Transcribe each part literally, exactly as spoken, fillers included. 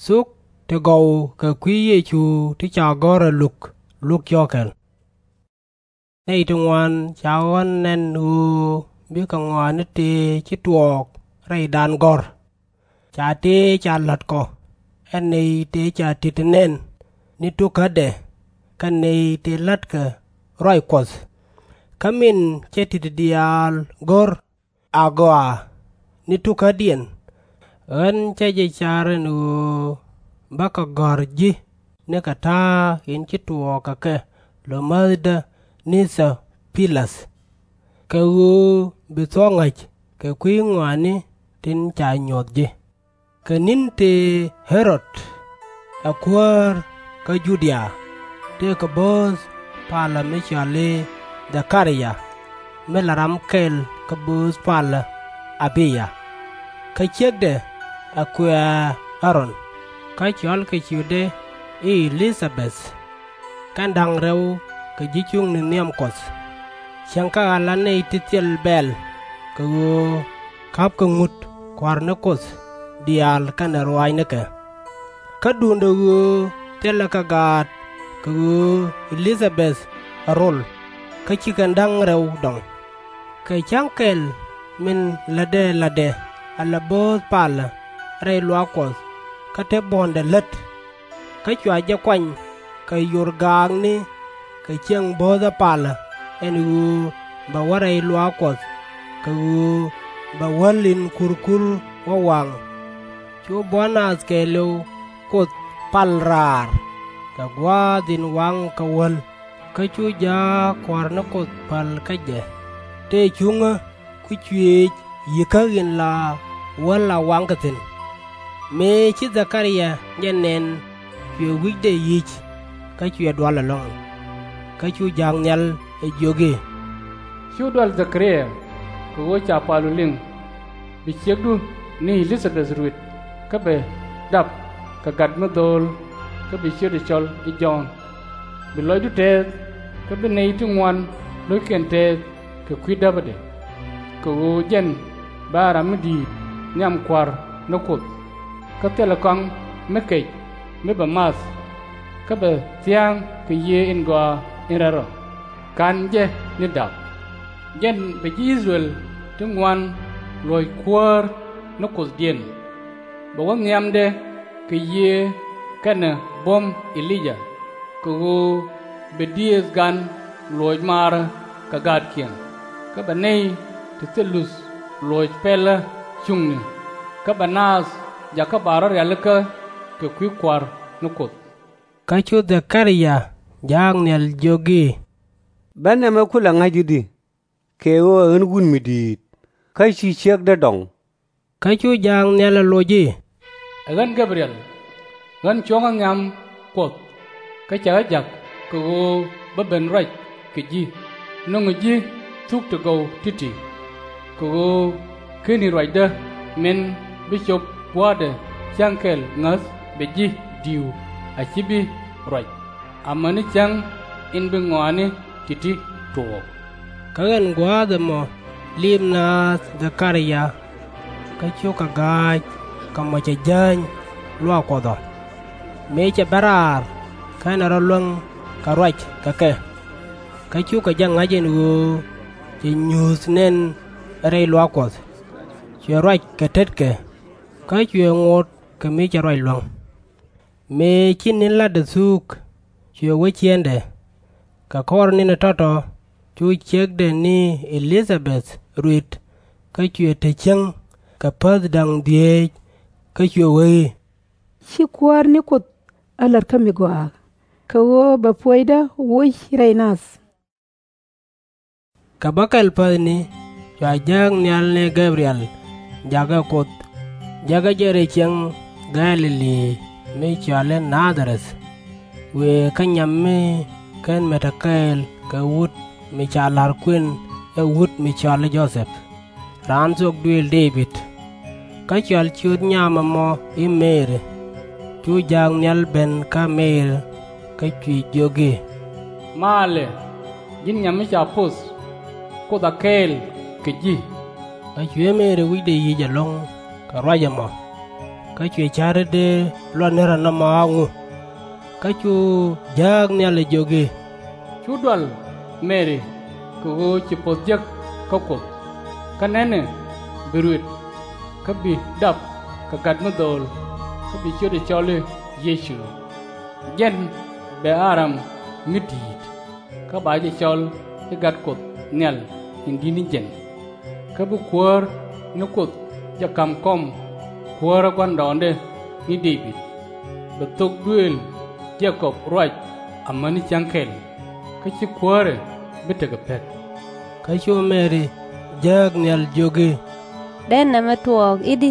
Thuk ti gɔw kɛ kui̱ Yecu ti ca gɔ̱r ɛ Luk, Luk cɔkɛl. Nɛy ti ŋuan ca ɣɔ̱n nɛn ɣöö bikɛ ŋɔaani tëë ci tuɔɔk rɛydan gɔ̱r. Ca tëë ca la̱t kɔ, ɛ nɛy tëë ca ti̱t nɛn ni tukädɛ, kɛ nɛy tëë la̱tkɛ ruac Kuɔth. Kä min cɛ ti̱t diaal go̱r agɔaa ni tukädiɛn, ɣän cä jɛ car ɛn ɣöö bä kɛ gɔ̱r ji̱ nikɛ ta̱a̱ in ci tuɔɔk kɛ kɛ lo̱mäthdä ni Thɔ-pi-läth, kɛ ɣöö bi thuɔ̱k ŋa̱c kɛ kui̱ ŋɔaani tin ca nyuɔ̱th ji̱. Kɛ ni̱n tëë Ɣɛ-rod ɛ kuäär kä Ju-dia, tëëkɛ bööth palä mi cɔal i̱ Dhɛ-ka-ri-ya, mi la ram kɛl kä bööth palä A-bi-ya. Kä ciekdɛ ɛ kuëë Ä-ron, kä cɔalkɛ ciötdɛ i̱ E-li-tha-beth. Kɛn da̱ŋ rɛw kɛ ji̱ cuŋni nhiam Kuɔth. Cieŋ kɛ ala nɛy ti thil bɛ̈ɛ̈l, kɛ ɣöö ka̱pkɛ ŋut kua̱r ni Kuoth diaal kɛnɛ ruaacnikɛ. Kä duundɛ ɣöö thilɛ kɛ gaat kɛ ɣöö E-li-tha-beth ɛ rol, kä ci kɛn da̱ŋ rɛw dɔŋ. Kɛ cäŋ kɛl min lätdɛ la̱tdɛ ala bööth palä rɛy luaak Kuɔth, kä te buɔ̱ndɛ lät. Kä cua jɛ kuany kɛ yor gaakni kɛ ciɛŋ bööthä palä, ɛn ɣöö bɛ wä rɛy luaak Kuɔth, kɛ ɣöö bɛ wäl in kurkur wä waŋ. Cu buɔ̱n naath kɛɛliw Kuoth pal raar, kɛ gua̱a̱th in waŋ kɛ wäl. Kä cu jaak kua̱r ni Kuoth päl kä jɛ, tëë cuŋä ku cuëëc yi̱kä in la wäl a waŋkɛ thi̱n. Mëë ci Dhɛ-ka-ri-ya jɛ nɛn, cuɛ wi̱cdɛ yi̱c, kä cuɛ dual ɛlɔ̱ŋ. Kä cu ja̱a̱k nhial ɛ jiök i̱, Cu dual Dhɛ-ka-ri-ya, kɛ ɣöö ca palu liŋ. Bi ciekdu ni E-li-tha-beth ruët, kä bɛ dap kɛ gat mi dho̱o̱l, kä bi ciötdɛ cɔl i̱ Jɔ̱ɔ̱n. Bi lɔcdu tɛɛth, kä bi nɛy ti ŋuan lo̱ckiɛn tɛɛth kɛ kui̱ däpädɛ. Kɛ ɣöö jɛn bɛ a ram mi di̱i̱t nhiam kua̱r ni Kuoth, kä thilɛ kɔaŋ mi kɛc mi bɛ math, kä bɛ thia̱a̱ŋ kɛ Yiëë in Gɔaa in Rɛl Rɔ, /ka̱n jɛ ni da̱k. Jɛn bɛ ji̱ I-thɛ-rɛl ti ŋuan luɔ̱c Kuäär ni Kuothdiɛn. Bɛ wä nhiamdɛ kɛ Yiëë kɛnɛ buɔ̱m E-li-jah, kɛ ɣöö bɛ diëëth gan luɔ̱c maarä kɛ gaatkiɛn, kä bɛ nɛy ti thil luth luɔ̱c pɛlä cuŋni, kä bɛ naath jakä ba rɔ̱ rialikä kɛ kui̱ kua̱r ni Kuoth. Kä cu Dhɛ-ka-ri-ya ja̱a̱k nhial jiök i̱, Bä nɛmɛ kulɛ ŋa̱c i̱di? Kɛ ɣöö ɛ ɣän wut mi di̱i̱t, kä /ci ciekdä dɔŋ. Kä cu ja̱a̱k nhial ɛ loc i̱, Ɛ ɣän Gɛb-ri-ɛl. Ɣän cuɔ̱ŋä nhiam Kuɔth, kä cɛ ɣä ja̱k kɛ ɣöö bä ben ruac kɛ ji̱, nöŋɛ ji̱ thuk ti gɔw ti̱ti̱. Kɛ ɣöö /keni ruacdä min bi cop gua̱a̱thdɛ cäŋ kɛl ŋäth bɛ ji̱ di̱i̱u a /ci bi ruac, amäni cäŋ in bi ŋɔaani ti̱ti̱ tuɔɔk. Kä ɣän gua̱a̱th ɛmɔ liip naath Dhɛ-ka-ri-ya, kä cukɛ ga̱a̱c kɛ mɔ cɛ jääny luaak Kuɔth ɔ, mëë cɛ ben raar, kä ɛn ɛ rɔ luäŋ kɛ ruac kɛ kɛ. Kä cukɛ jɛ ŋa̱c ɛn ɣöö cɛ nyuuth nɛn rɛy luaak Kuɔth, cuɛ ruac kɛ tetkɛ, kä cuɛ ŋot kɛ mi cɛ ruac luäŋ. Mëë ci ni̱n la̱tdɛ thuuk, cuɛ wä ciëŋdɛ. Kɛ kɔr ni̱n ɛ tɔ̱tɔ̱, cu ciekdɛ ni E-li-tha-beth ruët, kä cuɛ te cieŋ kɛ päth da̱ŋ dhieec, kä cuɛ wee i̱, Ci Kuäär ni Kuoth ɛ la̱t kä mi gɔaa, kɛ ɣöö bɛ puɔ̱nydä woc rɛy nath. Kɛ bä kɛl päthni, cua jääk nhial ni Gɛb-ri-ɛl jakä Kuoth, jäkä jɛ rɛy cieŋ Gɛ̈-lɛ-li mi cɔal i̱ Na-dha-rɛth, wëë kä nyam mi /ken met a kɛɛl kɛ wut mi ca la̱r kuën, ɛ wut mi cɔal i̱ Jo-thɛp, raan thuɔk duëël Dee-bid. Kä cɔal ciöt nyam ɛmɔ i̱ Mɛri. Cu ja̱a̱k nhial ben kä Mɛri, kä cuɛ jiök i̱, Malɛ, ji̱n nyam mi ca poth, Kuoth a kɛɛl kɛ ji̱. Kä cuɛ Mɛri wi̱cdɛ yic ɛlɔ̱ŋ kɛ ruac ɛmɔ. Kä cuɛ ca̱ri dee luɔt ni rɔ nɔmɔ a ŋu. Kä cu jääk nhial ɛ jiök i̱, Cu dual, Mɛri, kɛ ɣöö ci puɔ̱th jek kä Kuoth. Kä nɛnɛ, bi ruët, kä bi dap kɛ gat mi dho̱o̱l, kä bi ciötdɛ cɔl i̱ Yecu. Jɛn bɛ a ram mi di̱i̱t, kä ba jɛ cɔl i̱ Gat Kuɔth Nhial in Di̱t ni Jiɛn. Kä bi Kuäär ni Kuoth jɛ ka̱m kɔm kuäärä gua̱ndɔɔŋdɛ ni Dee-bid. Bɛ thok duëël Jɛ-kɔb ruac amäni cäŋ kɛl, kä /ci kuäärɛ bi tekɛ pek. Kä cu Mɛri jääk nhial jiök i̱, Dee nɛmɛ tuɔɔk i̱di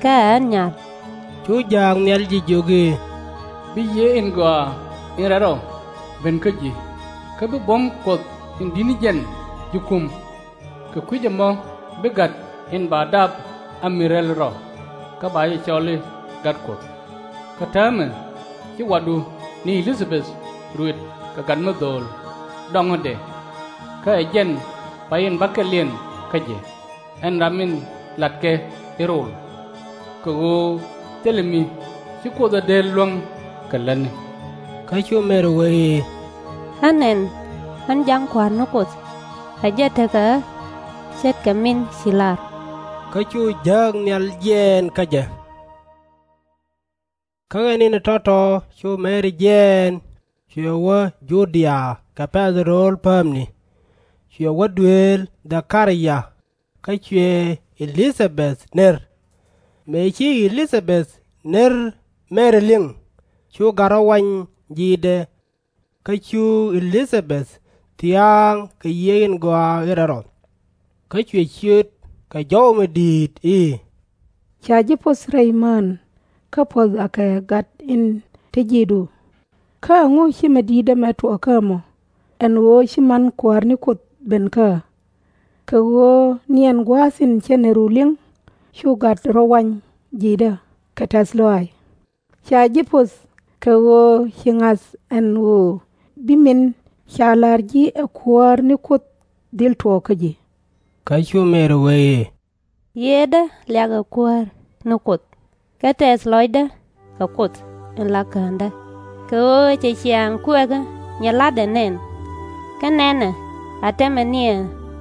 kä ɛ ɣän nyal? Cu jääk nhial jɛ jiök i̱, Bi yiëë in gɔaa in rɛl rɔ ben kä ji̱, kä bi buɔ̱m Kuɔth in Di̱t ni Jiɛn ji̱ kum. Kɛ kui̱c ɛmɔ bi Gat in ba dap a mi̱r rɛl rɔ, kä ba jɛ cɔl i̱ Gat Kuɔth. Kä täämɛ ci watdu ni E-li-tha-beth ruët kɛ gat mi dho̱o̱l dɔŋädɛ, kä ɛ jɛn pay in bäkɛliɛn kä jɛ, ɛn ram in latkɛ i̱ rol. Kɛ ɣöö thilɛ mi ci Kuoth ɛ dee luäŋ kɛ lätni. Kä cu Mɛri wee i̱, Ɣän nɛn, ɣän ja̱ŋ Kua̱r ni Kuoth, ɛ jɛ tekɛ ɣä ce̱tkɛ min ci lar. Kä cu jääk nhial jiɛɛn kä jɛ. Kä ɛ ni̱n tɔ̱tɔ̱ cu Mɛri jiɛɛn, cuɛ wä Ju-dia kɛ pɛ̈th rööl päämni, cuɛ wä duëël Dhɛ-ka-ria, kä cuɛ E-li-tha-beth ner. Mëë ci E-li-tha-beth ner Mɛri liŋ, cu gat rɔ wany ji̱dɛ. Kä cu E-li-tha-beth thia̱a̱ŋ kɛ yiëë in gɔaa in rɛl rɔ. Kä cuɛ ciöt kɛ jɔw mi di̱i̱t i̱, Ca ji̱ poth rɛy mään, kä puɔ̱th akɛ gat in te ji̱du. Kä ɛŋu ci mi di̱i̱t ɛmɛ tuɔɔk kä mɔ, ɛn ɣöö ci man Kuäär ni Kuoth ben kä ɣä? Kɛ ɣöö ni ɛn gua̱a̱th in cä neru liŋ, cu gat rɔ wany ji̱dä kɛ tɛ̈th lɔaac. Ca ji̱ poth kɛ ɣöö ci ŋa̱th ɛn ɣöö bi min ca la̱r ji̱ ɛ Kuäär ni Kuoth dhil tuɔɔk kä ji̱. Kä cu Mɛri wee i̱, Yiëëdä liakɛ Kuäär ni Kuoth, kä tɛth lɔcdä kɛ Kuoth in la Kändä, kɛ ɣöö cɛ ciaŋ kuɛkä nyilatdɛ nɛn. Kä nɛnɛ, a tɛmɛ niɛ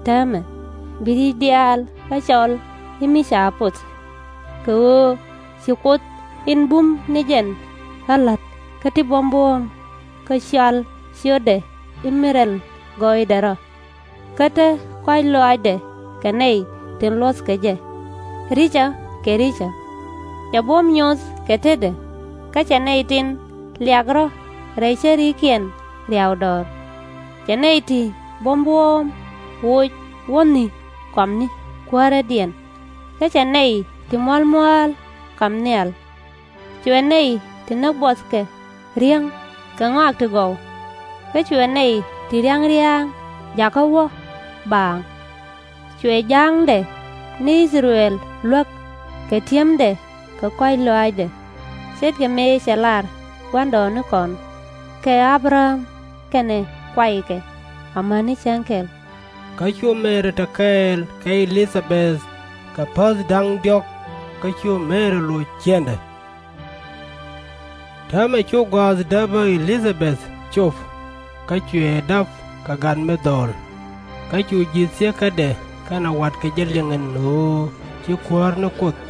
täämɛ bi ri̱c diaal ɣä cɔl i̱ mi ca poth. Kɛ ɣöö ci Kuoth in bum ni jɛn ɣä la̱t kä ti buɔ̱m buɔ̱ɔ̱m, kä cɔal ciötdɛ i̱ mi rɛl gɔɔydɛ rɔ, kä te kɔ̱a̱c lɔaacdɛ kɛ nɛy tin luɔ̱thkɛ jɛ, ri̱cä kɛ ri̱cä. Cɛ buɔ̱m nyoth kɛ tetdɛ, kä cɛ nɛy tin liak rɔ̱ rɛy cärikiɛn riaw dɔɔr. Cɛ nɛy ti buɔ̱m buɔ̱ɔ̱m woc wäni kɔamni kuäärädiɛn, kä cɛ nɛy ti mua̱l mua̱a̱l ka̱m nhial. Cuɛ nɛy ti näk buɔthkɛ riäŋ kɛ ŋɔak ti gɔw, kä cuɛ nɛy ti ria̱ŋ ria̱a̱ŋ jakä wä baaŋ. Cuɛ ja̱a̱ŋdɛ ni I-thɛ-rɛl luäk kɛ ti̱emdɛ kɛ kɔ̱a̱c lɔaacdɛ, ce̱tkɛ mëë cɛ lar gua̱ndɔɔŋnikɔn kɛ Abraɣam kɛnɛ kuaykɛ amäni cäŋ kɛl. Kä cu Mɛri te kɛɛl kɛ E-li-tha-beth kɛ päth da̱ŋ diɔ̱k, kä cu Mɛri loc ciëŋdɛ. Täämɛ cu gɔ̱a̱th däpä E-li-tha-beth cop, kä cuɛ dap kɛ gat mi dho̱o̱l. Kä cu ji̱ thieekädɛ kɛnɛ watkɛ jɛ liŋ ɛn ɣöö ci Kuäär ni Kuoth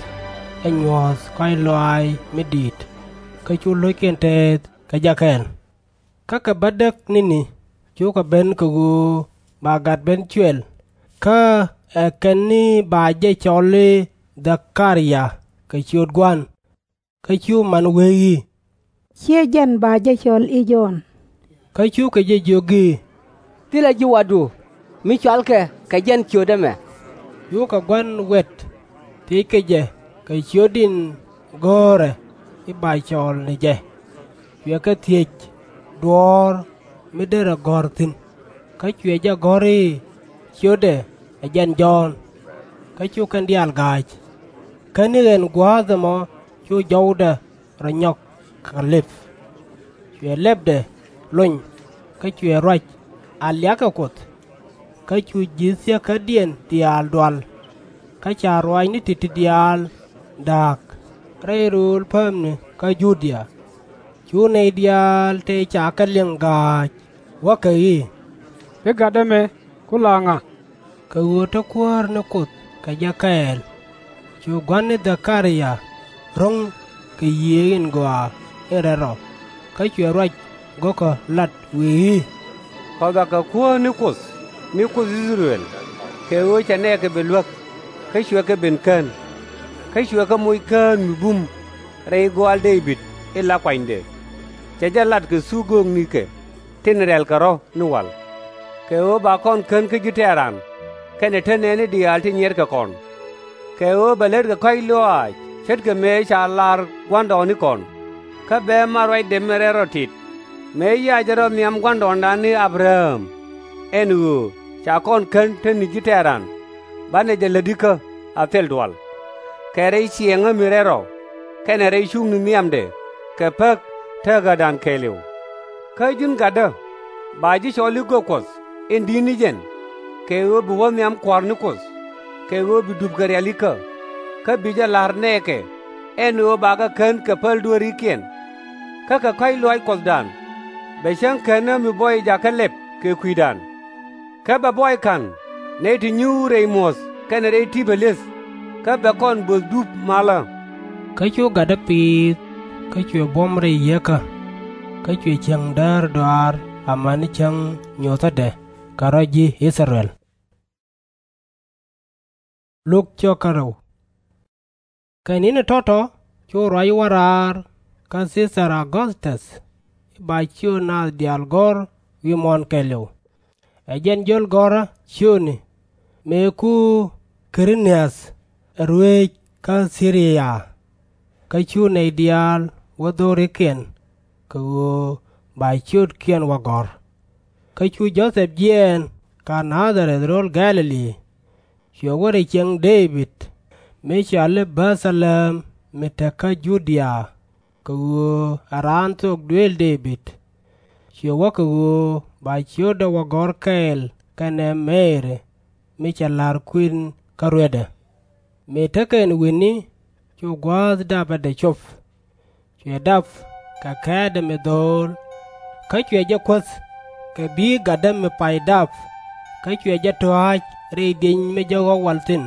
ɛ nyuɔ̱th kɔ̱a̱c lɔaac mi di̱i̱t, kä cu lo̱ckiɛn tɛɛth kɛ jɛ kɛɛl. Kä kɛ bädäk ni̱ni cukɛ ben kɛ ɣöö ba gat ben cuɛl, kä ɛ kɛn ni ba jɛ cɔl i̱ Dhɛ-ka-ria kɛ ciöt Gua̱n. Kä cu man wee i̱, Ciɛ jɛn ba jɛ cɔl i̱ Jɔ̱ɔ̱n. Kä cukɛ jɛ jiök i̱, Thilɛ ji̱ watdu mi cɔalkɛ kɛ jɛn ciöt ɛmɛ. Cukɛ gua̱n wɛt thiëckɛ jɛ kɛ ciöt in go̱o̱rɛ i̱ ba cɔɔl ni jɛ. Cuɛ kɛ thiec duɔ̱ɔ̱r mi derɛ gɔ̱r thi̱n, kä cuɛ jɛ gɔ̱r i̱ ciötdɛ ɛ jɛn Jɔ̱ɔ̱n. Kä cu kɛn diaal ga̱a̱c. Kä ni ɣɛn gua̱a̱th ɛmɔ cu jɔwdɛ rɔ nyɔk kɛ lëp. Cuɛ lɛpdɛ lony, kä cuɛ ruac a liakɛ Kuoth. Kä cu ji̱ thieekädiɛn diaal dual, kä ca ruaacni ti̱ti̱ diaal da̱a̱k. rɛy rööl päämni kä Judia. Cu nɛy diaal tëë ca kɛ liŋ gaac, wäkɛ i̱, Bi gatdä mëë ku la ŋa? Kɛ ɣöö te Kuäär ni Kuoth kɛ jɛ kɛɛl. Cu gua̱n ni Dhɛ-ka-ria ro̱ŋ kɛ Yiëë in Gɔaa in Rɛl Rɔ, kä cuɛ ruac go̱o̱kä lat, wëë i̱, Kɔn bakɛ Kuäär ni Kuoth, mi Kuoth I-thɛ-rɛl, kɛ ɣöö cɛ nɛɛkɛ ben luäk, kä cuɛ kɛ ben kän. Kä cuɛ kɛ moc kään mi bum rɛy gɔaal Dee-bid in la kuanydɛ. Cɛ jɛ lat kɛ thuk gööknikɛ tin rɛ̈lkɛ rɔ̱ ni wal, kɛ ɣöö ba kɔn kän kä ji̱ tɛ̈ran, kɛnɛ te nɛɛni diaal ti nyiɛrkɛ kɔn. Kɛ ɣöö bɛ lät kɛ kɔ̱a̱c lɔaac ce̱tkɛ mëë ca lar gua̱ndɔɔŋnikɔn, kä bɛ mat ruacdɛ min rɛl rɔ tit, mëë yac rɔ nhiam gua̱ndɔɔŋdan ni Abraɣam, ɛn ɣöö ca kɔn kän te ni ji̱ tɛ̈ran, banɛ jɛ lätikä a thil dual, kɛ rɛy ciɛɛŋä mi rɛl rɔ, kɛnɛ rɛy cuŋni nhiamdɛ kɛ pek te ɣädan kɛɛliw. Kä ji̱n gatdä, ba ji̱ cɔl i̱ gök Kuɔth in di̱t ni jɛn, kɛ ɣöö bi wä nhiam Kua̱r ni Kuoth, kɛ ɣöö bi dup kɛ rialikä, kä bi jɛ la̱r nɛɛkɛ, ɛn ɣöö bakɛ kän kɛ päl dueerikiɛn. Kä kɛ kɔ̱a̱c lɔaac Kuɔthdan, bɛ cäŋ känä mi buɔy jakä lɛp kɛ kui̱dan. Kä bɛ buɔy ka̱n nɛy ti nyuur rɛy muɔ̱th kɛnɛ rɛy ti̱pä li̱eth, kä bɛ kɔn böth dup malä. Kä cu gatdä piith, kä cuɛ buɔ̱m rɛy yieekä, kä cuɛ cieŋ däär dɔaar amäni cäŋ nyothädɛ kɛ rɔ ji̱ I-thɛ-rɛl. Kɛ ni̱ni tɔ̱tɔ̱ cu ruac wä raar kä Thi-thar Auguthtɔth i̱ ba ciöt naath diaal gɔ̱r wi̱i̱ muɔ̱ɔ̱n kɛɛliw. Ɛ jɛn jiöl gɔ̱rä ciötni, mëë ku Kɛ-ri-nith ɛ ruëëc kä Thi-ri-ya. Kä cu nɛy diaal wä dho̱rikiɛn, kɛ ɣöö ba ciötkiɛn wä gɔ̱r. Kä cu Jo-thɛp jiɛɛn kä Na-dha-rɛth rööl Gɛ̈-lɛ-li, cuɛ wä rɛy cieŋ Dee-bid, mi cɔal i̱ Bɛ̈-tha-lɛ̈m mi te kä Ju-dia, kɛ ɣöö ɛ raan thok duëël Dee-bid. Cuɛ wä kɛ ɣöö ba ciötdɛ wä gɔ̱r kɛɛl kɛnɛ Mɛri, mi cɛ la̱r kuën kä ruetdɛ. Mëë tekɛ ɛn wi̱ni, cu gua̱a̱th dapdɛ cop. Cuɛ dap kɛ kɛ̈tdɛ mi dho̱o̱l, kä cuɛ jɛ kuäth kɛ bi̱i̱ gatdä mi pay dap, kä cuɛ jɛ tɔ̱a̱c rɛy di̱eny mi jek ɣɔ̱k wal thi̱n,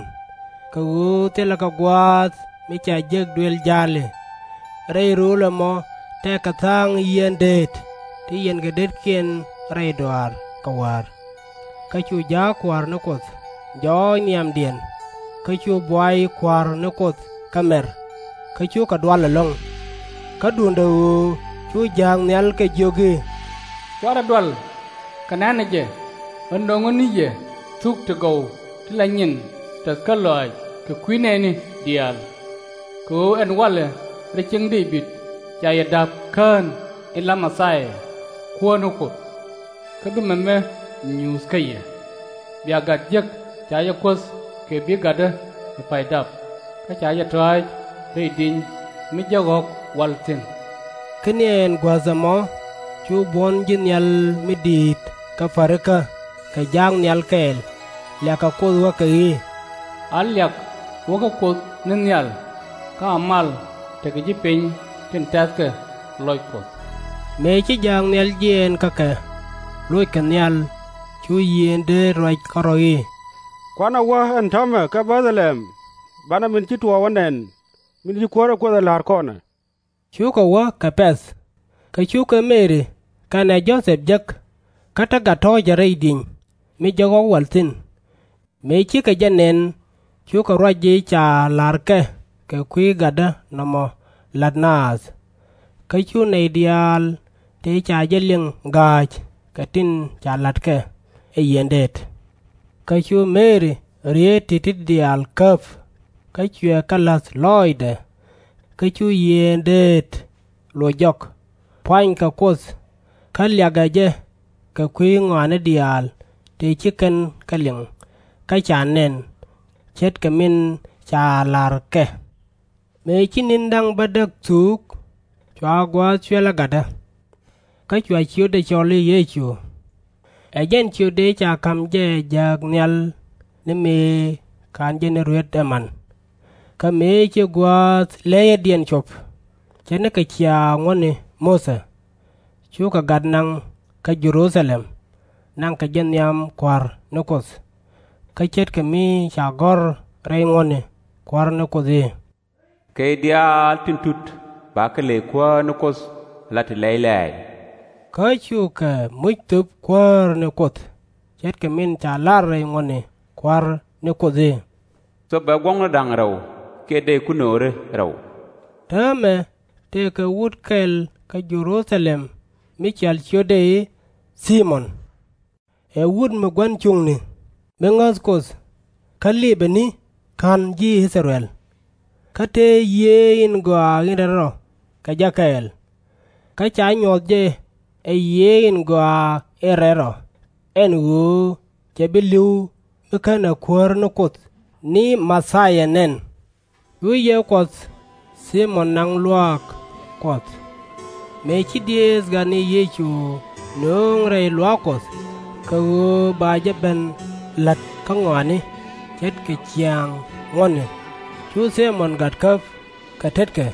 kɛ ɣöö thilɛ kɛ gua̱a̱th mi ca jek duëël ja̱a̱li. Rɛy rööl ɛmɔ tëëkɛ tha̱a̱ŋ yieen deet ti yiɛnkɛ detkiɛn rɛy dɔaar kɛ wäär. Kä cu ja̱a̱k Kua̱r ni Kuoth jɔɔc nhiamdiɛn, kä cu buay Kua̱r ni Kuoth kä mɛr, kä cukɛ dual ɛlɔ̱ŋ. Kä duundɛ ɣöö cu jääk nhial kɛ jiök i̱, Cuarɛ dual, kɛ nɛ̈nɛ jɛ, ɣän nöŋä ni yɛ thuk ti gɔw ti la nyin tɛth kä lɔaac kɛ kui̱ nɛɛni diaal. Kɛ ɣöö ɛn walɛ rɛy cieŋ Dee-bid ca yɛ da̱p kään in la Mɛ-thia, Kuäär ni Kuoth. Kä bi mɛmɛ nyuuth kä yɛ. Bia gat jek ca jɛ kuäth kɛ bi̱i̱ gatdä mi pay dap, kä ca jɛ tɔ̱a̱c rɛy di̱eny mi jek ɣɔ̱k wal thi̱n. Kä ni ɛn guäth ɛmɔ cu buɔ̱n ji̱ nhial mi di̱i̱t kä pärikä kɛ ja̱a̱k nhial kɛɛl, liakɛ Kuoth wäkɛ i̱, A liak wäkɛ Kuoth ni nhial, kä a mal tekɛ ji̱ piny tin tɛ̈thkɛ lɔc Kuɔth. Mëë ci jääk nhial jiɛɛn kä kɛ, lockɛ nhial, cu yiëë deet ruac kärɔ̱ i̱, Kuanɛ wä ɛn täämɛ kä Bɛ̈th-lɛ-ɣɛm, banɛ min ci tuɔɔk wä nɛn, min ci Kuäär ɛ Kuoth ɛ la̱r kɔn ɛ. Cukɛ wä kɛ pɛ̈th, kä cukɛ Mɛri kɛnɛ Jo-thɛp jek, kä te gat tɔ̱ɔ̱cɛ rɛy di̱eny mi jek ɣɔ̱k wal thi̱n. Mëë cikɛ jɛ nɛn, cukɛ ruac ji̱ ca la̱rkɛ kɛ kui̱ gatdä nɔmɔ la̱t naath. Kä cu nɛy diaal tëë ca jɛ liŋ gaac kɛ tin ca la̱tkɛ ɛ yieen deet. Kä cu Mɛri rieet ti̱ti̱ diaal käp, kä cuɛ kɛ la̱th lɔɔcdɛ. Kä cu yieen deet loc jɔk, pua̱nykɛ Kuoth, kä liakɛ jɛ kɛ kui̱ ŋɔaani diaal tëë ci kɛn kɛ liŋ kä ca nɛn, ce̱tkɛ min ca la̱rkɛ. Mëë ci ni̱n da̱ŋ bädäk thuuk, cua gua̱a̱th cuɛlɛ gatdä. Kä cua ciötdɛ cɔl i̱ Yecu. Ɛ jɛn ciöt dëë ca ka̱m jɛ jääk nhial ni mëë /ka̱n jɛ ni ruet ɛman. Kä mëë ci gua̱a̱th lɛyädiɛn cop, ce̱tnikɛ ciaŋ ŋuɔ̱tni Muthɛ, cukɛ gat naŋ kä Jɛ-ru-tha-lɛm, naŋkɛ jɛ nhiam Kua̱r ni Kuoth. Kä ce̱tkɛ mi ca gɔ̱r rɛy ŋuɔ̱tni Kua̱r ni Kuoth i̱, Kɛ diaal tin tut bakɛ ley Kuäär ni Kuoth ala ti lɛy lɛ̈ɛ̈c. Kä cukɛ muc thöp Kuäär ni Kuoth, ce̱tkɛ min ca lar rɛy ŋuɔ̱tni Kua̱r ni Kuoth i̱, Thöpɛ guɔ̱ŋni da̱ŋ rɛw kiɛ dëy kuno̱ri rɛw. Täämɛ tëëkɛ wut kɛl kä Jɛ-ru-tha-lɛm mi cɔal ciötdɛ i̱ Thi-mɔn. Ɛ wut mi gua̱n cuŋni, mi ŋäth Kuoth, kä lipɛ ni /ka̱n ji̱ I-thɛ-rɛl. Kä tëë Yiëë in Gɔaa in Rɛl Rɔ kɛ jɛ kɛɛl. Kä ca nyuɔth jɛ ɛ Yiëë in Gɔaa in Rɛl Rɔ, ɛn ɣöö cɛ bi li̱w mi /kenɛ Kuäär ni Kuoth ni Ma-thi-ya nɛn. Cu Yiëë Kuɔth Thi-mɔn naŋ luaak Kuɔth. Mëë ci Diëëth Gatni Yecu nöŋ rɛy luaak Kuɔth kɛ ɣöö ba jɛ ben la̱t kä ŋɔaani, ce̱tkɛ ciaŋ ŋuɔ̱tni, cu Thi-mɔn Gat käp kɛ tetkɛ,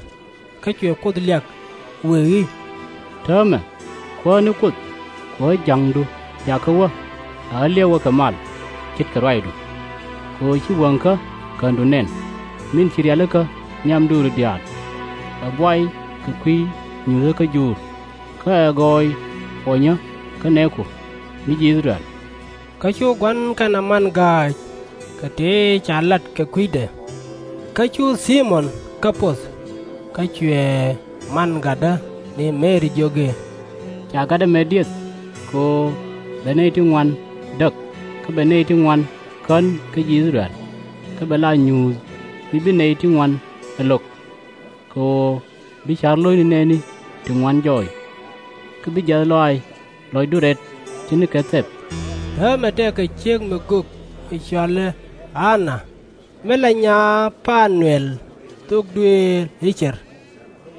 kä cuɛ Kuoth liak, wëë i̱, Täämɛ, Kuäär ni Kuoth, Kuäär ja̱ŋdu jakä wä, a ɣä liɛwä kɛ mal ce̱tkɛ ruacdu. Kɛ ɣöö ci wäŋkä Käändu nɛn, min ci rialikä nhiam duɔ̱ɔ̱ri diaal, ɛ buay kɛ kui̱ nyuthä kä juur, kä ɛ gɔɔy puɔnyä kä nɛɛku, mi ji̱ I-thɛ-rɛl. Kä cu gua̱n kɛnɛ man ga̱a̱c kɛ tëë ca lat kɛ kui̱dɛ. Kä cu Thi-mɔn kɛ poth, kä cuɛ man gatdä ni Mɛri jiök i̱, Ca gatdä met dieth, kɛ ɣöö bɛ nɛy ti ŋuan däk, kä bɛ nɛy ti ŋuan kän kä ji̱ I-thɛ-rɛl, kä bɛ la nyuuth mi bi nɛy ti ŋuan ɛ lo̱k, kɛ ɣöö bi ca̱r lo̱cni nɛɛni ti ŋuan jɔɔc, kä bi jiath lɔaac lɔcdu rɛt ce̱tnikɛ thɛp. Täämɛ tëëkɛ ciek mi gök mi cɔal i̱ A-na, mi la nyaa Pa-nu-ɛl, thok duëël i̱ Cɛr.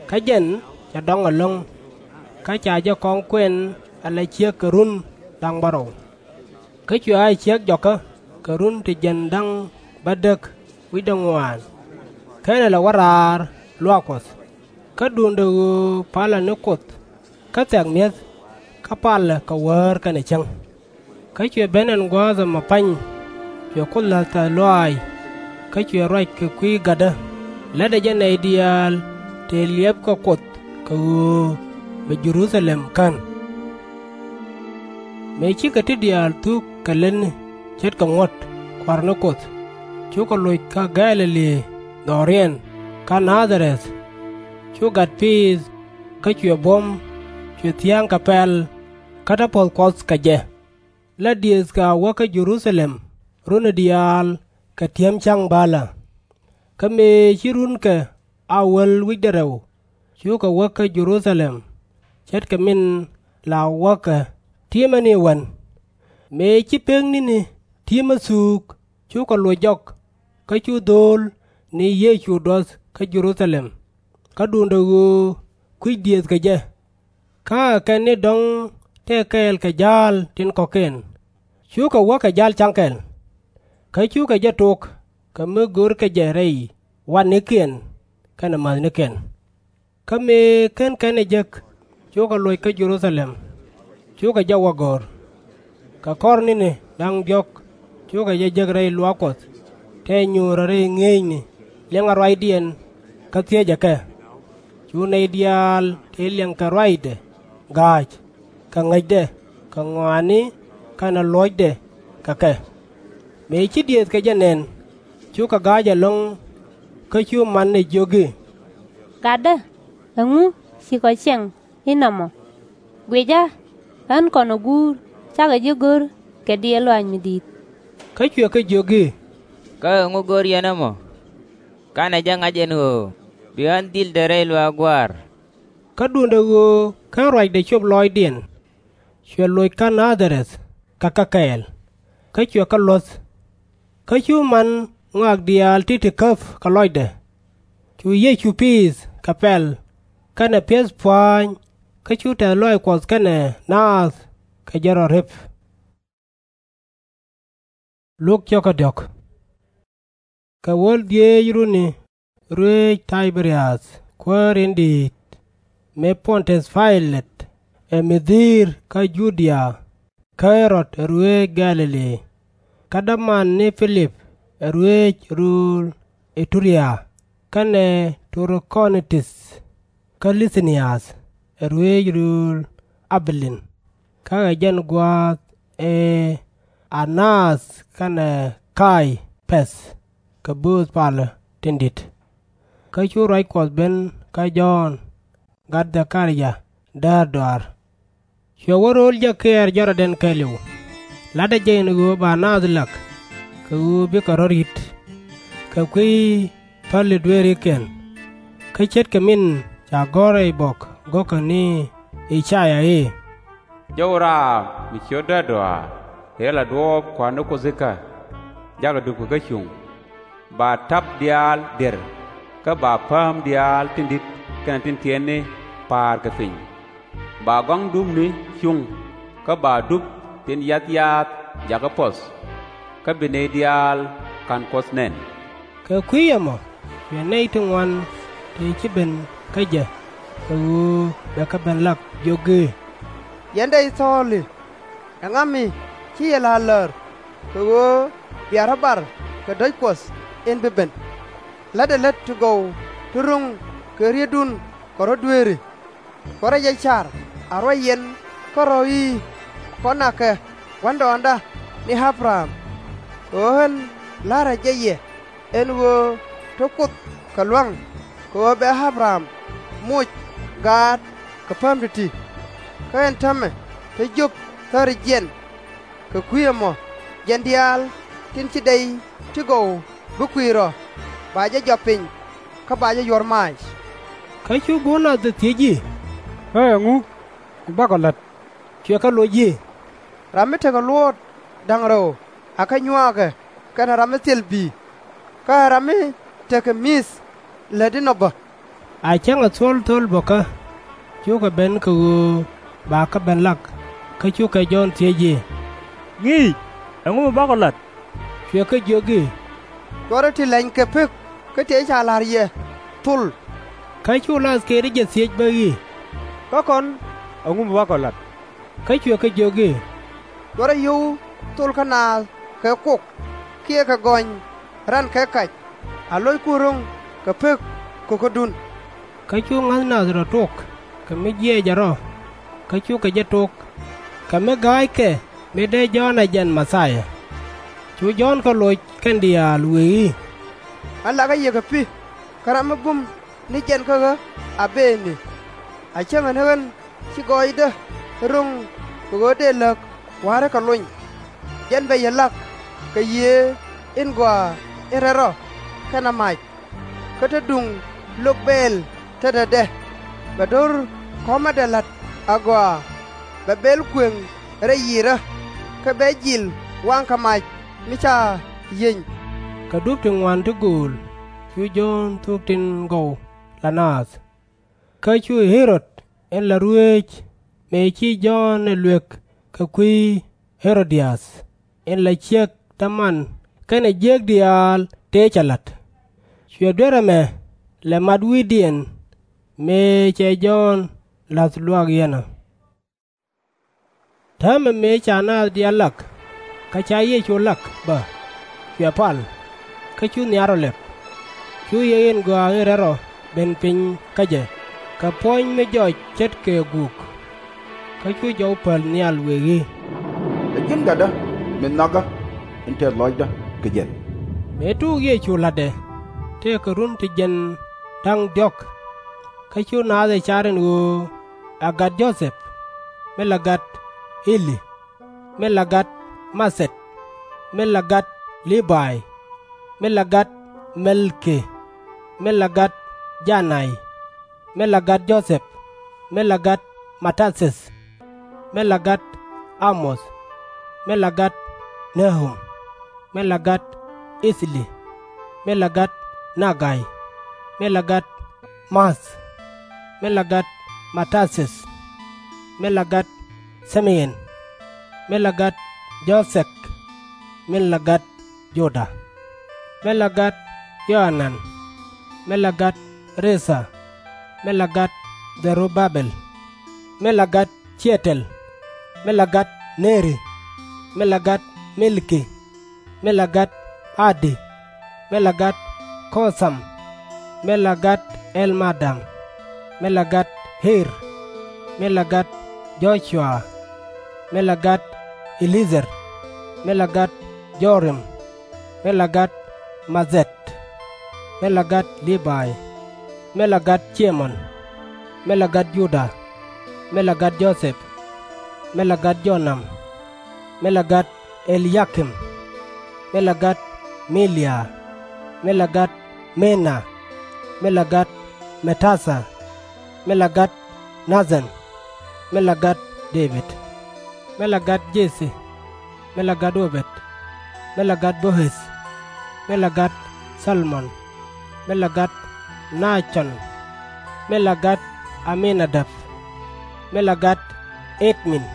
Kä jɛn cɛ dɔ̱ŋ ɛlɔ̱ŋ, kä ca jɛ kɔŋ kuɛn ala ciek kɛ run da̱ŋ bärɔw. Kä cuɛ a ciek jɔkä kɛ run ti jiɛn da̱ŋ bädäk wi̱cdɛ ŋuan, /kenɛ lɛ wä raar luaak Kuɔth. Kä duundɛ ɣöö palɛ ni Kuoth kä thɛ̈k mi̱eth, kä palɛ kɛ wäär kɛnɛ cäŋ. Kä cuɛ ben ɛn gua̱a̱th ɛmɔ pa̱ny, cuɛ Kuoth la̱th tɛ̈th lɔaac, kä cuɛ ruac kɛ kui̱ gatdä, la̱tdɛ jɛ nɛy diaal tëë liɛpkɛ Kuoth kɛ ɣöö bɛ Jɛ-ru-tha-lɛm kän. Mëë cikɛ ti diaal thuk kɛ lätni ce̱tkɛ ŋuɔ̱t Kua̱r ni Kuoth, cukɛ loc kä Gɛ̈-lɛ-li dhɔriɛn kä Na-dha-rɛth. Cu gat piith, kä cuɛ buɔ̱m, cuɛ thia̱a̱ŋ kɛ pɛl, kä te puɔ̱th Kuɔth kɛ jɛ. La diëëthkɛ a wä kä Jɛ-ru-tha-lɛm runi diaal kɛ ti̱em ca̱ŋ bälä. Kä mëë ci runkɛ a wäl wi̱cdɛ rɛw, cukɛ wä kä Jɛ-ru-tha-lɛm, ce̱tkɛ min la wäkɛ ti̱emä ni wän. Mëë ci pek ni̱ni ti̱emä thuuk, cukɛ loc jɔk, kä cu dho̱o̱l ni Yecu duɔth kä Jɛ-ru-tha-lɛm, kä duundɛ ɣöö kui̱c diëëthkɛ jɛ. Kä ɛ kɛn ni dɔ̱ŋ tëë kɛɛl kɛ ja̱a̱l tin kɔ̱kiɛn, cukɛ wä kɛ ja̱l ca̱ŋ kɛl. Kä cukɛ jɛ tok kɛ mi görkɛ jɛ rɛy wannikiɛn kɛnɛ mäthnikiɛn. Kä mëë /ken kɛn ɛ jek, cukɛ loc kä Jɛ-ru-tha-lɛm, cukɛ jɛ wä go̱r. Kɛ kɔr ni̱ni da̱ŋ diɔ̱k cukɛ jɛ jek rɛy luaak Kuɔth, tɛ nyuurä rɛy ŋi̱eecni liŋ ruacdiɛn, kä thiecɛ kɛ. Cu nɛy diaal tëë liɛŋkɛ ruacdɛ ga̱a̱c, kɛ ŋäcdɛ, kɛ ŋɔaani, kɛnɛ luɔ̱cdɛ kɛ kɛ. Mëë ci diëëthkɛ jɛ nɛn, cukɛ ga̱a̱c ɛlɔ̱ŋ, kä cu manɛ jiök i̱, Gatdä, ɛŋu ci kɔ ciɛŋ inɔmɔ? Guicä, ɣän kɔn ɛ guur cakɔ ji̱ go̱r kɛ diɛɛl lɔaac mi di̱i̱t. Kä cuɛ kɛ jiök i̱, Kä ɛŋu go̱r yɛn ɛmɔ? /Kanɛ jɛ ŋa̱c ɛn ɣöö bi ɣän dhildɛ rɛy luaak Gua̱a̱r. Kä duundɛ ɣöö /ken ruacdɛ cop lɔɔcdiɛn, cuɛ loc kä Na-dha-rɛth kɛ kɛ kɛɛl, kä cuɛ kɛ luɔ̱th. Kä cu man ŋɔak diaal ti ti käp kɛ lɔcdɛ. Cu Yecu piith kɛ pɛl kɛnɛ pi̱eth pua̱a̱ny, kä cu tɛ̈th lɔaac Kuɔth kɛnɛ naath kɛ jɛ rɔ rep. Kɛ wäl dhieec runi ruëëc Tay-bɛ-riäth kuäär in di̱i̱t, mëë Pɔn-tiäth Pay-lɛt ɛ mi dhi̱i̱r kä Ju-dia, kä Ɣɛ-rɔd ɛ ruëëc Gɛ̈-lɛ-li, kä däman ni Pi-lip ɛ ruëëc rööl Iturea, kɛnɛ Tro-kɔ-ni-tith kä Lith-niäth ɛ ruëëc rööl Ä-bi-lin, kä ɛ jɛn gua̱a̱th ëë Ä-naath kɛnɛ Kay-päth kɛ bööth palä tin di̱t. Kä cu ruac Kuɔth ben kä Jɔ̱ɔ̱n gat Dhɛ-ka-ria däär dɔa̱a̱r. Cuɛ wä ro̱o̱l jɛ kɛɛr jɔrɔdɛn kɛɛliw, la̱tdɛ jɛ ɛn ɣöö ba naath lak, kɛ ɣöö bikɛ rɔ̱ ri̱t, kɛ kui̱ päli dueerikiɛn. Kä ce̱tkɛ min ca gɔ̱r rɛy bɔk go̱kä ni I-ca-yaa i̱, Jɔw raam mi ciöt däär dɔa̱a̱r, tëë la duɔ̱ɔ̱p Kua̱r ni Kuoth ikä, jakɛ dupkɛ kä cuŋ, ba ta̱p diaal dier, kä ba pääm diaal tin di̱t kɛnɛ tin tiɛtni pa̱a̱r kɛ piny. Ba gɔ̱a̱ŋ dupni cuŋ, kä ba dup tin yath yaath jakä puɔ̱th, kä bi nɛy diaal ka̱n Kuɔth nɛn. Kɛ kui̱ ɛmɔ cuɛ nɛy ti ŋuan ti ci ben kä jɛ kɛ ɣöö bɛ kɛ ben lak, jiök i̱, Yɛn dɛy thɔɔli, ɛŋa mi ci yɛ la̱r lär, kɛ ɣöö bia rɔ̱ bar kɛ dɔ̱c Kuɔth in bi ben? La̱tdɛ lät ti gɔw ti ro̱ŋ kɛ rieetdun kɛ rɔ̱ dueeri. Kɛ rɔ jɛ car a ruac yɛn kärɔ̱ i̱, Kɔn a kɛ gua̱ndɔɔŋda ni Ä-bɛ-ram, kɛ ɣöö ɣän la̱rä jɛ yɛ ɛn ɣöö te Kuoth kɛ lua̱ŋ, kɛ ɣöö bɛ Ä-bɛ-ram moc gaat kɛ pääm ti̱ti̱. Kä ɛn täämɛ te jiök thäri jiɛn. Kɛ kui̱ ɛmɔ jɛn diaal tin ci dɛy ti gɔw bi kui̱c rɔ̱, ba jɛ jɔɔp piny, kä ba jɛ yuɔr maac. Kä cu go̱o̱r naath ɛ thiec i̱, Ɣä ɛŋu mi bakɔ la̱t? Cuɛ kɛ loc i̱, Ram mi tekɛ luɔ̱ɔ̱t da̱ŋ rɛw akɛ nyuaakɛ kɛnɛ ram mi thil bi̱i̱, kä ɛ ram mi tekɛ mi̱th lätdi nɔ bä. A cäŋɛ thuɔ̱l thöl bä kä, cukɛ ben kɛ ɣöö ba kɛ ben lak, kä cukɛ Jɔ̱ɔ̱n thiec i̱, Ŋi̱i̱c, ɛŋu mi bakɔ la̱t? Cuɛ kɛ jiök i̱, Cuɔrɛ ti lɛny kɛ pek kä tëë ca la̱r yɛ, Thol. Kä cu lathkiɛn jɛ thiec bä i̱, Kä kɔn ɛŋu mi bakɔ la̱t? Kä cuɛ kɛ jiök i̱, Cuɔrɛ yio̱w thol kä naath kɛ kok, kiɛ kɛ gɔny ran kɛ kac, a lo̱ckun ro̱ŋ kɛ pek ko̱kädun. Kä cu ŋa̱th nath rɔ tok kɛ mi jiɛcɛ rɔ, kä cukɛ jɛ tok, kɛ mi ga̱a̱ckɛ mi dee Jɔ̱ɔ̱n ɛ jɛn Mɛ-thia. Cu Jɔ̱ɔ̱n kɛ loc kɛn diaal wëë i̱, Ɣän lakä yɛ kɛ pi̱, kä ram mi bum ni jɛn kä ɣä a bëëni. A cäŋɛ ni ɣän ci gɔɔydä ro̱ŋ kɛ ɣöö dëë läk wa̱a̱ rɔ̱ kɛ lony. Jɛn bɛ yɛ lak kɛ Yiëë in Gɔaa in Rɛl Rɔ kɛnɛ mac. Kä te duŋ lok bɛɛl tetdä dɛ, bɛ do̱r kɔmädɛ la̱t agɔaa, bɛ bɛl kuëŋ rɛy yiëërä, kä bɛ jil waŋkɛ mac mi ca yieny. Kɛ dup ti ŋuan ti gööl cu Jɔ̱ɔ̱n thuk tin gɔw la naath. Kä cu Ɣɛ-rod in la ruëëc, mëë ci Jɔ̱ɔ̱n ɛ luëk kɛ kui̱ Ɣɛ-ro-diath in la ciek däman kɛnɛ jiäk diaal tëë cɛ la̱t, cuɛ duer ɛmɛ lɛ mat wi̱i̱diɛn mëë cɛ Jɔ̱ɔ̱n la̱th luaak yɛn ɔ. Täämɛ mëë ca naath diaal lak, kä ca Yecu lak bä, cuɛ pal, kä cu nhial rɔ lɛp. Cu Yiëë in Gɔaa in Rɛl Rɔ ben piny kä jɛ kɛ puɔ̱ny mi jɔc ce̱tkɛ guuk. Kä cu jɔw päl nhial wëë i̱, Ɛ ji̱n Gatdä mi nhɔakä in tɛth lɔcdä kɛ jɛn. Mëë tuuk Yecu la̱tdɛ, tëëkɛ run ti jiɛn da̱ŋ diɔ̱k. Kä cu naath ɛ car ɛn ɣöö ɛ gat Jo-thɛp, mi la gat Ɛli, mi la gat Ma-thɛt, mi la gat Lii-bay, mi la gat Mɛl-ki, mi la gat Ja-nay, mi la gat Jo-thɛp, mi la gat Ma-tä-thiäth, mi la gat Ä-moth, mi la gat Nä-ɣum, mi la gat Ith-li, mi la gat Na-gay, mi la gat Maath, mi la gat Ma-tä-thiäth, mi la gat Thim-ɛn, mi la gat Jo-thɛk, mi la gat Jo-da, mi la gat Yo-ɣa-nan, mi la gat Re-tha, mi la gat Dhɛ-ru-ba-bɛl, mi la gat Ciɛ-tel, mi la gat Nɛ-ri, mi la gat Mil-ki, mi la gat Ä-di, mi la gat Ko-tham, mi la gat El-ma-dam, mi la gat Er, mi la gat Jɔ-cua, mi la gat E-li-ɛ̈tha-räl, mi la gat Jo-rim, mi la gat Ma-theth, mi la gat Lii-bay, mi la gat Cim-on, mi la gat Juda, mi la gat Jo-thɛp, mi la gat Jo-nam, mi la gat E-li-yaa-kim, mi la gat Me-li-yaa, mi la gat Me-na, mi la gat Me-tat-haa, mi la gat Na-than, mi la gat Dee-bid, mi la gat Jeth-ci, mi la gat Ɔ-bɛd, mi la gat Boo-ɛth, mi la gat Thal-mɔn, mi la gat Na-con, mi la gat Ä-mi-na-dab, mi la gat Ɛd-min,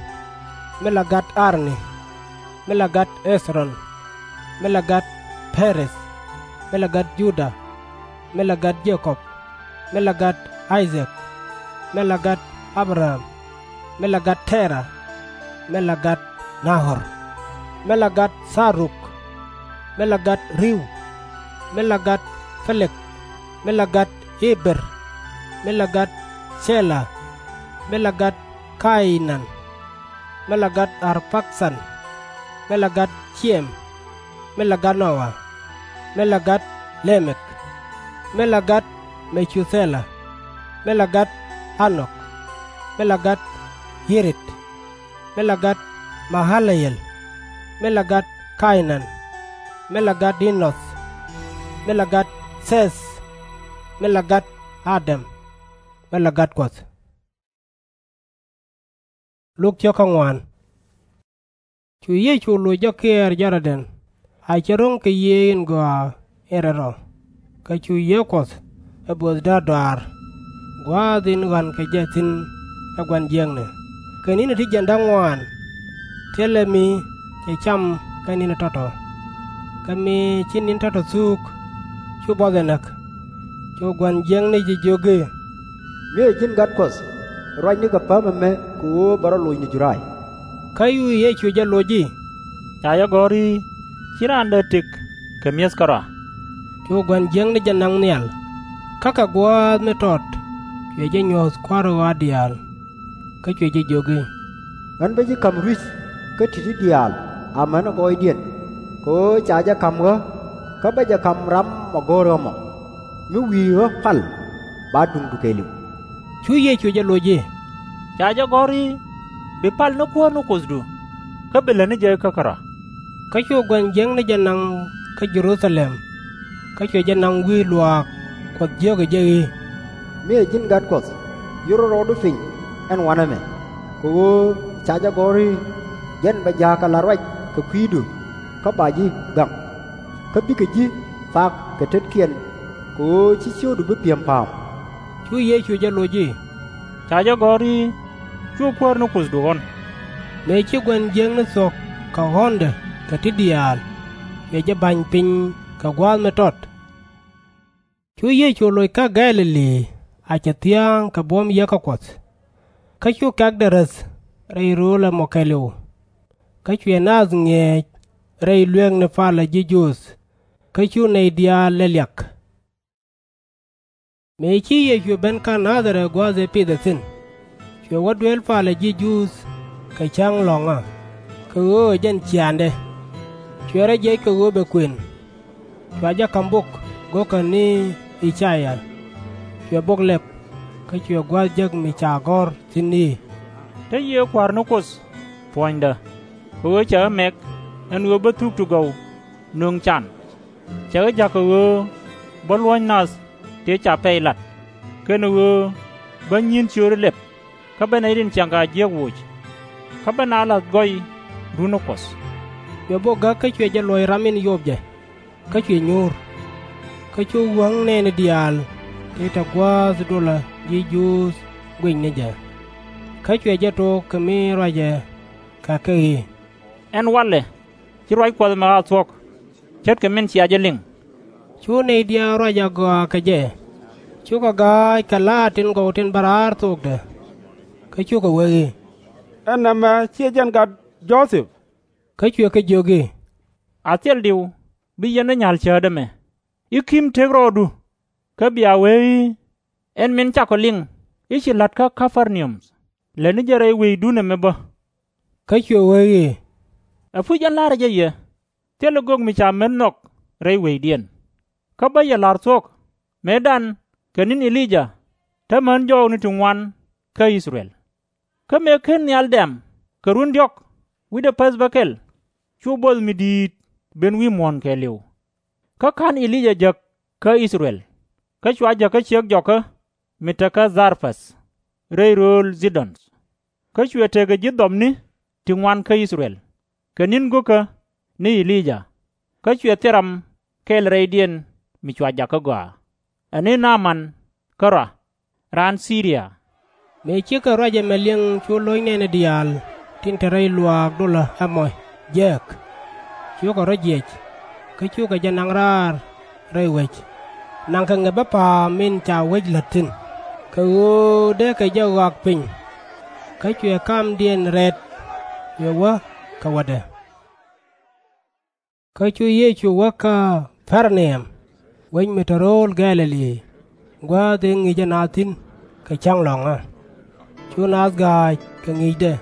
mi la gat Ar-ni, mi la gat Ɣeth-ron, mi la gat Pɛ-reth, mi la gat Juda, mi la gat Je-kɔb, mi la gat Ay-dhɛk, mi la gat Ä-bra-ɣam, mi la gat Tɛ-ra, mi la gat Na-ɣɔr, mi la gat Tha-ruk, mi la gat Riw, mi la gat Pɛ-lɛg, mi la gat Ɛ-ber, mi la gat Thɛ-la, mi la gat Ka-ynan, mi la gat Ar-pa-kthan, mi la gat Cɛm, mi la gat Nɔ-wa, mi la gat Lɛ-mɛk, mi la gat Mɛ-thu-thɛ-la, mi la gat Ä-nɔk, mi la gat Yi-red, mi la gat Mɛ-ɣa-la-yel, mi la gat Ka-ynan, mi la gat Ɛn-ɔk, mi la gat Thɛth, mi la gat Ä-dam, mi la gat Kuɔth. Cu Yecu loc jɔkiɛɛr Jɔr-dɛn, a cɛ ro̱ŋ kɛ Yiëë in Gɔaa in Rɛl Rɔ. Kä cu Yiëë Kuɔth ɛ böth däär dɔaar, gua̱a̱th in ɣɔ̱a̱n kɛ jɛ thi̱n ɛ gua̱n jiäkni, kɛ ni̱ni ti jiɛn da̱ŋ ŋuaan. Thilɛ mi cɛ cam kä ni̱ni tɔ̱tɔ̱. Kä mi ci ni̱n tɔ̱tɔ̱ thuuk, cu buɔth ɛ näk. Cu gua̱n jiäkni jɛ jiök i̱, Mi ɛ ji̱n Gat Kuɔth, ruac nikɛ päm ɛmɛ kɛ ɣöö bɛ rɔ loc ni Judai. Kä cu Yecu jɛ loc i̱, Ca jɛ gɔ̱r i̱, Ci raan dee tëk kɛ mi̱eth kärɔa. Cu gua̱n jiäkni jɛ naŋ nhial, kä kɛ gua̱a̱th mi tɔt cuɛ jɛ nyuɔ̱th kua̱r ɣɔaa diaal. Kä cuɛ jɛ jiök i̱, Ɣän bä ji̱ ka̱m rui̱c kä ti̱ti̱ diaal amäni gɔɔydiɛn, kɛ ɣöö ca jɛ ka̱m ɣä, kä bä jɛ ka̱m ram mɔ go̱o̱r ɣä mɔ. Mi wi̱i̱ ɣä pal, ba duŋdu kɛɛliw. Cu Yecu jɛ loc i̱, Ca jɛ gɔ̱r i̱, Bi pal ni Kuäär ni Kuothdu, kä bi lät ni jɛ kä kärɔa. Kä cu gua̱n jiäkni jɛ naŋ kä Jɛ-ru-tha-lɛm, kä cuɛ jɛ naŋ wi̱i̱ luaak Kuɔth jiökɛ jɛ i̱, Mi ɛ ji̱n Gat Kuɔth, yur rɔɔdu piny ɛn wanɛmɛ, kɛ ɣöö ca jɛ gɔ̱r i̱, Jɛn bɛ ja̱a̱k kɛ la̱t ruac kɛ kui̱du, kä ba ji̱ gaŋ. Kä bikɛ ji̱ thak kɛ tetkiɛn, kɛ ɣöö /ci ciökdu bi pi̱em pa̱a̱m. Cu Yecu jɛ loc i̱, Ca jɛ gɔ̱r i̱, Cuɛ Kuäär ni Kuothdu ɣɔ̱n. Mëë ci gua̱n jiäkni thuɔ̱k kɛ ɣɔ̱ndɛ kɛ ti diaal, cuɛ jɛ ba̱ny piny kɛ gua̱a̱th mi tɔt. Cu Yecu loc kä Gɛ̈-lɛ-li a cɛ thia̱a̱ŋ kɛ buɔ̱m Yiëë kä Kuɔth. Kä cu kɛ̈kdɛ räth rɛy rööl ɛmɔ kɛɛliw. Kä cuɛ naath ŋi̱eec rɛy lueekni palä ji̱ Juudh, kä cu nɛy diaal lɛ liak. Mëë ci Yecu ben kä Na-dha-rɛth gua̱a̱th ëë pithɛ thi̱n, cuɛ wä duel palä ji̱ Juudh kɛ cäŋ lɔ̱ŋä, kɛ ɣöö ɛ jɛn ciaaŋdɛ. Cuɛ rɔ jiɛc kɛ ɣöö bɛ kuën. Cua jɛ ka̱m bok go̱o̱kä ni I-ca-yaa. Cuɛ bok lɛp, kä cuɛ gua̱a̱th jek mi ca gɔ̱r thi̱n i̱, Te Yiëë Kua̱r ni Kuoth puɔ̱nydä, kɛ ɣöö cɛ ɣä mɛk ɛn ɣöö bä thuk ti gɔw nöŋ can. Cɛ ɣä ja̱k kɛ ɣöö bä luɔ̱ny nath tëë ca pɛy lat, kɛnɛ ɣöö bä nyi̱i̱n ciööri lɛp, kä bä nɛy tin ciaŋ kɛ a jiäk woc, kä bä naath la̱th gɔɔydun ɛ Kuɔth. Cuɛ bok gäk kä cuɛ jɛ luɔ̱c ram in yop jɛ, kä cuɛ nyuur. Kä cu wäŋ nɛɛni diaal ti te gua̱a̱th dolä ji̱ Juudh guic ni jɛ. Kä cuɛ jɛ tok kɛ mi ruacɛ kɛ kɛ i̱, Ɛn walɛ, ci ruac Kuɔth ɛmɛ a thuɔ̱k, ce̱tkɛ min cia jɛ liŋ. Cu nɛy diaal ruac a gɔaa kɛ jɛ, Cukɛ ga̱a̱c kɛ la̱a̱t tin gɔw tin bä raar thokdɛ. Kä cukɛ wee i̱, Ɛn nɛmɛ /ciɛ jɛn gat Jo-thɛp? Kä cuɛ kɛ jiök i̱, A thil diw bi yɛn ɛ nyal cäätdä ɛmɛ, i̱ ki̱m tëk rɔɔdu, kä bia wee i̱, Ɛn min cakɔ liŋ i̱ ci la̱t kä Ka-per-na-um, lät ni jɛ rɛy weydun ɛmɛ bä. Kä cuɛ wee i̱, Ɛpuc ɛn la̱rä jɛ yɛ, thilɛ gök mi ca met nhɔk rɛy wecdiɛn. Kä bä yɛ la̱r thuɔ̱k mëëdan kɛ ni̱n E-li-yaa täämɛ jɔɔkni ti ŋuan kä I-thɛ-rɛl. Kä mëë /ken nhial dɛ̈m kɛ run diɔ̱k wi̱cdɛ päth bäkɛl, cu buɔth mi di̱i̱t ben wi̱i̱ muɔ̱ɔ̱n kɛɛliw. Kä /ka̱n E-li-yaa jek kä I-thɛ-rɛl, kä cua jek kä ciek jɔkä mi te kä Dhar-pɛth rɛy rööl Dhi-dɔn. Kä cuɛ tekɛ ji̱ dhɔpni ti ŋuan kä I-thɛ-rɛl, kɛ ni̱n go̱o̱kä ni E-li-yaa, kä cuɛ thil ram kɛl rɛydiɛn mi cua jak kä gɔaa, ɛ ni Na-man kärɔa, raan Thi-ri-ya. Mëë cikɛ ruac ɛmɛ liŋ cu lo̱c nɛɛni diaal tin te rɛy luaak dolä ɛmɔ jiääk. Cukɛ rɔ jiɛc, kä cukɛ jɛ naŋ raar rɛy wec, naŋkɛ ŋäpä pa̱a̱m min ca wec la̱t thi̱n, kɛ ɣöö dee kɛ jɛ ɣɔak piny. Kä cuɛ kamdiɛn rɛt, cuɛ wä kɛ wädɛ. Kä cu Yecu wä Ka-per-na-um, wec mi te rööl Gɛ̈-lɛ-li, gua̱a̱th ëë ŋi̱i̱cɛ naath thi̱n kɛ cäŋ lɔ̱ŋä. Cu naath ga̱a̱c kɛ ŋi̱i̱cdɛ,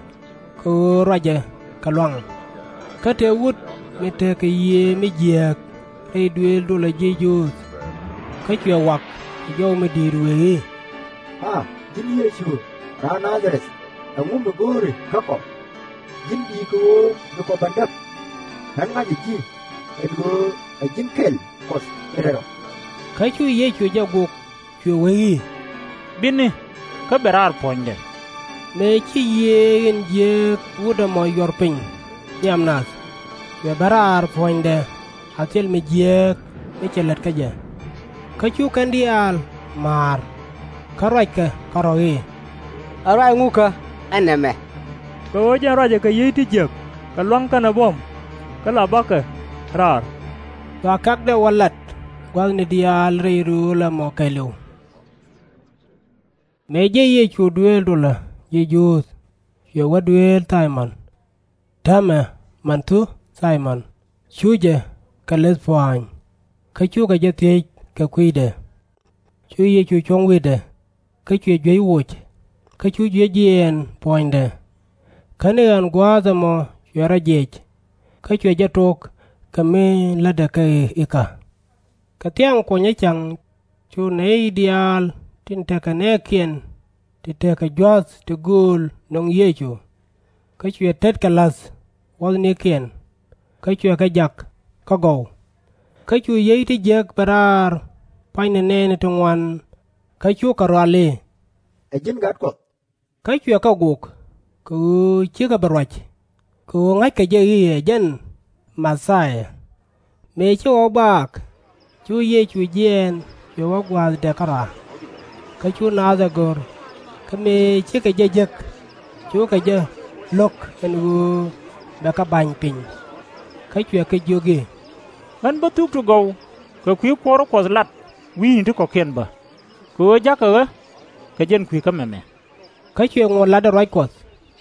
kɛ ɣöö ruacɛ kɛ lua̱ŋ. Kä tëë wut mi tekɛ yiëë mi jiääk rɛy duëël dolä ji̱ Juudh. Kä cuɛ wak kɛ jɔw mi di̱i̱t wëë i̱, A ji̱n Yecu, raan Na-dha-rɛth, ɛŋu mi go̱o̱ri kä kɔ? Ji̱n di̱i̱t kɛ ɣöö bi kɔ ben däk? Ɣän ŋa̱cä ji̱ ɛn ɣöö ɛ ji̱n kɛl Kuɔth in Rɛl Rɔ. Kä cu Yecu jɛ gok, cuɛ wee i̱, Bini, kä bɛ raar puɔ̱nydɛ. Mëë ci yiëë in jiääk wut ɛmɔ yuɔr piny nhiam nath, cuɛ ben raar puɔ̱nydɛ a thil mi jiääk mi cɛ lät kä jɛ. Kä cu kɛn diaal ma̱a̱r, kä ruackɛ kärɔ̱ i̱, Ɛ ruac ŋukä ɛn nɛmɛ? Kɛ ɣöö jɛn ruacɛ kɛ yiey ti jiäk kɛ lua̱ŋ kɛnɛ buɔ̱m, kä la bakɛ raar. Cua kɛ̈kdɛ wä lat gua̱thni diaal rɛy rööl ɛmɔ kɛɛliw. Mëë jiɛc Yecu duëël dolä ji̱ Juudh, cuɛ wä duëël Thay-mɔn. Täämɛ manthu Thay-mɔn cu jɛ kɛ leth pua̱a̱ny, kä cukɛ jɛ thiec kɛ kui̱dɛ. Cu Yecu cuɔ̱ŋ wi̱i̱dɛ, kä cuɛ juec woc, kä cu juëc jiɛɛn puɔ̱nydɛ. Kä ni ɣän gua̱a̱th ɛmɔ cuɛ rɔ jiɛc, kä cuɛ jɛ tok kɛ mi lätdɛ kɛ ikä. Kɛ thiaŋ kuɔnyä cäŋ cu nɛy diaal tin tekɛ nɛɛkiɛn ti tekɛ jua̱th ti gööl nöŋ Yecu. Kä cuɛ tetkɛ la̱th wuɔ̱thnikiɛn, kä cuɛ kɛ jak kä gɔw. Kä cu yiey ti jiäk ben raar pua̱nyni nɛɛni ti ŋuan, kä cukɛ rual i̱, Ɛ ji̱n Gat Kuɔth. Kä cuɛ kɛ gok, kɛ ɣöö /cikɛ bi ruac, kɛ ɣöö ŋa̱ckɛ jɛ i̱ ɛ jɛn Mɛ-thia. Mëë ci ɣɔw baak, cu Yecu jiɛɛn cuɛ wä gua̱a̱thdɛ kärɔa. Kä cu naath ɛ go̱r, kä mëë cikɛ jɛ jek, cukɛ jɛ lo̱k ɛn ɣöö bɛ kɛ ba̱ny piny. Kä cuɛ kɛ jiök i̱, Ɣän bä thuk ti gɔw kɛ kui̱ kuɔ̱r Kuɔth lat wi̱i̱ni ti kɔ̱kiɛn bä, kɛ ɣöö ja̱kɛ ɣä kɛ jɛn kui̱ kä mɛmɛ. Kä cuɛ ŋot latdɛ ruac Kuɔth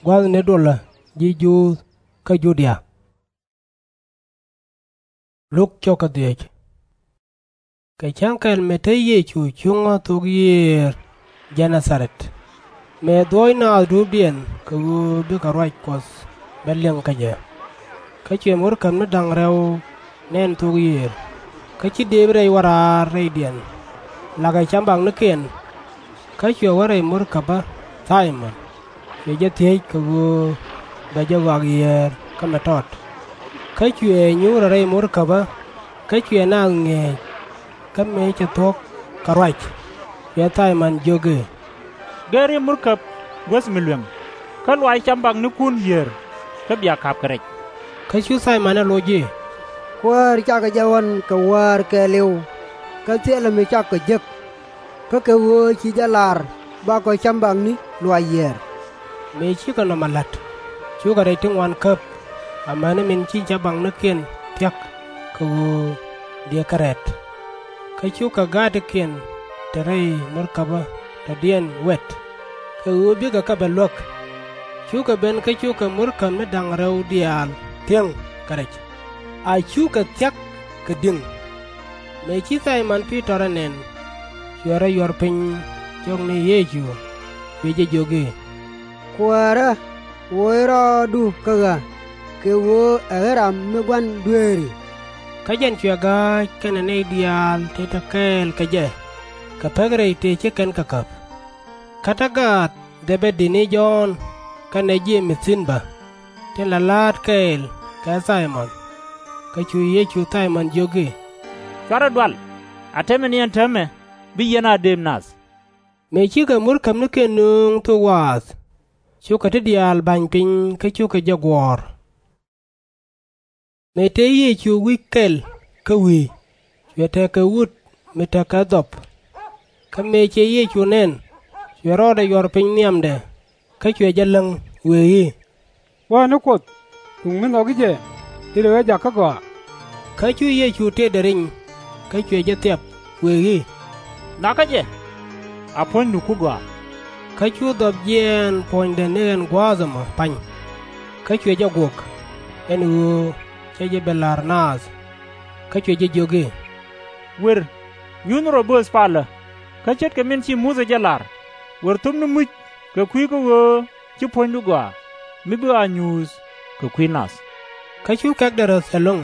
gua̱thni dolä ji̱ Juudh kä Judia. Kɛ cäŋ kɛl mëë te Yecu cuŋä thok yiëër Gɛ-na-tha-rɛth, mëë dhuɔ̱ɔ̱c naath duɔ̱ɔ̱pdiɛn kɛ ɣöö bikɛ ruac Kuɔth bɛ liŋ kä jɛ. Kä cuɛ murkab ni da̱ŋ rɛw nɛn thok yiëër, kä ci dëëp rɛy wä raar rɛydiɛn, lakɛ cambaknikiɛn. Kä cuɛ wä rɛy murkäbä Thay-mɔn, cuɛ jɛ thiec kɛ ɣöö bɛ jɛ ɣɔak yiëër kä mɛ tɔt. Kä cuɛ nyuurɛ rɛy murkäbä, kä cuɛ naath ŋi̱eec. Kä mëë cɛ thuɔ̱k kɛ ruac, cuɛ Thay-mɔn jiök i̱, Gɛr i̱ murkäb guäth mi lueŋ, kä luaac cambaknikun yiëër, kä bia ka̱p kɛ rɛc. Kä cu Thay-mɔn ɛ loc i̱, Kuäär, cakɔ jɛ ɣɔ̱n kɛ wäär kɛɛliw, kä thilɛ mi cakɔ jek. Kä kɛ ɣöö ci jɛ lar, bakɔ cambakni luaac yiëër. Mëë cikɛ nɔmɔ la̱t, cukɛ rɛc ti ŋuan käp, amäni min ci cambaknikiɛn thia̱k, kɛ ɣöö dëë kɛ rɛ̈t. Kä cukɛ ga̱a̱tikiɛn te rɛy murkäbä dɔ̱diɛn wɛt, kɛ ɣöö bikɛ kɛ bɛ luäk. Cukɛ ben kä cukɛ murkäb ni da̱ŋ rɛw diaal thiäŋ kɛ rɛc, a cukɛ thia̱k kɛ di̱ŋ. Mëë ci Thay-mɔn Pi-tɔr ɛ nɛn, cuɛ rɔ yuɔr piny cɔk ni Yecu, cuɛ jɛ jiök i̱, Kuäärä, woc rɔɔdu kä ɣä, kɛ ɣöö ɛ ɣän ram mi gua̱n dueeri. Kä jɛn cuɛ ga̱a̱c kɛnɛ nɛy diaal ti te kɛɛl kɛ jɛ, kɛ pek rɛy tëë ci kɛn kɛ käp. Kä te gaath Dhɛb-di ni Jɔ̱ɔ̱n kɛnɛ Je-mɛth thi̱n bä, tin la la̱a̱t kɛɛl kɛ Thay-mɔn. Kä cu Yecu Thay-mɔn jiök i̱, Cuarɛ dual, a tɛmɛ ni ɛn täämɛ, bi yɛn a dëëp nath. Mëë cikɛ murkäbnikiɛn nööŋ thok waath, cukɛ ti diaal ba̱ny piny kä cukɛ jɛ guɔ̱ɔ̱r. Mëë tëë Yecu wi̱c kɛl kä wi̱i̱, cuɛ tekɛ wut mi tekɛ dhɔp. Kä mëë cɛ Yecu nɛn, cuɛ rɔɔdɛ yuɔr piny nhiamdɛ, kä cuɛ jɛ läŋ, wëë i̱, Wäär ni Kuoth, duŋ mi nhɔki jɛ, i̱ lɛ ɣä jakä gɔaa. Kä cu Yecu tetdɛ riny, kä cuɛ jɛ thiap, wëë i̱, Nakä jɛ, a puɔ̱nydu ku gɔaa. Kä cu dhɔp jiɛɛn puɔ̱nydɛ ni ɛn gua̱a̱th ɛmɔ pa̱ny, kä cuɛ jɛ guɔ̱k, ɛn ɣöö cɛ jɛ bi la̱r naath. Kä cuɛ jɛ jiök i̱, Wer, nyuthni rɔ bööth palä, kä ce̱tkɛ min ci Muthɛ jɛ la̱r, wer thöpni muc kɛ kui̱ kä ɣöö ci puɔ̱nydu gɔaa, mi bi a nyuuth kɛ kui̱ nath. Kä cu kɛ̈kdɛ räth ɛlɔ̱ŋ.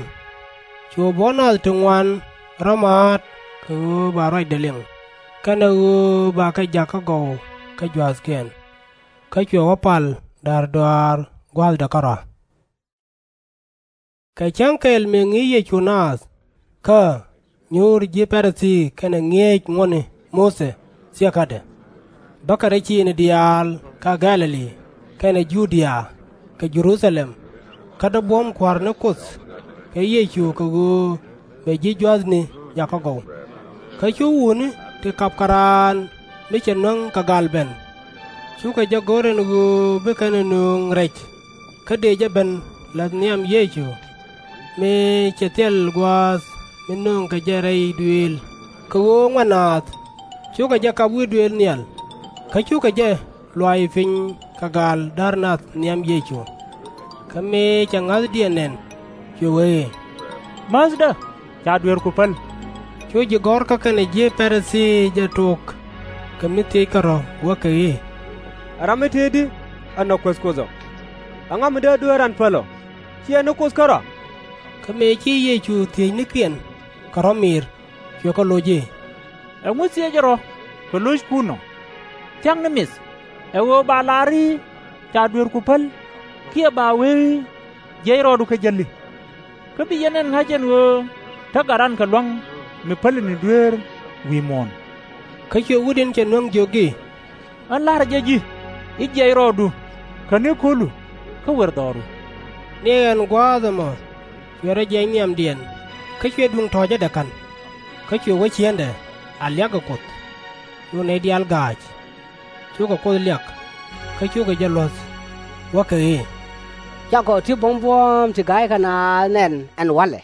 Cuɛ buɔ̱n nath ti ŋuan rɔ̱ ma̱a̱t kɛ ɣöö ba ruacdɛ liŋ, kɛnɛ ɣöö bakɛ jakä gɔw kä jua̱thkiɛn. Kä cuɛ wä pal da̱r dɔa̱a̱r gua̱a̱thdɛ kärɔa. Kɛ cäŋ kɛl mëë ŋi̱i̱c Yecu naath, kä nyuur ji̱ Pa-ri-thii kɛnɛ ŋi̱eec ŋuɔ̱tni Muthɛ thiekädɛ, bäkɛ rɛy ciëëŋni diaal kä Gɛ̈-lɛ-li kɛnɛ Ju-dia kɛ Jɛ-ru-tha-lɛm, kä dee buɔ̱m Kua̱r ni Kuoth kɛ Yecu kɛ ɣöö bɛ ji̱ jua̱thni jakä gɔw. Kä cu wutni ti kap kɛ raan mi cɛ nöŋ kɛ gaal ben, cukɛ jɛ go̱r ɛn ɣöö bi kɛn ɛ nööŋ rɛc, kä dëë jɛ ben la̱th nhiam Yecu, mëë cɛ thil gua̱a̱th mi nööŋkɛ jɛ rɛy duëël, kɛ ɣöö ŋuɛ̈t naath. Cukɛ jɛ kap wi̱i̱ duëël nhial, kä cukɛ jɛ luaac piny kɛ gaal da̱r nath nhiam Yecu. Kä mëë cɛ ŋa̱thdiɛn nɛn, cuɛ wee i̱, Määthdä, ca dueerku päl. Cu ji̱ gɔ̱rkä kɛnɛ ji̱ Pa-ri-thii jɛ tok kɛ mi thiec kärɔ̱, wäkɛ i̱, Ɛ ram mi tëëdi ɛ nhɔk Kuɔth Kuoth ɔ? Ɛŋa mi dee dueer ran päl ɔ? /Ciɛ ni Kuoth kärɔ̱? Kä mëë ci Yecu thiëëcnikiɛn kɛ rɔ̱ mi̱i̱r, cuɛ kɛ loc i̱, Ɛŋu thiecɛ rɔ̱ kɛ lo̱ckun ɔ? Thia̱k ni mi̱th, ɛ ɣöö ba la̱r i̱, Ca dueerku päl, kiɛ ba wee i̱, Jiɛc rɔɔdu kä jäli? Kä bi yɛn nɛn ŋa̱c ɛn ɣöö te gat ran kɛ lua̱ŋ mi päli ni dueer wi̱i̱ muɔ̱ɔ̱n. Kä cuɛ wut in cɛ nöŋ jiök i̱, Ɣän la̱rä jɛ ji̱ i̱ jiɛc rɔɔdu kɛ ni ko̱lu kä wer dhɔru. Ni ɛn gua̱a̱th ɛmɔ cuɛ rɔ jiɛc nhiamdiɛn, kä cuɛ duŋ tɔ̱ɔ̱cädɛ ka̱n. Kä cuɛ wä cieenɛ a liak kɛ Kuoth. Cu nɛy diaal ga̱a̱c, cukɛ Kuoth liak, kä cukɛ jɛ luɔ̱th, wäkɛ i̱, Cakɔ ti buɔ̱m buɔ̱ɔ̱m ti ga̱ykɛ naath nɛn ɛn walɛ.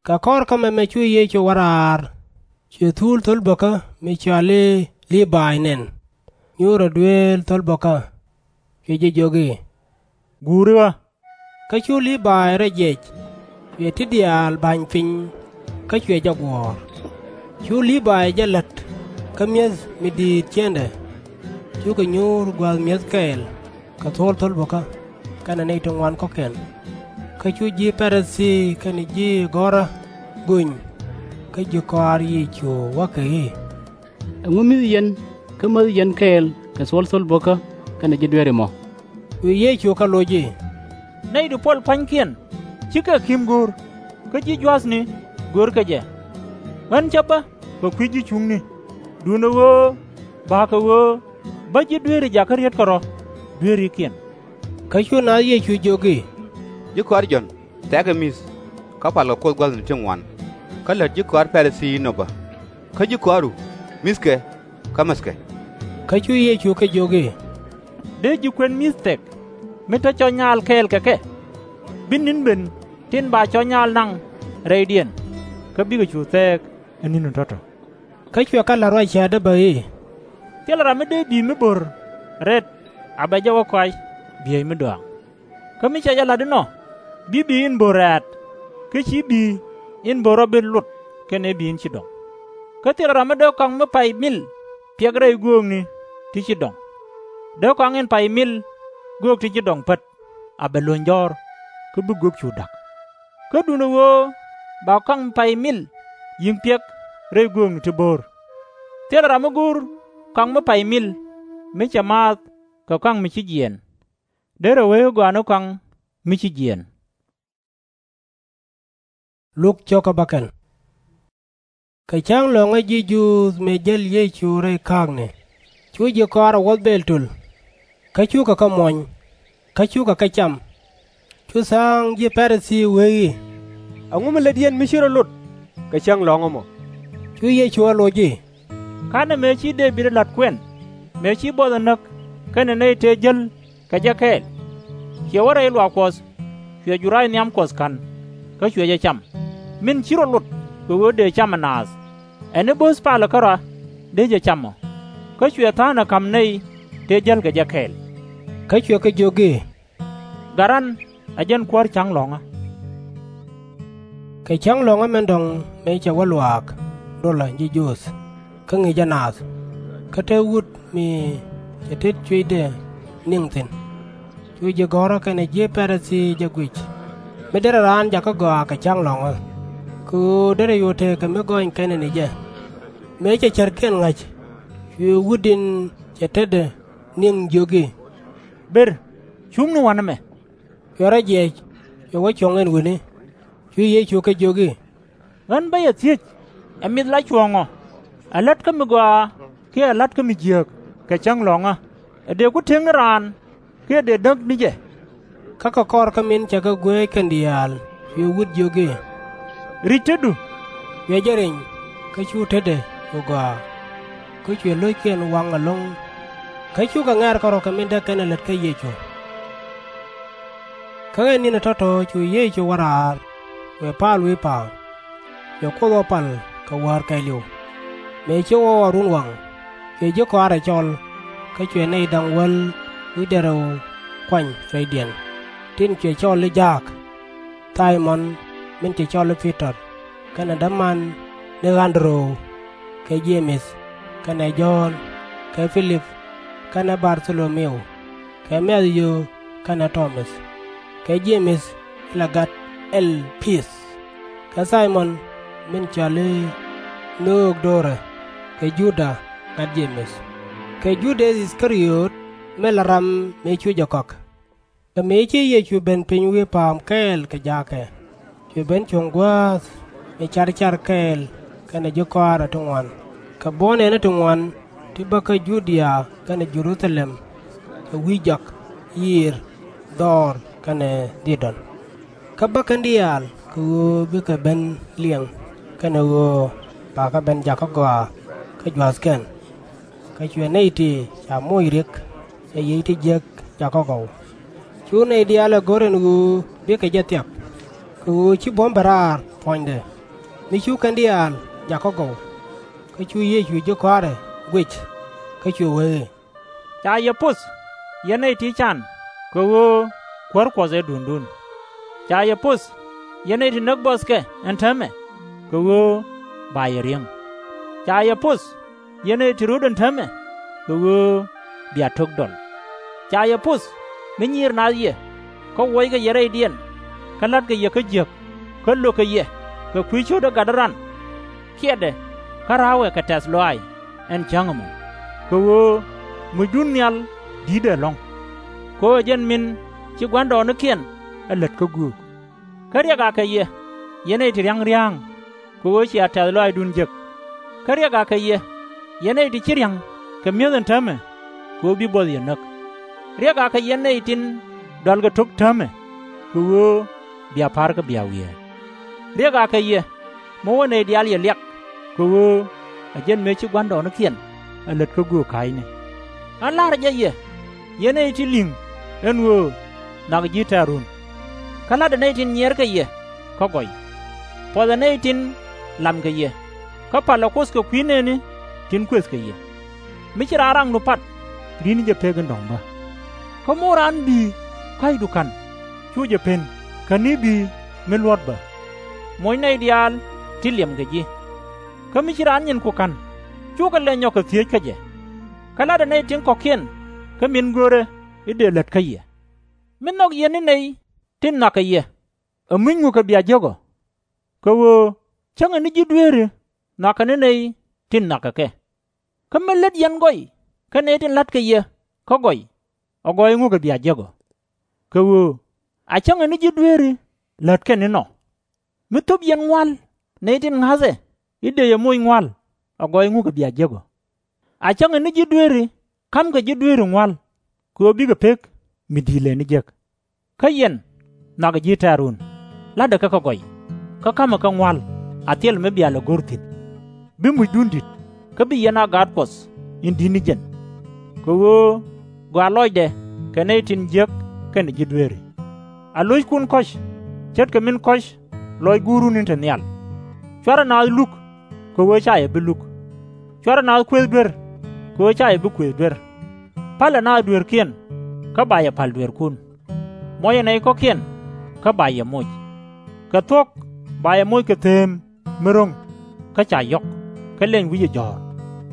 Kɛ kɔr kä mɛmɛ cu Yecu wä raar, cuɛ thul thol bäkä mi cɔal i̱ Lii-bay nɛn, nyuurɛ dueel thol bäkä, cuɛ jɛ jiök i̱, Guuri ɣä. Kä cu Lii-bay rɔ jiɛc, cuɛ ti diaal ba̱ny piny, kä cuɛ jɛ guɔ̱ɔ̱r. Cu Lii-bay jɛ la̱t kä mi̱eth mi di̱i̱t ciëŋdɛ, cukɛ nyuur gua̱a̱th mi̱eth kɛɛl kɛ thol thol bäkä kɛnɛ nɛy ti ŋuan kɔ̱kiɛn. Kä cu ji̱ Pa-ri-thii kɛnɛ ji̱ gɔ̱rä göny kä ji̱ kɔaar Yecu, wäkɛ i̱, Ɛŋu mi̱th yɛn kä mäth yɛn kɛɛl kɛ thol thol bäkä kɛnɛ ji̱ dueeri mɔ? Cu Yecu kɛ loc i̱, Nɛy ti puɔl pua̱nykiɛn /cikɛ ki̱m go̱o̱r, kä ji̱ jua̱thni görkɛ jɛ. Ɣän cä bä kɛ kui̱ ji̱ cuŋni, duundɛ ɣöö ba̱a̱ kɛ ɣöö bä ji̱ dueeri jakä riet kärɔ̱ dueerikiɛn. Kä cu naath Yecu jiök i̱, Ji̱ kɔaar Jɔ̱ɔ̱n thɛɛkɛ mi̱th, kä palkɛ Kuoth gua̱thni ti ŋuan, kä lät ji̱ kɔaar Pa-ri-thii inɔ bä. Kä ji̱ kɔaaru, mi̱thkɛ kä mäthkɛ. Kä cu Yecu kɛ jiök i̱, Dee ji̱ kuën mi̱th thɛk mi te cɔc nyaal kɛɛl kɛ kɛ? Bi ni̱n ben tin ba cɔc nyaal naŋ rɛydiɛn, kä bikɛ cu thɛɛk ɛ ni̱n tɔ̱tɔ̱. Kä cuɛ kɛ la̱r ruac cäätdä bä i̱, Thilɛ ram mi dee bi̱i̱ mi bo̱r rɛt a bɛ jɛ wä kɔac bi̱eec mi dɔaaŋ. Kä mi cɛ jɛ la̱t inɔ, bi bi̱i̱ in bo̱r rɛ̈ɛ̈t, kä ci bi̱i̱ in bo̱r rɔ bi lot kɛnɛ bi̱i̱ in ci dɔ̱ŋ. Kä thilɛ ram mi dee kɔaŋ mi pay mil piɛk rɛy göökni ti ci dɔ̱ŋ. Dee kɔaŋ in pay mil göök ti ci dɔ̱ŋ pät a bɛ lo̱ny jɔ̱ɔ̱r, kä bi göök cu da̱k. Kä duundɛ ɣöö ba kɔaŋ mi pay mil yi̱ŋ piɛk rɛy göökni ti bo̱r. Thilɛ ram mi go̱o̱r kɔaŋ mi pay mil mi cɛ maath kɛ kɔaŋ mi ci jiɛɛn. Derɛ wee i̱ gɔaa ni kɔaŋ mi ci jiɛɛn. Luk cio̱kä bäkɛl. Kɛ cäŋ lɔ̱ŋä ji̱ Juudh mëë jäl Yecu rɛy kääkni, cu ji̱ kɔaarɛ wuɔ̱th Bɛ̈ɛ̈l töl, kä cukɛ kɛ muɔ̱ny, kä cukɛ kɛ cam. Cu tha̱a̱ŋ ji̱ Pa-ri-thii wee i̱, Ɛŋu mi lät yɛn mi ci rɔ lot kɛ cäŋ lɔ̱ŋä mɔ? Cu Yecu ɛ loc i̱, Ka̱nɛ mëë ci Dee-bid ɛ la̱t kuɛn, mëë ci buɔth ɛ näk kɛnɛ nɛy tëë jäl kɛ jɛ kɛɛl? Ciɛ wä rɛy luaak Kuɔth, cuɛ jurac nhiam Kuɔth ka̱n, kä cuɛ jɛ cam, min /ci rɔ lot kɛ ɣöö dëë cam ɛ naath. Ɛ ni bo̱o̱th palɛ kärɔa dee jɛ cam ɔ, kä cuɛ tha̱a̱ŋ ɛ ka̱m nɛy tëë jäl kɛ jɛ kɛɛl. Kä cuɛ kɛ jiök i̱, Gat ran, ɛ jɛn kuäär cäŋ lɔ̱ŋä. Kɛ cäŋ lɔ̱ŋä min dɔ̱ŋ mëë cɛ wä luaak dolä ji̱ Juudh, kä ŋi̱i̱cä naath, kä te wut mi cɛ tet cuëcdɛ niŋ thi̱n. Cu ji̱ gɔ̱rä kɛnɛ ji̱ Pa-ri-thii jɛ guic, mi derɛ raan jakä gɔaa kɛ cäŋ lɔ̱ŋä, kɛ ɣöö derɛ cu tekɛ mi gɔny kɛnɛ ni jɛ. Mëë cɛ cärkiɛn ŋa̱c, cuɛ wut in cɛ tetdɛ niŋ jiök i̱, Ber, cuŋni wa̱nɛ mɛ. Cuɛ rɔ jiɛc, cuɛ wä cuɔ̱ŋ ɛn wi̱ni. Cu Yecu kɛ jiök i̱, Ɣän bä yɛ thiec, ɛ mith la cuɔ̱ɔ̱ŋ ɔ, ɛ la̱t kä mi gɔaa kiɛ ɛ la̱t kä mi jiääk kɛ cäŋ lɔ̱ŋä? Ɛ dëë ku tëk ni raan kiɛ dëë näk ni jɛ? Kä kɛ kɔr kä min cɛ kɛ guɛɛc kɛn diaal, cuɛ wut jiök i̱, Ri̱c tetdu. Cuɛ jɛ riny, kä cu tetdɛ cu gɔaa. Kä cuɛ lo̱ckiɛn waŋ ɛlɔ̱ŋ. Kä cukɛ ŋɛ̈r kärɔ̱ kɛ min dee kɛn ɛ lät kä Yecu. Kä ɛ ni̱n ɛ tɔ̱tɔ̱ cu Yecu wä raar, cuɛ pa̱a̱l wi̱i̱ pa̱a̱m, cuɛ Kuoth ɣɔw pal kɛ wäär kɛɛliw. Mëë ci ɣɔw a run waŋ, cuɛ ji̱ kɔaarɛ cɔl, kä cuɛ nɛy da̱ŋ wäl wi̱cdɛ rɛw kuany rɛydiɛn, tin cuɛ cɔl i̱ Jaak, Thay-mɔn min ci cɔl i̱ Pi-tɔr, kɛnɛ däman ni An-dɛ-röw, kɛ Je-mɛth, kɛnɛ Jɔ̱ɔ̱n, kɛ Pi-lip, kɛnɛ Bar-tho-lo-mi-u, kɛ Mɛ̈-thiw kɛnɛ Tɔ-mäth, kɛ Je-mɛth in la gat Ɛl-pi-th, kɛ Thay-mɔn min cɔal i̱ Nhöök do̱rɛ, kɛ Juda gat Je-mɛth, kɛ Judäth I-thɛ-ri-öt min la ram mëë cu jɛ kɔak. Kä mëë ci Yecu ben piny wi̱i̱ pa̱a̱m kɛɛl kɛ jaakɛ, cuɛ ben cuɔ̱ŋ guäth mi car car kɛɛl kɛnɛ ji̱ kɔaarɛ ti ŋuan, kɛ buɔ̱n nɛɛni ti ŋuan ti bä kä Ju-dia kɛnɛ Jɛ-ru-tha-lɛm, kɛ wi̱i̱ jɔak, yiëër, dhɔr kɛnɛ Thi-dɔn. Kä bä kɛn diaal kɛ ɣöö bikɛ ben liɛŋ, kɛnɛ ɣöö bakɛ ben jakä gɔaa kä jua̱thkiɛn. Kä cuɛ nɛy ti ca moc ri̱k, cɛ yic ti jiäk jakä gɔw. Cu nɛy diaal ɛ go̱r ɛn ɣöö bikɛ jɛ thiap, kɛ ɣöö ci buɔ̱m ben raar puɔ̱nydɛ, mi cu kɛn diaal jakä gɔw. Kä cu Yecu ji̱ kɔaarɛ guic, kä cuɛ wee i̱, Ca yɛ poth, yɛn nɛy ti can, kɛ ɣöö kuäär Kuɔth ɛ duŋdun. Ca yɛ poth, yɛn nɛy ti näk buɔthkɛ ɛn täämɛ, kɛ ɣöö ba yɛ ri̱eŋ. Ca yɛ poth, yɛn nɛy ti rööt ɛn täämɛ, kɛ ɣöö bia tok dɔl. Ca yɛ poth, mi nyiir naath yɛ, kä wuɔckɛ yɛ rɛydiɛn, kä la̱tkɛ yɛ kä jiäk, kä lökɛ yɛ kɛ kui̱ cio̱t ɛ gatdä ran. Kiɛtdɛ, kä ra̱a̱wɛ kɛ tɛ̈th lɔaac ɛn cäŋ ɛmɔ, kɛ ɣöö mucdun nhial di̱tdɛ ɛlɔ̱ŋ. Kɛ ɣöö ɛ jɛn min ci gua̱ndɔɔŋnikiɛn ɛ lät kä göök. Kä riɛk akɛ yɛ, yɛn nɛy ti ria̱ŋ ria̱a̱ŋ, kɛ ɣöö cia tɛ̈th lɔaacdun jek. Kä riɛk akɛ yɛ, yɛn nɛy ti /ci ria̱ŋ kɛ mi̱eth ɛn täämɛ, kɛ ɣöö bi buɔth yɛ näk. Riɛk akɛ yɛn nɛy tin dɔalkɛ tok täämɛ, kɛ ɣöö bia pa̱rkɛ bia wiee. Riɛk akɛ yɛ, mi wä nɛy diaal yɛ liak, kɛ ɣöö ɛ jɛn mëë ci gua̱ndɔɔŋnikiɛn ɛ lät kä göök ka̱a̱cni. Ɣän la̱rä jɛ yɛ, yɛn nɛy ti li̱ŋ ɛn ɣöö nhɔakɛ ji̱ tɛ̈run. Kä la̱tdɛ nɛy tin nyiɛɛrkɛ yɛ kä gɔy. Puɔthɛ nɛy tin lamkɛ yɛ. kä palɛ Kuoth kɛ kui̱ nɛɛni tin kuëth kɛ yɛ. Mi ci raan raŋdu pat, ri̱n jɛ pek in dɔ̱ŋ bä. Kä mi wä raan bi̱i̱ kɔ̱a̱cdu ka̱n, cu jɛ pen, kɛn i̱ bi̱i̱ mi luɔ̱t bä. Moc nɛy diaal tin liɛm kɛ ji̱. Kä mi ci raan nyinku ka̱n, cukɛ lɛ nyɔk kɛ thiec kä jɛ. Kä la̱tdɛ nɛy tin kɔ̱kiɛn kä min görɛ i̱ dëë lät kä yɛ. Mi nhɔk yɛn ni nɛy tin nhɔakɛ yɛ, ɛ muc ŋukɛ bia jiäk ɔ. Kɛ ɣöö cäŋɛ ni ji̱ dueeri nhɔakɛ ni nɛy tin nhɔakɛ kɛ. Kä mi lät yɛn gɔy kä nɛy tin la̱tkɛ yɛ kä gɔy, ɛ gɔɔy ŋukɛ bia jiäk ɔ. Kɛ ɣöö a cäŋɛ ni ji̱ dueeri lät kɛn inɔ. Mi thöp yɛn ŋua̱l nɛy tin ŋa̱thɛ i̱ dëë yɛ moc ŋua̱l, ɛ gɔɔy ŋukɛ bia jiäk ɔ. A cäŋɛ ni ji̱ dueeri ka̱mkɛ ji̱ dueeri ŋua̱l, kɛ ɣöö bikɛ pek mi di̱i̱t lëë ni jek. Kä yɛn, nhɔakɛ ji̱ tɛ̈run, la̱tdɛ kɛ kä gɔy, kä ka̱mɛ kɛ ŋua̱l, a thil mi bia lɛ go̱r thi̱n. Bi mucdun di̱t, kä bi yɛn a gaat Kuɔth in di̱t ni jɛn. Kɛ ɣöö gɔaa lɔcdɛ kɛ nɛy tin jiäk kɛnɛ ji̱ dueeri. A lo̱ckun kɔ̱c, ce̱tkɛ min kɔ̱c lɔc Guurun in te nhial. /Cuarɛ naath luk, kɛ ɣöö /ca yɛ bi luk. /Cuarɛ naath kuëëth duer, kɛ ɣöö /ca yɛ bi kuëëth duer. Pa̱lɛ naath dueerkiɛn, kä ba yɛ pa̱l dueerkun. Mɔcɛ nɛy kɔ̱kiɛn, kä ba yɛ moc. Kɛ thuɔ̱k ba yɛ moc kɛ thëëm mi ro̱ŋ, kä ca yɔ̱k, kä liɛny wi̱cɛ jɔ̱ɔ̱r.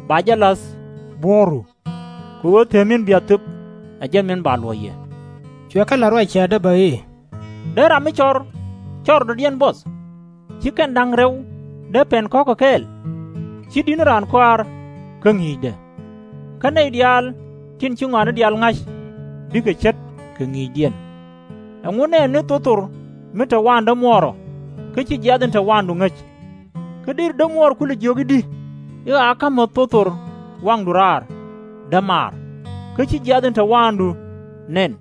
Ba jɛ la̱th buɔ̱ɔ̱ru. Kɛ ɣöö thëëm min bia thöp, ɛ jɛn min ba luɔ̱c yɛ. Cuɛ kɛ la̱t ruac cäätdä bä i̱, Dee ram mi cɔr cɔr dɔ̱diɛn buɔth? /Ci kɛn da̱ŋ rɛw dee pɛn kɔ̱kɛ kɛɛl? /Ci di̱t ni raan kɔaar kä ŋi̱i̱cdɛ. Kä nɛy diaal tin ci ŋɔaani diaal ŋa̱c, bikɛ ce̱t kɛ ŋi̱i̱cdiɛn. Ɛŋu nɛɛni thothor mi te waandä muɔɔr ɔ, kä /ci jiath in te waandu ŋäc? Kä deri dämuɔɔr kulɛ jiök i̱di, i̱ ɣaa ka̱mä thothor waŋdu raar, dämaar, kä /ci jiath in te waandu nɛn?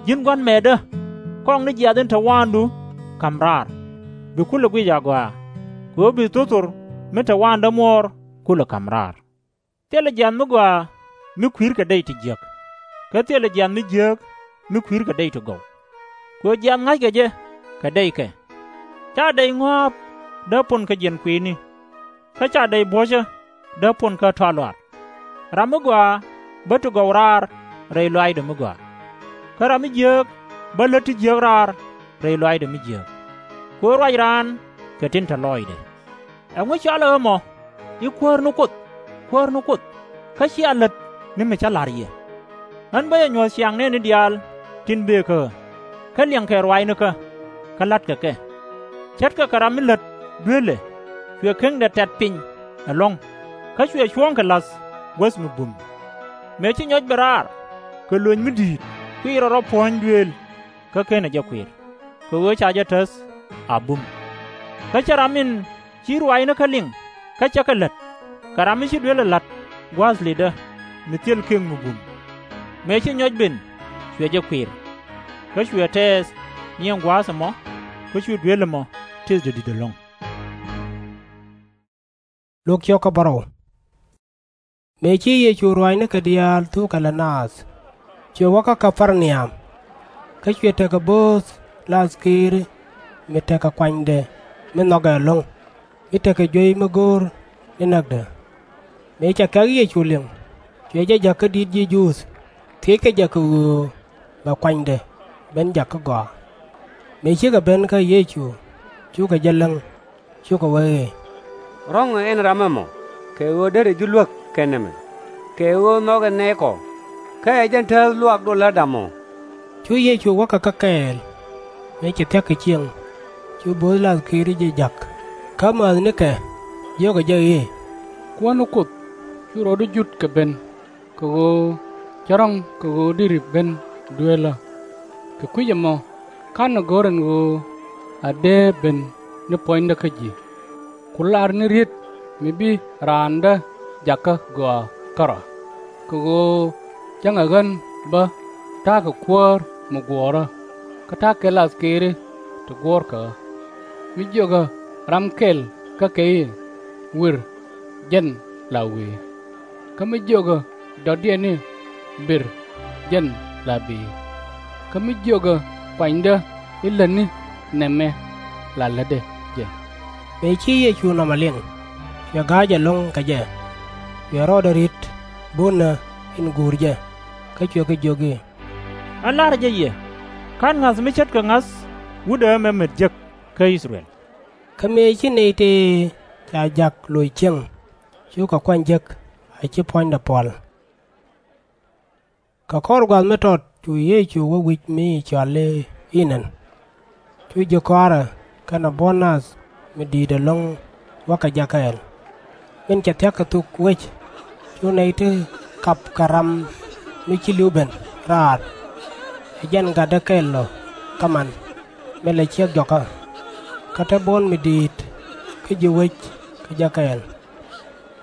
Ji̱n gua̱n mɛɛtdä, kɔŋ ni jiath in te waandu ka̱m raar, bi kulɛ guic agɔaa, kɛ ɣöö bi thothor mi te waandä muɔɔr kulɛ ka̱m raar. Thilɛ jiath mi gɔaa mi kui̱r kɛ dɛy ti jiäk, kä thilɛ jiath mi jiääk mi kui̱r kɛ dɛy ti gɔw. Kɛ ɣöö jiath ŋa̱ckɛ jɛ kɛ dɛykɛ. /Ca dɛy ŋɔ̱a̱p dee pon kä jiɛn kui̱ni, kä /ca dɛy buɔ̱cä dee pon kä tɔa luaar. Ram mi gɔaa bä ti gɔw raar rɛy lɔaacdɛ mi gɔaa, kä ram mi jiääk bä lät ti jiääk raar rɛy lɔaacdɛ mi jiääk. Kɛ ɣöö ruac raan kɛ tin te lɔɔcdɛ. Ɛŋu cɔalɛ ɣä mɔ i̱, Kuäär ni Kuoth, Kuäär ni Kuoth, kä /cia lät ni mi cä la̱r yɛ? Ɣän bä jɛ nyuɔ̱th ciaŋ nɛɛni diaal tin bëë kä ɣä, kä liɛŋkɛ ruaacnikä, kä la̱tkɛ kɛ. Ce̱tkɛ kɛ ram mi lät dueelɛ, cuɛ keŋdɛ tɛ̈t piny ɛlɔ̱ŋ, kä cuɛ cuɔ̱ɔ̱ŋkɛ la̱th guäth mi bum. Mëë ci nyɔc ben raar, kɛ lööny mi di̱i̱t kuiirɛ rɔ puɔ̱ny dueel, kä /kenɛ jɛ kuiir, kɛ ɣöö ca jɛ täth a bum. Kä /cɛ ram in ci ruaacnikä liŋ kä cä kɛ lät, kɛ ram mi ci dueelɛ la̱t gua̱a̱th litdä mi thil kek mi bum. Mëë ci nyɔc ben, cuɛ jɛ kuiir, kä cuɛ tɛɛth nyiɛŋ gua̱a̱th ɛmɔ, kä cu dueel ɛmɔ tëthdɛ di̱t ɛlɔ̱ŋ. Mëë ci Yecu ruaacnikɛ diaal thukɛ lät naath, cuɛ wä kä Kɛ-par-ni-am. Kä cuɛ tekɛ bööth lath keeri mi tekɛ kuanydɛ mi nhɔkɛ ɛlɔ̱ŋ, mi tekɛ juey mi go̱o̱r ni näkdɛ. Mëë cɛ kɛ̈k Yecu liŋ, cuɛ jɛ jäk kä di̱t ji̱ Juudh, thiëckɛ jɛ kɛ ɣöö bɛ kuanydɛ ben jak kä gɔaa. Mëë cikɛ ben kä Yecu, cukɛ jɛ leŋ, cukɛ wee i̱, Ro̱ŋɛ ɛn ram ɛmɔ, kɛ ɣöö derɛ ji̱ luäk kɛ nɛmɛ, kɛ ɣöö nhɔkɛ nɛɛkɔ, kä ɛ jɛn tääth luaak dolä damɔ. Cu Yecu wä kɛ kä kɛɛl. Mëë cɛ thia̱k kɛ cieŋ, cu bööth lath keeri jɛ jak, kä määthnikɛ jiökɛ jɛ i̱, Kuäär ni Kuoth, cu rɔɔdu jut kɛ ben, kɛ ɣöö cä rɔ̱ŋ kɛ ɣöö deri ben dueelä. Kɛ kui̱c ɛmɔ /ka̱nɛ go̱r ɛn ɣöö a dee ben ni puɔ̱nydä kä ji̱. Ku lar ni riet mi bi raandä jakä gɔaa kärɔa, kɛ ɣöö cäŋɛ ɣän bä ta̱a̱ kɛ kuäär mi guɔ̱ɔ̱rä, kä ta̱a̱ kɛ lath keeri ti guɔ̱ɔ̱rkɛ ɣä. Mi jiökɛ ram kɛl kä kɛ i̱, Wir, jɛn la wi̱i̱. Kä mi jiökɛ dɔ̱diɛn i̱, Bir, jɛn la bi̱i̱. Kä mi jiökɛ kuanydä i̱, Lätni nɛmɛ, la lätdɛ jɛ. Mëë ci Yecu nɔmɔ liŋ, cuɛ ga̱a̱c ɛlɔ̱ŋ kɛ jɛ. Cuɛ rɔɔdɛ ri̱t bunnä in guur jɛ, kä cuɛ kɛ jiök i̱, Ɣän la̱rä jɛ yɛ, /ka̱n ŋa̱th mi ce̱tkɛ ŋa̱th wutdä ɛmɛ met jek kä I-thɛ-rɛl. Kä mëë ci nɛy tëë ca ja̱k loc cieŋ, cukɛ kuany jek a /ci puɔ̱nydɛ puɔl. Kɛ kɔr gua̱a̱th mi tɔt cu Yecu wä wi̱c mi cɔal i̱ Enɛn. Cu ji̱ kɔaarɛ kɛnɛ buɔ̱n nath mi di̱i̱t ɛlɔ̱ŋ wä kɛ jɛ kɛɛl. Min cɛ thia̱k kɛ thuk wec, cu nɛy ti kap kɛ ram mi ci li̱w ben raar. Ɛ jɛn gatdɛ kɛl ɔ kaman min la ciek jɔkä. Kä te buɔ̱n mi di̱i̱t kä ji̱ wec kɛ jɛ kɛɛl.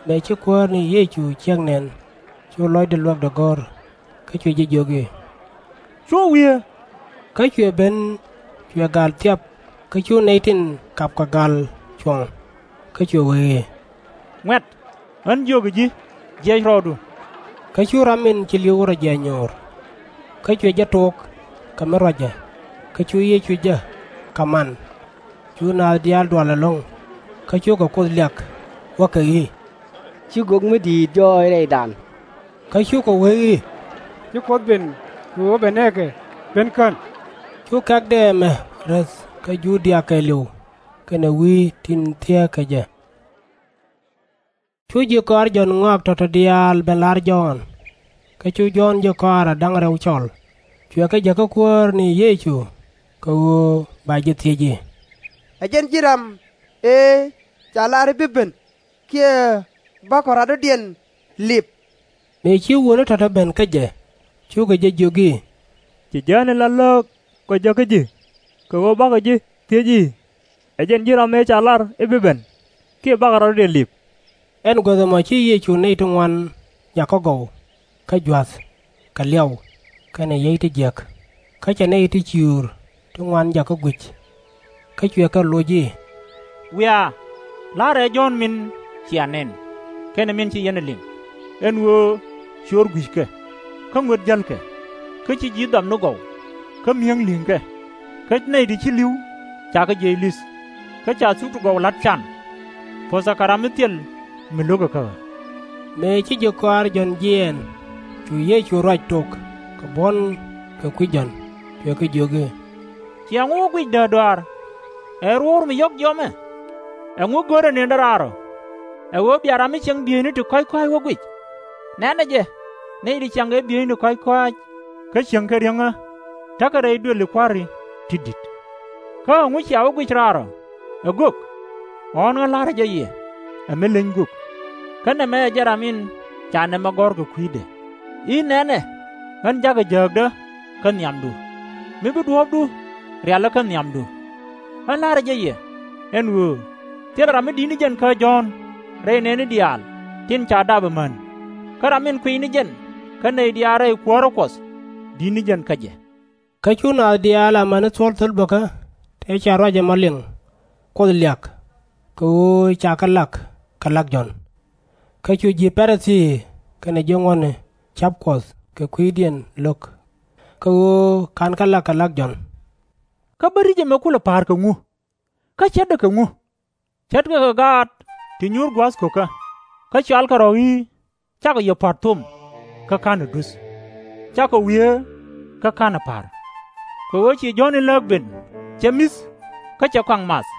Mëë ci Kuäär ni Yecu ciek nɛn, cu lɔcdɛ luäk dee go̱r, kä cuɛ jɛ jiök i̱, Cuɔ̱ŋ wiee. Kä cuɛ ben, cuɛ ga̱l thiap, kä cu nɛy tin kapkɛ ga̱l cuɔ̱ŋ. Kä cuɛ wee i̱, Ŋuɛ̈t, ɣän jiökɛ ji̱, jiɛc rɔɔdu. Kä cu ram min ci li̱w rɔ jiɛc nyo̱o̱r. Kä cuɛ jɛ tok kɛ mi ruacɛ, kä cu Yecu jek kaman. Cu naath diaal dual ɛlɔ̱ŋ, kä cukɛ Kuoth liak, wäkɛ i̱, Ci gök mi di̱i̱t jɔɔc rɛydan. Kä cukɛ wee i̱, Ci Kuoth ben kɛ ɣöö bɛ nɛɛkɛ ben kän. Cu kɛ̈kdɛ ɛmɛ räth kä Ju-dia kɛɛliw kɛnɛ wi̱i̱ tin thieekä jɛ. Cu ji̱ kɔaar Jɔ̱ɔ̱n ŋɔak tɔ̱tɔ̱ diaal ben la̱r Jɔ̱ɔ̱n. Kä cu Jɔ̱ɔ̱n ji̱ kɔaarɛ da̱ŋ rɛw cɔl, cuɛ kɛ jäk kä Kuäär ni Yecu, kɛ ɣöö ba jɛ thiec i̱, Ɛ jɛn ji̱ ram ëë ca lar i̱ bi ben, kiɛ bakɔ radɔ̱diɛn lip? Mëë ci wuɔ̱ni tɔ̱tɔ̱ ben kä jɛ, cukɛ jɛ jiök i̱, Ci jiääni la lääk kɔ jäk kä ji̱, kɛ ɣöö bakɔ ji̱ thiec i̱, Ɛ jɛn ji̱ ram ëë ca lar i̱ bi ben, kiɛ bakɔ radɔ̱diɛn lip? Ɛn guäth ɛmɔ ci Yecu nɛy ti ŋuan jakä gɔw kä jua̱th kɛ liaw kɛnɛ yiey ti jiäk. Kä cɛ nɛy ti ciöör ti ŋuan jakä guic. Kä cuɛ kɛ loc i̱, Wiaa, la̱rɛ ɛ Jɔ̱ɔ̱n min cia nɛn, kɛnɛ min ci yɛn ɛ liŋ, ɛn ɣöö ciöör gui̱ckɛ, kä ŋuet jälkɛ, kä ci ji̱ dhɔamni gɔw, kä mi̱eŋ li̱ŋkɛ, kä nɛy ti ci li̱w cakɛ jiɛc li̱th, kä ca thuk ti gɔw la̱t can. Puɔ̱thɛ kɛ ram mi thil mi lo̱kɛ kä ɣä. Mëë ci ji̱ kɔaar Jɔ̱ɔ̱n jiɛɛn, cu Yecu ruac tok kɛ buɔ̱n kɛ kui̱ Jɔ̱ɔ̱n, cuɛ kɛ jiök i̱, Ciɛ ŋu wä guic däärdɔaar? Ɛ ruɔ̱ɔ̱r mi yɔ̱k jiɔamɛ? Ɛŋu görɛ nëndɛ raar ɔ? Ɛ ɣöö bia ram mi cieŋ bieyni ti kɔ̱a̱c kɔ̱a̱c wä guic? Nɛnɛ jɛ, nɛy ti ciaŋ kɛ bieyni ti kɔ̱a̱c kɔ̱a̱c, kä cieŋkɛ riäŋä, tekɛ rɛy duëli kua̱ri ti di̱t. Kä ɛŋu cia wä guic raar ɔ? Ɛ gök? Ɣɔ̱ɔ̱n ɣän la̱rä jɛ yɛ, ɛ mi leny gök. Kä nɛmɛ ɛ jɛn ram in ca nɛmɛ gɔ̱r kɛ kui̱dɛ i̱, Nɛnɛ, ɣän ja̱kɛ jääkdä kä nhiamdu, mi bi duɔ̱ɔ̱pdu rialä kä nhiamdu. Ɣän la̱rä jɛ yɛ, ɛn ɣöö thilɛ ram mi di̱t ni jɛn kä Jɔ̱ɔ̱n rɛy nɛɛni diaal tin ca dap ɛmän, kä ram min kuiy ni jɛn kä nɛy diaal rɛy kuäärä Kuɔth di̱t ni jɛn kä jɛ. Kä cu naath diaal amäni thuɔ̱l thöl bäkä tëë ca ruac ɛmɔ liŋ Kuoth liak, kɛ ɣöö cakɛ lak kɛ lak Jɔ̱ɔ̱n. Kä cu ji̱ Pa-ri-thii kɛnɛ ji̱ ŋuɔ̱tni ca̱p Kuɔth kɛ kui̱diɛn lo̱k, kɛ ɣöö /ka̱nkɛ lak kɛ lak Jɔ̱ɔ̱n. Kä bä ri̱c ɛmɛ kulɛ pa̱a̱r kɛ ŋu? Kä ce̱tdɛ kɛ ŋu? Ce̱tkɛ kɛ gaat ti nyuur gua̱a̱th ko̱kä, kä cɔalkɛ rɔ̱ i̱, Cakɔ yɛ pa̱r thom, kä /ka̱nɛ duth. Cakɔ wieer, kä /ka̱nɛ pa̱r. Kɛ ɣöö ci Jɔ̱ɔ̱n in lääk ben, cɛ mi̱th, kä cɛ kɔaŋ math,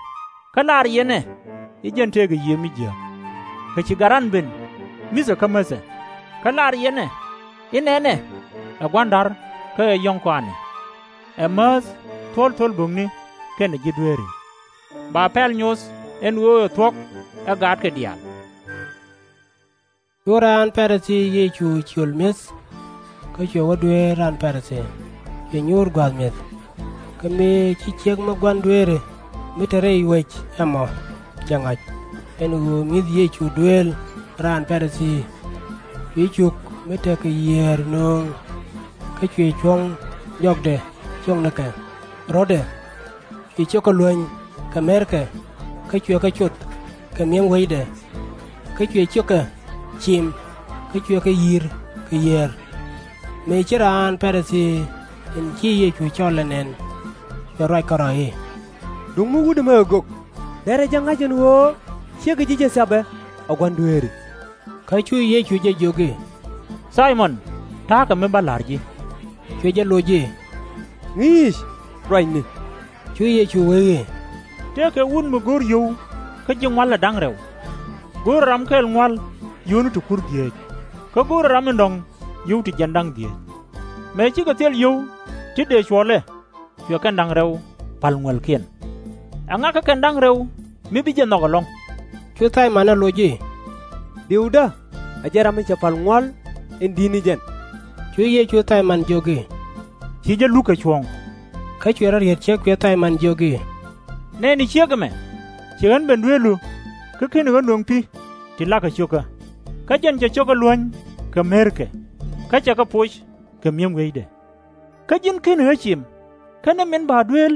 kä lar yɛn ɛ i̱, Jɛn tëëkɛ Yiëë mi jiääk. Kɛ ci Gat Ran ben, mi̱thɛ kä mäthɛ, kä lar yɛn ɛ i̱, Nɛnɛ, ɛ Gua̱ndar kä ɛ Yɔ̱ŋ kɔaani, ɛ määth thuɔ̱l thöl bo̱kni kɛnɛ ji̱ dueeri. Ba pɛl nyoth ɛn ɣöö ɛ thuɔ̱k ɛ gaatkɛ diaal. Cu raan Pa-ri-thii Yecu ciöl mi̱eth, kä cuɛ wä dueer raan Pa-ri-thii, cuɛ nyuur gua̱a̱th mi̱eth. Kä mëë ci ciek mi gua̱n dueeri mi te rɛy wec ɛmɔ jɛ ŋa̱c ɛn ɣöö mi̱th Yecu dueel raan Pa-ri-thii, cuɛ cuk mi tekɛ yiëër nööŋ, kä cuɛ cuɔ̱ŋ jɔkdɛ ciöknikɛ ro̱dɛ. Cuɛ ciökɛ luäny kɛ me̱rkɛ, kä cuɛ kɛ coth kɛ mi̱eŋ weydɛ. Kä cuɛ ciökɛ cim, kä cuɛ kɛ yi̱r kɛ yiëër. Mëë ci raan Pa-ri-thii in ci Yecu cɔl ɛ nɛn, cuɛ ruac kärɔ̱ i̱, Duŋni wut ɛmɛ ɛ gök, derɛ jɛ ŋa̱c ɛn ɣöö ciekɛ ji̱ jɛ thiapɛ. a gua̱n dueeri. Kä cu Yecu jɛ jiök i̱, Thay-mɔn, ta̱a̱ kɛ mi ba la̱r ji̱. Cuɛ jɛ loc i̱, Ŋi̱i̱c, ruacni. Cu Yecu wee i̱, Tëëkɛ wut mi go̱o̱r yio̱w kä ji̱ ŋual ɛ da̱ŋ rɛw. Go̱o̱rɛ ram kɛl ŋual yio̱wni ti kur dhieec, kä go̱o̱rɛ ram in dɔ̱ŋ yio̱w ti jiɛn da̱ŋ dhieec. Mëë cikɛ thil yio̱w ti dëë cuɔlɛ, cuɛ kɛn da̱ŋ rɛw pa̱l ŋuɛ̈lkiɛn. Ɛŋa kä kɛn da̱ŋ rɛw mi bi jɛ nhɔk ɛlɔ̱ŋ? Cu Thay-mɔn ɛ loc i̱, Diwdä ɛ jɛn ram mi cɛ pa̱l ŋual in di̱t ni jɛn. Cu Yecu Thay-mɔn jiök i̱, Ci jɛ luk kɛ cuɔ̱ɔ̱ŋ. Kä cuɛ rɔ riet ciek cuɛ Thay-mɔn jiök i̱, Nɛɛni ciek ɛmɛ, ci ɣän ben dueelu, kä /keni ɣä nöŋ pi̱ ti la̱kɛ cio̱kä. Kä jɛn cɛ cio̱kä luäny kɛ merkɛ, kä cɛ kɛ poc kɛ mi̱em wi̱i̱dɛ. Kä ji̱n /keni ɣä cim, kä ni min ba dueel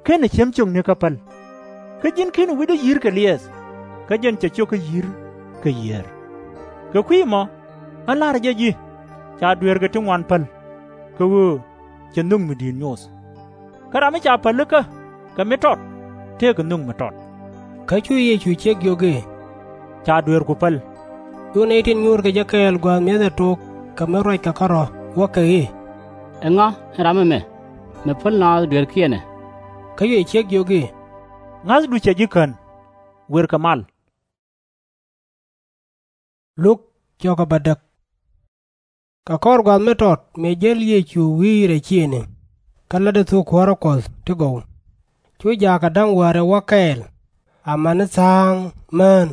/kenɛ ciem ciökni kä päl. Kä ji̱n /keni wi̱cdä yi̱r kɛ liɛɛth, kä jɛn cɛ cio̱kä yi̱r kɛ yiëër. Kɛ kui̱ ɛmɔ ɣän la̱rä jɛ ji̱, ca dueerkɛ ti ŋuan päl, kɛ ɣöö cɛ nho̱k mi di̱i̱t nyoth. Kä ram mi ca pälikä kɛ mi tɔt, tëëkɛ nho̱k mi tɔt. Kä cu Yecu ciek jiök i̱, Ca dueerku päl. Cu nɛy tin nyuurkɛ jɛ kɛɛl gua̱a̱th mi̱eth ɛ tok kɛ mi ruackɛ kärɔ̱, wäkɛ i̱, Ɛŋa ɛn ram ɛmɛ, mi päl naath dueerkiɛn ɛ? Kä cuɛ ciek jiök i̱, Ŋa̱thdu cɛ ji̱ kän. Wërkɛ mal. Luk bädäk. Kɛ kɔr gua̱a̱th mi tɔt mëë jäl Yecu wi̱i̱ rɛy ciëëni, kä lätdɛ thok kuäärä Kuɔth ti gɔw. Cu jaakɛ da̱ŋ wäärɛ wä kɛɛl, amäni tha̱a̱ŋ mään,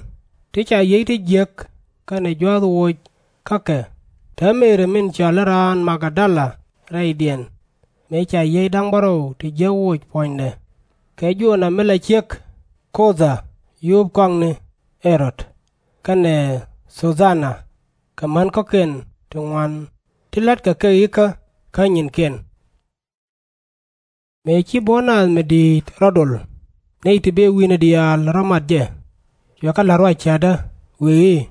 ti ca yiey ti jiäk kɛnɛ jua̱th woc kä kɛ, te Meri min cɔal i̱ raan Mag-dala rɛydiɛn, mëë ca yiey da̱ŋ bärɔw ti jiäk woc puɔ̱nydɛ, kɛ Jo̱o̱na mi la ciek Ko̱dha, yuup kɔaŋni Ɛ-rod, kɛnɛ Thu-dha-na, kɛ män kɔ̱kiɛn ti ŋuan ti la̱tkɛ kɛ ikä kä nyinkiɛn. Mëë ci buɔ̱n naath mi di̱i̱t rɔ dol, nɛy ti bëë wi̱i̱ni diaal rɔ mat jɛ, cuɛ kɛ la̱t ruac cäätdä, wëë i̱,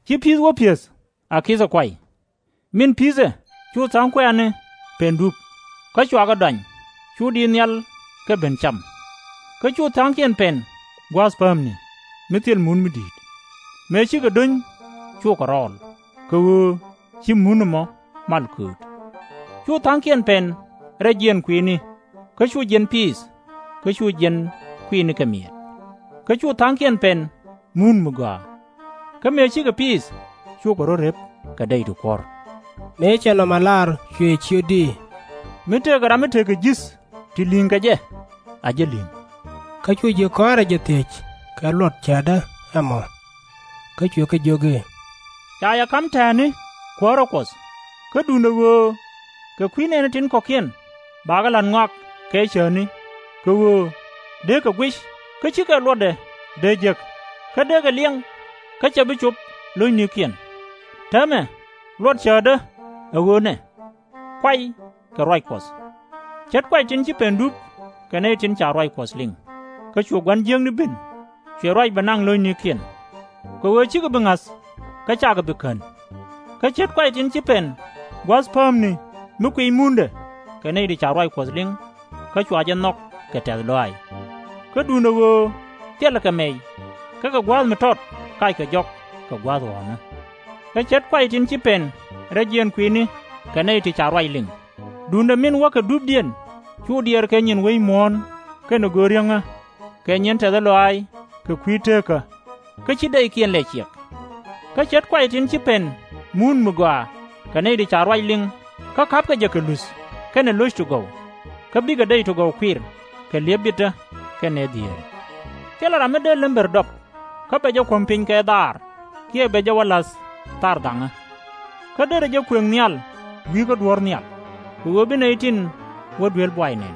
Ci pi̱i̱th wä pi̱eth a ki̱thɛ kuay. Min pi̱thɛ cu tha̱a̱ŋ kuɛ̈ɛ̈ni pɛn dup, kä cua kɛ dɔany, cu diit nhial kɛ ben cam. Kä cu tha̱a̱ŋkiɛn pɛn gua̱a̱th päämni, mi thil mun mi di̱i̱t. Mëë cikɛ do̱ny, cukɛ rɔɔl, kɛ ɣöö ci mun ɛmɔ mal kööt. Cu tha̱a̱ŋkiɛn pɛn rɛy jiɛɛn kui̱ni, kä cu jiɛn piith, kä cu jiɛn kui̱ni kɛ mi̱eet. Kä cu tha̱a̱ŋkiɛn pɛn mun mi gɔaa. Kä mëë cikɛ piith, cukɛ rɔ̱ rep kɛ dɛy ti kuɔ̱r. Mëë cɛ nɔmɔ lar, cuɛ ciötdi, Mi tëëkɛ ram mi tekɛ ji̱th ti li̱ŋ kɛ jɛ, a jɛ li̱ŋ. Kä cu ji̱ kɔaarɛ jɛ thiec kɛ luɔt cäätdä ɛmɔ. Kä cuɛ kɛ jiök i̱, Ca yɛ ka̱m tɛ̈ɛ̈ni kuäärä Kuɔth, kä duundɛ ɣöö kɛ kui̱ nɛɛni tin kɔ̱kiɛn bakɛ la̱t ŋɔak kɛ cäätni, kɛ ɣöö dee kɛ guic, kä /cikɛ luɔtdɛ dee jek, kä dee kɛ liɛŋ, kä /cɛ bi cop lo̱cnikiɛn. Täämɛ luɔt cäätdä ɛ ɣöö nɛ, Kuay kɛ ruac Kuɔth. Ce̱t kuay tin ci pɛn dup kɛ nɛy tin ca ruac Kuɔth liŋ, kä cu gua̱n jiäkni ben, cuɛ ruac bɛ naŋ lo̱cnikiɛn. Kɛ ɣöö /cikɛ bi ŋa̱th, kä /cakɛ bi kän. Kä ce̱t kuay tin ci pɛn gua̱a̱th päämni mi kuiy mundɛ kɛ nɛy ti ca ruac Kuɔth liŋ, kä cua jɛ nhɔk kɛ tɛ̈th lɔaac. Kä duundɛ ɣöö thilɛ kɛ mɛy, kä kɛ gua̱a̱th mi tɔt kackɛ jɔk kɛ gua̱a̱th ɣɔ̱ɔ̱ŋä. Kä ce̱t kuay tin ci pɛn rɛy jiɛɛn kui̱ni kɛ nɛy ti ca ruac liŋ, duundɛ min wäkɛ dupdiɛn cu diɛɛr kɛ nyin wec muɔ̱ɔ̱n kɛnɛ go̱o̱r riäŋä, kɛ nyin tɛ̈th lɔaac kɛ kui̱ teekä, kä /ci dɛykiɛn lɛ ciɛk. Kä ce̱t kuay tin ci pɛn mun mi gɔaa kɛ nɛy ti ca ruac liŋ, kä ka̱pkɛ jɛ kɛ luth kɛnɛ lo̱c ti gɔw, kä bikɛ dɛy ti gɔw kuir kɛ li̱ep bitdä kɛnɛ dhieeri. Thilɛ ram mi dee lembɛr dɔp, kä bɛ jɛ kuɔ̱m piny kɛ dhaar, kiɛ bɛ jɛ wä la̱th thar dhaŋä. Kä derɛ jɛ kuëŋ nhial wi̱i̱ kä duɔ̱ɔ̱r nhial, kɛ ɣöö bi nɛy tin wä duel buay nɛn.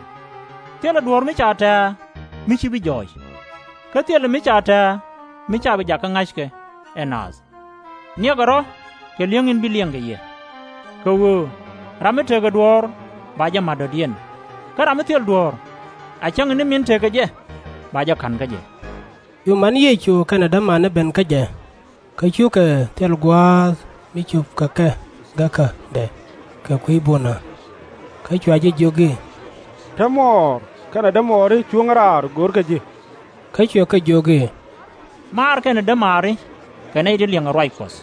Thilɛ duɔ̱ɔ̱r mi ca tɛ̱̈ɛ̱̈ mi /ci bi jɔɔc, kä thilɛ mi ca tɛ̱̈ɛ̱̈ mi /ca bi jakä ŋa̱c kɛ ɛ naath. Niɛkɛ rɔ̱ kɛ li̱eŋ in bi liɛŋ kɛ yɛ. Kɛ ɣöö ram mi tekɛ duɔ̱ɔ̱r ba jɛ ma̱t dɔ̱diɛn, kä ram mi thil duɔ̱ɔ̱r, a cäŋ in ni min tekɛ jɛ, ba jɛ ka̱n kä jɛ. Cu man Yecu kɛnɛ dämani ben kä jɛ, kä cukɛ thil gua̱a̱th mi cupkɛ kɛ gäkädɛ kɛ kui̱ bunä. Kä cua jɛ jiök i̱, Te mɔɔr kɛnɛ dämɔɔri cuŋä raar go̱o̱rkɛ ji̱. Kä cuɛ kɛ jiök i̱, Maar kɛnɛ dämaari kɛ nɛy ti liɛŋɛ ruac Kuɔth,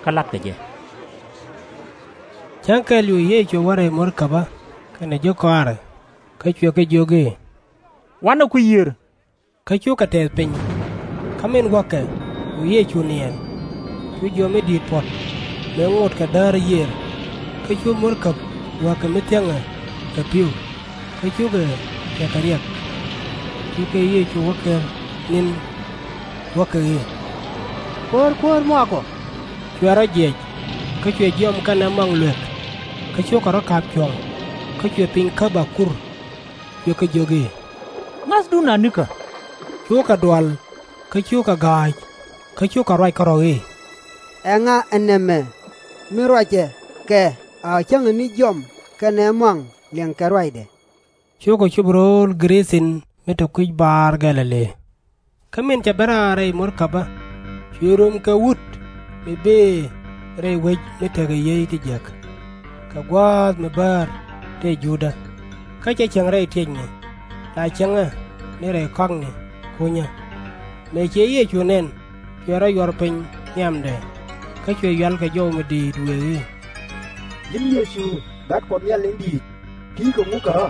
kä la̱tkɛ jɛ. Cäŋ kɛl cu Yecu wä rɛy murkäbä kɛnɛ ji̱ kɔaarɛ, kä cuɛ kɛ jiök i̱, Wanɛ kui̱ yiër. Kä cukɛ tɛth piny. Kä min wäkɛ cu Yecu niɛɛn, cu jiɔam mi di̱i̱t puɔ̱t, mëë ŋot kɛ däär yiër. Kä cu murkäb wäkɛ mi thiäŋɛ kɛ pi̱w, kä cukɛ tekɛ riɛk. Cu kɛ Yecu wä ker ni̱n, wäkɛ i̱, Kuäär, Kuäär, muakɔ! Cuɛ rɔ jiɛc, kä cuɛ jiɔam kɛnɛ muaŋ luek, kä cukɛ rɔ ka̱p cuɔ̱ŋ, kä cuɛ piny käp a kur. Cuɛ kɛ jiök i̱, Ŋa̱thdun anikä! Cukɛ dual, kä cukɛ ga̱a̱c, kä cukɛ ruac kärɔ̱ i̱, Ɛŋa ɛ nɛmɛ, mi ruacɛ kɛ a cäŋɛ ni jiɔam kɛnɛ muaŋ liɛŋkɛ ruacdɛ? Cukɛ cop ro̱o̱l Gɛ-ri-thin mi te kui̱c baar Gɛ̈-lɛ-li. Kä min cɛ ben raar rɛy murkäbä, cuɛ röm kɛ wut mi bëë rɛy wec mi tekɛ yiey ti jiäk, kɛ gua̱a̱th mi bäär tëë Judä, kä /cɛ cieŋ rɛy tiecni, la cieŋɛ ni rɛy kɔakni kunyä. Mëë ci Yecu nɛn, cuɛ rɔ yuɔr piny nhiamdɛ, kä cuɛ yual kɛ jɔw mi di̱i̱t wëë i̱, Ji̱n Yecu, Gat Kuɔth Nhial in di̱i̱t, ti̱i̱ kɛ ŋukä ɣä?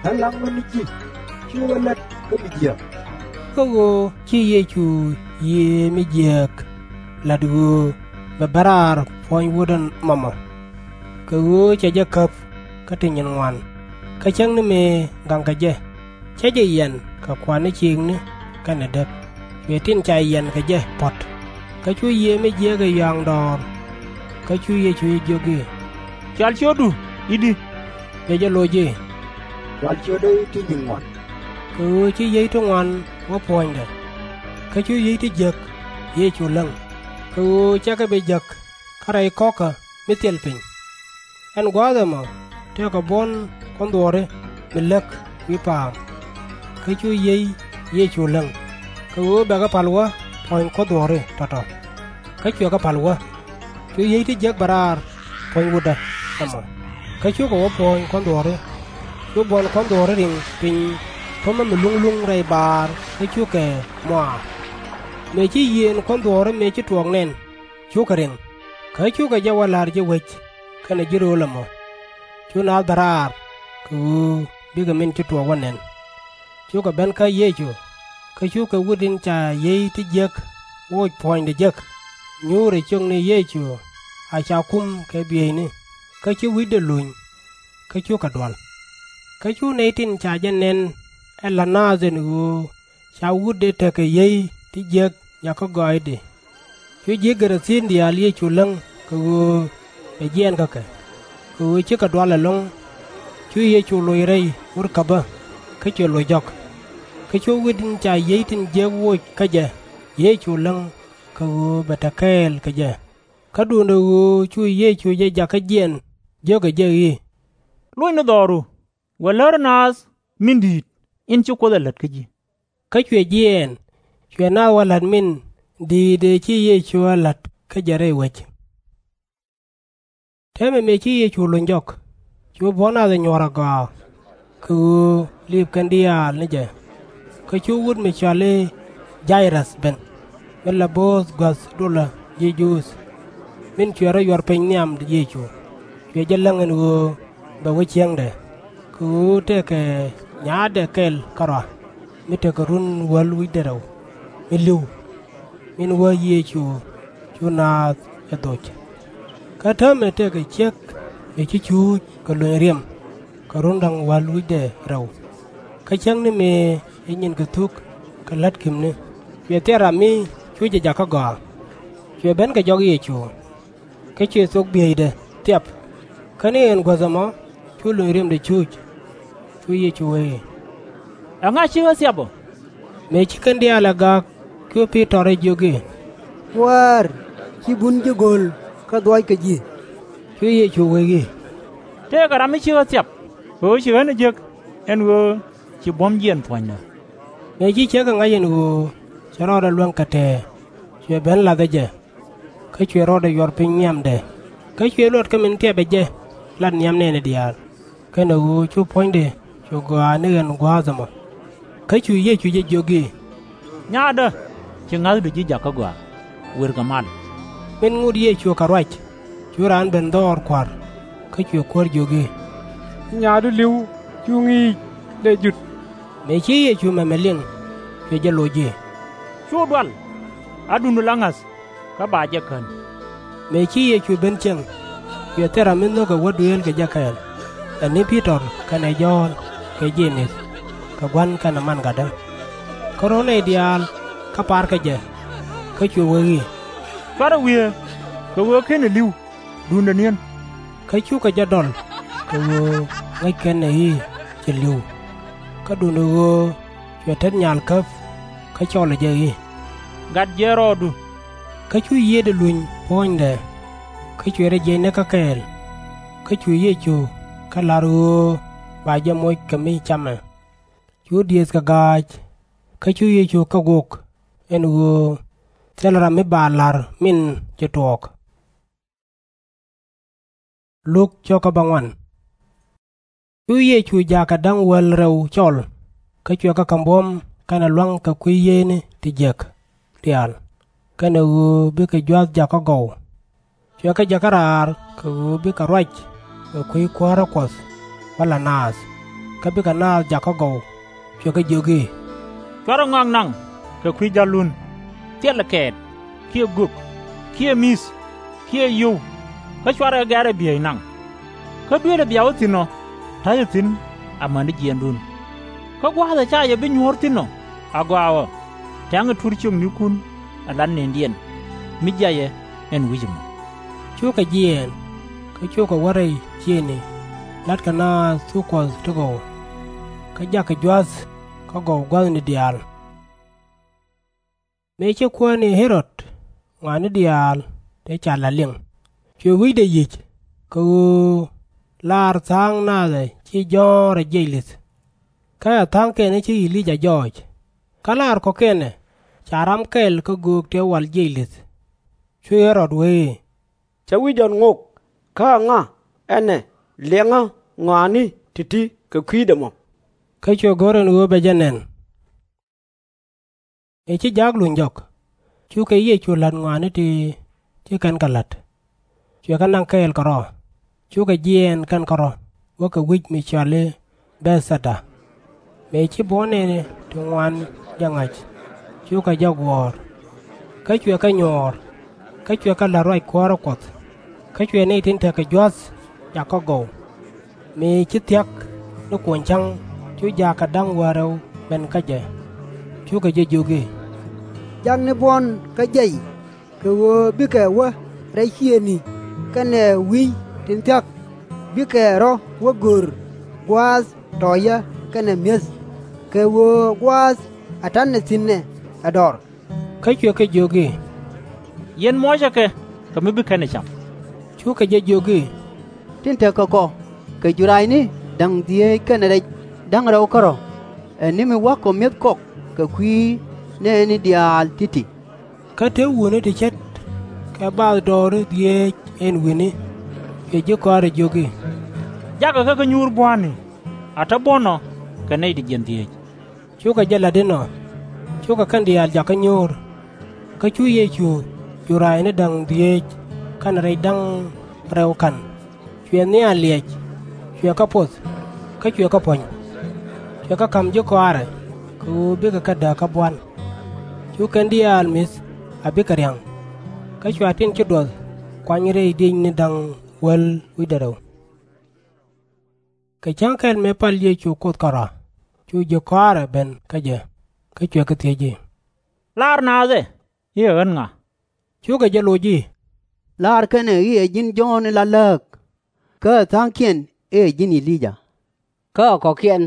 Ɣän la̱ŋ ɣä ni ji̱, /ci ɣä lät kä mi jiääk. Kä ɣöö ci Yecu yiëë mi jiääk la̱t ɣöö bɛ ben raar puɔ̱ny wutdä mɔmɔ, kɛ ɣöö cɛ jɛ käp kä ti nyin ŋuan, kä cäŋ ni mëë gaŋkɛ jɛ, cä jɛ yiɛn kɛ kua̱r ni ciikni kɛnɛ dep, cuɛ tin ca yiɛn kɛ jɛ puɔ̱t. Kä cu yiëë mi jiääk ɛ yɔaŋ dɔɔr. Kä cu Yecu jɛ jiök i̱, Cɔal ciötdu i̱di? Cuɛ jɛ loc i̱, Cɔal ciötdä i̱ ti nyin ŋuan. Kɛ ɣöö ci yiey ti ŋuan wä puɔ̱nydɛ. Kä cu yiey ti jiäk Yecu läŋ, kɛ ɣöö /cɛ kɛ bi jäk kä rɛy kɔ̱kä mi thil piny. Ɛn gua̱a̱th ɛmɔ tekɛ buɔ̱n kuɔ̱n dhuɔ̱ɔ̱ri mi läk wi̱i̱ pa̱a̱m. Kä cu yiey Yecu läŋ, kɛ ɣöö bɛ kɛ pa̱l wä puɔ̱ny kuɔ̱n dhuɔ̱ɔ̱ri tɔ̱tɔ̱. Kä cuɛ kɛ pa̱l wä. Cu yiey ti jiäk ben raar puɔ̱ny wutdä ɛmɔ, kä cukɛ wä puɔ̱ny kuɔ̱n dhuɔ̱ɔ̱ri. Cu buɔ̱n kuɔ̱n dhuɔ̱ɔ̱ri riŋ piny pumä mi luŋ luŋ rɛy baar, kä cukɛ muaar. Mëë ci yiëën kuɔ̱n dhuɔ̱ɔ̱ri mëë ci tuɔɔk nɛn, cukɛ riŋ, kä cukɛ jɛ wä la̱r ji̱ wec kɛnɛ ji̱ rööl ɛmɔ. Cu naath ben raar kɛ ɣöö bikɛ min ci tuɔɔk wä nɛn. Cukɛ ben kä Yecu, kä cukɛ wut in ca yiey ti jiäk woc puɔ̱nydɛ jek, nyuurɛ ciökni Yecu a ca kum kɛ bieyni, kä ci wi̱cdɛ luny, kä cukɛ dual. Kä cu nɛy tin ca jɛ nɛn ɛ la̱t naath ɛn ɣöö ca wutdɛ tekɛ yiey ti jiäk jakä gɔaaɛdi. Cu ji̱ Gɛ-ra-thin diaal Yecu läŋ kɛ ɣöö bɛ jiɛɛn kä kɛ, kɛ ɣöö cikɛ dual ɛlɔ̱ŋ. Cu Yecu loc rɛy murkäbä, kä cuɛ loc jɔk. Kä cu wut in ca yiey tin jiäk woc kä jɛ Yecu läŋ kɛ ɣöö bɛ te kɛɛl kɛ jɛ. Kä duundɛ ɣöö cu Yecu jɛ jakä jiɛɛn, jiökɛ jɛ i̱, Lony ni dhɔru, wëë läri naath min di̱i̱t in ci Kuoth ɛ la̱t kä ji̱. Kä cuɛ jiɛɛn, cuɛ naath wä la̱t min di̱i̱t ëë ci Yecu ɛ la̱t kä jɛ rɛy wec. Täämɛ mëë ci Yecu luny jɔk, cu buɔ̱n nath ɛ nyuɔ̱ɔ̱r agɔaa, kɛ ɣöö liip kɛn diaal ni jɛ. Kä cu wut mi cɔal i̱ Jay-rɛth ben, min la bo̱o̱th gua̱th dulä ji̱ Juudh, min cuɛ rɔ yuɔr piny nhiam Yecu. Cuɛ jɛ läŋ ɛn ɣöö bɛ wä ciëŋdɛ, kɛ ɣöö tëëkɛ nyaatdɛ kɛl kärɔa, mi tekɛ run wäl wi̱cdɛ rɛw mi li̱w, min wä Yecu cu naath ɛ dhoc. Kä täämɛ tëëkɛ ciek mi ci cuuc kɛ lony riɛm kɛ run da̱ŋ wäl wi̱cdɛ rɛw. Kä cäŋ ni mëë ɛ nyinkɛ thuk kɛ la̱t ki̱pni, cuɛ thil ram mi cu jɛ jakä gɔaa, cuɛ ben kɛ jɔk Yecu. Kä cuɛ thok bieydɛ thiap. Kä ni ɛn guäth ɛmɔ cu lony riɛmdɛ cuuc. Cu Yecu wee i̱, Ɛŋa ci ɣä thiap ɔ? Mëë ci kɛn diaal ɛ gak, cu Pi-tɔr ɛ jiök i̱, Kuäär, ci bun ji̱ go̱l kä dhuɔ̱ɔ̱ckɛ ji̱. Cu Yecu wee i̱, Tëëkɛ ram mi ci ɣä thiap, kɛ ɣöö ci ɣän ɛ jek ɛn ɣöö ci buɔ̱m jiɛɛn puɔ̱nydä. Mëë ci ciek ɛ ŋa̱c ɛn ɣöö cɛ rɔɔdɛ luäŋ kɛ tɛ̱̈ɛ̱̈, cuɛ ben la̱th ɛ jɛ. Kä cuɛ rɔɔdɛ yuɔr piny nhiamdɛ. Kä cuɛ luɔt kä min thiapɛ jɛ lat nhiam nɛɛni diaal, kɛnɛ ɣöö cu puɔ̱nydɛ cu gɔaa ni ɣän gua̱a̱th ɛmɔ. Kä cu Yecu jɛ jiök i̱, Nyaatdä, ci ŋa̱thdu ji̱ jakä gɔaa. wër kɛ mal. Min ŋot Yecu kɛ ruac, cu raan ben dhɔɔr kua̱r, kä cuɛ kuäär jiök i̱, Nyaadu li̱w, cu ŋi̱i̱c, dee jut. Mëë ci Yecu mɛmɛ liŋ, cuɛ jɛ loc i̱, Cu dual, a duŋdu la ŋa̱th, kä ba jɛ kän. Mëë ci Yecu ben cieŋ, cuɛ thil ram mi nhökɛ wä duëël kɛ jɛ kɛɛl, ɛ ni Pi-tɔr kɛnɛ Jɔ̱ɔ̱n kɛ Je-mɛth, kɛ gua̱n kɛnɛ man gatdä. Kä rɔ̱ nɛy diaal kä parkɛ jɛ, kä cuɛ wee i̱, Cuarɛ wiee, kɛ ɣöö /kenɛ li̱w, duundɛ ni̱en. Kä cukɛ jɛ dɔl, kɛ ɣöö ŋäc kɛn ɛ i̱ ci li̱w. Kä duundɛ ɣöö cuɛ tet nyal käp, kä cɔlɛ jɛ i̱, Gat jiɛɛn rɔɔdu. Kä cu yiëëdɛ luny puɔ̱nydɛ, kä cuɛ rɔ jiɛc nikä kɛɛl. Kä cu Yecu kɛ la̱r ɣöö ba jɛ moc kɛ mi camɛ. Cu diëëthkɛ ga̱a̱c, kä cu Yecu kɛ gök, ɛn ɣöö thilɛ ram mi ba la̱r min ci tuɔɔk. Cu Yecu jaakɛ da̱ŋ wäl rɛw cɔl, kä cuɛ kɛ kɛ buɔ̱m kɛnɛ lua̱ŋ kɛ kui̱ yieyni ti jiäk diaal, kɛnɛ ɣöö bikɛ jua̱th jakä gɔw. Cuɛ kɛ jɛ kä raar kɛ ɣöö bikɛ ruac kɛ kui̱ kuäärä Kuɔth bä la naath, kä bikɛ naath jakä gɔw. Cuɛ kɛ jiök i̱, Cuarɛ ŋɔak naŋ kɛ kui̱ jallun, thilɛ kɛɛt, kiɛ gök, kiɛ mi̱th, kiɛ yio̱w, kä cuarɛ gɛrɛ biey naŋ. Kä duëëlɛ bia wä thi̱n ɔ, ta̱cɛ thi̱n amäni jiɛɛndun. Kä gua̱a̱th ɛ ca yɛ bi nyuɔ̱ɔ̱r thi̱n ɔ, agɔaa ɣɔ̱, tɛ̈ŋɛ tuur ciöknikun ala nëndiɛn, mi jiayɛ ɛn wi̱c ɛmɔ. Cukɛ jiɛɛn, kä cukɛ wä rɛy ciëëŋni, la̱tkɛ naath thuk Kuɔth ti gɔw. Kä jakɛ jua̱th kä gɔw gua̱thni diaal. Mëë ci kuäär ni Ɣɛ-rod ŋɔaani diaal tëë ca la̱t liŋ, cuɛ wi̱cdɛ yi̱c, kɛ ɣöö lar tha̱a̱ŋ naath ɛ ci jɔ̱ɔ̱r ɛ jiɛc li̱th. Kä ɛ tha̱a̱ŋkiɛn ɛ ci E-li-yaa jɔɔc. Kä lar kɔ̱kiɛn ɛ ca ram kɛl kä göök tëë wal jiɛc li̱th. Cu Ɣɛ-rod wee i̱, Cä wi̱c jɔt ŋok, kä aŋa ɛn ɛ liɛŋä ŋɔaani ti̱ti̱ kɛ kui̱dɛ mɔ? Kä cuɛ go̱r ɛn ɣöö bɛ jɛ nɛn. Mëë ci jaak luny jɔk, cukɛ Yecu la̱t ŋɔaani ti ci kɛn kɛ la̱t. Cuɛ kɛ naŋ kɛɛl kärɔ̱, cukɛ jiɛɛn kɛn kärɔ̱ wäkɛ wi̱c mi cɔal i̱ Bɛ̈th-thɛ-da. Mëë ci buɔ̱n nɛɛni ti ŋuan jɛ ŋa̱c, cukɛ jɛ guɔ̱ɔ̱r. Kä cuɛ kɛ nyuɔɔr, kä cuɛ kɛ la̱t ruac kuäärä Kuɔth. Kä cuɛ nɛy tin tekɛ jua̱th jakä gɔw. Mëë ci thia̱k ni kuɔny cäŋ, cu jaakɛ da̱ŋ wäl rɛw ben kä jɛ. Cukɛ jɛ jiök i̱, Jak ni buɔ̱n kä jiɛc, kɛ ɣöö bikɛ wä rɛy ciëëŋni kɛnɛ wi̱i̱ tin thia̱k, bikɛ rɔ̱ wä gör gua̱a̱th tɔ̱ɔ̱cä kɛnɛ mi̱eth, kɛ ɣöö gua̱a̱th ɛ ta̱nɛ thi̱n ɛ dɔ̱r. Kä cuɛ kɛ jiök i̱, Yɛn muɔcɛ kɛ, kɛ mi bi kɛn ɛ cam. Cukɛ jɛ jiök i̱, Tin tekɛ kɔ kɛ jura̱a̱cni da̱ŋ dhieec kɛnɛ rɛc da̱ŋ rɛw kärɔ̱, ɛ ni mi wa̱k kɔ mi̱eth kɔk kɛ kui̱ nɛɛni diaal ti̱ti̱. Kä te wutni ti ce̱t kɛ bathdɔɔri dhieec ɛn wi̱ni. Cuɛ ji̱ kɔaarɛ jiök i̱, Jakɛ kä kä nyuur bua̱a̱ni, a te buɔ̱n ɔ kɛ nɛy ti jiɛn dhieec. Cukɛ jɛ la̱t inɔ, cukɛ kɛn diaal jakä nyuur. Kä cu Yecu jura̱a̱cni da̱ŋ dhieec kɛnɛ rɛc da̱ŋ rɛw ka̱n, cuɛ nhial liɛc, cuɛ kɛ poth, kä cuɛ kɛ puɔ̱ny. Cuɛ kɛ ka̱m ji̱ kɔaarɛ kɛ ɣöö bikɛ kɛ dääk kä buan. Cu kɛn diaal mi̱th a bikɛ ria̱ŋ. Kä cua tin ci duɔth kuany rɛy diecni da̱ŋ wäl wi̱cdɛ rɛw. Kɛ cäŋ kɛl mëë pal Yecu Kuoth kärɔ̱, cu ji̱ kɔaarɛ ben kä jɛ, kä cuɛ kɛ thiec i̱, Laar naath ɛ i̱ ɛ ɣän ŋa? Cukɛ jɛ loc i̱, Laar kɛn ɛ i̱ ɛ ji̱n Jɔ̱ɔ̱n in la lääk, kä ɛ tha̱a̱ŋkiɛn i̱ ɛ ji̱n E-li-yaa, kä ɛ kɔ̱kiɛn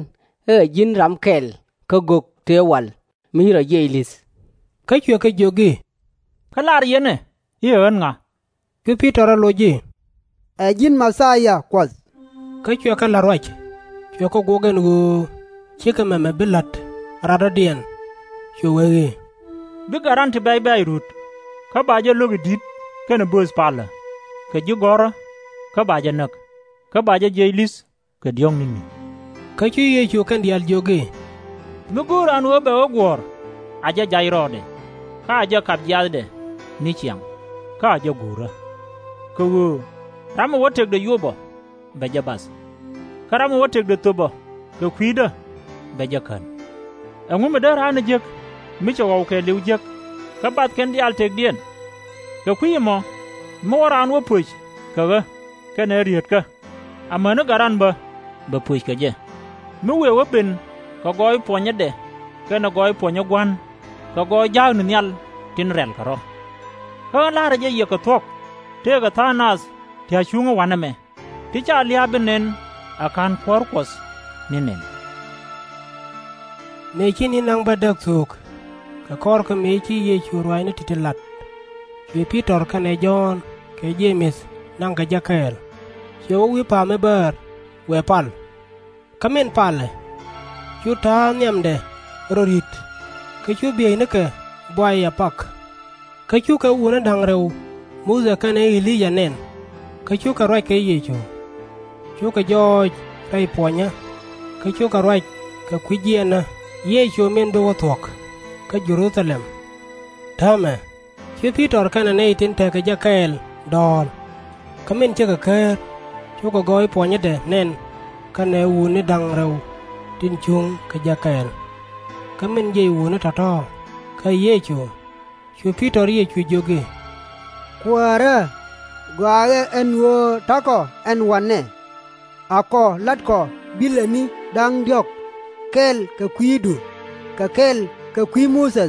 i̱ ɛ ji̱n ram kɛl kä gök tëë wal mi ci rɔ jiɛc li̱th. Kä cuɛ kɛ jiök i̱, Kä laar yɛn ɛ i̱ ɛ ɣän ŋa? Cu Pi-tɔr ɛ loc i̱, Ɛ ji̱n Mɛ-thia Kuɔth. Kä cuɛ kɛ la̱t ruac, cuɛ kɛ guɔk ɛn ɣöö /cikɛ mɛmɛ bi la̱t radɔ̱diɛn. Cuɛ wee i̱, Bikɛ ran ti bɛ̈c bɛ̈ɛ̈c rut, kä ba jɛ lo̱k i̱ di̱t kɛnɛ bööth palä, kɛ ji̱ gɔ̱rä, kä ba jɛ näk, kä ba jɛ jiɛc li̱th kɛ diɔ̱ɔ̱k ni̱ni. Kä cu Yecu kɛn diaal jiök i̱, Mi go̱o̱r raan ɣöö bɛ wä guɔ̱ɔ̱r, a jɛ jac rɔɔdɛ, kä a jɛ kap jiathdɛ. ni ciaŋ, kä a jɛ guurä. Kɛ ɣöö ram mi wä tëkdɛ yop ɔ, bɛ jɛ bath, kä ram mi wä tëkdɛ thöp ɔ kɛ kui̱dä, bɛ jɛ kän. Ɛŋu mi dee raan ɛ jek mi cɛ ɣɔw kɛɛliw jek, kä bath kɛn diaal tëkdiɛn? Kɛ kui̱ ɛmɔ, mi wä raan wä pöc kɛ ɣä kɛnɛ rietkä, amäni Gat ran bä bɛ pöc kɛ jɛ, mi wëë wä ben kɛ gɔɔy puɔnyädɛ kɛnɛ gɔɔy puɔnyä Gua̱n kɛ gɔɔy jaakni nhial tin rɛ̈lkɛ rɔ̱. Kä ɣän la̱rä jɛ yɛ kɛ thuɔ̱k, tëëkɛ tha̱a̱ŋ nath ti a cuŋä wa̱nɛ mɛ, ti /ca lia̱a̱ bi nɛn ɛ /ka̱n kuäär Kuɔth ni nɛn. Mëë ci ni̱n da̱ŋ bädäk thöök, kɛ kɔr kä mëë ci Yecu ruaacni ti̱ti̱ lat, cuɛ Pi-tɔr kɛnɛ Jɔ̱ɔ̱n kɛ Je-mɛth naŋ kɛ jɛ kɛɛl. Cuɛ wä wi̱i̱ pa̱a̱m mi bäär, wëë pal. Kä min palɛ, cu ta̱a̱ nhiamdɛ rɔ ri̱t, kä cu bieynikɛ buay a pak. Kä cukɛ wutni da̱ŋ rɛw Muthɛ kɛnɛ E-li-yaa nɛn, kä cukɛ ruac kɛ Yecu. Cukɛ jɔɔc rɛy puɔnyä, kä cukɛ ruac kɛ kui̱ jiɛɛnä Yecu min bi wä thuɔ̱k kä Jɛ-ru-tha-lɛm. Täämɛ, cu Pi-tɔr kɛnɛ nɛy tin tekɛ jɛ kɛɛl dɔ̱ɔ̱l. Kä min cikɛ ker, cukɛ gɔɔy puɔnyädɛ nɛn kɛnɛ wutni da̱ŋ rɛw tin cuŋ kɛ jɛ kɛɛl. Kä min jiɛc wutni tɔ̱tɔ̱ kä Yecu, cu Pi-tɔr Yecu jiök i̱, Kuäärä, gɔaaɛ ɣä ɛn ɣöö ta̱kɔ ɛn wa̱nɛ. Akɔ la̱tkɔ bilɛ ni da̱ŋ diɔ̱k kɛɛl kɛ kui̱du, kɛ kɛɛl kɛ kui̱ Muthɛ,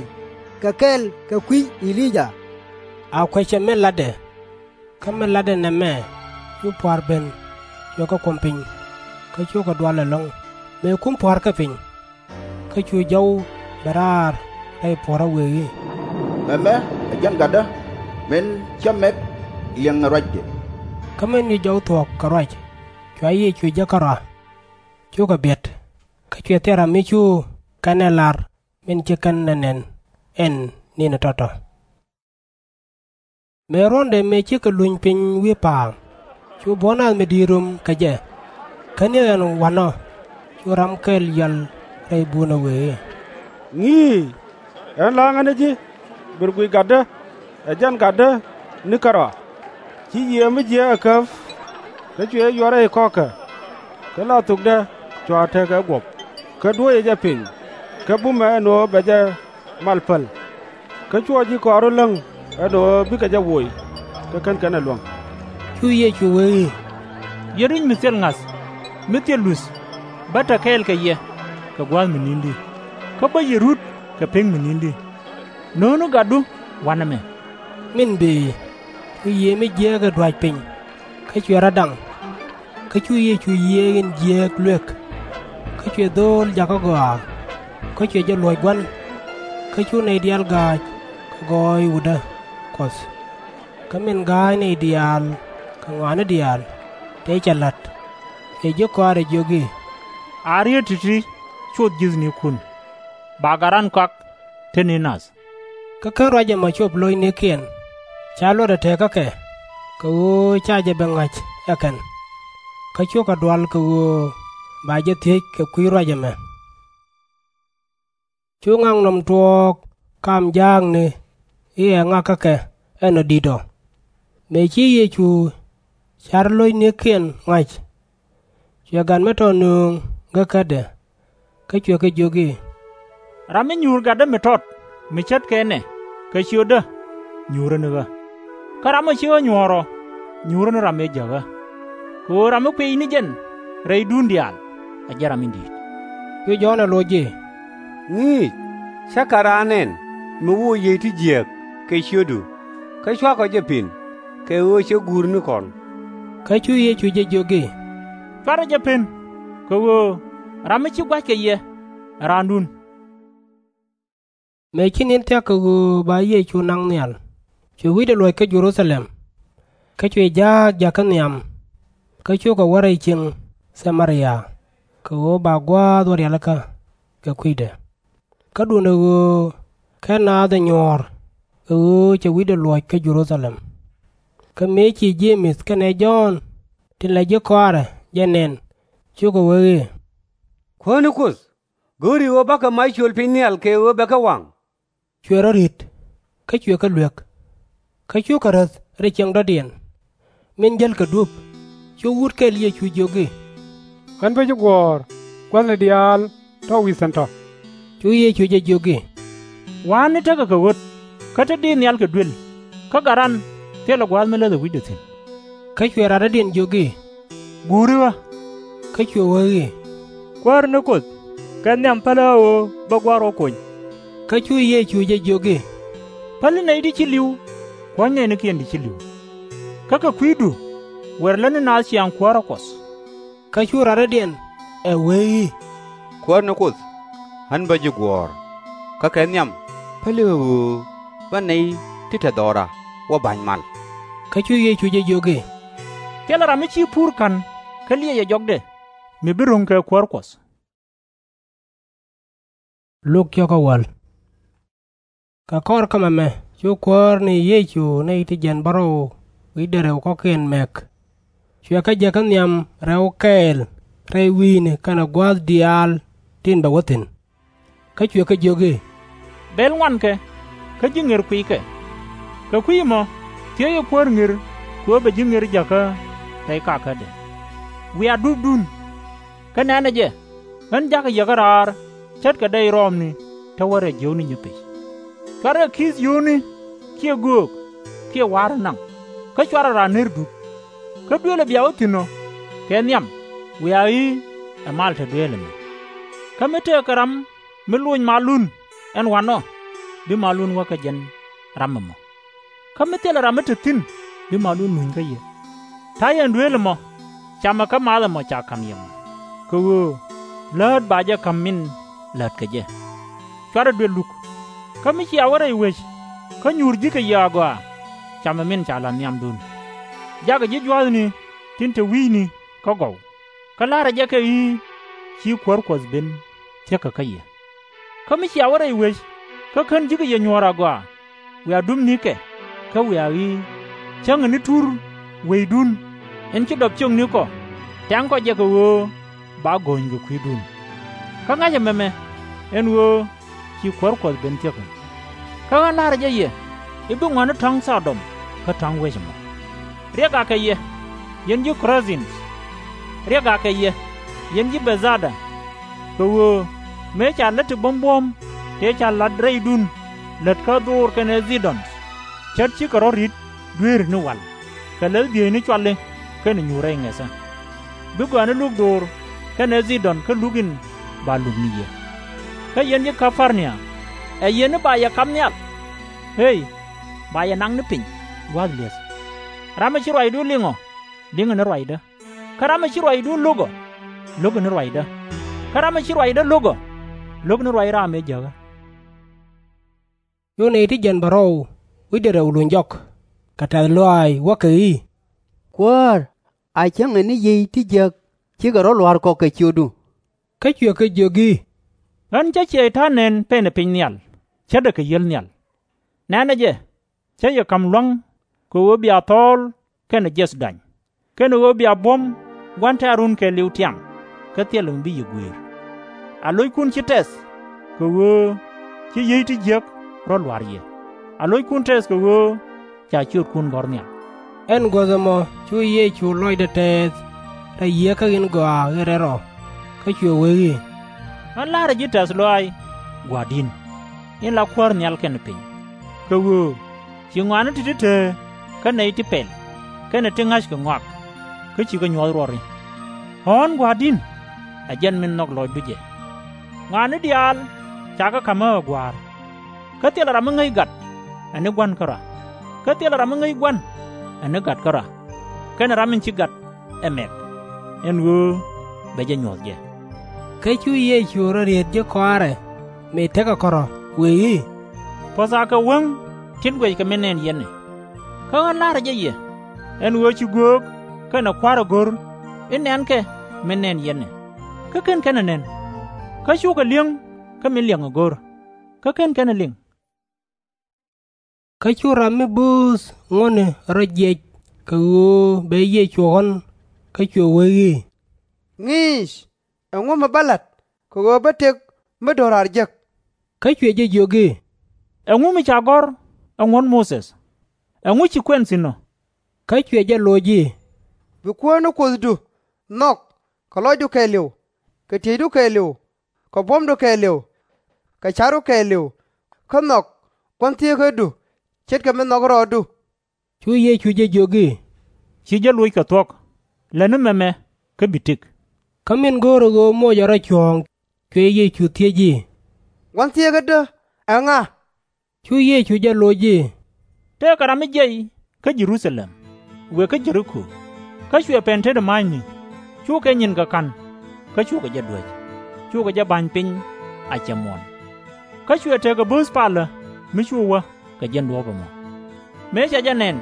kɛ kɛɛl kɛ kui̱ E-li-yaa. A kuecɛ min la̱tdɛ. Kä min la̱tdɛ nɛmɛ, cu pua̱a̱r ben, cuɛ kɛ kuɔ̱m piny, kä cukɛ dual ɛlɔ̱ŋ, mëë kum pua̱a̱r kɛ piny. Kä cu jɔw bɛ raar rɛy puɔ̱rä, wëë i̱, Mɛmɛ ɛ jɛn Gatdä, min cä mɛk liɛŋɛ ruacdɛ. Kä min cu jɔw thuɔ̱k kɛ ruac, cua Yecu jek kärɔa. Cukɛ biɛt, kä cuɛ thil ram mi cu kɛn ɛ lar min ci kɛn ɛ nɛn ɛn ni̱n ɛ tɔ̱tɔ̱. Mëë ruɔ̱ndɛ mëë cikɛ luny piny wi̱i̱ pa̱a̱m, cu buɔ̱n nath mi di̱i̱t rom kɛ jɛ, kä ni ɣän wa̱nɔ, cu ram kɛl yɔal rɛy bunä, wëë i̱, Ŋi̱i̱c, ɣän la̱a̱ŋä ni ji̱, bër guic Gatdä, ɛ jɛn Gatdä ni kärɔa. Ci yiëë mi jiääk ɛ käp, kä cuɛ jɛ yuɔr rɛy kɔ̱kä, kä la thokdɛ cua tekɛ guɔ̱p, kä duɔ̱ɔ̱cɛ jɛ piny, kä bumɛ ɛn ɣöö bɛ jɛ mal päl. Kä cuɔ ji̱ kɔaarä läŋ ɛn ɣöö bikɛ jɛ woc, kä /kän kɛn ɛ luäŋ. Cu Yecu wee i̱, Yiëë ruec mi thil ŋa̱th, mi thil luth, bä te kɛɛl kɛ yɛ kɛ gua̱a̱th mi ni̱n di̱i̱t, kä bä yɛ rut kɛ pek mi ni̱n di̱i̱t. No̱o̱ŋni gatdu wa̱nɛ mɛ. Min bëë, cu yiëë mi jiääk ɛ dua̱c piny, kä cuɛ rɔ̱ daŋ. Kä cu Yecu yiëë in jiääk luëk, kä cuɛ dho̱o̱l jakä gɔaa, kä cuɛ jɛ luɔ̱c gua̱n. Kä cu nɛy diaal ga̱a̱c kɛ gɔɔy wutdä Kuɔth. Kä min ga̱a̱c nɛy diaal kɛ ŋɔaani diaal, tëë cɛ la̱t, cuɛ ji̱ kɔaarɛ jiök i̱, A riet ti̱ti̱ coth ji̱thnikun, ba gat ran kɔak te ni nath. Kä /ken ruac ɛmɔ cop lo̱cnikiɛn, /ca luɔtdɛ teekä kɛ, kɛ ɣöö /ca jɛ ben ŋa̱c ɛ kɛn. Kä cukɛ dual kɛ ɣöö ba jɛ thiec kɛ kui̱ ruac ɛmɛ. Cu ŋaknɔm tuɔɔk kam jaakni i̱ ɛ ŋak kä kɛ ɛn ɔ di̱t ɔ. Mëë ci Yecu car lo̱cnikiɛn ŋa̱c, cuɛ gat mi tɔt nööŋ gekädɛ, kä cuɛ kɛ jiök i̱, Ram mi nyuur gatdä mi tɔt mi ce̱tkɛ nɛ kɛ ciötdä, nyuurä ni ɣä. Kä ram mi ci ɣä nyuɔ̱ɔ̱r ɔ, nyuurä ni ram ëë jäk ɣä. Kɛ ɣöö ram mi kuiy ni jɛn rɛydun diaal, ɛ jɛn ram in di̱i̱t. Cu Jɔ̱ɔ̱n ɛ loc i̱, Ŋi̱i̱c, cä kä raan nɛn mi wä yiey ti jiääk kɛ ciötdu, kä /cuakɔ jɛ pin, kɛ ɣöö cɛ guur ni kɔn. Kä cu Yecu jɛ jiök i̱, /Cuarɛ jɛ pen, kɛ ɣöö ram mi ci gua̱c kɛ yɛ ɛ raandun. Mëë ci ni̱n thia̱k kɛ ɣöö ba Yecu naŋ nhial, cuɛ wi̱cdɛ luɔ̱c kä Jɛ-ru-tha-lɛm. Kä cuɛ ja̱a̱k jakä nhiam, kä cukɛ wä rɛy cieŋ Tha-mɛ-ria, kɛ ɣöö ba gua̱a̱th wä rialikä kɛ kui̱dɛ. Kä duundɛ ɣöö /ken naath ɛ nyuɔ̱ɔ̱r, kɛ ɣöö cɛ wi̱cdɛ luɔ̱c kä Jɛ-ru-tha-lɛm. Kä mëë ci Je-mɛth kɛnɛ Jɔ̱ɔ̱n tin la ji̱ kɔaarɛ jɛ nɛn, cukɛ wee i̱, Kuäär ni Kuoth, go̱o̱ri ɣöö bakɛ mac cöl piny nhial kɛ ɣöö bɛ kɛ waŋ? Cuɛ rɔ̱ ri̱t, kä cuɛ kɛ luek. Kä cukɛ räth rɛy cieŋ dɔ̱diɛn. Min jälkɛ duɔ̱p, cu wut kɛl Yecu jiök i̱, Ɣän bä ji̱ guɔ̱ɔ̱r, gua̱thni diaal tɔ̱ wi̱i̱ thi̱n tɔ̱. Cu Yecu jɛ jiök i̱, Wa̱a̱ni tekɛ kɛ ɣöt, kä te diit nhial kɛ duel, kä gat ran thilɛ gua̱a̱th mi läthɛ wi̱cdɛ thi̱n. Kä cuɛ ram dɔ̱diɛn jiök i̱, Guuri ɣä. Kä cuɛ wee i̱, Kuäär ni Kuoth, kɛ nhiam päli ɣä ɣöö bä gua̱a̱r rɔ kony. Kä cu Yecu jɛ jiök i̱, Päli nɛy ti ci li̱w, kuɔ̱ny nɛɛnikiɛn ti ci li̱w. Kä kɛ kui̱du, wër lätni naath ciaŋ kuäärä Kuɔth. Kä cu ram dɔ̱diɛn ɛ wee i̱, Kuäär ni Kuoth, ɣän bä ji̱ guɔ̱ɔ̱r, kä kɛ nhiam päli ɣä ɣöö bä nɛy ti te dhɔra wä ba̱ny mal. Kä cu Yecu jɛ jiök i̱, Thilɛ ram mi ci pur ka̱n kä liɛcɛ jɔkdɛ, mi bi ro̱ŋ kɛ kuäär Kuɔth. Luk cio̱kä wäl. Kɛ kɔr kä mɛmɛ cu kuäär ni Yecu nɛy ti jiɛn bärɔw wi̱cdɛ rɛw kɔ̱kiɛn mɛk. Cuɛ kɛ jɛ kä nhiam rɛw kɛɛl rɛy wi̱i̱ni kɛnɛ gua̱a̱th diaal tin bɛ wä thi̱n. Kä cuɛ kɛ jiök i̱, Bɛl ŋuankɛ, kä ji̱ ŋer kuiykɛ. Kɛ kui̱ ɛmɔ thiecɛ kuäär ŋer kɛ ɣöö bɛ ji̱ ŋer jäkä rɛy kakädɛ. Wiaa dupdun. Kä nɛ̈nɛ jɛ, ɣän ja̱kä yɛ kä raar ce̱tkɛ dɛy rɔɔmni te wä rɛy jiökni nyipic. Cuarkɛ ki̱th yio̱o̱ni kiɛ göök kiɛ wa̱a̱r ɛ naŋ, kä cuarkɛ raan ner dup. Kä duëëlɛ bia wä thi̱n ɔ kɛ nhiam wiaa i̱ ɛ mal te dueel ɛmɛ. Kä mi tëëkɛ ram mi loc malun ɛn wa̱nɔ, bi malun wä kä jɛn ram ɛmɔ. Kä mi thilɛ ram mi te thi̱n bi malun luny kä yɛ. Ta̱yɛ ɛn dueel ɛmɔ, camɛ kä math ɛmɔ ca ka̱m yɛ mɔ, kɛ ɣöö läät ba jɛ ka̱m min läät kɛ jɛ. Cuarɛ duel luk. Kä mi cia wä rɛy wec kä nyuur ji̱ kɛ yɛ agɔaa, camɛ min ca la̱th nhiamdun. Jakɛ ji̱ jua̱thni tin te wi̱i̱ni kä gɔw, kä la̱rɛ jɛ kɛ i̱ ci kuäär Kuɔth ben thie̱kä kä yɛ. Kä mi cia wä rɛy wec kä /ken ji̱ kɛ yɛ nyuɔ̱ɔ̱r agɔaa, wiaa dupnikɛ, kä wiaa i̱ cäŋɛ ni tur weydun in ci dɔp ciöknikɔ, tɛŋkɔ jɛ kɛ ɣöö ba go̱o̱ny kɛ kui̱dun. Kä ŋa̱cɛ mɛmɛ, ɛn ɣöö ci kuäär Kuɔth ben thie̱kä. Kä ɣän la̱rä jɛ yɛ i̱ bi ŋuäni tɔ̱ŋ Thɔ-dɔm kä tɔ̱ŋ wec ɛmɔ. Riɛk akɛ yɛ, yɛn ji̱ Ko-ra-dhin! Riɛk akɛ yɛ, yɛn ji̱ Bɛth-dha-da! Kɛ ɣöö mëë ca lät ti buɔ̱m buɔ̱ɔ̱m tëë ca la̱t rɛydun lät kä Dho-or kɛnɛ Thi-dɔn, ce̱t cikɛ rɔ̱ ri̱t dueeri ni wal, kɛ läth bieyni cuali kɛnɛ nyuur rɛy ŋɛthä. Bi gɔaani luk Dho-or kɛnɛ Thi-dɔn kä luk in ba luk ni yɛ. Kä yɛn ji̱ Kä-par-nia, ɛ yɛn ni ba yɛ kap nhial? Ëë, ba yɛ naŋ ni piny gua̱a̱th li̱eth. Ram mi ci ruacdun liŋ ɔ, liŋɛ ni ruacdä. Kä ram mi ci ruacdun lo̱k ɔ, lo̱kɛ ni ruacdä. Kä ram mi ci ruacdä lo̱k ɔ, lo̱k ni ruac ram ëë jäkä. Cu nɛy ti jiɛn bärɔw wi̱cdɛ rɛw luny jɔk kɛ tɛ̈th lɔaac, wäkɛ i̱, Kuäär, a cäŋɛ ni yiey ti jiäk cikɛ rɔ̱ lua̱r kɔ kɛ ciötdu. Kä cuɛ kɛ jiök i̱, Ɣän cä Cɛy-tan nɛn pɛnɛ piny nhial, ce̱tdɛ kɛ yiël nhial. Nɛ̈nɛ jɛ, cä yɛ ka̱m lua̱ŋ kɛ ɣöö bia thɔɔl kɛnɛ jiɛth dany, kɛnɛ ɣöö bia buɔ̱m gua̱n tɛ̈run kɛɛliw tiam, kä thilɛ mi bi yɛ guëër. A lo̱ckun ci tɛth kɛ ɣöö ci yiey ti jiäk rɔ̱ lua̱r yɛ, a lo̱ckun tɛth kɛ ɣöö ca ciötkun gɔ̱r nhial. Ɛn guäth ɛmɔ cu Yecu lɔcdɛ tɛɛth rɛy Yieekä in Gɔaa in Rɛl Rɔ, kä cuɛ wee i̱, Ɣän la̱rä ji̱ tɛ̈th lɔaac, Gua̱a̱r di̱n, in la Kuäär nhial kɛnɛ piny, kɛ ɣöö ci ŋɔaani ti̱ti̱ te kä nɛy ti pɛl kɛnɛ ti ŋa̱ckɛ ŋɔak, kä cikɛ nyuɔ̱th ruɔri. Ɣɔ̱ɔ̱n Gua̱a̱r di̱n, ɛ jɛn min nhɔk lɔcdu jɛ. Ŋɔaani diaal cakɛ ka̱m ɣä ɛ Gua̱a̱r. Kä thilɛ ram mi ŋäc gat ɛ ni Gua̱n kärɔa, kä thilɛ ram mi ŋäc Gua̱n ɛ ni Gat kärɔa, kɛnɛ ram in ci Gat ɛ mɛk, ɛn ɣöö bɛ jɛ nyuɔ̱th jɛ. Kä cu Yecu rɔ riet ji̱ kɔaarɛ mëë tekɛ kärɔ̱, wee i̱, Puɔ̱th akɛ wäŋ tin guɛckɛ min nɛn yɛn ɛ. Kä ɣän la̱rä jɛ yɛ, ɛn ɣöö ci göök kɛnɛ kua̱r ɛ go̱r i̱ nɛnkɛ min nɛn yɛn ɛ, kä /ken kɛn ɛ nɛn. Kä cukɛ li̱eŋ kä min liɛŋɛ go̱r, kä /ken kɛn ɛ liŋ. Kä cu ram mi bööth ŋuɔ̱tni rɔ jiɛc kɛ ɣöö bɛ Yecu ɣɔ̱n, kä cuɛ wee i̱, Ŋi̱i̱c, ɛŋu mi bä la̱t kɛ ɣöö bä tëk mi do̱raar jek? Kä cuɛ jɛ jiök i̱, Ɛŋu mi ca gɔ̱r ɛ ŋuɔ̱t Mothe? Ɛŋu ci kuɛn thi̱n ɔ? Kä cuɛ jɛ loc i̱, Bi Kuäär ni Kuothdu nhɔk kɛ lɔcdu kɛɛliw, kɛ tiecdu kɛɛliw, kɛ buɔ̱mdu kɛɛliw, kɛ ca̱ru kɛɛliw, kä nhɔk gua̱n thieekädu ce̱tkɛ mi nhɔk rɔɔdu. Cu Yecu jɛ jiök i̱, Ci jɛ loc kɛ thuɔ̱k. Lätni mɛmɛ, kä bi tëk. Kä min go̱o̱rɛ ɣöö moc ɛ rɔ cuɔ̱ɔ̱ŋ, cuɛ Yecu thiec i̱, Gua̱n thieekädä ɛŋa? Cu Yecu jɛ loc i̱, Tëëkɛ ram mi jiɛc kä Jɛ-ru-tha-lɛm wëë kä Jɛ-ri-ko, kä cuɛ pɛn tetdä ma̱a̱cni, cukɛ nyinkɛ ka̱n, kä cukɛ jɛ duäc, cukɛ jɛ ba̱ny piny a cɛ muɔ̱ɔ̱n. Kä cuɛ tekɛ bööth palä mi cu wä kɛ jiɛn duɔ̱ɔ̱p ɛmɔ. Mëë cɛ jɛ nɛn,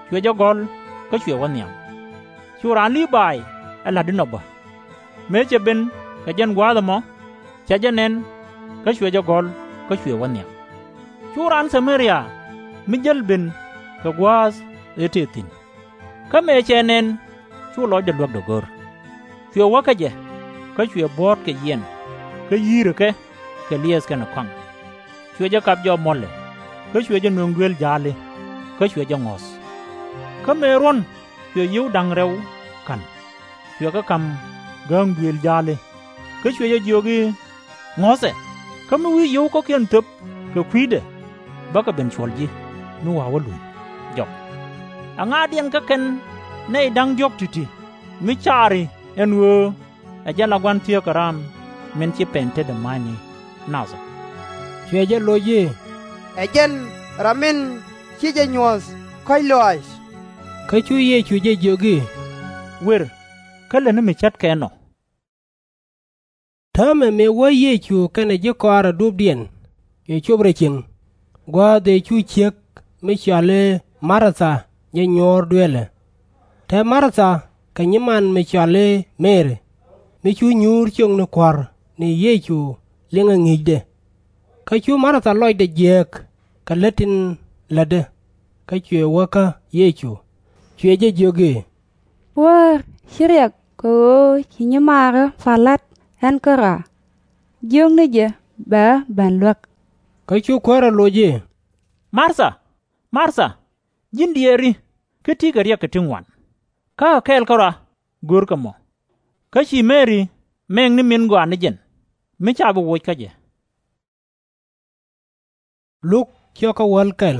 cuɛ jɛ gɔ̱l kä cuɛ wä nhiam. Cu raan Lii-bay ɛ la̱t inɔ bä. Mëë cɛ ben kɛ jiɛn gua̱a̱th ɛmɔ, cɛ jɛ nɛn, kä cuɛ jɛ gɔ̱l kä cuɛ wä nhiam. Cu raan Tha-mɛ-ria mi jäl ben kɛ gua̱a̱th ëë tëë thi̱n. Kä mëë cɛ nɛn, cu lɔcdɛ luäkdɛ go̱r. Cuɛ wä kä jɛ, kä cuɛ buɔ̱ɔ̱t kɛ yiɛn, kä yi̱i̱rɛ kɛ kɛ liɛth kɛnɛ kɔaŋ. Cuɛ jɛ kap jɔɔp muɔ̱lɛ, kä cuɛ jɛ nöŋ duëël ja̱a̱li, kä cuɛ jɛ ŋɔ̱th. Kä mëë ruɔ̱n, cuɛ yio̱w da̱ŋ rɛw ka̱n. Cuɛ kɛ ka̱m gääŋ duëël ja̱a̱li, kä cuɛ jɛ jiök i̱, Ŋɔ̱thɛ, kä mi wi̱i̱ yio̱w kɔ̱kiɛn thöp kɛ kui̱dɛ, bäkɛ ben cuɔl ji̱ mi wa̱a̱ wä luny jɔk. Aŋa̱diɛn kä kɛn nɛy da̱ŋ diɔ̱k ti̱ti̱ mi caari ɛn ɣöö ɛ jɛn la gua̱n thieekä ram min ci pɛn tetdä ma̱a̱cni nath ɔ. Cuɛ jɛ loc i̱, Ɛ jɛn ram min ci jɛ nyuɔ̱th kɔ̱a̱c lɔaac. Kä cu Yecu jɛ jiök i̱, Wër, kä lätni mi ce̱tkɛ ɛnɔ. Täämɛ mëë wä Yecu kɛnɛ ji̱ kɔaarɛ dupdiɛn, cuɛ cop rɛy cieŋ, gua̱a̱th ëë cu ciek mi cɔal i̱ Mar-tha jɛ nyuɔ̱ɔ̱r dueelɛ. Te Mar-tha kɛ nyiman mi cɔal i̱ Mɛri, mi cu nyuur ciökni kua̱r ni Yecu liŋɛ ŋi̱i̱cdɛ. Kä cu Mar-tha lɔcdɛ jiääk kɛ lät tin lätdɛ, kä cuɛ wä kä Yecu, cuɛ jɛ jiök i̱, Wäär, /ci riɛk kɛ ɣöö ci nyimaarä pal la̱t ɣän kärɔa. Jiök ni jɛ bɛ ɣä ben luäk. Kä cu Kuäär ɛ loc i̱, Mar-tha, Mar-tha, ji̱n diɛɛri kä ti̱i̱ kɛ riɛk kɛ ti ŋuan, kä kɛ kɛl kärɔa görkɛ mɔ. Kä ci Mɛri mɛŋ ni min gɔaa ni jɛn, mi /ca bi woc kä jɛ. Luk, ciökä wäl kɛl.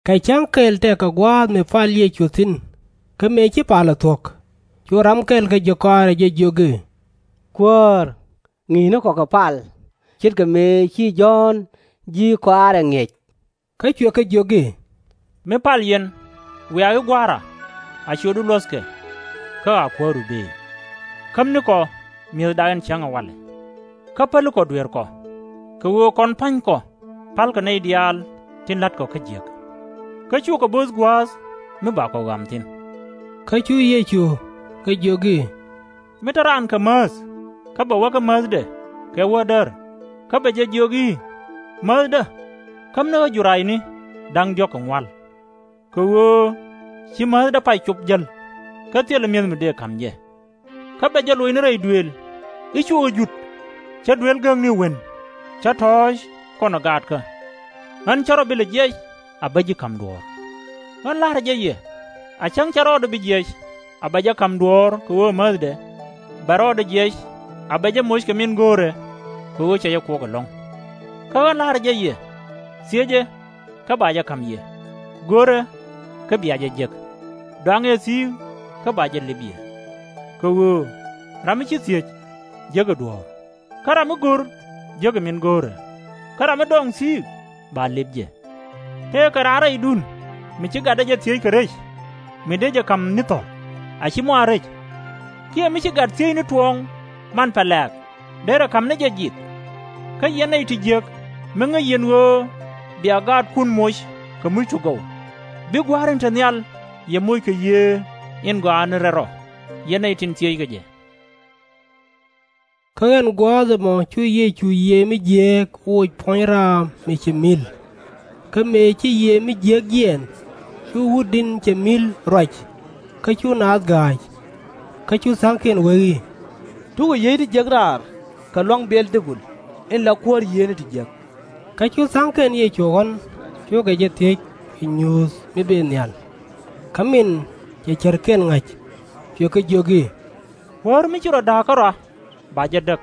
Kɛ cäŋ kɛl tëëkɛ gua̱a̱th mi pal Yecu thi̱n, kä mëë ci palä thuɔ̱k, cu ram kɛl kä ji̱ kɔaarɛ jɛ jiök i̱, Kuäär, ŋi̱i̱cnikɔ kɛ pal, ce̱tkɛ mëë ci Jɔ̱ɔ̱n ji̱ kɔaarɛ ŋi̱eec. Kä cuɛ kɛ jiök i̱, Mi pal yɛn, wiaa i̱ Gua̱a̱ra, a ciötdu luɔ̱thkɛ, kä a kuääru bëë. Kämnikɔ mi̱ethda in cäŋ ɛ walɛ, kä pälikɔ dueerkɔ, kɛ ɣöö kɔn pa̱nykɔ palkɛ nɛy diaal tin la̱tkɔ kä jiäk. Kä /cukɛ bööth gua̱a̱th mi bakɔ ɣam thi̱n. Kä cu Yecu kɛ jiök i̱, Mi te raan kɛ määth, kä bɛ wä kä määthdɛ kɛ wä däär, kä bɛ jɛ jiök i̱, Määthdä, kämni ɣä jurayni da̱ŋ diɔ̱k kɛ ŋual, kɛ ɣöö ci määthdä pay cop jäl, kä thilɛ mi̱eth mi dëë ka̱m jɛ. Kä bɛ jɛ loc ni rɛy duëël i̱, Cu ɣä jut, cä duel gääkni wen, cä tɔ̱ɔ̱c kɔnɛ gaatkä. Ɣän /cä rɔ bi lɛ jiɛc a bä ji̱ ka̱m duɔ̱ɔ̱r. Ɣän la̱rä jɛ yɛ, a cäŋ cä rɔɔdɛ bi jiɛc a bɛ jɛ ka̱m duɔ̱ɔ̱r kɛ ɣöö määthdɛ, bɛ rɔɔdɛ jiɛc a bɛ jɛ moc kɛ min go̱o̱rɛ kɛ ɣöö cɛ jɛ kuɔk ɛlɔ̱ŋ. Kä ɣän la̱rä jɛ yɛ, thiecɛ, kä ba jɛ ka̱m yɛ, go̱rɛ, kä bia jɛ jek, dɔaŋɛ thi̱i̱k, kä ba jɛ lip yɛ. Kɛ ɣöö ram mi ci thiec, jekɛ duɔ̱ɔ̱r, kä ram mi go̱r, jekɛ min go̱o̱rɛ, kä ram mi dɔɔŋ thi̱i̱k, ba lip jɛ. Tëëkɛ raan rɛydun mi ci gatdä jɛ thiec kɛ rec, mi dee jɛ ka̱m ni thɔ̱l, a /ci mɔ a rec? Kiɛ mi ci gat thiec ni tuɔ̱ɔ̱ŋ man pɛlɛ̈ɛ̈k, derɛ ka̱m ni jɛ ji̱th? Kä yɛn nɛy ti jiäk, mi ŋäc yɛn ɣöö bia gaatkun moc kɛ muc ti gɔw, bi Gua̱a̱r in te nhial yɛ moc kɛ Yiëë in Gɔaa ni Rɛl Rɔ, yɛn nɛy tin thieckɛ jɛ. Kä ɛn gua̱a̱th ɛmɔ cu Yecu yiëë mi jiääk woc puɔ̱ny raam mi cɛ mi̱l. Kä mëë ci yiëë mi jiääk jiɛɛn, cu wutdiɛn cɛ mi̱l ruac, kä cu naath ga̱a̱c. Kä cu tha̱a̱ŋkiɛn wee i̱, Cukɛ yiey ti jiäk raar kɛ lua̱ŋ Bɛ̈ɛ̈l-dhɛ-bul in la kuäär yiëëni ti jiäk. Kä cu tha̱a̱ŋkiɛn Yecu ɣɔ̱n, cukɛ jɛ thiec, kɛ nyuuth mi bëë nhial. Kä min cɛ cärkiɛn ŋa̱c, cuɛ kɛ jiök i̱, Kuäär mi ci rɔ da̱a̱k kärɔa ba jɛ däk,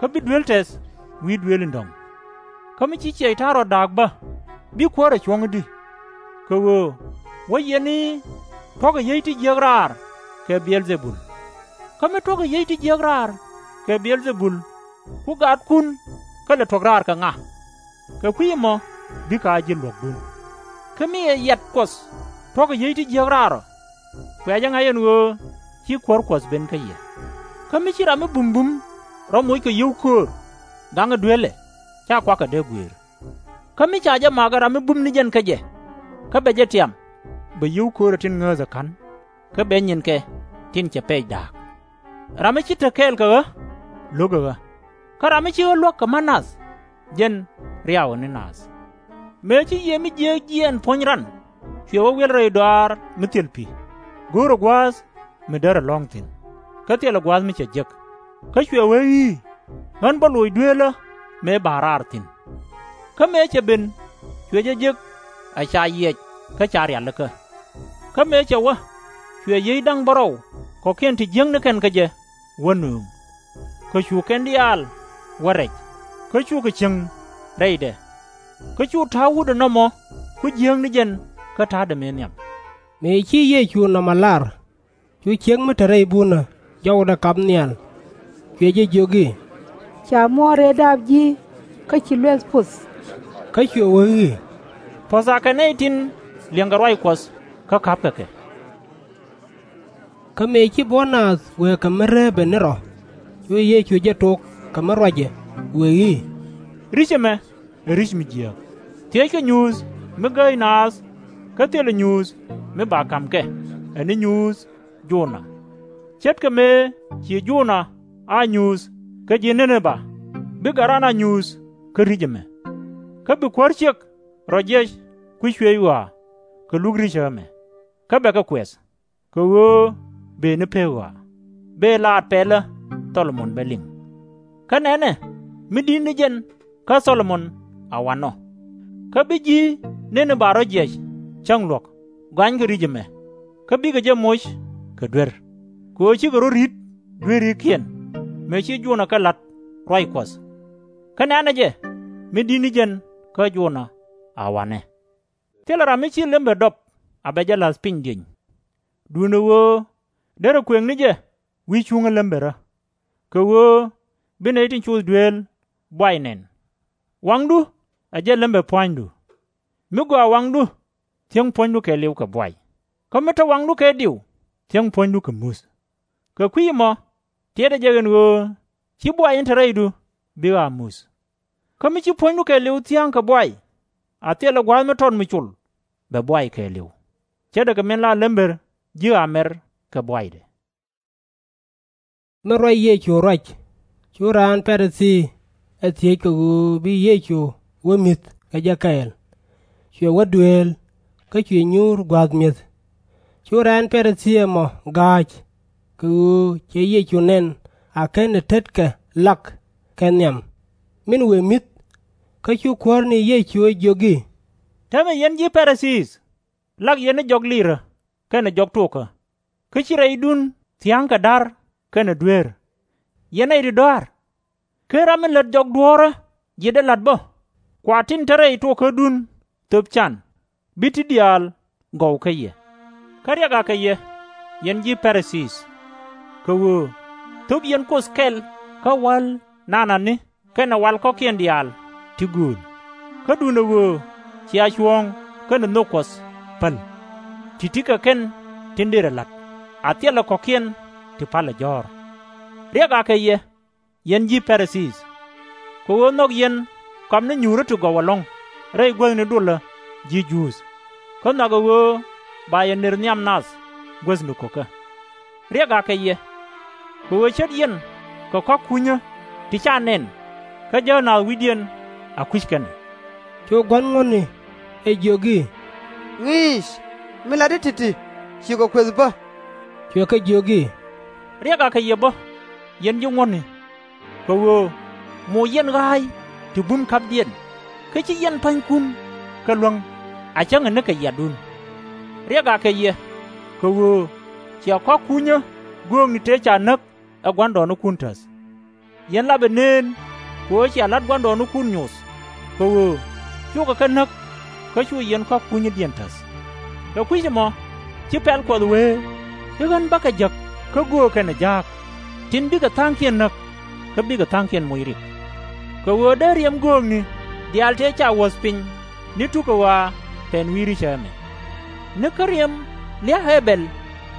kä bi duel tɛth wi̱i̱ duëël in dɔ̱ŋ. Kä mi ci Cɛy-tan rɔ da̱a̱k bä, bi kuäärɛ cuɔ̱ŋ i̱di? Kɛ ɣöö wä yɛn i̱, Tuɔ̱kɛ yiey ti jiäk raar kɛ Biɛl-dhɛ-bul. Kä mi tuɔ̱kɛ yiey ti jiäk raar kɛ Biɛl-dhɛ-bul, ku gaatkun kä lɛ tuɔ̱k raar kɛ ŋa? Kɛ kui̱ ɛmɔ bikɛ a ji̱ luɔ̱kdun. Kä mi ɛ yɛt Kuɔth tuɔ̱kɛ yiey ti jiäk raar ɔ, kuɛ jɛ ŋa̱c ɛn ɣöö ci kuäär Kuɔth ben kä yɛ. Kä mi ci ram mi bumbum rɔ moc kɛ yio̱w köör gaŋ ɛ dueelɛ, /ca kuakɛ dee guëër. Kä mi ca jɛ mak ɛ ram mi bum ni jɛn kä jɛ, kä bɛ jɛ tiam, bɛ yio̱w köörɛ tin ŋääth ɛ ka̱n, kä bɛ nyinkɛ tin cɛ pɛc da̱a̱k. Ram mi ci te kɛɛl kɛ ɣä, lo̱kɛ ɣä. Kä ram mi ci ɣä luäk kɛ ma̱t nath, jɛn riaw ɛ ni naath. Mëë ci yiëë mi jiääk jiɛɛn puɔ̱ny ran cuɛ wä wiɛl rɛy dɔaar mi thil pi̱, go̱o̱rɛ gua̱a̱th mi därɛ lɔ̱ŋ thi̱n, kä thilɛ gua̱a̱th mi cɛ jek. Kä cuɛ wee i̱, Ɣän bä loc dueelä mëë ba raar thi̱n. Kä mëë cɛ ben, cuɛ jɛ jek a ca yiɛc kä ca rialikä. Kä mëë cɛ wä, cuɛ yiey da̱ŋ bärɔw kɔ̱kiɛn ti jiäkni kɛn kä jɛ wä nööŋ. Kɛ cu kɛn diaal wä rɛc, kä cukɛ cieŋ rɛydɛ. Kä cu ta̱a̱ wutdɛ nɔmɔ ku jiääk ni jɛn kä ta̱a̱dɛ mëë nhiam. Mëë ci Yecu nɔmɔ lar, cu ciek mi te rɛy bunä jɔwdɛ kap nhial, cuɛ jɛ jiök i̱, Ca muɔ̱ɔ̱n rëë daap ji̱, kä ci luɛth puɔth. Kä cuɛ wee i̱, Puɔ̱tha kɛ nɛy tin liɛŋkɛ ruac Kuɔth kä ka̱pkɛ kɛ. Kä mëë ci buɔ̱n naath wëë kɛ mi reepɛ ni rɔ, cu Yecu jɛ tok kɛ mi ruacɛ, wëë i̱, Ri̱c ɛmɛ ɛ ri̱c mi jiääk. Thiëckɛ nyuuth mi gääc naath, kä thilɛ nyuuth mi ba ka̱m kɛ, ɛ ni nyuuth Jona. Ce̱tkɛ mëë ci Jona a nyuuth kä ji̱ Niniba, bikɛ raan a nyuuth kä ri̱c ɛmɛ. Kä bi kuäär ciek rɔ jiɛc kui̱ cuëëc ɣɔaa kɛ luk ri̱c ɛ ɣä ɛmɛ, kä bɛ kɛ kuɛth, kɛ ɣöö bëë ni pek ɣɔaa, bëë laat pɛlä Thɔ-lo-mon bɛ liŋ. Kä nɛnɛ, mi di̱t ni jɛn kä Thɔ-lo-mon a wanɔ. Kä bi ji̱ Niniba rɔ jiɛc cäŋ luɔ̱k gɔanykɛ ri̱c ɛmɛ, kä bikɛ jɛ moc kɛ duer, kɛ ɣöö cikɛ rɔ̱ ri̱t dueerikiɛn, mëë ci Jona kɛ la̱t ruac Kuɔth. Kä nɛnɛ jɛ, mi di̱t ni jɛn kä Jona a wanɛ. Thilɛ ram mi ci lembɛ dɔp a bɛ jɛ la̱th piny dieny, duundɛ ɣöö derɛ kuëŋ ni jɛ wi̱i̱ cuŋä lembärä. Kɛ ɣöö bi nɛy tin coth dueel buay nɛn. Waŋdu ɛ jɛn lembɛ pua̱nydu. Mi gɔaa waŋdu, thiäŋ puɔ̱nydu kɛɛliw kɛ buay. Kä mi te waŋdu kɛ diw, thiäŋ puɔ̱nydu kɛ muth. Kɛ kui̱ ɛmɔ, tiɛtdɛ jɛ ɛn ɣöö /ci buay in te rɛydu bi ɣä a muth. Kä mi ci puɔ̱nydu kɛɛliw thia̱a̱ŋ kɛ buay, a thilɛ gua̱a̱th mi tɔt mi col bɛ buay kɛɛliw, ce̱tdɛ kɛ min la lembär ji̱ ɣaa mɛr kɛ buaydɛ. Mi ruac Yecu ruac, cu raan Pa-ri-thii ɛ thiec kɛ ɣöö bi Yecu wä mi̱th kɛ jɛ kɛɛl. Cuɛ wä dueel, kä cuɛ nyuur gua̱a̱th mi̱eth. Cu raan Pa-ri-thii ɛmɔ ga̱a̱c, kɛ ɣöö cɛ Yecu nɛn a /kenɛ tetkɛ lak kɛ nhiam min wëë mi̱th. Kä cu kuäär ni Yecu ɛ jiök i̱, Täämɛ yɛn ji̱ Pa-ri-thii! Lak yɛn ni jɔk liirä kɛnɛ jɔk tuɔkä, kä /ci rɛydun thia̱ŋ kɛ da̱r kɛnɛ dueer. Yɛn nɛy ti dɔa̱a̱r! /Ken ram mi lät jɔk duɔ̱ɔ̱rä ji̱ dee la̱t bä, kua tin te rɛy tuɔkädun thöp can, bi ti diaal gɔw kä yɛ. Kä riɛk akɛ yɛ, yɛn ji̱ Pa-ri-thii! Kɛ ɣöö thöp yɛn Kuoth kɛl kä wa̱l nanani kɛnɛ wal kɔ̱kiɛn diaal ti gööl, kä duundɛ ɣöö cia cuɔ̱ɔ̱ŋ kɛnɛ nhök Kuɔth päl, ti̱ti̱ kɛ kɛn tin dërɛ la̱t, a thilɛ kɔ̱kiɛn ti palɛ jɔ̱ɔ̱r. Riɛk akɛ yɛ, yɛn ji̱ Pa-ri-thii! Kɛ ɣöö nhɔk yɛn kɔam ni nyuurä ti gɔw ɛlɔ̱ŋ rɛy guäthni dulä ji̱ Juudh, kä nhɔakɛ ɣöö ba yɛ nër nhiam nath guäthni ko̱kä. Riɛk akɛ yɛ! Kɛ ɣöö ce̱t yɛn kɛ kɔ̱a̱k kunyä ti /ca nɛn, kä jääk naath wi̱cdiɛn a kui̱c kɛn. Cu gua̱n ŋuɔ̱tni ɛ jiök i̱, Ŋi̱i̱c, min latdi ti̱ti̱, cikɛ kuëth bä. Cuɛ kɛ jiök i̱, Riɛk akɛ yɛ bä, yɛn ji̱ ŋuɔ̱tni! Kɛ ɣöö moc yɛn ɣa̱a̱c ti bun ka̱pdiɛn, kä /ci yɛn pa̱nykun kɛ luäŋ. a cäŋɛ ni kɛ yiadun. Riɛk akɛ yɛ, kɛ ɣöö cia kɔ̱a̱k kunyä göökni tëë ca näk ɛ gua̱ndɔɔŋnikun täth. Yɛn lapɛ nëën kɛ ɣöö cia la̱t gua̱ndɔɔŋnikun nyoth, kɛ ɣöö cukɛ kɛ näk kä cu yɛn kɔ̱a̱k kunyädiɛn täth. Kɛ kui̱c ɛmɔ, ci pɛl Kuɔth wee i̱ ɣän bäkɛ jäk kä göök kɛnɛ ja̱a̱k, tin bikɛ tha̱a̱ŋkiɛn näk, kä bikɛ tha̱a̱ŋkiɛn moc rik. Kɛ ɣöö dee riɛm göökni diaal tëë ca wuɔ̱th piny ni tukä ɣɔaa pɛn wi̱i̱ ricä ɛmɛ. Ni kä riɛm lia̱a̱ Ɛ-bɛl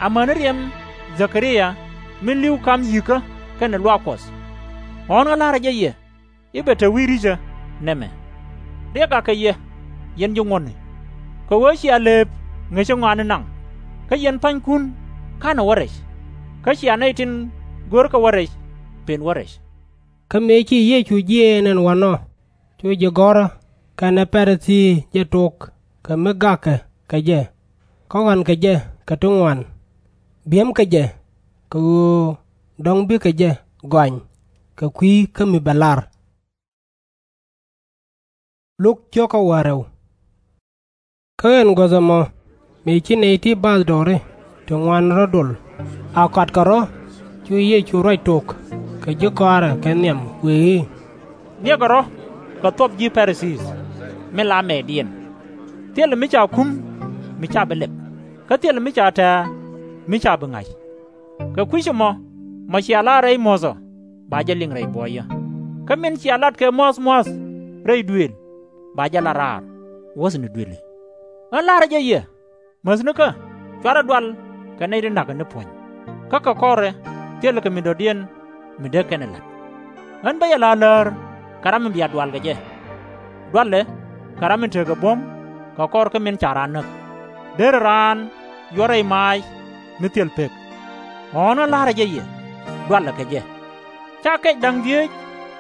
amäni riɛm Dhɛ-ka-ria min li̱w ka̱m yi̱kä kɛnɛ luaak Kuɔth. Ɣɔ̱ɔ̱n ɣä la̱rä jɛ yɛ i̱ bɛ te wi̱i̱ ricä nɛmɛ. Riɛk akɛ yɛ, yɛn ji̱ ŋuɔ̱tni, kɛ ɣöö cia lëëp ŋäcä ŋɔaani naŋ, kä yɛn pa̱nykun ka̱nɛ wä rɛc, kä cia nɛy tin görkɛ wä rɛc pen wä rɛc. Kä mëë ci Yecu jiɛɛn ɛn wanɔ, cu ji̱ gɔ̱rä kɛnɛ Pa-ri-thii jɛ tok kɛ mi gakkɛ kɛ jɛ, kä ɣɔ̱a̱nkɛ jɛ kɛ ti ŋuan, bi̱emkɛ jɛ, kɛ ɣöö dɔ̱ŋ bikɛ jɛ gɔany kɛ kui̱ kä mi bɛ lar. Kä ɛn guäth ɛmɔ, mëë ci nɛy ti bathdɔɔri ti ŋuan rɔ̱ dol a kɔatkɛ rɔ̱, cu Yecu ruac tok kɛ ji̱ kɔaarɛ kɛ nhiam, wëë i̱, Niɛkɛ rɔ̱ kɛ thuɔ̱p ji̱ Pa-ri-thii, min la mɛɛtdiɛn! Thilɛ mi ca kum, mi /ca bi lɛp, kä thilɛ mi ca tɛ̱̈ɛ̱̈, mi /ca bi ŋa̱c. Kɛ kui̱c ɛmɔ, mɔ cia lar rɛy muɔ̱thɔ, ba jɛ liŋ rɛy buɔyä, kä min cia lat kɛ mua̱th mua̱th rɛy duëël, ba jɛ lat raar, wuɔ̱thni duëli. Ɣän la̱rä jɛ yɛ, mäthnikä /cuarɛ dual kɛ nɛy ti na̱kɛ ni puɔ̱ny, kä kɛ kɔrɛ thilɛ kɛ min dɔ̱diɛn mi dee kɛn ɛ la̱t. Ɣän bä yɛ la läär kɛ ram mi bia dual kɛ jɛ, dualɛ kɛ ram mi tekɛ buɔ̱m kɛ kɔr kä min ca raan näk, derɛ raan yuɔr rɛy maac mi thil pek. Ɣɔ̱ɔ̱n ɣä la̱rä jɛ yɛ, dualɛ kɛ jɛ. /Ca kɛc da̱ŋ dhieec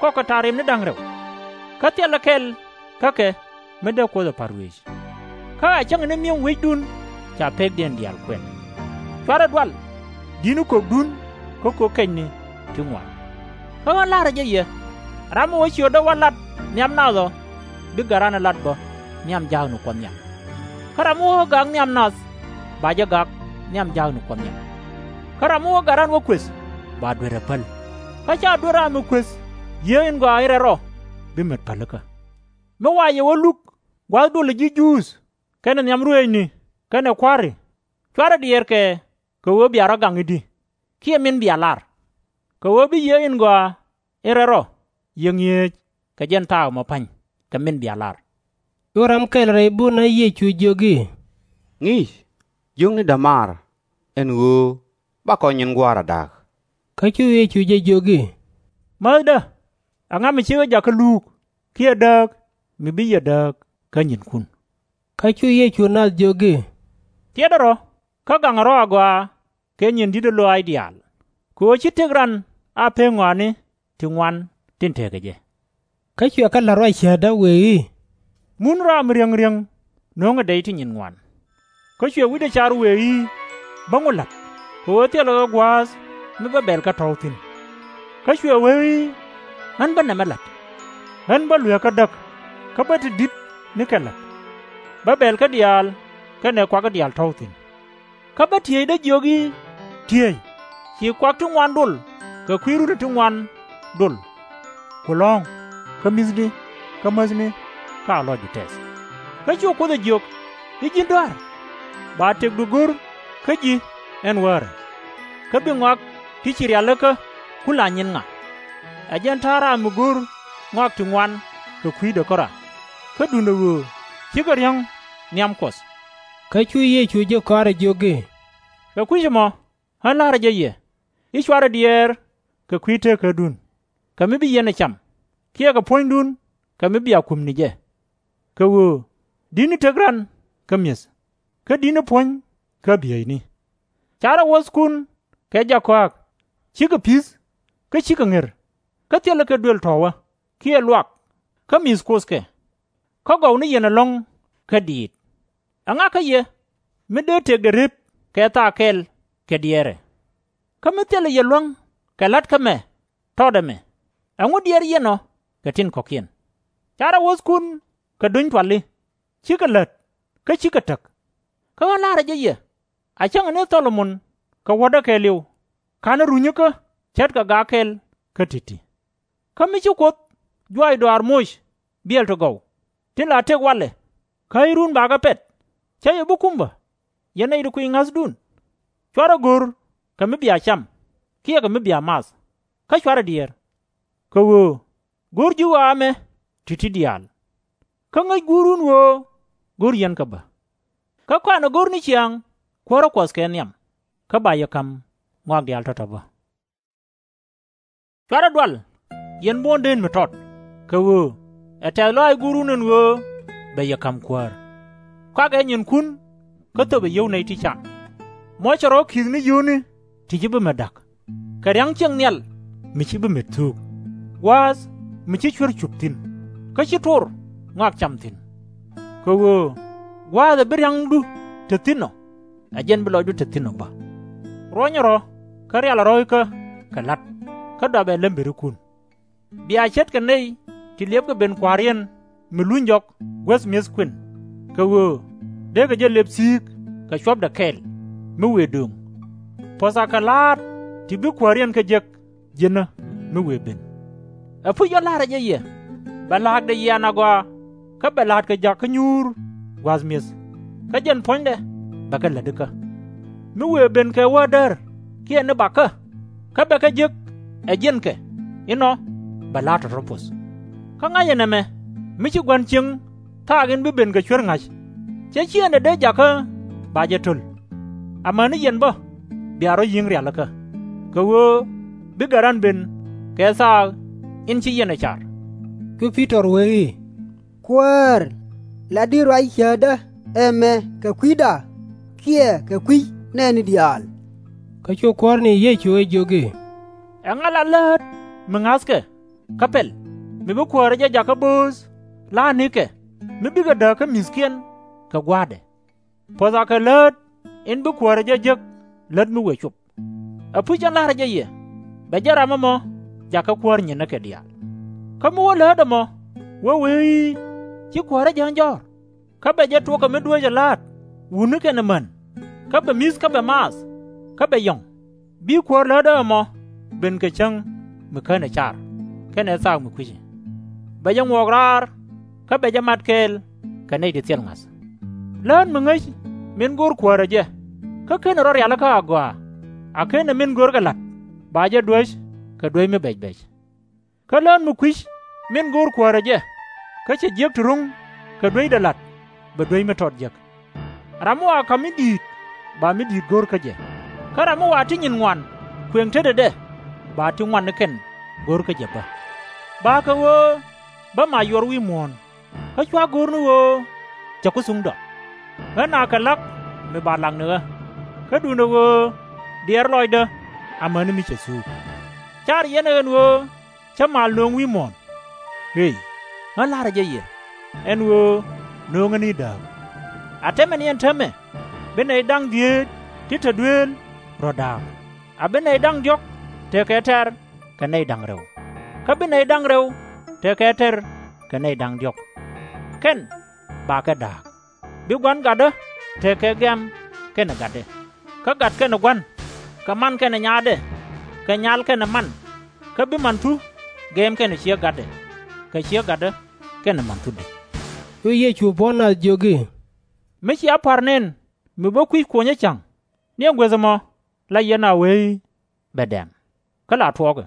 kɔkɛ ta̱riɛm ni da̱ŋ rɛw, kä thilɛ kɛl kä kɛ mi dee Kuoth ɛ pa̱r wëëc. Kä a cäŋɛ ni mi̱em wecdun ca pekdiɛn diaal kuɛn. /Cuarɛ dual di̱tni kökdun kä kök kɛcni ti ŋuan. Kä ɣän la̱rä jɛ yɛ, ram mi wä ciötdä wä lat nhiam nath ɔ, bi Garaadɛ lat bä nhiam jaakni Kuɔth nhiam. Kä ram mi wä ɣä gak nhiam nath, ba jɛ gak nhiam jaakni Kuɔth nhiam. Kä ram mi wä Garaadɛ wä kuëth, ba duer ɛ päl. Kä /ca duer ram mi kuëth Yiëë in Gɔaa in Rɛl Rɔ bi met pälikä. Mi wa yɛ wä luk gua̱th dulɛ ji̱ Juudh kɛnɛ nhiam ruëëcni kɛnɛ kua̱ri, /cuarɛ diɛɛr kɛ kɛ ɣöö bia rɔ̱ gaŋ i̱di, kiɛ min bia lar? Kɛ ɣöö bi Yiëë in Gɔaa in Rɛl Rɔ yiëk ŋi̱eec kɛ jɛn thaak ɛmɔ pa̱ny kɛ min bia lar. Cu ram kɛl rɛy bun ɣä Yecu jiök i̱, Ŋi̱i̱c, jiökni dämaar, ɛn ɣöö bakɔ nyin gua̱a̱r a da̱a̱k. Kä cu Yecu jɛ jiök i̱, Mäthdä, ɛŋa mi ci ɣä jakä luuk kiɛ dääk mi bi yɛ dääk kä nyinkun? Kä cu Yecu naath jiök i̱, Tiɛtdä rɔ̱ kä gaŋɛ rɔ̱ agɔaa kɛ nyin di̱tdä lɔaac diaal, kɛ ɣöö /ci tëk ran a pek ŋɔaani ti ŋuan tin tekɛ jɛ. Kä cuɛ kɛ la̱t ruac cäätdä, wëë i̱, Mun ram mi riäŋ riäŋ, nöŋɛ dɛy ti nyin ŋuan. Kä cuɛ wi̱cdɛ car wëë i̱, Bäŋu la̱t, kɛ ɣöö thilɛ ɣä gua̱a̱th mi bä bɛ̈lkɛ tɔ̱w thi̱n. Kä cuɛ wee i̱, Ɣän bä nɛmɛ la̱t. Ɣän bä lueekä däk, kä bä te di̱t nikɛ la̱t. Bä bɛ̈lkä diaal kɛnɛ kuakä diaal tɔ̱w thi̱n. Kä bä tiëëcdä jiök i̱, Tiëëc, ci kuak ti ŋuan dol kɛ kui̱ runi ti ŋuan dol, ku lɔ̱ŋ, kä mi̱thni, kä mäthni, kä a lɔcdu tɛth. Kä cu Kuoth ɛ jiök i̱, Ji̱n dɔ̱a̱r, ba tëkdu go̱r kä ji̱ ɛn wäärä, kä bi ŋɔak ti ci rialikä ku la nyin ŋa? Ɛ jɛn ta̱a̱ ram mi go̱r ŋɔak ti ŋuan kɛ kui̱dɛ kärɔa, kä duundɛ ɣöö /cikɛ riäŋ nhiam Kuɔth. Kä cu Yecu ji̱ kɔaarɛ jiök i̱, Kɛ kui̱c ɛmɔ ɣän la̱rä jɛ yɛ i̱ /cuarɛ diɛɛr kɛ kui̱ teekädun, kɛ mi bi yɛn ɛ cam, kiɛ kɛ puɔ̱nydun, kɛ mi bia kum ni jɛ. Kɛ ɣöö di̱tni tëk ran kä mi̱eth, kä di̱tni puɔ̱ny kä bieyni. /Ca rɔ wuɔ̱thkun kɛ jak kɔa̱a̱k, /cikɛ pi̱th, kä /cikɛ ŋer, kä thilɛ kɛ duël tɔ̱ wä, kiɛ luak, kä mi̱th Kuoth kɛ. Kä gɔw ni yɛn ɛlɔ̱ŋ kä diit. Ɛŋa kä yɛ mi dee tëkdɛ rep kɛ thaak kɛl kɛ diɛɛrɛ? Kä mi thilɛ yɛ luäŋ kɛ la̱t kä mɛ tɔt ɛmɛ, ɛŋu diɛɛr yɛn ɔ kɛ tin kɔ̱kiɛn? /Ca rɔ wuɔ̱thkun kɛ duny tuali, /cikɛ lät, kä /cikɛ täk. Kä ɣän la̱rä jɛ yɛ, a cäŋɛ ni Thɔ-lo-mon kɛ wuɔ̱tdä kɛɛliw, /ka̱nɛ runyikä ce̱tkɛ gak kɛl kä ti̱ti̱. Kä mi ci Kuoth juaac dɔaar moc biɛl ti gɔw tin la tëk walɛ, kä i̱ ruun bakɛ pɛt, /cä yɛ bi kum bä, yɛn nɛy ti kuiy ŋa̱thdun? /Cuarɛ go̱r kɛ mi bia cam kiɛ kɛ mi bia math, kä /cuarɛ diɛɛr. Kɛ ɣöö go̱r ji̱ ɣɔaa ɛmɛ ti̱ti̱ diaal. Kä ŋäc Guurun ɣöö go̱r yɛn kɛ bä. Kä kɔaanɛ go̱r ni ciaŋ Kuäärä Kuɔth kɛ nhiam, kä ba yɛ ka̱m ŋɔak diaal tɔ̱tɔ̱ bä. /Cuarɛ dual, yɛn buɔ̱ndän mi tɔt, kɛ ɣöö ɛ tɛ̈th lɔaac Guurun ɛn ɣöö bɛ yɛ ka̱m Kuäär. Kɔakɛ nyinkun kä thöpɛ yio̱w nɛy ti can. Mɔ cɛ rɔ̱ ki̱th ni yio̱wni ti /ci bi met da̱k, kɛ ria̱ŋ ciëŋ nhial mi /ci bi met thuuk, gua̱a̱th mi /ci cuer cup thi̱n, kä /ci tor ŋɔak cam thi̱n. Kɛ ɣöö gua̱a̱th ɛ bi ria̱ŋdu te thi̱n ɔ, ɛ jɛn bi lɔcdu te thi̱n ɔ bä. Ruɔ̱nyɛ rɔ̱, kä rialɛ rɔ̱ ikä kɛ la̱t, kä dɔapɛ lämbirikun. Bia ce̱tkɛ nɛy ti liɛpkɛ ben kua̱riɛn mi luny jɔk guäth mi̱eth kuën, kɛ ɣöö dee kɛ jɛ lëp thi̱i̱k kɛ cuɔ̱pdɛ kɛl mi wëë döŋ. Puɔ̱tha kɛ la̱a̱t ti bi kuääriɛn kä jek ji̱nä mi wëë ben. Ɛpuc ɣän la̱rä jɛ yɛ, bɛ la̱a̱kdɛ yian agɔaa, kä bɛ la̱a̱tkɛ jakä nyuur gua̱a̱th mi̱eth, kä jɛn puɔ̱nydɛ bɛ kɛ lätikä. Mi wëë ben kɛ wä däär kiɛ ni bakä, kä bɛ kɛ jek ɛ jiɛnkɛ, inɔ bɛ la̱a̱t tɔ̱tɔ̱ puɔ̱th. Kä ŋa̱cɛ nɛmɛ, mi ci Gua̱n cieŋ thaak in bi ben kɛ cuer ŋa̱c, /cɛ ciëëŋdɛ dee jakä ba jɛ to̱l. Amäni yɛn bä bia rɔ̱ yi̱ŋ rialikä, kɛ ɣöö bi Gɛ̈rän ben kɛ thaak in ci yɛn ɛ car. Cu Pi-tɔr wee i̱, Kuäär, latdi ruac cäätdä ɛmɛ kɛ kui̱da kiɛ kɛ kui̱ nɛɛni diaal? Kä cu Kuäär ni Yecu ɛ jiök i̱, Ɛŋa la läät mi ŋa̱thkɛ kä pɛl, mi bi kuäärä jɛ jakä bööth la̱a̱t nikɛ, mi bikɛ dääk kä mi̱thkiɛn kɛ gua̱a̱thdɛ? Puɔ̱tha kɛ läät in bi kuäärä jɛ jek lät mi wëë cop. Ɛpuc ɣän la̱rä jɛ yɛ, bɛ jɛn ram ɛmɔ jakä kuäär nyinikɛ diaal. Kä mi wä läät ɛmɔ, wä wee i̱, Ci kuäärä jääny jɔ̱ɔ̱r, kä bɛ jɛ tuɔɔkɛ mi dueecɛ la̱a̱t wutni kɛnɛ män, kä bɛ mi̱th kä bɛ maath, kä bɛ yɔ̱ŋ, bi kuäär lätdä ɛmɔ ben kɛ cäŋ mi känɛ car kɛnɛ thaak mi kui̱ci. Bɛ jɛ ŋuɔk raar, kä bɛ jɛ mat kɛɛl kɛ nɛy ti thil ŋa̱th. Läät mi ŋäc min go̱o̱r kuäärä jɛ, kä /kenɛ rɔ rialikä agɔaa, a /kenɛ min görkɛ la̱t ba jɛ duäc kɛ duäc mi bɛc bɛc. Kä lät mi kui̱c min go̱o̱r kuäärä jɛ, kä cɛ jiäk ti ro̱ŋ kɛ duecdɛ la̱t, bɛ duec mi tɔt jek. Ram mi wa ka̱m mi di̱i̱t, ba mi di̱i̱t go̱o̱r kä jɛ. Kä ram mi wa ti nyin ŋuan kuëŋ tetdɛ, ba ti ŋuan ni kɛn go̱o̱r kä jɛ bä. Bakɛ ɣöö bä ma yuɔr wi̱i̱ muɔ̱ɔ̱n, kä /cua go̱r ni ɣöö cɛ ku thuŋdɔ. Ɣän a kɛ la̱k mi ba lak ni ɣä, kä duundɛ ɣöö diɛɛr lɔcdä amäni mi cɛ thuuk. Car yɛn ɛ ɛn ɣöö cä mal nööŋ wi̱i̱ muɔ̱ɔ̱n? Ëë, ɣän la̱rä jɛ yɛ, ɛn ɣöö nööŋä ni dääk. A täämɛ ni ɛn täämɛ, bi nɛy da̱ŋ dhieec ti te dueel rɔ da̱a̱k, a bi nɛy da̱ŋ diɔ̱k tekɛ tɛ̈r kɛ nɛy da̱ŋ rɛw, kä bi nɛy da̱ŋ rɛw tekɛ tɛ̈r kɛ nɛy da̱ŋ diɔ̱k. Kɛn bakɛ da̱a̱k. Bi gua̱n gatdä tekɛ gɛ̈m kɛnɛ gatdɛ, kä gat kɛnɛ gua̱n, kɛ man kɛnɛ nyaatdɛ, kɛ nyal kɛnɛ man, kä bi manthu gɛ̈m kɛnɛ ciek gatdɛ, kɛ ciek gatdä kɛnɛ manthudɛ. Cu Yecu buɔ̱n nath jiök i̱, Mi cia pa̱r nɛn mi bä kui̱c kuɔnyä ca̱ŋ, ni ɛn guäth ɛmɔ la yɛn a wee i̱, Bɛ dɛ̈m, kä la tuɔɔkɛ.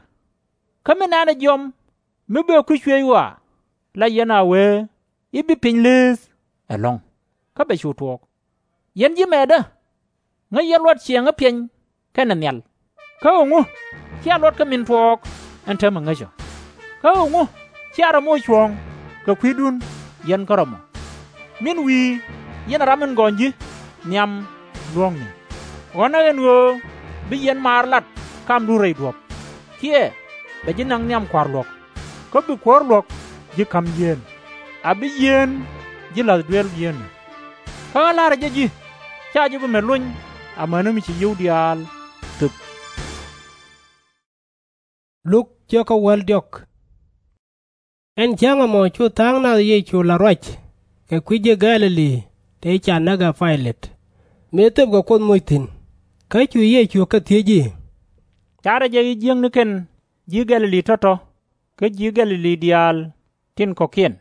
Kä mi nɛ̈nɛ jiɔam mi bɛ kui̱c cuëëc ɣɔaa, la yɛn a wee i̱, Bi piny leeth ɛlɔ̱ŋ, kä bɛ cu tuɔɔk. Yɛn ji̱ mɛɛtdä, ŋäc yɛn luɔt ciɛɛŋä piɛny kɛnɛ nhial, kä ɣöö ŋu cia luɔt kä min tuɔɔk ɛn täämɛ ŋäc ɔ? Kä ɣöö ŋu cia rɔ̱ moc cuɔ̱ɔ̱ŋ kɛ kui̱dun yɛn kärɔ̱ mɔ? Min wi̱i̱ yɛn ɛ ram in gɔny ji̱ nhiam luɔ̱ɔ̱ŋni. Ɣɔ̱nɛ ɛn ɣöö bi yɛn maar lat kamdun rɛy duɔ̱p, kiɛ bɛ ji̱ naŋ nhiam kua̱r luɔ̱k, kä bi kuäär luɔ̱k ji̱ ka̱m yieen, a bi yieen ji̱ la̱th duel yieenä. Kä ɣän la̱rä jɛ ji̱, /ca ji̱ bi met lony amäni mi ci yio̱w diaal thöp. Luk cio̱kä wäl diɔ̱k. Ɛn cäŋ ɛmɔ cu tha̱a̱ŋ nath Yecu la̱t ruac kɛ kui̱ ji̱ Gɛ̈-lɛ-li tëë ca näk ɛ Pay-lɛt, mëë thöpkɛ Kuoth moc thi̱n. Kä cu Yecu kɛ thiec i̱, Carɛ jɛ ji̱ jiäknikiɛn ji̱ Gɛ̈-lɛ-li tɔ̱tɔ̱ kä ji̱ Gɛ̈-lɛ-li diaal tin kɔ̱kiɛn,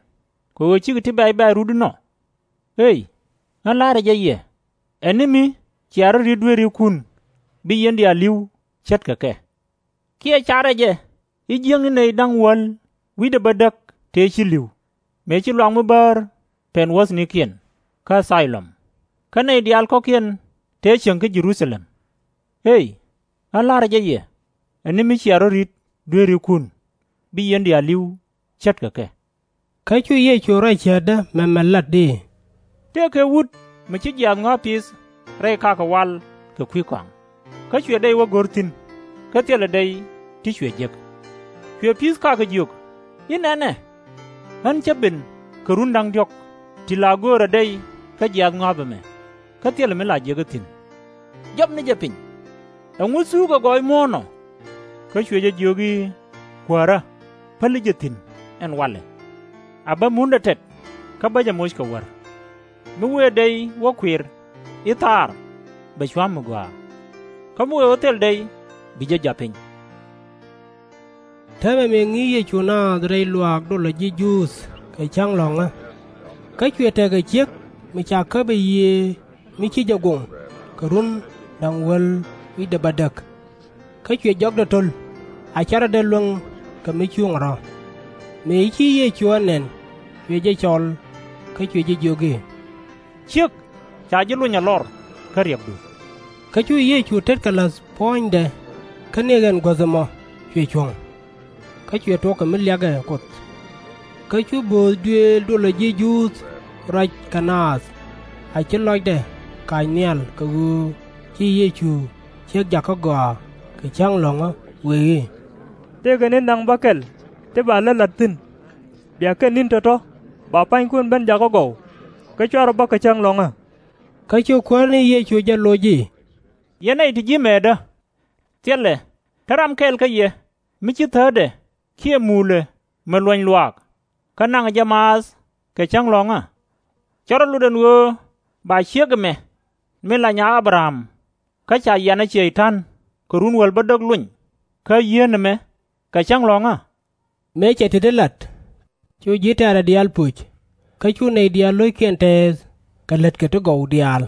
kɛ ɣöö /cikɛ ti bɛ̈c bɛ̈ɛ̈c rut inɔ? Ëëy, ɣän la̱rä jɛ yɛ, ɛ ni mi cia rɔ̱ ri̱t dueerikun, bi yɛn diaal li̱w ce̱tkɛ kɛ. Kiɛ carɛ jɛ ji̱ jiäkni nɛy da̱ŋ wäl wi̱cdɛ bädäk tëë ci li̱w, mëë ci luaak mi bäär pɛn wuɔ̱thnikiɛn kä Thɔ-lom, kä nɛy diaal kɔ̱kiɛn tëë cieŋ kä Jɛ-ru-tha-lɛm? Ëëy, ɣän la̱rä jɛ yɛ, ɛ ni mi cia rɔ̱ ri̱t dueerikun, bi yɛn diaal li̱w ce̱tkɛ kɛ. Kä cu Yecu ruac cäätdä mɛmɛ lat i̱, Tëëkɛ wut mi ci jiaath ŋɔ̱a̱ pith rɛy kakä wal kɛ kui̱ kɔaŋ, kä cuɛ dɛy wä go̱r thi̱n, kä thilɛ dɛy ti cuɛ jek. Cuɛ pi̱th kakä jiök i̱, 'Nɛnɛ, ɣän cä ben kɛ run da̱ŋ diɔ̱k ti la göörä dɛy kä jiaath ŋɔ̱a̱p ɛmɛ, kä thilɛ mi la jek ɛ thi̱n. Jɔpni jɛ piny, ɛŋu thuukɛ gɔɔy muɔ̱ɔ̱n ɔ?' Kä cuɛ jɛ jiök i̱, 'Kuäärä, päli jɛ thi̱n ɛn walɛ. A bä mundɛ tɛt, kä bä jɛ moc kɛ wär. Mi wëë dɛy wä kuir i̱, Thaar, bɛ cua̱ mi gɔaa. Kä mi wëë wä thil dɛy, bi jɛ jap piny.' Täämɛ mëë ŋi̱i̱c Yecu naath rɛy luaak dolä ji̱ Juudh kɛ cäŋ lɔ̱ŋä, kä cuɛ tekɛ ciek mi ca käp ɛ yiëë mi ci jɛ goŋ kɛ run da̱ŋ wäl wi̱cdɛ bädäk, kä cuɛ jɔkdɛ to̱l, a /cɛ rɔ̱dɛ luäŋ kɛ mi cuŋ rɔ̱. Mëë ci Yecu ɛ nɛn, cuɛ jɛ cɔl, kä cuɛ jɛ jiök i̱, Ciek, ca ji̱ lony ɛ lɔr kä riɛkdu. Kä cu Yecu tetkɛ la̱th puɔ̱nydɛ, kä ni ɣɛn guäth ɛmɔ cuɛ cuɔ̱ŋ, kä cuɛ tuɔk kɛ mi liak ɛ Kuoth. Kä cu bööth duëël dolä ji̱ Juudh ruac kɛ naath, a ci lɔcdɛ kac nhial kɛ ɣöö ci Yecu ciek jakä gɔaa kɛ cäŋ lɔ̱ŋä, wëë i̱, Tëëkɛ ni naŋ bäkɛl ti ba lät la̱t thi̱n. Bia kɛn ni̱n tɔ̱tɔ̱ ba pa̱nykun ben jakä gɔw, kä /cuarɛ bä kɛ cäŋ lɔ̱ŋä. Kä cu Kuäär ni Yecu jɛ loc i̱, Yɛn nɛy ti ji̱ mɛɛtdä! Thilɛ, te ram kɛl kä yɛ mi ci thäätdɛ kiɛ muulɛ mi luɔny luaak, kä naŋɛ jɛ maath kɛ cäŋ lɔ̱ŋä? Cä rɔ lot ɛn ɣöö ba ciek ɛmɛ, min la nya A-bɛ-ram, kä ca yianɛ Cɛy-tan kɛ run wäl bädäk lony, kä /yien ɛmɛ kɛ cäŋ lɔ̱ŋä? Mëë cɛ tetdi lat, cu ji̱ tɛ̈rɛ diaal pöc, kä cu nɛy diaal lo̱ckiɛn tɛɛth kɛ lätkɛ ti gɔw diaal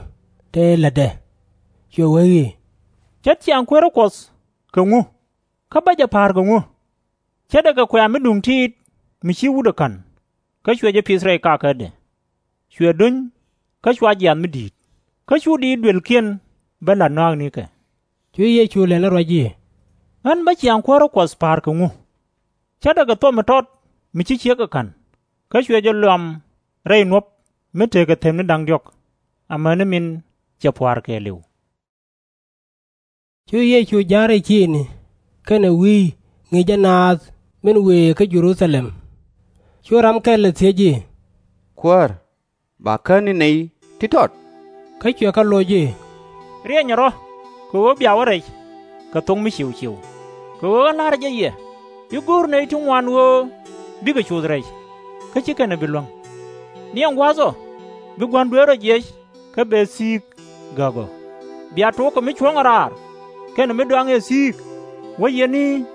tëë lätdɛ. Cuɛ wee i̱, Ce̱t ciaŋ kuäärä Kuɔth kɛ ŋu? Kä bä jɛ pa̱a̱r kɛ ŋu? Ce̱tdɛ kɛ kuɛ̈ɛ̈ mi duŋ tiit mi ci wut ɛ ka̱n, kä cuɛ jɛ pith rɛy kakädɛ. Cuɛ do̱ny, kä cua jiaath mi di̱i̱t, kä cu diit duëlkiɛn ben la̱t nɔ̱a̱knikɛ. Cu Yecu lɛni ruac i̱, Ɣän bä ciaŋ kuäärä Kuɔth pa̱a̱r kɛ ŋu? Ce̱tdɛ kɛ thuɔ̱k mi tɔt mi ci ciek ɛ ka̱n, kä cuɛ jɛ luam rɛy nuɔ̱p mi tekɛ thepni da̱ŋ diɔ̱k, amäni min cɛ pua̱a̱r kɛɛliw. Cu Yecu ja̱r rɛy ciëëŋni kɛnɛ wi̱i̱ ŋi̱i̱cä naath min wëë kä Jɛ-ru-tha-lɛm. Cu ram kɛl ɛ thiec i̱, Kuäär, ba kän ni nɛy ti tɔt? Kä cuɛ kɛ loc i̱, Riɛnyɛ rɔ̱, kɛ ɣöö bia wä rɛc kɛ thok mi ciëw ciëw. Kɛ ɣöö ɣän la̱rä jɛ yɛ i̱ go̱o̱r nɛy ti ŋuan ɣöö bikɛ coth rɛc, kä /ci kɛn ɛ bi luäŋ. Niɛŋ gua̱a̱th ɔ, bi Gua̱n dueer ɔ jiɛc kä bɛ thi̱i̱k gäk ɔ. Bia tuɔɔk kɛ mi cuɔ̱ŋ ɛ raar kɛnɛ mi dɔaŋ ɛ thi̱i̱k, wä yɛn i̱,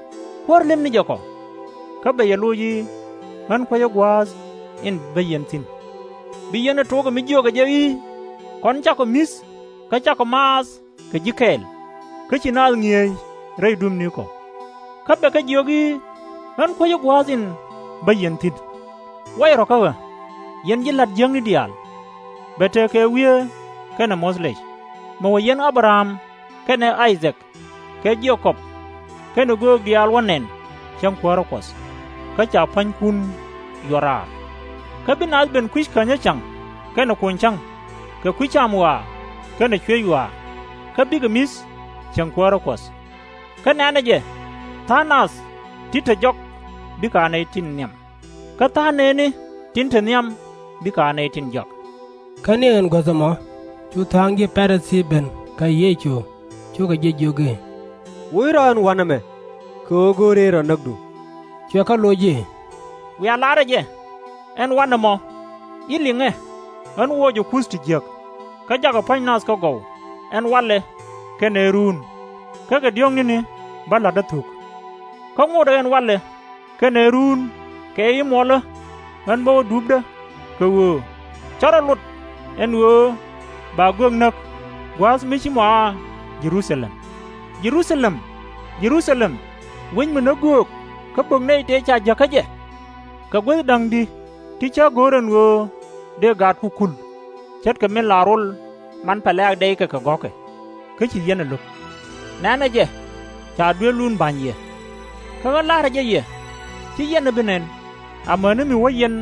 Kuäär, lipni jɛ kɔ. Kä bɛ yɛ loc i̱, Ɣän kuecä gua̱a̱th in bä yɛn thi̱n. Bi yɛn ɛ tuɔɔk kɛ mi jiökɛ jɛ i̱, Kɔn cakɔ mi̱th kä cakɔ maath kɛ ji̱ kɛɛl, kä ci naath ŋi̱eec rɛy dumpnikɔ. Kä bɛ kɛ jiök i̱, Ɣän kuecä gua̱a̱th in bä yɛn thi̱n. Way rɔ̱ kä ɣä, yɛn ji̱ la̱t jiäkni diaal. Bɛ tekɛ wieeɛ kɛnɛ muɔ̱th lɛc, mi wä yiɛn A-bɛ-ram kɛnɛ I-dhak kɛ Je-kɔb kɛnɛ göök diaal wä nɛn cäŋ kuäärä Kuɔth, kä ca pua̱nykun yuɔr raar. Kä bi naath ben kui̱c känyä cäŋ kɛnɛ kuny cäŋ, kɛ kui̱ cam ɣɔaa kɛnɛ cuëc ɣɔaa, kä bikɛ mi̱th cäŋ kuäärä Kuɔth. Kä nɛ̈nɛ jɛ, tha̱a̱ŋ nath ti te jɔk bikɛ a nɛy tin nhiam, kä tha̱a̱ŋ nëni tin te nhiam bikɛ a nɛy tin jɔak. Kä ni ɣän guäth ɛmɔ cu tha̱a̱ŋ ji̱ Pa-ri-thii ben kä Yecu, cukɛ jɛ jiök i̱, Woc rɔ̱ ɛn wa̱n ɛmɛ, kɛ ɣöö go̱o̱rɛ i̱ rɔ̱ näkdu. Cuɛ kɛ loc i̱, Wiaa la̱rä jɛ, ɛn wa̱n ɛmɔ, i̱ liŋɛ. ɣän wuɔcɛ kuth ti jiäk, kä jakɛ pua̱ny nath kä gɔw, ɛn walɛ kɛnɛ ruun, kä kɛ diɔ̱ɔ̱k ni̱ni bä la̱tdä thuk. Kä ŋotdɛ ɛn walɛ kɛnɛ ruun kɛ i̱ muɔlä, ɣän bä wä dupdä, kɛ ɣöö /cä rɔ lot ɛn ɣöö ba göök näk gua̱a̱th mi ci mɔaa Jɛ-ru-tha-lɛm! Jɛ-ru-tha-lɛm, Jɛ-ru-tha-lɛm, wec mi näk göök kä bök nɛy tëë ca jäk kä jɛ! Kɛ guäth da̱ŋ di̱ ti cä go̱r ɛn ɣöö dëë gaatku kul, ce̱tkɛ min la rol man pɛlɛ ak dɛykɛ kɛ gɔ̱kɛ, kä /ci yɛn ɛ lo̱k! Nɛ̈nɛ jɛ, ca dueelun ba̱ny yɛ. Kä ɣän la̱rä jɛ yɛ, /ci yɛn ɛ bi nɛn, amäni mi wä yɛn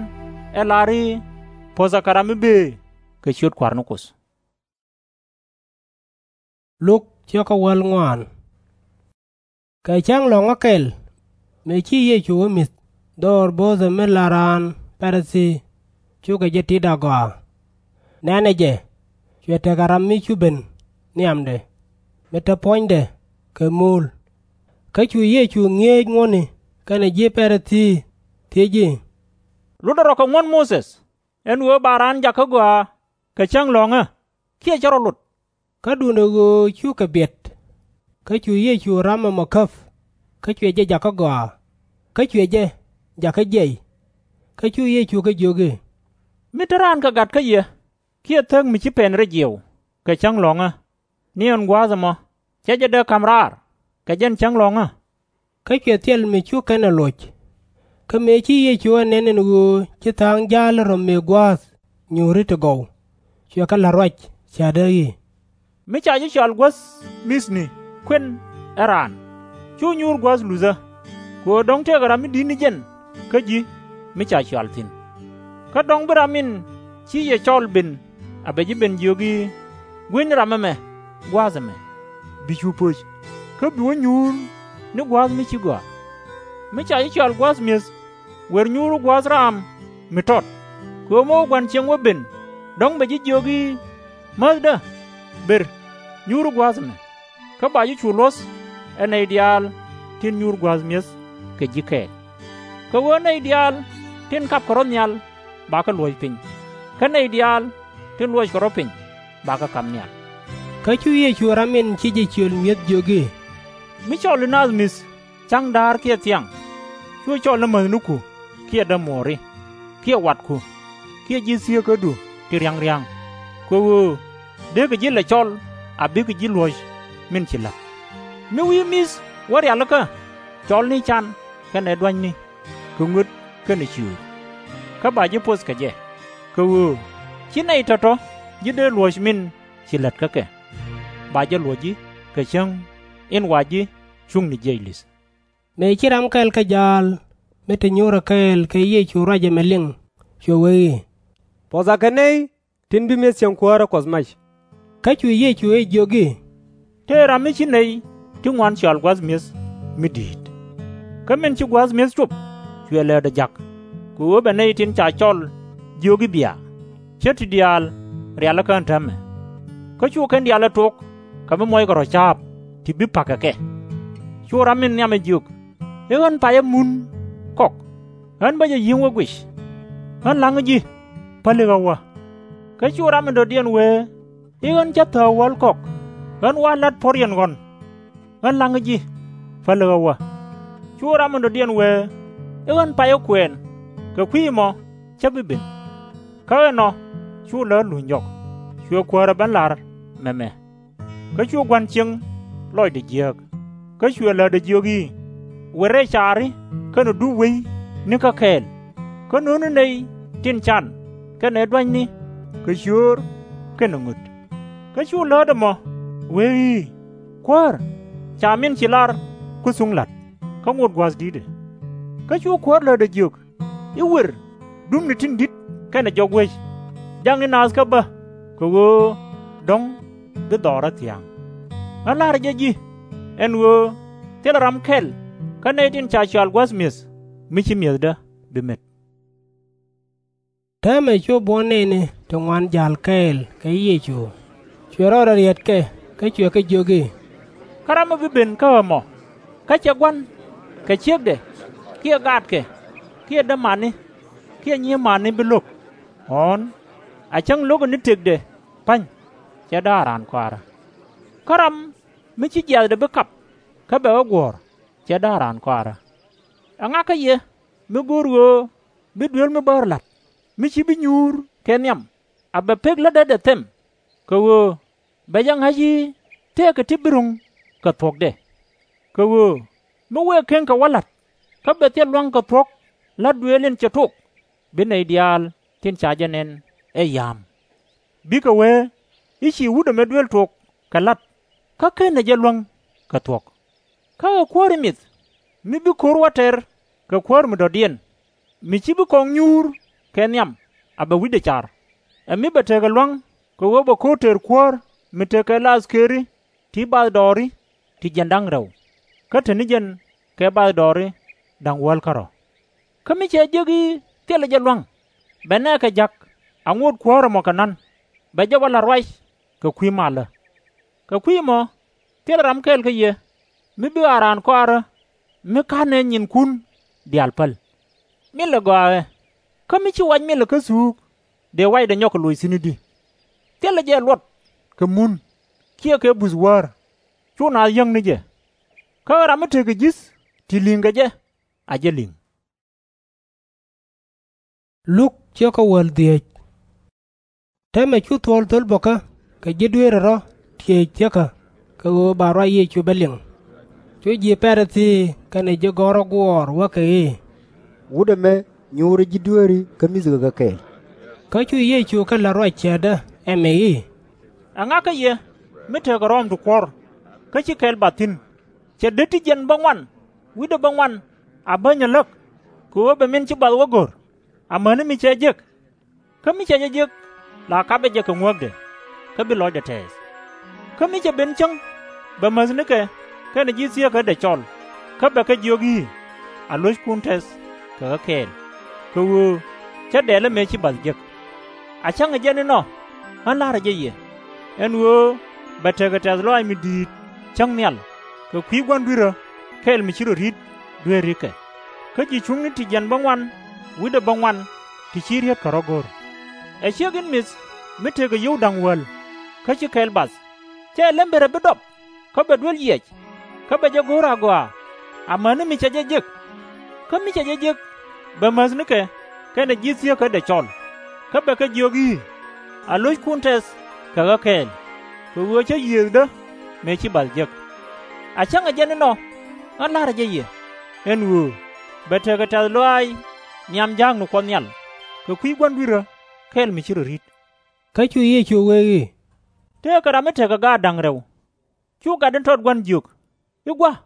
ɛ lar i̱, Puɔ̱thɛ kɛ ram mi bëë kɛ ciöt Kua̱r ni Kuoth. Kɛ cäŋ lɔ̱ŋä kɛl, mëë ci Yecu wä mi̱th, dhɔr bo̱o̱thɛ min la raan Pa-ri-thii cukɛ jɛ tit agɔaa. Nɛ̈nɛ jɛ, cuɛ tekɛ ram mi cu ben nhiamdɛ, mi te puɔ̱nydɛ kɛ muul. Kä cu Yecu ŋi̱eec ŋuɔ̱tni kɛnɛ ji̱ Pa-ri-thii, thiec i̱, Lotdɛ rɔ kɛ ŋuɔ̱t Muthɛ ɛn ɣöö ba raan jak kä gɔaa kɛ cäŋ lɔ̱ŋä, kiɛ /cɛ rɔ lot? Kä duundɛ ɣöö cukɛ biɛt, kä cu Yecu ram ɛmɔ käp, kä cuɛ jɛ jak kä gɔaa, kä cuɛ jɛ jak kä jiɛc. Kä cu Yecu kɛ jiök i̱, Mi te raan kɛ gat kä yɛ, kiɛ thäk mi ci pɛn rɛy jiɛw kɛ cäŋ lɔ̱ŋä, ni ɛn gua̱a̱th ɛmɔ, /cɛ jɛ dee ka̱m raar kɛ jɛn cäŋ lɔ̱ŋä? Kä cuɛ thil mi cu kɛn ɛ loc. Kä mëë ci Yecu ɛ nɛn ɛn ɣöö ci tha̱a̱ŋ ja̱a̱l rɔ̱ mëë gua̱a̱th nyuuri ti gɔw, cuɛ kɛ la̱t ruac, cätdɛ i̱, Mi ca ji̱ cɔal guäth mi̱thni kuën ɛ raan, /cu nyuur gua̱a̱th luthä, kɛ ɣöö dɔ̱ŋ tëëkɛ ram mi di̱t ni jɛn kä ji̱ mi ca cɔal thi̱n. Kä dɔ̱ŋ bi ram in ci yɛ cɔl ben a bɛ ji̱ ben jiök i̱, Gui̱cni ram ɛmɛ gua̱a̱th ɛmɛ, bi cu pöc, kä bi wä nyuur ni gua̱a̱th mi ci gɔaa. Mi ca ji̱ cɔal gua̱th mi̱eth, wer nyuuru gua̱a̱th raam mi tɔt, kɛ ɣöö mi wä gua̱n cieŋ wä ben, dɔ̱ŋ bɛ ji̱ jiök i̱, Määthdä, ber, nyuuru gua̱a̱th ɛmɛ. Kä ba ji̱ cu luɔ̱th ɛ nɛy diaal tin nyuur gua̱a̱th mi̱eth kɛ ji̱ kɛɛl. Kɛ ɣöö nɛy diaal tin kapkɛ rɔ̱ nhial bakɛ luɔ̱c piny, kä nɛy diaal tin luɔckɛ rɔ̱ piny bakɛ kap nhial. Kä cu Yecu ram in ci jɛ ciöl mi̱eth jiök i̱, Mi cɔli naath mi̱th ca̱ŋ da̱a̱r kiɛ thiaŋ, /cu cɔl ni mäthniku kiɛ dämuɔɔri, kiɛ watku, kiɛ ji̱ thieekädu ti ria̱ŋ ria̱ŋ, kɛ ɣöö dee kɛ ji̱ lɛ cɔl a bikɛ ji̱ luɔ̱c min ci la̱t. Mi wi̱i̱ mi̱th wä rialikä, cɔlni can kɛnɛ dua̱nyni, kɛ ŋöt kɛnɛ ciöör, kä ba ji̱ poth kɛ jɛ, kɛ ɣöö /ci nɛy tɔ̱tɔ̱ ji̱ dee luɔ̱c min ci lät kä kɛ. Ba jɛ luɔ̱c ji̱ kɛ cäŋ in wa ji̱ cuŋni jiɛc li̱th. Mëë ci ram kɛl kä ja̱a̱l mi te nyuurä kɛɛl kɛ Yecu ruac ɛmɛ liŋ, cuɛ wee i̱, Puɔ̱tha kɛ nɛy tin bi mi̱eth cieŋ kuäärä Kuɔth mac. Kä cu Yecu ɛ jiök i̱, Tëë ram mi ci nɛy ti ŋuan cɔal gua̱th mi̱eth mi di̱i̱t. Kä min ci gua̱th mi̱eth cop, cuɛ läätdɛ ja̱k, kɛ ɣöö bɛ nɛy tin ca cɔl jiök i̱ bia, ce̱t ti diaal rialikä ɛn täämɛ. Kä cu kɛn diaal ɛ tok kɛ mi muɔckɛ rɔ̱ ca̱a̱p ti bi pa̱k kɛ kɛ. Cu ram min nhiam ɛ jiök i̱, Ɣän payä mun kɔk, ɣän bä jɛ yi̱ŋ wä guic. Ɣän la̱ŋä ji̱, päli ɣä wä. Kä cu ram in dɔ̱diɛn wee i̱, Ɣän cä thääk wäl kɔk, ɣän wa̱a̱ la̱t puɔ̱riɛn ɣɔ̱n. Ɣän la̱ŋä ji̱, päli ɣä wä. Cu ram in dɔ̱diɛn wee i̱, Ɣän payä kuɛɛn, kɛ kui̱ ɛmɔ cä bi ben. Kä ɛnɔ cu läätdɛ luny jɔk, cuɛ kuäärä ben la̱r mɛmɛ. Kä cu gua̱n cieŋ lɔcdɛ jiääk, kä cuɛ läätdɛ jiök i̱, Wër rɛy caari kɛnɛ dup wec nikä kɛɛl, kä no̱o̱ŋni nɛy tin can kɛnɛ dua̱nyni kɛ ciöör kɛnɛ ŋöt. Kä cu läätdɛ mɔ wee i̱, Kuäär, ca min ci lar ku thuŋ la̱t, kä ŋot gua̱th di̱tdɛ. Kä cu kuäär läätdɛ jiök i̱, Wër dupni tin di̱t kɛnɛ jɔk wec, jakni naath kä bä, kɛ ɣöö dɔ̱ŋ bi dhɔrä thia̱a̱ŋ. Ɣän la̱rä jɛ ji̱ ɛn ɣöö thilɛ ram kɛl kä nɛy tin ca cɔal gua̱th mi̱eth mi ci mi̱ethdä bi met. Täämɛ cu buɔ̱n nɛɛni ti ŋuan ja̱l kɛɛl kɛ Yecu, cuɛ rɔɔdɛ riɛtkɛ kä cuɛ kɛ jiök i̱, Kä ram mi bi ben kä ɣä mɔ, kä /cɛ gua̱n kɛ ciekdɛ, kiɛ gaatkɛ, kiɛ dämani, kiɛ nyima̱a̱ni bi lo̱k, ɣɔ̱ɔ̱n A cäŋ lo̱kɛ ni tëkdɛ pa̱ny, /cɛ da̱a̱r raan kɔaarä. Kä ram mi /ci jiaathdɛ bi kap kä bɛ ɣä guɔ̱ɔ̱r, /cɛ da̱a̱r raan kɔaarä. Ɛŋa kä yɛ mi go̱o̱r ɣöö bi duel mi bäär la̱t, mi /ci bi nyuur kɛ nhiam, a bɛ pek lätdɛ dɛ them? Kɛ ɣöö bɛ jɛ ŋa̱c i̱ tëëkɛ ti bi ro̱ŋ kɛ thuɔ̱kdɛ. Kɛ ɣöö mi wëë keŋ kɛ wä la̱t, kä bɛ thil lua̱ŋ kɛ thuɔ̱k la̱t duëël in cɛ tok, bi nɛy diaal tin ca jɛ nɛn ɛ ya̱a̱m. Bikɛ wee i̱ ci wut ɛmɛ duel tok kɛ la̱t, kä /kenɛ jɛ luäŋ kɛ thuɔ̱k. Kä ɛ kuäär in mith mi bi ko̱r wä tɛr kɛ kuäär mi dɔ̱diɛn, mi /ci bi kɔŋ nyuur kɛ nhiam, a bɛ wi̱cdɛ car, ɛ mi bɛ tekɛ lua̱ŋ kɛ ɣöö bɛ ko̱r tɛr kuäär mi tekɛ la athkëëri ti bathdɔɔri ti jiɛn da̱ŋ rɛw, kä te ni jɛn kɛ bathdɔɔri da̱ŋ wäl kärɔ̱. Kä mi cɛ jek i̱ thilɛ jɛ lua̱ŋ, bɛ nɛɛkɛ ja̱k a ŋot kuäär ɛmɔ kɛ na̱n, bɛ jɛ wä la̱t ruac kɛ kui̱ malä. Kɛ kui̱ ɛmɔ thilɛ ram kɛl kä yɛ mi bi ɣa̱a̱ raan kɔaarä mi /ka̱nɛ nyinkun diaal päl. Milɛ gɔaa ɛ, kä mi /ci wac milɛ kä thuuk, dëë wacdɛ nyɔk kɛ loc thi̱n i̱di? Thilɛ jɛ luɔt kɛ mun kiɛ kɛ buth wäär, /cu naath yäŋ ni jɛ. Kä ram mi tekɛ ji̱th ti li̱ŋ kɛ jɛ, a jɛ li̱ŋ. Täämɛ cu thuɔ̱ɔ̱l thöl bɔ̱kä kɛ ji̱ dueerä rɔ̱ tiëëc thiäkä kɛ ɣöö ba ruac Yecu bɛ liŋ. Cu ji̱ Pa-ri-thii kɛnɛ ji̱ gɔ̱rä guɔ̱ɔ̱r wä kɛ i̱, Wut ɛmɛ nyuurɛ ji̱ dueeri kä mi̱thkɛ kɛ kɛɛl. Kä cu Yecu kɛ la̱t ruac cäätdä ɛmɛ i̱, Ɛŋa kä yɛ mi tekɛ rɔɔm ti kuɔ̱r, kä /ci kɛl bath thi̱n? Cɛ det ti jiɛn bäŋuan wi̱cdɛ bäŋuan a bäny ɛ läk kɛ ɣöö bɛ min ci bath wä go̱r, amäni mi cɛ jek? Kä mi cɛ jɛ jek, la kapɛ jɛ kɛ ŋuäkdɛ, kä bi lɔcdɛ tɛɛth. Kä mi cɛ ben cäŋ, bɛ mäthnikɛ kɛnɛ ji̱ thieekädɛ cɔl, kä bɛ kɛ jiök i̱, Alo̱ckun tɛth kɛ ɣä kɛɛl, kɛ ɣöö /cä dɛɛlä mëë ci bath jek. A cäŋɛ jɛn inɔ, ɣän la̱rä jɛ yɛ, ɛn ɣöö bɛ tekɛ tɛ̈th lɔaac mi di̱i̱t cäŋ nhial kɛ kui̱ Gua̱n dui̱rä kɛl mi ci rɔ ri̱t dueerikɛ, kä ji̱ cuŋni ti jiɛn bäŋuan wi̱cdɛ bäŋuan ti /ci rietkɛ rɔ̱ go̱r. Ɛ ciek in mith mi tekɛ yio̱w da̱ŋ wäl kä /ci kɛl bath, /cɛ lembërɛ bi dɔp kä bɛ duel yiɛc, kä bɛ jɛ go̱r agɔaa, amäni mi cɛ jɛ jek? Kä mi cɛ jɛ jek, bɛ mäthnikɛ kɛnɛ ji̱ thieekädɛ cɔl, kä bɛ kɛ jiök i̱, Alo̱ckun tɛth kɛ ɣä kɛɛl, kɛ ɣöö /cä yiëëthdä mëë ci bath jek. A cäŋɛ jɛn inɔ, ɣän la̱rä jɛ yɛ, ɛn ɣöö bɛ tekɛ tɛ̈th lɔaac nhiam ja̱a̱kni Kuɔth Nhial kɛ kui̱ Gua̱n dui̱rä kɛl mi ci rɔ ri̱t. Kä cu Yecu wee i̱, Tëëkɛ ram mi tekɛ gaat da̱ŋ rɛw. Cu gat in tɔt gua̱n jiök i̱, Gua̱,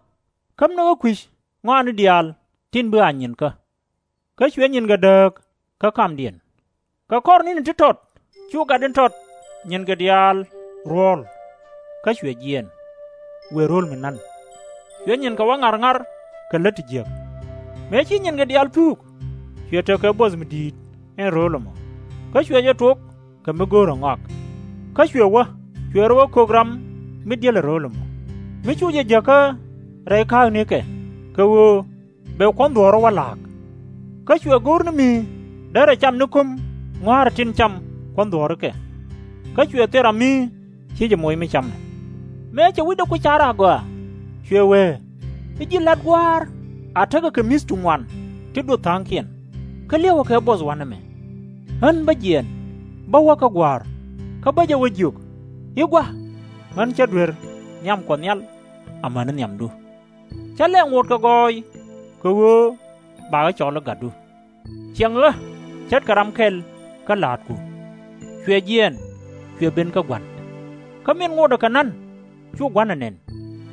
käm ni ɣä kui̱c ŋɔaani diaal tin bi ɣa̱c nyinkä. Kä cuɛ nyinkɛ dääk kä kamdiɛn. Kɛ kɔr ni̱ni ti tɔt cu gat in tɔt nyinkɛ diaal ruɔ̱ɔ̱l, kä cuɛ jiɛɛn, wëë ro̱l mi na̱n. Cuɛ nyinkɛ wä ŋa̱r ŋa̱r kɛ lät ti jiäk. Mëë ci nyinkɛ diaal puuk, cuɛ tekɛ buɔth mi di̱i̱t in ro̱o̱l ɛmɔ, kä cuɛ jɛ tuɔk kɛ mi go̱o̱rɛ ŋɔak. Kä cuɛ wä, cuɛ rɔ wä kök ram mi di̱el ɛ ro̱o̱l ɛmɔ, mi cu jɛ jäkä rɛy ka̱a̱knikɛ, kɛ ɣöö bɛ kuɔ̱n dhuɔ̱ɔ̱rä wä la̱a̱k. Kä cuɛ go̱r ni mi derɛ cam ni ko̱m ŋɔ̱a̱rä tin cam kuɔ̱n dhuɔ̱ɔ̱rikɛ. Kä cuɛ thil ram mi /ci jɛ moc mi camɛ. Mëë cɛ wi̱cdɛ ku car agɔaa, cuɛ wee i̱, Ji̱ la̱t gua̱a̱r a tekɛ kɛ mi̱th ti ŋuan ti duɔth tha̱a̱ŋkiɛn, kä liɛwɛ kɛ buɔth wanɛ mɛ. Ɣän bä jiɛɛn, bä wä kä gua̱a̱r, kä bä jɛ wä jiök i̱, Gua̱, ɣän /cä duer nhiam Kuɔth Nhial amäni nhiamdu. /Cä lɛ ŋot kɛ gɔɔy, kɛ ɣöö bakɛ cɔl i̱ gatdu. Ciɛŋ ɣä ce̱tkɛ ram kɛl kä la̱a̱tku. Cuɛ jiɛɛn, cuɛ ben kä gua̱n. Kä min ŋotdɛ kɛ na̱n, cu gua̱n ɛ nɛn,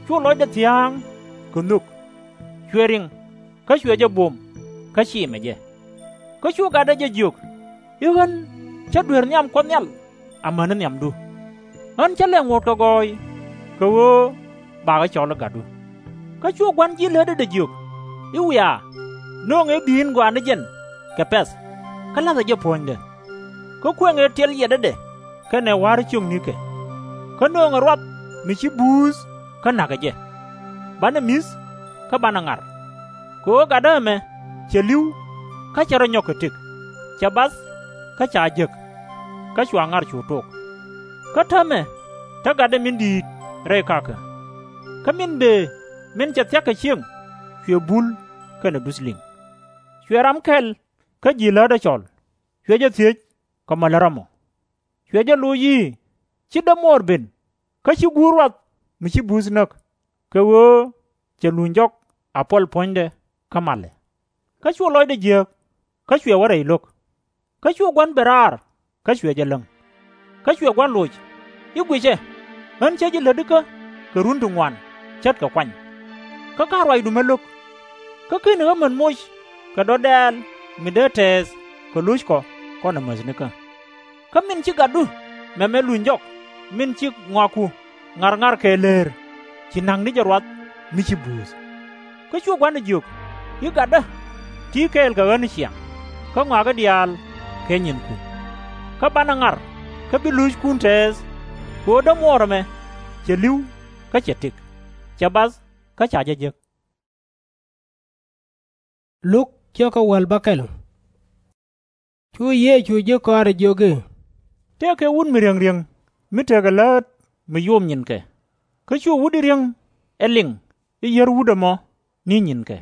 cu lɔcdɛ thia̱a̱ŋ kɛ nhök. Cuɛ riŋ, kä cuɛ jɛ buɔ̱m, kä cimɛ jɛ. Kä cu gatdɛ jɛ jiök i̱, Ɣän /cä duer nhiam Kuɔth Nhial amäni nhiamdu. Ɣän /cä lɛ ŋot kɛ gɔɔy, kɛ ɣöö bakɛ cɔl i̱ gatdu. Kä cu gua̱n ji̱ lätädɛ jiök i̱, Wiaa, nööŋɛ i̱ bi̱i̱n gɔaa ni jɛn kɛ pɛ̈th, kä la̱thɛ jɛ puɔ̱nydɛ. Kä kuëŋɛ i̱ tiɛl yiɛtädɛ kɛnɛ wa̱r ciöknikɛ. Kä nööŋɛ ruath mi ci buuth kä na̱kɛ jɛ. Banɛ mi̱th kä banɛ ŋa̱r. Kɛ ɣöö gatdä ɛmɛ cɛ li̱w, kä cɛ rɔ nyɔk kɛ tëk, cɛ bath, kä ca jek. kä cua ŋar cu tok. Kä täämɛ te gatdɛ min di̱i̱t rɛy kakä. Kä min bëë min cɛ thia̱k kɛ cieŋ cuɛ bul kɛnɛ duth liŋ. Cuɛ ram kɛl kä ji̱ lätdɛ cɔl, cuɛ jɛ thiec kɛ mɔ lät ram ɔ. Cuɛ jɛ loc i̱, ci dämuɔɔr ben kä ci guur ruath mi ci buuth näk, kɛ ɣöö cɛ luny jɔk a puɔl puɔ̱nydɛ kä malɛ. Kä cu lɔcdɛ jiääk, kä cuɛ wä rɛy lo̱k. Kä cu gua̱n ben raar, kä cuɛ jɛ läŋ. Kä cuɛ gua̱n loc i̱, guicɛ, ɣän cä ji̱ lätdikä kɛ run ti ŋuan ce̱tkɛ kuany. Kä /ka̱n ruacdu mi lo̱k. Kä /keni ɣä män moc kɛ dɔ̱diɛn mi dee tɛɛth kɛ lo̱ckɔ kɔnɛ mäthnikä. Kä min ci gatdu mɛmɛ luny jɔk, min ci ŋɔaku ŋarŋar kɛ leer, ci na̱k ni jɛ ruath mi ci buuth. Kä cu gua̱ndɛ jiök i̱, gatdä, ti̱i̱ kɛɛl kɛ ɣä ni ciaŋ, kä ŋɔakä diaal kɛ nyinku. Kä banɛ ŋar, kä bi lo̱ckun tɛɛth, kɛ ɣöö dämuɔɔr ɛmɛ cɛ li̱w kä cɛ tëk, cɛ bath kä ca jɛ jek. Cu Yecu ji̱ kɔaarɛ jiök i̱, tëëkɛ wut mi riäŋ riäŋ mi tekɛ läät mi yom nyinkɛ. Kä cu wut i̱ riäŋ ɛ liŋ i̱ yiär wut ɛmɔ ni nyinkɛ.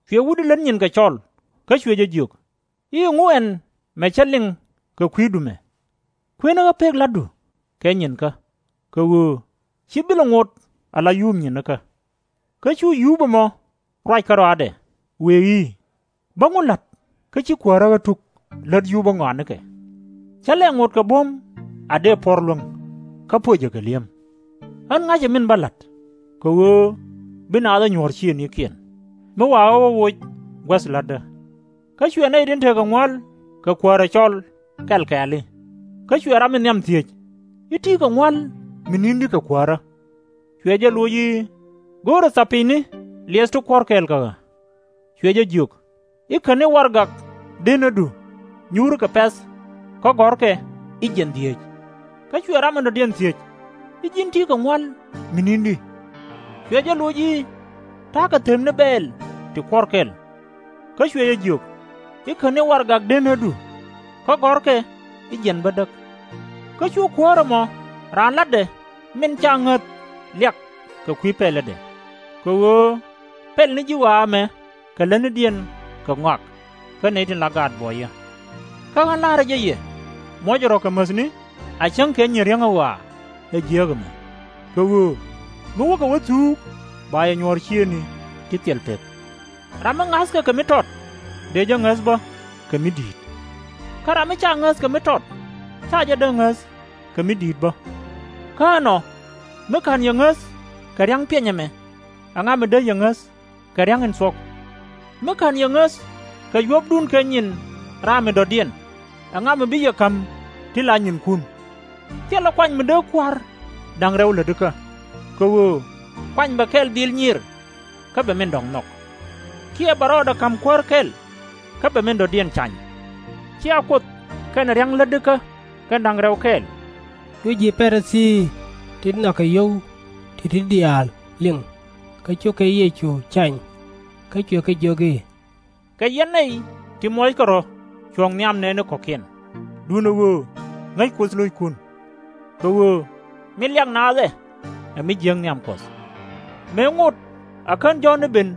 Cuɛ wut i̱ lät nyinkɛ cɔl, kä cuɛ jɛ jiök i̱, ɛŋu ɛn mɛ cä liŋ kɛ kui̱ dumɛ? Kuënɛ ɣä pek la̱tdu kɛ nyinkä, kɛ ɣöö /ci bilɛ ŋot ala yuup nyinikä. Kä cu yuup ɛmɔ ruac kärɔaadɛ, wëë i̱, bä ŋu la̱t kä ci kuäärä ɣä tuk lät yuupä ŋɔanikɛ? Cä lɛ ŋot kɛ buɔ̱m a dëë puɔ̱r luäŋ, kä puɔcä kɛ li̱em. Ɣän ŋa̱cä min bä la̱t, kɛ ɣöö bi naath ɛ nyuɔ̱ɔ̱r ciëëŋnikiɛn, mi wa ɣä wä woc guäth lätdä. Kä cuɛ nɛy tin tekɛ ŋuäl kɛ kuäärä cɔl kɛl kɛɛli. Kä cuɛ ram in nhiam thiec i̱, ti̱i̱ kɛ ŋuäl mi ni̱n di kɛ kuäärä? Cuɛ jɛ loc i̱, go̱o̱rɛ thapiny ni liɛth ti kuɔ̱r kɛɛl kɛ ɣä. Cuɛ jɛ jiök i̱, käni warɛgak denädu, nyuurikɛ pɛ̈th, kä gɔ̱rkɛ i̱, jiɛn dhieec. Kä cuɛ ram in dɔ̱diɛn thiec i̱, ji̱n ti̱i̱ kɛ ŋuäl mi ni̱n di? Cuɛ jɛ loc i̱, ta̱a̱kɛ them ni bɛɛl ti kuɔ̱r kɛl. Kä cuɛ jɛ jiök i̱, käni warɛgak denädu, kä gɔ̱rkɛ i̱, jiɛn bädäk. Kä cu kuäär ɛmɔ raan la̱tdɛ min /ca ŋäth liak kɛ kui̱ pɛlädɛ, kɛ ɣöö pɛl ni ji̱ ɣɔaa ɛmɛ kɛ lätnidiɛn kɛ ŋɔak kä nɛy tin la gaat buɔyä. Kä ɣän la̱rä jɛ yɛ, muɔcɛ rɔ̱ kɛ mäthni a cäŋ kɛ nyin riäŋ ɛ ɣɔaa ɛ jiääk ɛmɛ, kɛ ɣöö mi wäkɛ wä thuuk ba yɛ nyuɔ̱ɔ̱r ciëëŋni ti thil pek. Ram mi ŋa̱thkɛ kɛ mi tɔt, dëë jɛ ŋäth bä kɛ mi di̱i̱t. Kä ram mi /ca ŋäth kɛ mi tɔt, /ca jɛ dee ŋäth kɛ mi di̱i̱t bä. Kä ɛnɔ, mi /ka̱n yɛ ŋäth kɛ ria̱ŋ piɛny ɛmɛ, ɛŋa mi dee yɛ ŋäth kɛ ria̱ŋ in thuɔ̱k? Mi /ka̱n yɛ ŋäth kɛ yuɔ̱pdun kɛ nyin raam in dɔ̱diɛn, ɛŋa mi bi yɛ ka̱m ti la nyinkun? Thilɛ kuany mi dee kua̱r da̱ŋ rɛw lätdikä, kɛ ɣöö kuany bɛ kɛl dhil nyiir, kä bɛ min dɔ̱ŋ nhɔk. Kiɛ bɛ rɔɔdɛ ka̱m kuäär kɛl, kä bɛ min dɔ̱diɛn cany. /Cia Kuoth kɛnɛ ria̱ŋ lätdikä kɛn da̱ŋ rɛw kɛɛl? Cu ji̱ Pa-ri-thii tin nhɔakɛ yio̱w ti̱ti̱ diaal liŋ, kä cukɛ Yecu cany, kä cuɛ kɛ jiök i̱, kɛ yɛn nɛy ti muɔckɛ rɔ̱ cuɔ̱ŋ nhiam nɛɛni kɔ̱kiɛn, duundɛ ɣöö ŋäc Kuoth lo̱ckun. Kɛ ɣöö min liak naath ɛ, ɛ mi jiääk nhiam Kuɔth. Mëë ŋot a kän Jɔ̱ɔ̱n ni ben,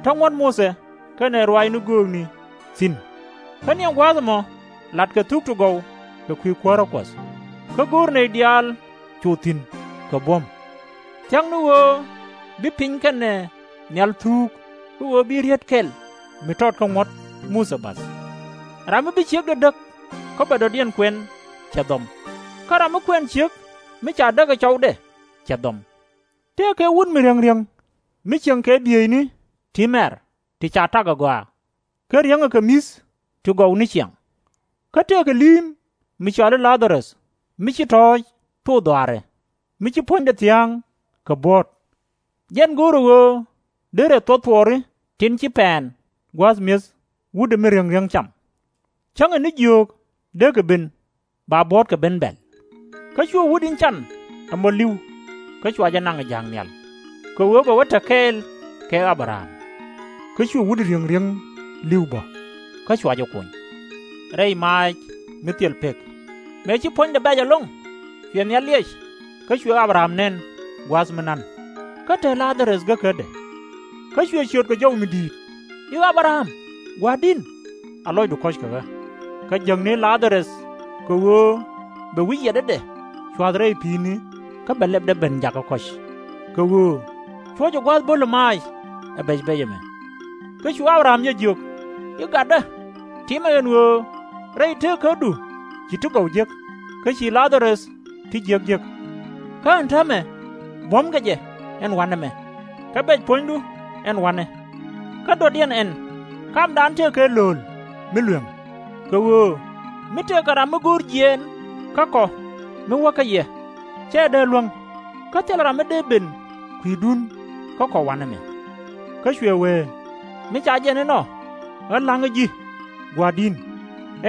te ŋuɔ̱t Muthɛ kɛnɛ ruaacni göökni thi̱n. Kä ni ɛn gua̱a̱th ɛmɔ latkɛ thuk ti gɔw kɛ kui̱ kuäärä Kuɔth, kä go̱o̱r nɛy diaal cu thi̱n kɛ buɔ̱m. Thia̱k ni ɣöö bi piny kɛnɛ nhial thuuk, kä ɣöö bi riet kɛl mi tɔt kä ŋuɔ̱t Muthɛ bath. Ram mi bi ciekdɛ däk kä bɛ dɔ̱diɛn kuɛn, cɛ dhɔm. Kä ram mi kuɛn ciek mi ca däk ɛ cɔwdɛ, cɛ dhɔm. Tëëkɛ wut mi riäŋ riäŋ mi cieŋ kɛ bieyni ti mɛr ti ca tak ɛ gɔaa, kä riäŋɛ kɛ mi̱th ti gɔw ni ciaŋ. Kä tëëkɛ li̱i̱m mi cɔal i̱ La-dha-röth, mi ci tɔ̱ɔ̱c thok dhɔaarɛ, mi ci puɔ̱nydɛ thia̱a̱ŋ kɛ buɔ̱ɔ̱t. Jɛn go̱o̱rɛ ɣöö derɛ thuɔ̱k thuɔɔri tin ci pɛn gua̱a̱th mi̱eth wutdɛ mi riäŋ riäŋ cam. Cäŋɛ ni jiöök, dee kɛ ben, ba buɔ̱ɔ̱tkɛ ben bɛ̈l. Kä cu wut in can ɛmɔ li̱w, kä cua jɛ naŋ ɛ ja̱a̱k nhial, kɛ ɣöö bɛ wä te kɛɛl kɛ A-bɛ-ram. Kä cu wut in riäŋ riäŋ li̱w bä, kä cua jɛ kuny. Rɛy maac mi thil pek. Mëë ci puɔ̱nydɛ bɛ̈c ɛlɔ̱ŋ, cuɛ nhial liɛc, kä cuɛ Abraham nɛn gua̱a̱th mi nan, kä te La-dha-röth gäkädɛ. Kä cuɛ ciöt kɛ jɔw mi di̱i̱t, i̱, Abraham, gua̱a̱r di̱n, a lɔcdu kɔ̱c kɛ ɣä, kä jäkni La-dha-röth, kɛ ɣöö bɛ wi̱c yiɛtdädɛ cua̱th rɛy pi̱i̱ni, kä bɛ lɛpdɛ ben jakä kɔ̱c, kɛ ɣöö cuɔ̱cɛ gua̱a̱th bo̱lɛ maac ɛ bɛc-bɛc ɛmɛ. Kä cu Abraham jɛ jiök, i̱, Gatdä, timɛ ɛn ɣöö rɛy tëëkädu ci ti gɔw jek, kä ci La-dha-röth ti jiäk jek. Kä ɛn täämɛ buɔ̱mkɛ jɛ ɛn wa̱nɛ mɛ, kä bɛc puɔ̱nydu ɛn wa̱nɛ. Kä dɔ̱diɛn ɛn kamdan tëëkɛ lööl mi lueŋ, kɛ ɣöö mi tëëkɛ ram mi go̱o̱r jiɛɛn kä kɔ mi wäkɛ yɛ, /cɛ dee luäŋ, kä thilɛ ram mi dee ben kui̱dun kä kɔ wa̱nɛ mɛ. Kä cuɛ wee, mi ca jɛn inɔ, ɣä la̱ŋä ji̱, gua̱a̱r di̱n,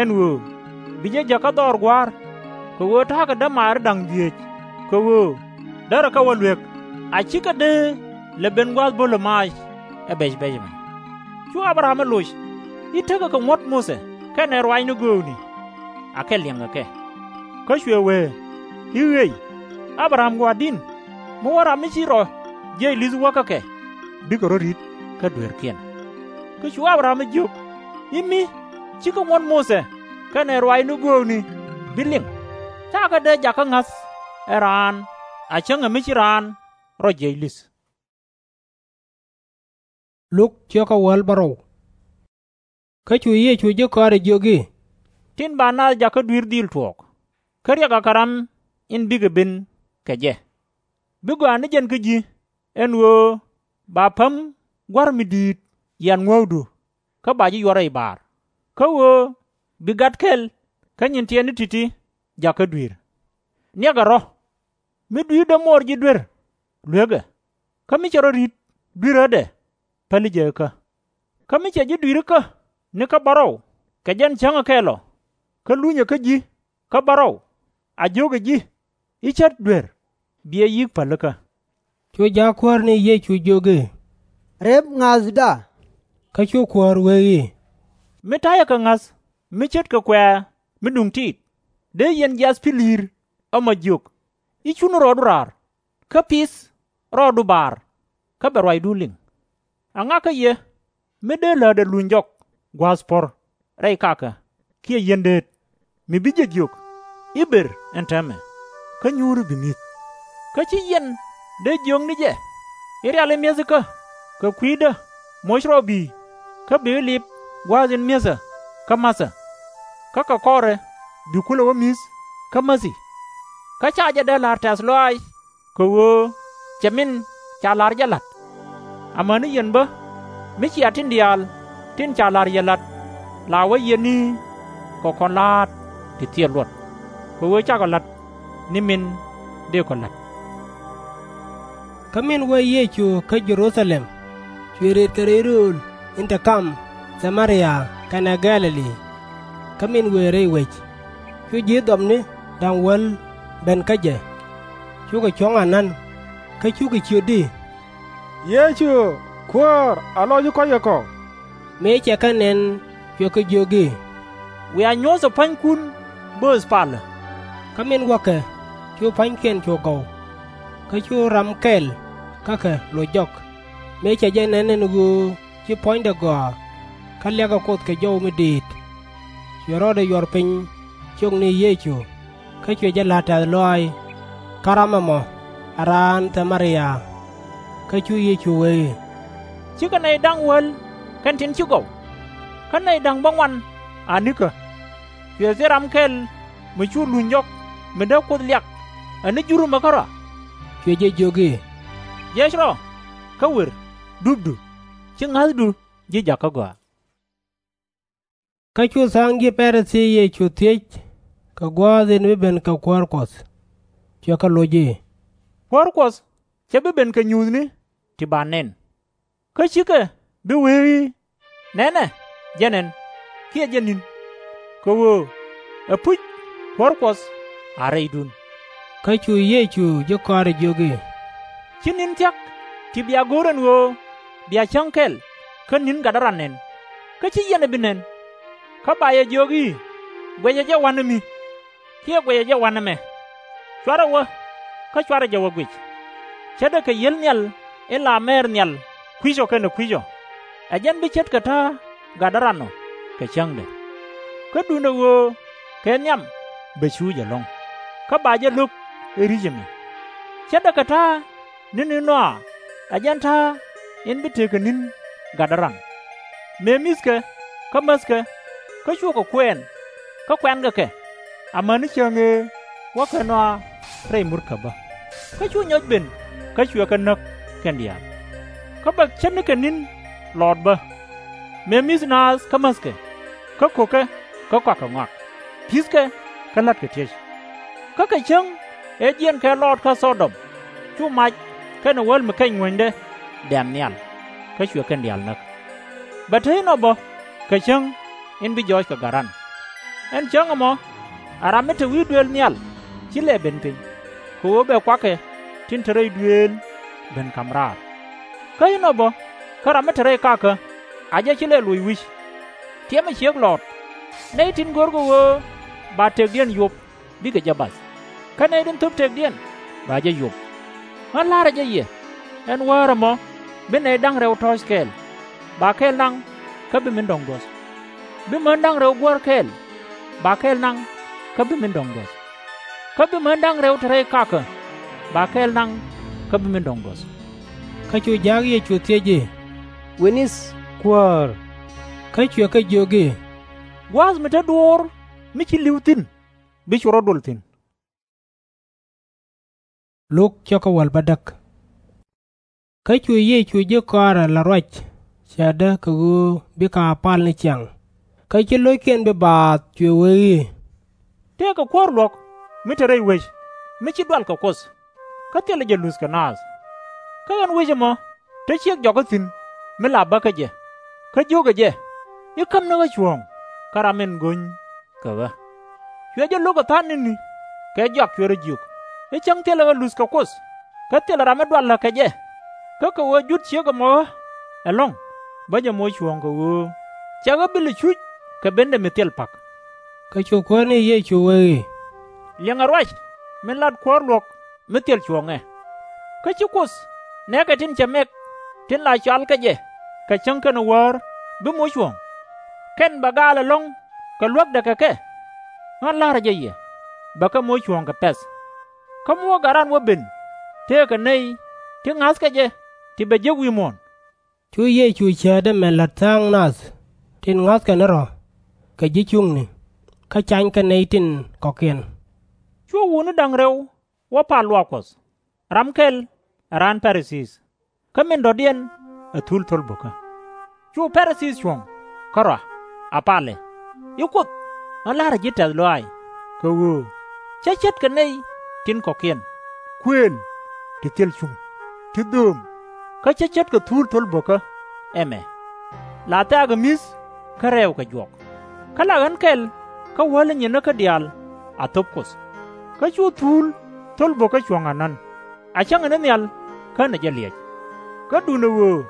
ɛn ɣöö bi jɛ jäk kä dhɔr gua̱a̱r, kɛ ɣöö ta̱a̱kɛ dämaari da̱ŋ dhieec, kɛ ɣöö därɛ kɛ wä luek, a /cikɛ dee lɛ ben gua̱a̱th bo̱lɛ maac ɛ bɛc-bɛc ɛmɛ. Cu Abraham ɛ loc, i̱, Tekɛ kɛ ŋuɔ̱t Muthɛ kɛnɛ ruaacni göökni, akɛ liɛŋkɛ kɛ. Kä cuɛ wee, i̱, Ɣëë, Abraham gua̱a̱r di̱n, mi wä ram mi ci rɔ jiɛc li̱th wäkä kɛ bikɛ rɔ̱ ri̱t kä dueerkiɛn. Kä cu Abraham ɛ jiök, i̱, Mi /cikɛ ŋuɔ̱t Muthɛ kɛnɛ ruaacni göökni bi liŋ, /ca kɛ dee jakä ŋa̱th ɛ raan a cäŋ ɛ mi ci raan rɔ jiɛc li̱th. Kä cu Yecu ji̱ kɔaarɛ jiök i̱, Tin ba naath jakä dui̱r dhil tuɔɔk, kä riɛk akɛ ram in bikɛ ben kɛ jɛ. Bi gɔaa ni jɛn kä ji̱, ɛn ɣöö ba päm gua̱r mi di̱i̱t yian ŋuäkdu, kä ba ji̱ yuɔr rɛy baar, kä ɣöö bi gat kɛl kä nyin tiɛtni ti̱ti̱ jakä dui̱r. Niɛkɛ rɔ̱, mi dui̱r dämuɔɔr ji̱ duer, luekɛ, kä mi cɛ rɔ ri̱t duirädɛ, päli jɛ ikä. Kä mi cɛ ji̱ dui̱r ikä ni kä bärɔw, kɛ jɛn cäŋɛ kɛl ɔ, kä lunyɛ kä ji̱ kä bärɔw, a jio̱kɛ ji̱, i̱, Cät duer, bi ɛ yi̱k pälikä. Cu jaakuäär ni Yecu jiök i̱, Rep ŋa̱thda. Kä cu kuäär wee i̱, Mi ta̱yɛ kɛ ŋa̱th mi ce̱tkɛ kuɛ̈ɛ̈ mi duŋ tiit, dee yɛn jiath pi̱l i̱i̱r ɛmɔ jiök, i̱, Cun rɔɔdu raar, kä pith rɔɔdu baar, kä bɛ ruacdun liŋ. Aŋakä yɛ mi dee läätdɛ luny jɔk gua̱a̱th puɔ̱r rɛy kakä kiɛ yiendëët, mi bi jɛ jiök, i̱, Ber ɛn täämɛ, kä nyuuri bi mi̱th. Kä /ci yɛn dee jiök ni jɛ, i̱, Riali mi̱ethikä kɛ kui̱dä moc rɔ bi̱i̱, kä bikɛ lip gua̱a̱th in mi̱ethä kä ma̱thä. Kä kɛ kɔrɛ bi kulɛ wä mi̱th kä mäthi. Kä /ca jɛ dee la̱r tɛ̈th lɔaac, kɛ ɣöö cɛ min ca la̱r jɛ la̱t. Amäni yɛn bä, mi cia tin diaal tin ca la̱r yɛ la̱t, la wä yɛn i̱, Kɛ kɔn la̱a̱t ti thil luɔt, kɛ ɣöö cakɔ la̱t ni min dëëkɔ la̱t. Kä min wee Yecu kä Jɛ-ru-tha-lɛm, cuɛ rëët kɛ rɛy rööl in te kam Tha-mɛ-ria kɛnɛ Gɛ̈-lɛ-li. Kä min wëë rɛy wec, cu ji̱ dhɔpni da̱ŋ wäl ben kä jɛ, cukɛ cuɔ̱ŋ anan, kä cukɛ ciöt i̱, Yecu, Kuäär, a lɔc i̱ kɔ̱cɛ kɔ. Mëë cɛ kɛ nɛn, cuɛ kɛ jiök i̱, Wiaa nyuɔ̱thɛ pua̱nykun bööth palä. Kä min wäkɛ, cu pua̱nykiɛn cu gɔw. Kä cu ram kɛl kä kɛ loc jɔk, mëë cɛ jɛ nɛn ɛn ɣöö ci puɔ̱nydɛ gɔaa, kä liakɛ Kuoth kɛ jɔw mi di̱i̱t. Cuɛ rɔɔdɛ yuɔr piny ciökni Yecu, kä cuɛ jɛ la̱r tɛ̈th lɔaac. Kä ram ɛmɔ ɛ raan Tha-mɛ-ria. Kä cu Yecu wee i̱, Cikɛ nɛy da̱ŋ wäl kɛn tin ci gɔw, kä nɛy da̱ŋ bäŋuan anikä. Cuɛ thil ram kɛl mi cu luny jɔk mi dee Kuoth liak ɛ ni jur ɛmɛ kärɔa? Cuɛ jɛ jiök i̱, Jiɛc rɔ, kä wer, dupdu, /ci ŋa̱thdu ji̱ jakä gɔaa. Kä cu tha̱a̱ŋ ji̱ Pa-ri-thii Yecu thiec kɛ gua̱a̱th in bi ben kɛ Kuäär Kuɔth. Cuɛ kɛ loc i̱, Kuäär Kuɔth /cɛ bi ben kɛ nyuuthni ti ba nɛn. Kä /cikɛ bi wee i̱, Nɛnɛ, jɛn ɛn, kiɛ, Jɛn ni̱n, kɛ ɣöö ɛpuc Kuäär Kuɔth a rɛydun. Kä cu Yecu ji̱ kɔaarɛ jiök i̱, Ci ni̱n thia̱k ti bia go̱o̱r ɛn ɣöö bia cäŋ kɛl kä ni̱n gatdä ran nɛn, kä /ci yɛn ɛ bi nɛn. Kä ba yɛ jiök i̱, Guɛcɛ jɛ wa̱nɛ mi. kiɛ guɛcɛ jɛ wanɛ mɛ. /Cuarɛ wä, kä /cuarɛ jɛ wä guic. Ce̱tdɛ kɛ yi̱el nhial in la mɛɛr nhial kui̱c ɔ kɛnɛ kui̱c ɔ, ɛ jɛn bi ce̱tkɛ ta̱a̱ gatdä ran ɔ kɛ cäŋdɛ. Kä duundɛ ɣöö kɛ nhiam bɛ cuuc ɛlɔ̱ŋ, kä ba jɛ lo̱k ɛ ri̱c ɛmɛ. Ce̱tdɛ kɛ ta̱a̱ ni̱n in nɔaa, ɛ jɛn ta̱a̱ in bi tekɛ ni̱n gatdä ran. Mëë mi̱thkɛ, kä mäthkɛ, kä cuɛ kɛ kuɛɛn, kä kuɛnkɛ kɛ, amäni cäŋ ëë wäkɛ nɔaa rɛy murkä bä. Kä cu nyɔc ben, kä cuɛ kɛ näk kɛn diaal. Kä bɛ ce̱tnikɛ ni̱n lɔɔt bä. Mëë mi̱th naath kä mäthkɛ, kä ko̱kɛ kä kɔakɛ ŋɔak, pi̱thkɛ kä la̱tkɛ tiec. Kä kɛ cäŋ ëë jiɛɛn kɛ lɔɔt kä Thɔ-dɔm, cu mac kɛnɛ wäl mi kɛc ŋuäänydɛ dɛ̈m nhial, kä cuɛ kɛn diaal näk. Bɛ te inɔ bä kɛ cäŋ in bi jɔɔc kɛ gat ran. Ɛn cäŋ ɛmɔ, ɛ ram mi te wi̱i̱ duëël nhial /ci lɛ ben piny, kɛ ɣöö bɛ kuakɛ tin te rɛy duëël ben ka̱m raar. Kä inɔ bä, kä ram mi te rɛy kakä, a jɛ /ci lɛ loc wi̱c. Tiɛmɛ ciek lɔɔt, nɛy tin görkɛ ɣöö ba tëkdiɛn yop bikɛ jɛ bath, kä nɛy tin thöp tëkdiɛn ba jɛ yop. Ɣän la̱rä jɛ yɛ, ɛn wäär ɛmɔ bi nɛy da̱ŋ rɛw tɔ̱ɔ̱c kɛɛl, ba kɛl naŋ kä bi min dɔ̱ŋ duɔth. Bi män da̱ŋ rɛw guäär kɛɛl, ba kɛl naŋ kä bi min dɔ̱ŋ duɔth. Kä bi män da̱ŋ rɛw te rɛy kakä, ba kɛl naŋ kä bi min dɔ̱ŋ duɔth. Kä cu ja̱a̱k Yecu thiec i̱, Wi̱ni, Kuäär? Kä cuɛ kɛ jiök i̱, Gua̱a̱th mi te duɔ̱ɔ̱r mi ci li̱w thi̱n bi cu rɔ̱ dol thi̱n. Kä cu Yecu ji̱ kɔaarɛ la̱t ruac cäätdä kɛ ɣöö bikɛ a pal ni ciaŋ. Kä ci lo̱ckiɛn bi baath, cuɛ wee i̱, Tëëkɛ kuäär luɔ̱k mi te rɛy wec mi ci dual kɛ Kuoth, kä thilɛ jɛ luthkɛ naath. Kä ɛn wec ɛmɔ te ciek jɔkä thi̱n mi la bäkä jɛ, kä jiökɛ jɛ i̱, Käm ni ɣä cuɔ̱ɔ̱ŋ kä ram in go̱ny kɛ ɣä. Cuɛ jɛ lo̱k ɛ tha̱a̱ŋ ni̱ni kɛ jɔak cuɛ rɔ jiök i̱, Cäŋ thilɛ ɣä luth kɛ Kuoth, kä thilɛ ram mi dualä kɛ jɛ. Kä kɛ ɣöö jut ciek ɛmɔ ɣä ɛlɔ̱ŋ, bä jɛ moc cuɔ̱ɔ̱ŋ kɛ ɣöö /cɛ ɣä bi lɛ cuc kɛ Bendɛ mi thil pa̱k. Kä cu Kuäär ni Yecu wee i̱, Liɛŋɛ ruac min lat kuäär luɔ̱k mi thil cuɔ̱ɔ̱ŋɛ. Kä /ci Kuoth nɛ̈kɛ tin cɛ mɛk tin la cɔalkɛ jɛ kɛ cäŋ kɛnɛ wäär bi moc cuɔ̱ɔ̱ŋ? Kɛn bɛ gaal ɛlɔ̱ŋ kɛ luäkdɛ kɛ kɛ. Ɣän la̱rä jɛ yɛ, bɛ kɛ moc cuɔ̱ɔ̱ŋ kɛ pɛ̈th. Kä mi wä gat ran wä ben, tëëkɛ nɛy ti ŋa̱thkɛ jɛ ti bɛ jek wi̱i̱ muɔ̱ɔ̱n. Cu Yecu cäätdä mɛ la̱t tha̱a̱ŋ nath tin ŋa̱thkɛ ni rɔ̱ kɛ ji̱ cuŋni, kä canykɛ nɛy tin kɔ̱kiɛn. Cu wutni da̱ŋ rɛw wä pal luaak Kuɔth. Ram kɛl ɛ raan Pa-ri-thii, kä min dɔ̱diɛn ɛ thul thol bo̱kä. Cu Pa-ri-thii cuɔ̱ŋ kärɔa, a palɛ i̱, Kuoth, ɣän la̱rä ji̱ tɛ̈th lɔaac, kɛ ɣöö cä ce̱tkɛ nɛy tin kɔ̱kiɛn, kuëël ti thil cuŋ, ti dhööm, kä cä ce̱tkɛ thul thol bo̱kä ɛmɛ. La thɛ̈ɛ̈kɛ mi̱th kä rɛɛw kɛ juɔk. Kä la ɣän kɛl kä wäl in nyinekä diaal a thöp Kuoth. Kä cu thul thol bo̱kä cuɔ̱ŋ anan, a cäŋɛ ni nhial kä ni jɛ liɛc. Kä duundɛ ɣöö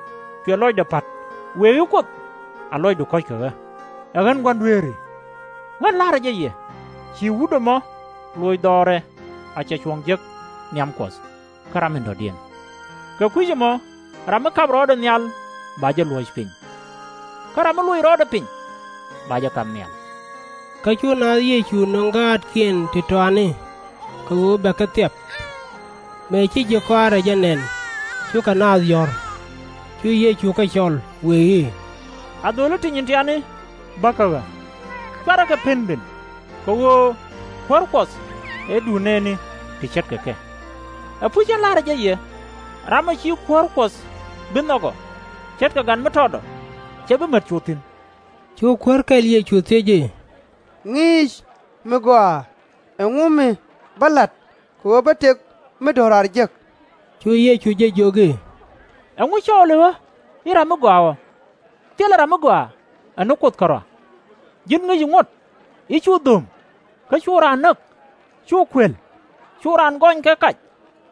cuɛ lɔcdɛ pa̱t, wëë i̱, Kuoth, a lɔcdu kɔ̱ckɛ ɣä, ɛ ɣän Gua̱n dueeri. Ɣän la̱rä jɛ yɛ, ci wut ɛmɔ loc dhɔrɛ a cɛ cuɔ̱ŋ jek nhiam Kuɔth kä ram in dɔ̱diɛn. Kɛ kui̱c ɛmɔ ram mi kap rɔɔdɛ nhial ba jɛ luɔ̱c piny, kä ram mi loc rɔɔdɛ piny ba jɛ kap nhial. Kä cu naath Yecu nöŋ gaatkiɛn ti tɔani, kɛ ɣöö bɛ kɛ thiap. Mëë ci ji̱ kɔaarɛ jɛ nɛn, cukɛ naath yɔ̱r. Cu Yecu kɛ cɔl wëë i̱, Adholi ti nyin tiani bä kä ɣä. /Cuarɛ kɛ pen ben, kɛ ɣöö kuäär Kuɔth ɛ duŋ nɛɛni ti ce̱tkɛ kɛ. Ɛpuc, ɣän la̱rä jɛ yɛ, ram ɔ ci kuäär Kuɔth bi nhɔk ɔ, ce̱tkɛ gat mi tɔt ɔ, /cɛ bi mät cu thi̱n. Cu kuäär kɛl Yecu thiec i̱, Ŋi̱i̱c, mi gɔaa, ɛŋu mi bä la̱t kɛ ɣöö bä tëk mi do̱raar jek? Cu Yecu jɛ jiök i̱, Ɛŋu cɔɔli ɣä i̱ ram mi gɔaa ɔ? Thilɛ ram mi gɔaa ɛ ni Kuoth kärɔa. Ji̱n ŋäci ŋuɔ̱t i̱ cu dho̱o̱m, kä cu raan näk, cu kuël, cu raan gɔny kɛ kac,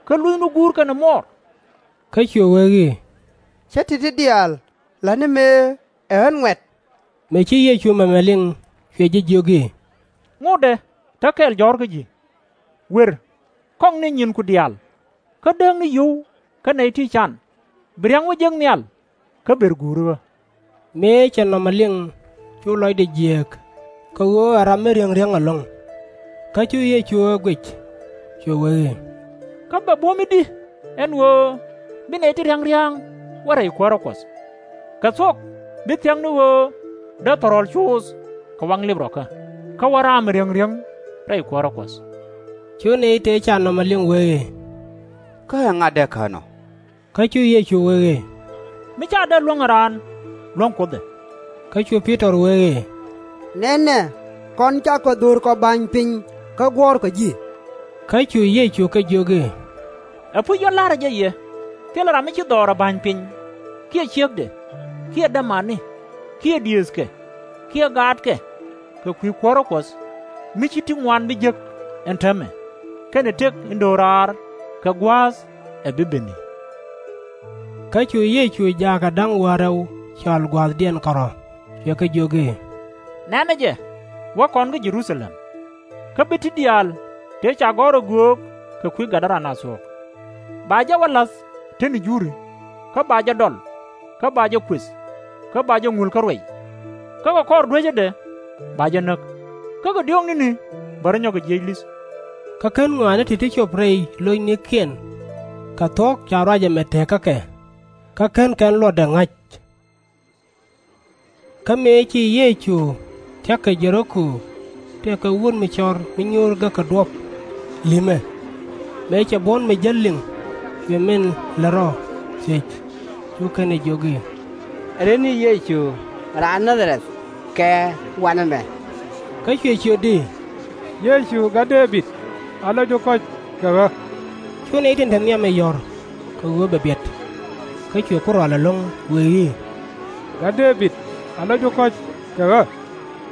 kä luthni guur kɛnɛ muɔɔr. Kä cuɛ wee i̱, Cä ti̱ti̱ diaal la̱tni mëë ɛ ɣän ŋuɛ̈t. Mëë ci Yecu mɛmɛ liŋ, cuɛ jɛ jiök i̱, Ŋotdɛ, te kɛl jɔ̱ɔ̱r kä ji̱. Wer, kɔŋni nyinku diaal, kä dääkni yio̱w kä nɛy ti can, bi ria̱ŋ wä jek nhial, kä ber guuri ɣä. Mëë cɛ nɔmɔ liŋ, cu lɔcdɛ jiääk, kɛ ɣöö ɛ ram mi riäŋ riäŋ ɛlɔ̱ŋ. Kä cu Yecu ɛ guic, cuɛ wee i̱, Kä bɛ buɔ̱m i̱di ɛn ɣöö bi nɛy ti ria̱ŋ ria̱ŋ wä rɛy kuäärä Kuɔth? Kɛ thuɔ̱k bi thia̱k ni ɣöö dee thɔrɔl cuuth kɛ waŋ lip rɔ̱kä, kä wä ram mi riäŋ riäŋ rɛy kuäärä Kuɔth. Cu nɛy tëë ca nɔmɔ liŋ wee i̱, Kä ɛ ŋa dee kän ɔ? Kä cu Yecu wee i̱, Mi ca dee luäŋ ɛ raan, luäŋ Kuoth ɛ. Kä cu Pi-tɔr wee i̱, Nɛnɛ, kɔn cakɔ dho̱r kɔ ba̱ny piny kä guɔ̱ɔ̱rkɔ ji̱. Kä cu Yecu kɛ jiök i̱, Ɛpuc ɣä la̱rä jɛ yɛ, thilɛ ram mi ci dhɔɔr ɛ ba̱ny piny, kiɛ ciekdɛ, kiɛ dämani, kiɛ diëëthkɛ, kiɛ gaatkɛ, kɛ kui̱ kuäärä Kuɔth, mi ci ti ŋuan bi jek ɛn täämɛ, kɛnɛ tëk in do̱raar kɛ gua̱a̱th ɛ bi beni. Kä cu Yecu jaakɛ da̱ŋ wäl rɛw cɔal gua̱a̱thdiɛn kärɔ̱, cuɛ kɛ jiök i̱, Nɛnɛ jɛ, wä kɔn kä Jɛ-ru-tha-lɛm, kä bi ti diaal tëë ca gɔ̱r ɛ göök kɛ kui̱ Gada-ra-na thuɔ̱k. Ba jɛ wä la̱th te ni juri, kä ba jɛ dɔl, kä ba jɛ kuëth, kä ba jɛ ŋul kä ruɛy. Kä kɛ kɔr duecädɛ ba jɛ näk, kä kɛ diɔ̱ɔ̱k ni̱ni bɛ rɔ nyɔk kɛ jiëc li̱th. Kä /ken ŋɔaani ti̱ti̱ cop rɛy lo̱cnikiɛn, kɛ thuɔ̱k ca ruac ɛmɛ teekä kɛ, kä /ken kɛn luɔtdɛ ŋa̱c. Kä mëë ci Yecu thia̱k kɛ Jɛ-ri-ko, tëëkɛ wut mi cɔr mi nyuur gäk kɛ duɔ̱p li̱mɛ. Mëë cɛ buɔ̱n mi jäl liŋ, cuɛ min lät rɔ thiec, cu kɛn ɛ jiök i̱, Ɛ ret ni Yecu raan Naa-dha-rɛth kɛ wanɛ mɛ? Kä cuɛ ciöt i̱, Yecu Gat Dee-bid, alo̱cdu kɔ̱c kɛ ɣä! Cu nɛy tin te nhiamɛ yɔ̱r kɛ ɣöö bɛ biɛt. Kä cuɛ ku rɔal ɛlɔ̱ŋ, wee i̱, Gat Dee-bid, alo̱cdu kɔ̱c kɛ ɣä!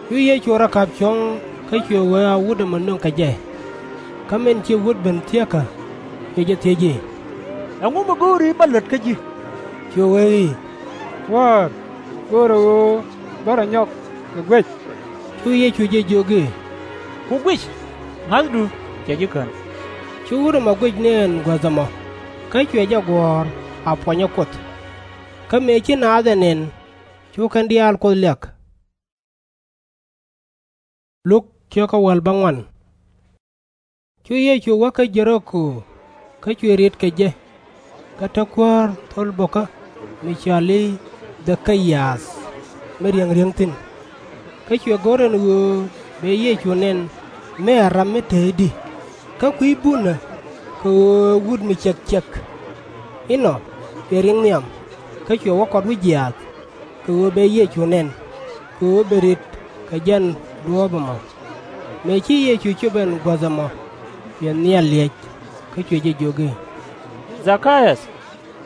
Cu Yecu rɔ ka̱p cuɔ̱ŋ, kä cuɛ wee a wut ɛmɔ nöŋ kɛ jɛ. Kä min ci wut ben thieekä, cuɛ jɛ thiec i̱, Ɛŋu mi go̱o̱ri bä lät kä ji̱? Cuɛ wee i̱, Kuäär, go̱o̱rɛ ɣöö bä rɔ nyɔk kɛ guɛc. Cu Yecu jɛ jiök i̱, Ku guic, ŋa̱thdu cɛ ji̱ kän. Cu wut ɛmɔ guic ni ɛn guäth ɛmɔ, kä cuɛ jɛ guɔ̱ɔ̱r a puɔnyä Kuoth. Kä mëë ci naath ɛ nɛn, cu kɛn diaal Kuoth liak. Cu Yecu wä kä Jɛ-ri-ko, kä cuɛ riet kɛ jɛ. Kä te kuäär thol bo̱kä mi cɔal i̱ Dhɛ-ke-yath, mi riäŋ riäŋ thi̱n. Kä cuɛ go̱r ɛn ɣöö bɛ Yecu nɛn mëë ɛ ram mi te i̱di, kä kui̱ bunä, kɛ ɣöö ɛ wut mi ciɛk ciɛk. Inɔ cuɛ riŋ nhiam, kä cuɛ wä kɔt wi̱c jiaath, kɛ ɣöö bɛ Yecu nɛn, kɛ ɣöö bɛ ri̱t kɛ jɛn duɔ̱ɔ̱p ɛmɔ. Mëë ci Yecu cop ɛn guäth ɛmɔ, cuɛ nhial liɛc, kä cuɛ jɛ jiök i̱, Dhɛ-ka-yäth,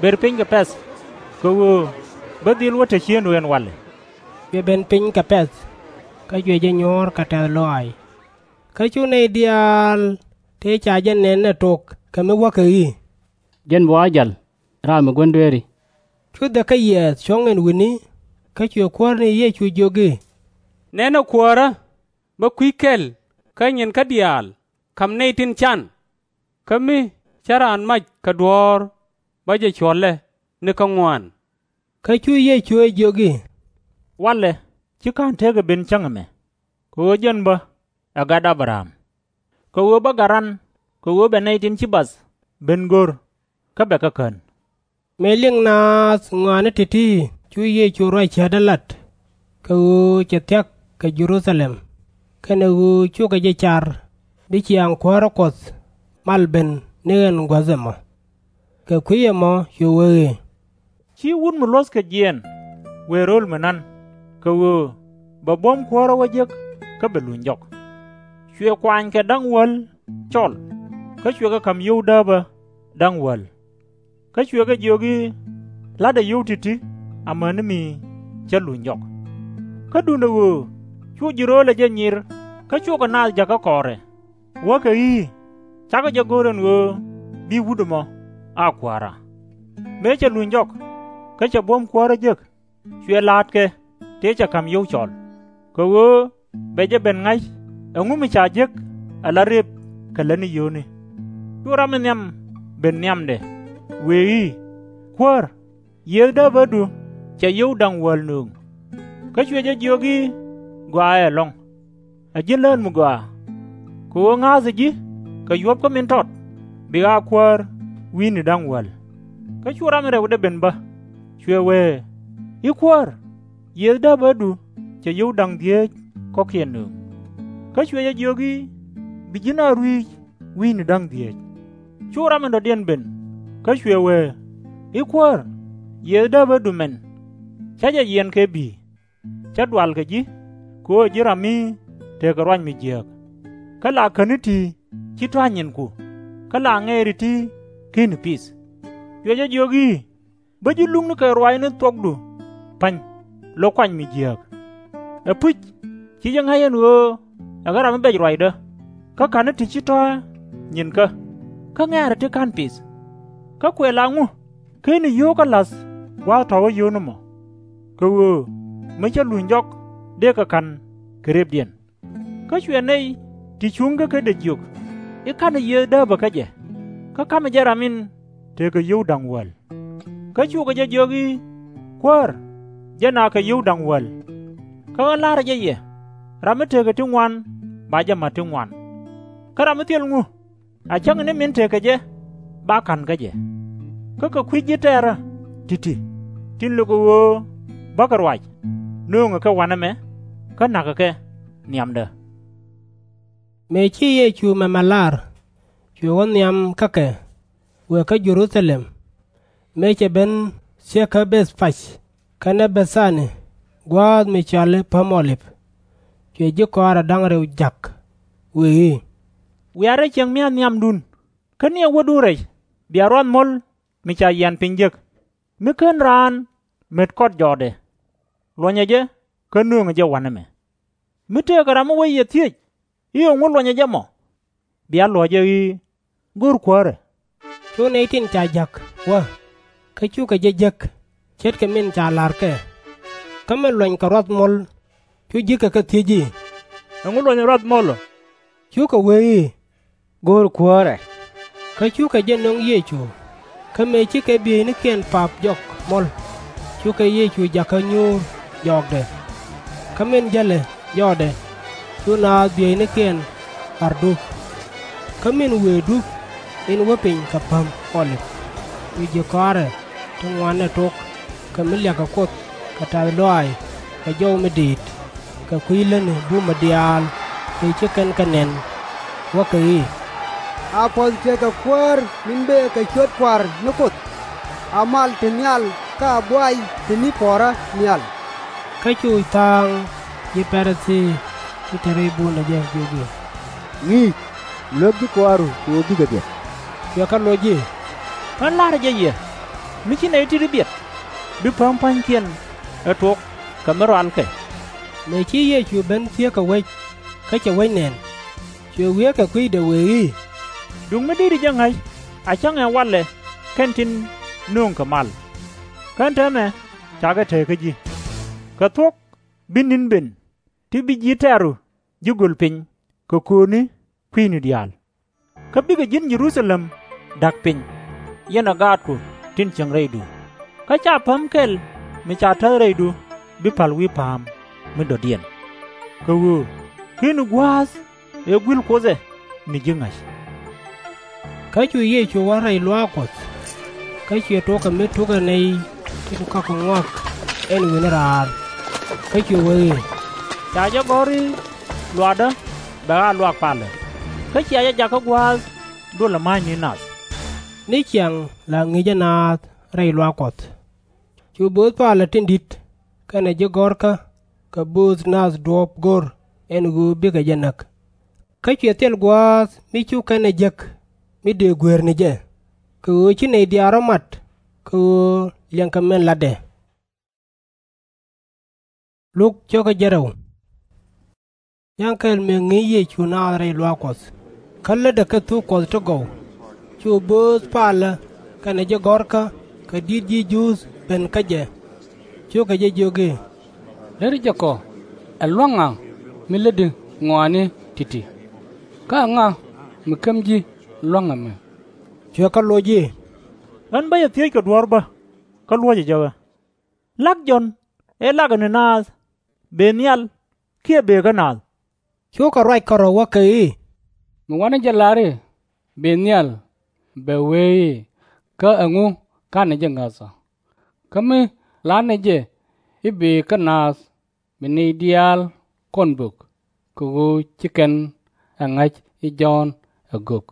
ber piny kɛ pɛ̈th, kɛ ɣöö bä dhil wä te ciëŋdu ɛn walɛ. Cuɛ ben piny kɛ pɛ̈th, kä cuɛ jɛ nyuɔ̱ɔ̱r kɛ tɛ̈th lɔaac. Kä cu nɛy diaal tëë ca jɛ nɛn ɛ tok kɛ mi wäkɛ i̱, Jɛn bɛ wa jäl, ram mi gua̱n dueeri. Cu Dhɛ-ke-yath cuɔ̱ŋ ɛn wi̱ni, kä cuɛ kuäär ni Yecu jiök i̱, Nɛnɛ, Kuäärä, bä kui̱ kɛl kä nyinkä diaal ka̱m nɛy tin can, kä mi cä raan mac kɛ duɔ̱ɔ̱r bä jɛ cuɔ̱lɛ ni kä ŋuan. Kä cu Yecu ɛ jiök i̱, Walɛ /ci /ka̱n tekɛ ben cäŋ ɛmɛ, kɛ ɣöö jɛn bä ɛ gat Abraham. Kɛ ɣöö bä gat ran kɛ ɣöö bɛ nɛy tin ci bath ben go̱r, kä bɛ kɛ kän. Mëë liŋ naath ŋɔaani ti̱ti̱, cu Yecu ruac cäätdä lat, kɛ ɣöö cɛ thia̱k kɛ Jɛ-ru-tha-lɛm, kɛnɛ ɣöö cukɛ jɛ car bi ciaaŋ kuäärä Kuɔth mal ben ni ɛn guäth ɛmɔ. Kɛ kui̱ ɛmɔ cuɛ wee i̱, Ci wut mi luɔ̱thkɛ jiɛɛn wëë ro̱l mi na̱n, kɛ ɣöö bɛ buɔ̱m kuäärä wä jek kä bɛ luny jɔk. Cuɛ kuany kɛ da̱ŋ wäl cɔl, kä cuɛ kɛ ka̱m yio̱w dääpä da̱ŋ wäl. Kä cuɛ kɛ jiök i̱, La̱tdɛ yio̱w ti̱ti̱ amäni mi cä luny jɔk. Kä duundɛ ɣöö cu ji̱ ro̱o̱lɛ jɛ nyir kä cukɛ naath jäkä kɔɔrɛ, wäkɛ i̱, Cakɔ jɛ go̱r ɛn ɣöö bi wut ɛmɔ a kua̱ra. Mëë cɛ luny jɔk, kä cɛ buɔ̱m kuäärä jek, cuɛ la̱a̱tkɛ tëë cɛ ka̱m yio̱w cɔl, kɛ ɣöö bɛ jɛ ben ŋa̱c ɛŋu mi ca jek ala rëp kɛ lätni yio̱o̱ni. Cu ram in nhiam ben nhiamdɛ, wëë i̱, Kuäär, yiëëth dääpädu cɛ yio̱w da̱ŋ wäl nööŋ. Kä cuɛ jɛ jiök i̱, Gɔaaɛ ɛlɔ̱ŋ, ɛ ji̱n lään mi gɔaa. Kɛ ɣöö ŋa̱a̱thɛ ji̱ kɛ yuɔ̱pkä min tɔt, bik a kuäär wi̱i̱ni da̱ŋ wäl. Kä cu ram in rɛwdɛ ben bä, cuɛ wëë i̱, Kuäär, yiëëth dääpädu cɛ yio̱w da̱ŋ dhieec kɔ̱kiɛn nööŋ. Kä cuɛ jɛ jiök i̱, Bi ji̱n a rui̱c wi̱i̱ni da̱ŋ dhieec. Cu ram in dɔ̱diɛn ben, kä cuɛ wëë i̱, Kuäär, yiëëth dääpädu mɛn, /cä jɛ yiɛn kɛ bi̱i̱. /Cä dual kɛ ji̱, kɛ ɣöö ji̱ ram mi tekɛ ruac mi jiääk, kä la käni ti /ci tɔ̱ a nyinku, kä la ŋɛɛri ti /keni pith. Cuɛ jɛ jiök i̱, Bä ji̱ lukni kɛ ruaacni thuɔ̱kdu pa̱ny, lo̱k kuany mi jiääk. Ɛpuc, /ci jɛ ŋa̱c ɛn ɣöö ɛ ɣän ram mi bɛc ruacdä, kä ka̱ni ti /ci tɔ̱ a nyinkä, kä ŋɛɛri ti /ka̱n pith. Kä kuɛ la ŋu /keni yio̱w kä la̱th gua̱a̱th tɔ̱ wä yio̱w ni mɔ? Kɛ ɣöö mi cä luny jɔk dëëkɛ ka̱n kɛ rëpdiɛn. Kä cuɛ nɛy ti cuŋ kä kädɛ jiök i̱, Ka̱nɛ yiëëth dääpä kä jɛ, kä ka̱mɛ jɛ ram in tekɛ yio̱w da̱ŋ wäl. Kä cukɛ jɛ jiök i̱, Kuäär, jɛn a kɛ yio̱w da̱ŋ wäl. Kä ɣän la̱rä jɛ yɛ, ram mi tekɛ ti ŋuan ba jɛ ma̱t ti ŋuan. Kä ram mi thil ŋu, a cäŋ ni min tekɛ jɛ, ba ka̱n kä jɛ. Kä kɛ kui̱ ji̱ tɛ̈rä ti̱ti̱, tin lökɛ ɣöö bäkɛ ruac, nööŋɛ kɛ wa̱nɛ mɛ, kä na̱kɛ kɛ nhiamdä. Mëë ci Yecu mɛmɛ lar, cuɛ wä nhiam kä kɛ, wëë kä Jɛ-ru-tha-lɛm, mëë cɛ ben thieekä Beth-pɛc kɛnɛ Bɛ̈th-a-ni, gua̱a̱th mi cɔal i̱ Päm Ɔ-lip. Cuɛ ji̱ kɔaarɛ da̱ŋ rɛw ja̱k, wëë i̱, Wiaa rɛy cieŋ mia̱th nhiamdun, kä niɛ wädun rɛc bia ruath muɔ̱l mi ca yian piny jek, mi /ken raan met kɔt jɔɔkdɛ. Luɔ̱nyɛ jɛ, kä nööŋɛ jɛ wa̱nɛ mɛ. Mi tëëkɛ ram mi wec yɛ thiec i̱, Ɛŋu luɔ̱nyɛ jɛ mɔ? bia luɔ̱c jɛ i̱, Go̱r kuäärɛ. Cu nɛy tin ca ja̱k wä, kä cukɛ jɛ jek, ce̱tkɛ min ca la̱r kɛ. Kä min luɔ̱nykɛ ruath muɔ̱l cu ji̱kɛ kɛ thiec i̱, Ɛŋu luɔ̱nyɛ ruath muɔ̱l ɔ? Cukɛ wee i̱, Go̱r kuäärɛ. Kä cukɛ jɛ nöŋ Yecu. Kä mëë cikɛ bieynikiɛn pap jɔk muɔ̱l, cukɛ Yecu jakä nyuur jɔɔkdɛ. Kä min jälɛ jɔɔkdɛ, cu naath bieynikiɛn bar dup. Kä min wëë dup in wä piny kɛ Päm Ɔ-lip, cu ji̱ kɔaarɛ ti ŋuan ɛ tok, kɛ mi liakɛ Kuoth kɛ tɛ̈th lɔaac kɛ jɔw mi diit, kɛ kui̱ lätni bumä diaal tëë ci kɛn kɛ nɛn, wäkɛ i̱, A puɔ̱th tekɛ Kuäär min bëë kɛ ciöt Kua̱r ni Kuoth! A mal te nhial kä a buay te ni puɔ̱ɔ̱rä nhial! Kä cu tha̱a̱ŋ ji̱ Pa-ri-thii ti te rɛy buundä jɛ, jiök i̱, Ŋi̱i̱c, luek ji̱ kɔaaru kɛ ɣöö bikɛ biɛt. Cuɛ kɛ loc i̱, Ɣän la̱rä jɛ yɛ, mi ci nɛy ti̱ti̱ biɛt, bi päm pa̱nykiɛn ɛ tok kɛ mi rualkɛ. Mëë ci Yecu ben thieekä wec, kä cɛ wec nɛn, cuɛ wieekɛ kui̱dɛ, wëë i̱, Duŋ mi deri jɛ ŋa̱c, a cäŋ ɛ walɛ kɛn tin nööŋkɛ mal. Kä ɛn täämɛ cakɛ te kä ji̱. Kɛ thuɔ̱k bi ni̱n ben ti bi ji̱ tɛ̈ru ji̱ göl piny kɛ kööni kui̱ni diaal. Kä bikɛ ji̱n Jɛ-ru-tha-lɛm da̱k piny, yɛnɛ gaatku tin cieŋ rɛydu. Kä /ca päm kɛl mi ca täth rɛydu bi pa̱l wi̱i̱ pa̱a̱m mi dɔ̱diɛn. Kɛ ɣöö /keni gua̱a̱th ëë gui̱l Kuoth ɛ mi ji̱ ŋa̱c. Kä cu Yecu wä rɛy luaak Kuɔth, kä cuɛ tok kɛ mi tukɛ nɛy tin kɔakɛ ŋɔak ɛn wi̱ni raar, kä cuɛ wee i̱, Ca jɛ gɔ̱r i̱, Luaakdä bɛ ɣaak luaak palä, kä cia jɛ jakä gua̱a̱th duɔlɛ ma̱a̱cni nath. Ni ciaŋ la ŋi̱i̱cä naath rɛy luaak Kuɔth. Cu bööth palä tin di̱t kɛnɛ ji̱ gɔ̱rkä kɛ bööth nath duɔ̱ɔ̱p go̱r ɛn ɣöö bikɛ jɛ näk. Kä cuɛ thil gua̱a̱th mi cu kɛn ɛ jek mi dëë gueer ni jɛ, kɛ ɣöö ci nɛy diaal rɔ̱ mat kɛ ɣöö liɛŋkɛ min latdɛ. Ya̱ŋ kɛl mëë ŋi̱i̱c Yecu naath rɛy luaak Kuɔth, kä lätdɛ kɛ thuk Kuɔth ti gɔw, cu bööth palä kɛnɛ ji̱ gɔ̱rkä kɛ di̱t ji̱ Juudh ben kä jɛ. Cukɛ jɛ jiök i̱, Lätdi jɛ kɔ, ɛ lua̱ŋ ŋa mi lätdi ŋɔaani ti̱ti̱? Kä ɛŋa mi käm ji̱ lua̱ŋ ɛmɛ? Cuɛ kɛ loc i̱, Ɣän bä cɛ thiec kɛ duɔ̱ɔ̱r bä, kä luɔ̱cɛ jɛ ɣä. La̱k Jɔ̱ɔ̱n ëë lakɛ ni naath bëë nhial kiɛ bëë kä naath? Cukɛ ruac kärɔ̱ wäkɛ i̱, Mi wanɛ jɛ lar i̱, Bëë nhial, bɛ wee i̱, Kä ɛŋu ka̱nɛ jɛ ŋäthä? Kä mi la̱tnɛ jɛ i̱, Bëë kä naath, bi nɛy diaal kɔn bök, kɛ ɣöö /ci kɛn ɛ ŋa̱c i̱ Jɔ̱ɔ̱n ɛ gök.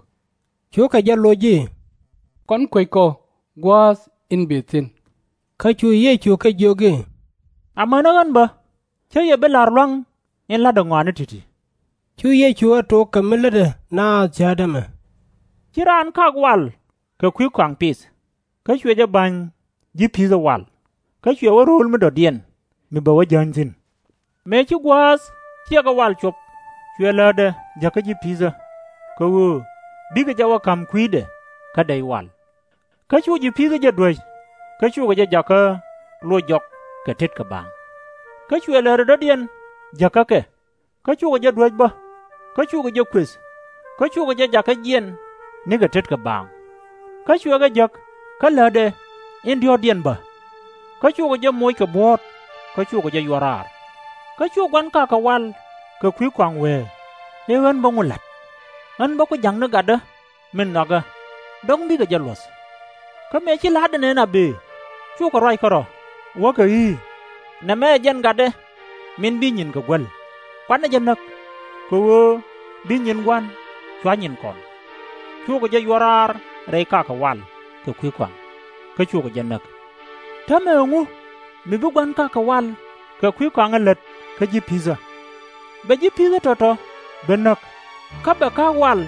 Cukɛ jɛ loc i̱, Kɔn kuec kɔ gua̱a̱th in bëë thi̱n. Kä cu Yecu kɛ jiök i̱, Amäni ɣän bä, /cä yɛ bi la̱r lua̱ŋ in la̱tdä ŋɔaani ti̱ti̱. Cu Yecu ɛ tok kɛ mi lätdɛ naath cäätdä ɛmɛ, Ci raan kak wal kɛ kui̱ kɔaŋ pith, kä cuɛ jɛ ba̱ny ji̱ pi̱thä wal, kä cuɛ wä ro̱o̱l mi dɔ̱diɛn mi bɛ wä jäny thi̱n. Mëë ci gua̱a̱th ciɛkɛ wal cop, cuɛ läätdɛ jäkä ji̱ pi̱thä, kɛ ɣöö bikɛ jɛ wä ka̱m kui̱dɛ kä dɛy wal. Kä cu ji̱ pi̱thä jɛ duäc, kä cukɛ jɛ jakä loc jɔk kɛ tetkɛ baaŋ. Kä cuɛ läätdɛ dɔ̱diɛn jäkä kɛ, kä cukɛ jɛ duäc bä, kä cukɛ jɛ kuëth, kä cukɛ jɛ jakä jiɛn nikɛ tetkɛ baaŋ. Kä cuɛ kɛ jäk kä läätdɛ in diɔ̱ɔ̱kdiɛn bä, kä cukɛ jɛ moc kɛ buɔ̱ɔ̱t, kä cukɛ jɛ yuɔr raar. Kä cu gua̱n kakɛ wal kɛ kui̱ kɔaŋ wëë i̱, Ɣän bä ŋu la̱t? Ɣän bä ku ja̱ŋni gatdä min nhɔakä, dɔ̱ŋ bikɛ jɛ luɔ̱th. Kä mëë ci la̱tdɛ nɛn a bëë, cukɛ ruac kärɔ̱ wäkɛ i̱, Nɛmɛ ɛ jɛn gatdɛ min bi nyinkɛ guäl, kuanɛ jɛ näk, kɛ ɣöö bi nyin Gua̱n cua̱ nyinkɔn. Cukɛ jɛ yuɔr raar rɛy kakɛ wal kɛ kui̱ kɔaŋ, kä cukɛ jɛ näk. Täämɛ ɛŋu mi bi gua̱n kakɛ wal kɛ kui̱ kɔaŋä lät kä ji̱ pi̱thä? Bɛ ji̱ pi̱thä tɔ̱tɔ̱ ben näk, kä bɛ ka̱a̱k wal,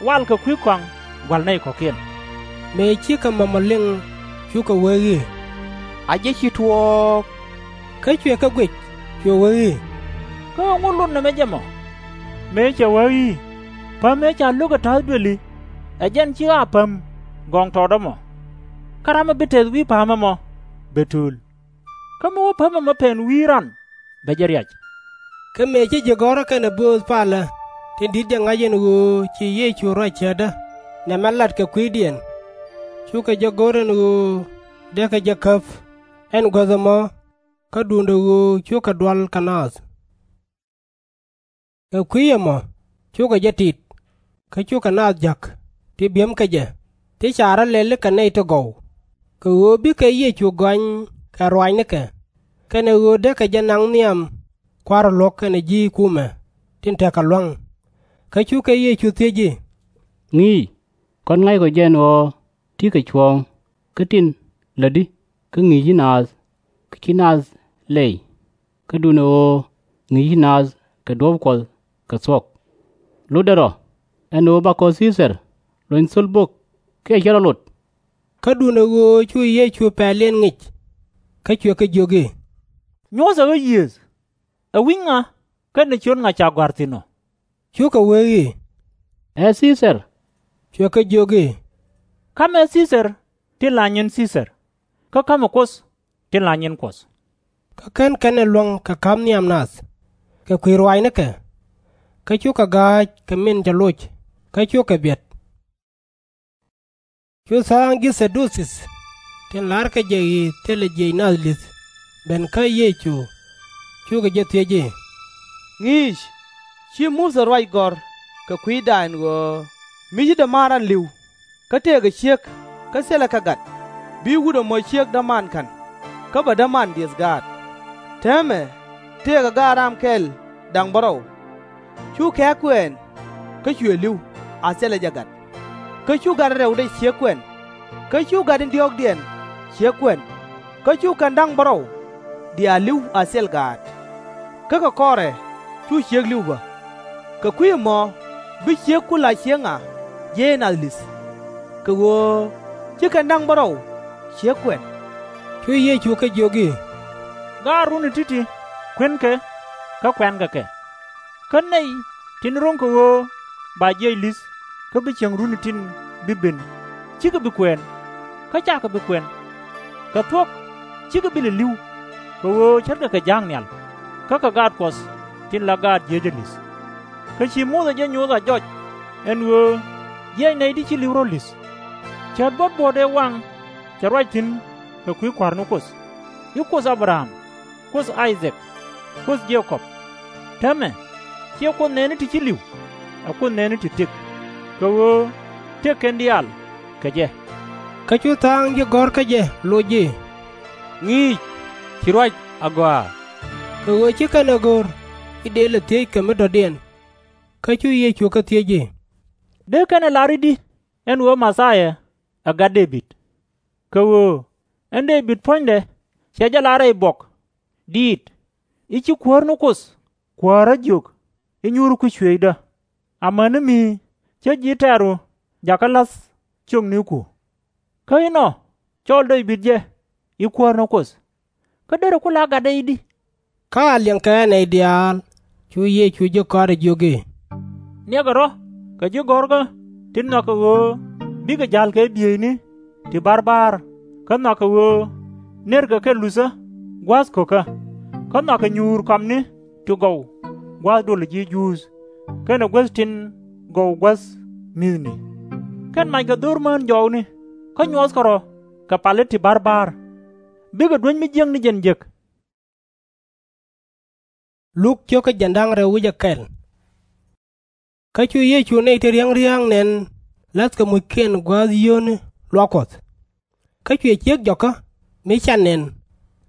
wal kɛ kui̱ kɔaŋ gua̱l nɛy kɔ̱kiɛn. Mëë cikɛ mɔmɔ liŋ, cukɛ wee i̱, A jɛ ci tuɔɔk. Kä cuɛ kɛ guic, cuɛ wee i̱, Kä ɛŋu lot nɛmɛ jɛ mɔ? Mëë cɛ wee i̱, Päm ëë ca lo̱k kɛ ta̱a̱th duëli, ɛ jɛn ci ɣaapäm gɔŋtɔɔtdä mɔ. Kä ram mi bi tɛth wi̱i̱ pa̱a̱m ɛmɔ bɛ tööl. Kä mi wä päm ɛmɔ pɛn wi̱i̱ ran, bɛ jɛ riac. Kä mëë ci ji̱ gɔ̱rä kɛnɛ bööth palä tin di̱t jɛ ŋa̱c ɛn ɣöö ci Yecu ruac cäätdä nɛmɛ lat kɛ kui̱diɛn, cukɛ jɛ go̱r ɛn ɣöö dee kɛ jɛ käp ɛn guäth ɛmɔ, kä duundɛ ɣöö cukɛ dual kɛ naath. Kɛ kui̱ ɛmɔ cukɛ jɛ tit, kä cukɛ naath jäk ti bi̱em kä jɛ, ti ca rɔ̱ lɛli kɛ nɛy ti gɔw, kɛ ɣöö bikɛ Yecu gɔany kɛ ruaacnikɛ, kɛnɛ ɣöö dee kɛ jɛ naŋ nhiam kua̱r luɔ̱k kɛnɛ ji̱ kumɛ tin tekɛ lua̱ŋ. Kä cukɛ Yecu thiec i̱, Ŋi̱i̱c, kɔn ŋa̱ckɔ jɛ ɛn ɣöö ti̱kɛ cuɔ̱ɔ̱ŋ kä tin lätdi kä ŋi̱i̱ci naath, kä ci naath lɛy, kä duundɛ ɣöö ŋi̱i̱ci naath kɛ duɔ̱ɔ̱p Kuɔth kɛ thuɔ̱k? Lotdɛ rɔ ɛn ɣöö bakɔ Thii-thar lony thöl bök kiɛ /cɛ rɔ lot? Kä duundɛ ɣöö cu Yecu pɛliɛn ŋic, kä cuɛ kɛ jiök i̱, Nyuɔ̱thɛ ɣä yiëëth, ɛ wi̱c ŋa kɛnɛ ciöt ŋa ca gɔ̱a̱r thi̱n ɔ? Cukɛ wee i̱, Ɛ Thii-thar. Cuɛ kɛ jiök i̱, Ka̱mɛ Thii-thar tin la nyin Thii-thar, kä ka̱mɛ Kuoth tin la nyin Kuɔth. Kä /ken kɛn ɛ luäŋ kɛ ka̱p nhiam nath, kɛ kui̱ ruaacnikɛ, kä cukɛ ga̱a̱c kɛ min cɛ loc, kä cukɛ biɛt. Cu thaaŋ ji̱ Thɛ-du-thii tin la̱rkɛ jɛ i̱ thilɛ jiëc nath li̱th ben kä Yecu, cukɛ jɛ thiec i̱, Ŋi̱i̱c, ci Muthɛ ruac gɔ̱r kɛ kui̱da ɛn ɣöö mi ci dämaar ran li̱w, kä tëëkɛ ciek kä thilɛ kɛ gat, bi wut ɛmɔ ciek dämaan ka̱n, kä bɛ dämaan diëth gaat? Täämɛ tëëkɛ gaat ram kɛl da̱ŋ bärɔw, cu kɛ̈k kuɛɛn, kä cuɛ li̱w a thilɛ jɛ gat. Kä cu gat in rɛwdɛ ciek kuɛn, kä cu gat in diɔ̱ɔ̱kdiɛn ciek kuɛn, kä cu kɛn da̱ŋ bärɔw diaal li̱w a thil gaat. Kä kɛ kɔrɛ cu ciek li̱w bä. Kɛ kui̱ ɛmɔ bi ciek ku la ciek ŋa jiɛc ɛ nath li̱th? Kɛ ɣöö ci kɛn da̱ŋ bärɔw ciek kuɛn. Cu Yecu kɛ jiök i̱, Gaat runi ti̱ti̱ kuënkɛ, kä kuɛnkɛ kɛ. Kä nɛy tin ro̱ŋ kɛ ɣöö ba jiɛc li̱th kä bi cieŋ runi tin bi ben, /cikɛ bi kuɛɛn, kä /cakɛ bi kuɛn. Kɛ thuɔ̱k /cikɛ bi lɛ li̱w, kɛ ɣöö ce̱tkɛ kɛ ja̱a̱k nhial, kä kɛ gaat Kuɔth tin la gaat jiecä li̱th. Kä ci Muthɛ jɛ nyoth a jɔc ɛn ɣöö jiɛc nɛy ti ci li̱w rɔ̱ li̱th. Cäät buɔ̱t buɔ̱ɔ̱t ëë waŋ cɛ ruac thi̱n kɛ kui̱ kua̱r ni Kuoth, i̱ Kuoth A-bɛ-ram, Kuoth I-dhak, Kuoth Je-kɔb. Täämɛ, /ciɛ Kuoth nɛɛni ti ci li̱w, ɛ Kuoth nɛɛni ti tëk, kɛ ɣöö tëk kɛn diaal kɛ jɛ. Kä cu tha̱a̱ŋ ji̱ gɔ̱r kä jɛ loc i̱, Ŋi̱i̱c, ci ruac agɔaa. Kɛ ɣöö /ci kɛn ɛ go̱r i̱ dëë lɛ thiec kɛ mi dɔ̱diɛn. Kä cu Yecu kɛ thiec i̱, Dee kɛn ɛ lar i̱di ɛn ɣöö Mɛthia ɛ gat Dee-bid? Kɛ ɣöö ɛn Dee-bid puɔ̱nydɛ cɛ jɛ lar rɛy buɔk diit i̱, Ci Kuäär ni Kuoth kuäärä jiök i̱, Nyuurku cuëëcdä, amäni mi cä ji̱ tɛ̈ru jakä la̱th ciökniku. Kä inɔ cɔl Dee-bid jɛ i̱ Kuäär ni Kuoth. Kä derɛ ku la gatdɛ i̱di? Kä a liɛŋkɛ ɛ nɛy diaal, cu Yecu ji̱ kɔaarɛ jiök i̱, Niɛkɛ rɔ̱ kɛ ji̱ gɔ̱rkä ti nhɔakɛ ɣöö bikɛ ja̱l kɛ bieyni ti ba̱rba̱a̱r, kä nhɔakɛ ɣöö nërkɛ kɛ luthä gua̱a̱th ko̱kä, kä nhɔakɛ nyuur kɔamni ti gɔw gua̱a̱th dolä ji̱ Juudh, kɛnɛ guäth tin gɔw gua̱th mi̱thni. Kɛn mackɛ dho̱r mään jɔwni, kä nyuɔthkɛ rɔ̱ kɛ pali ti ba̱rba̱a̱r. Bikɛ duäc mi jiäk ni jɛn jek. Kä cu Yecu nɛy ti riäŋ ria̱a̱ŋ nɛn la̱thkɛ muckiɛn gua̱a̱th yio̱o̱ni luaak Kuɔth. Kä cuɛ ciek jɔkä mi can nɛn,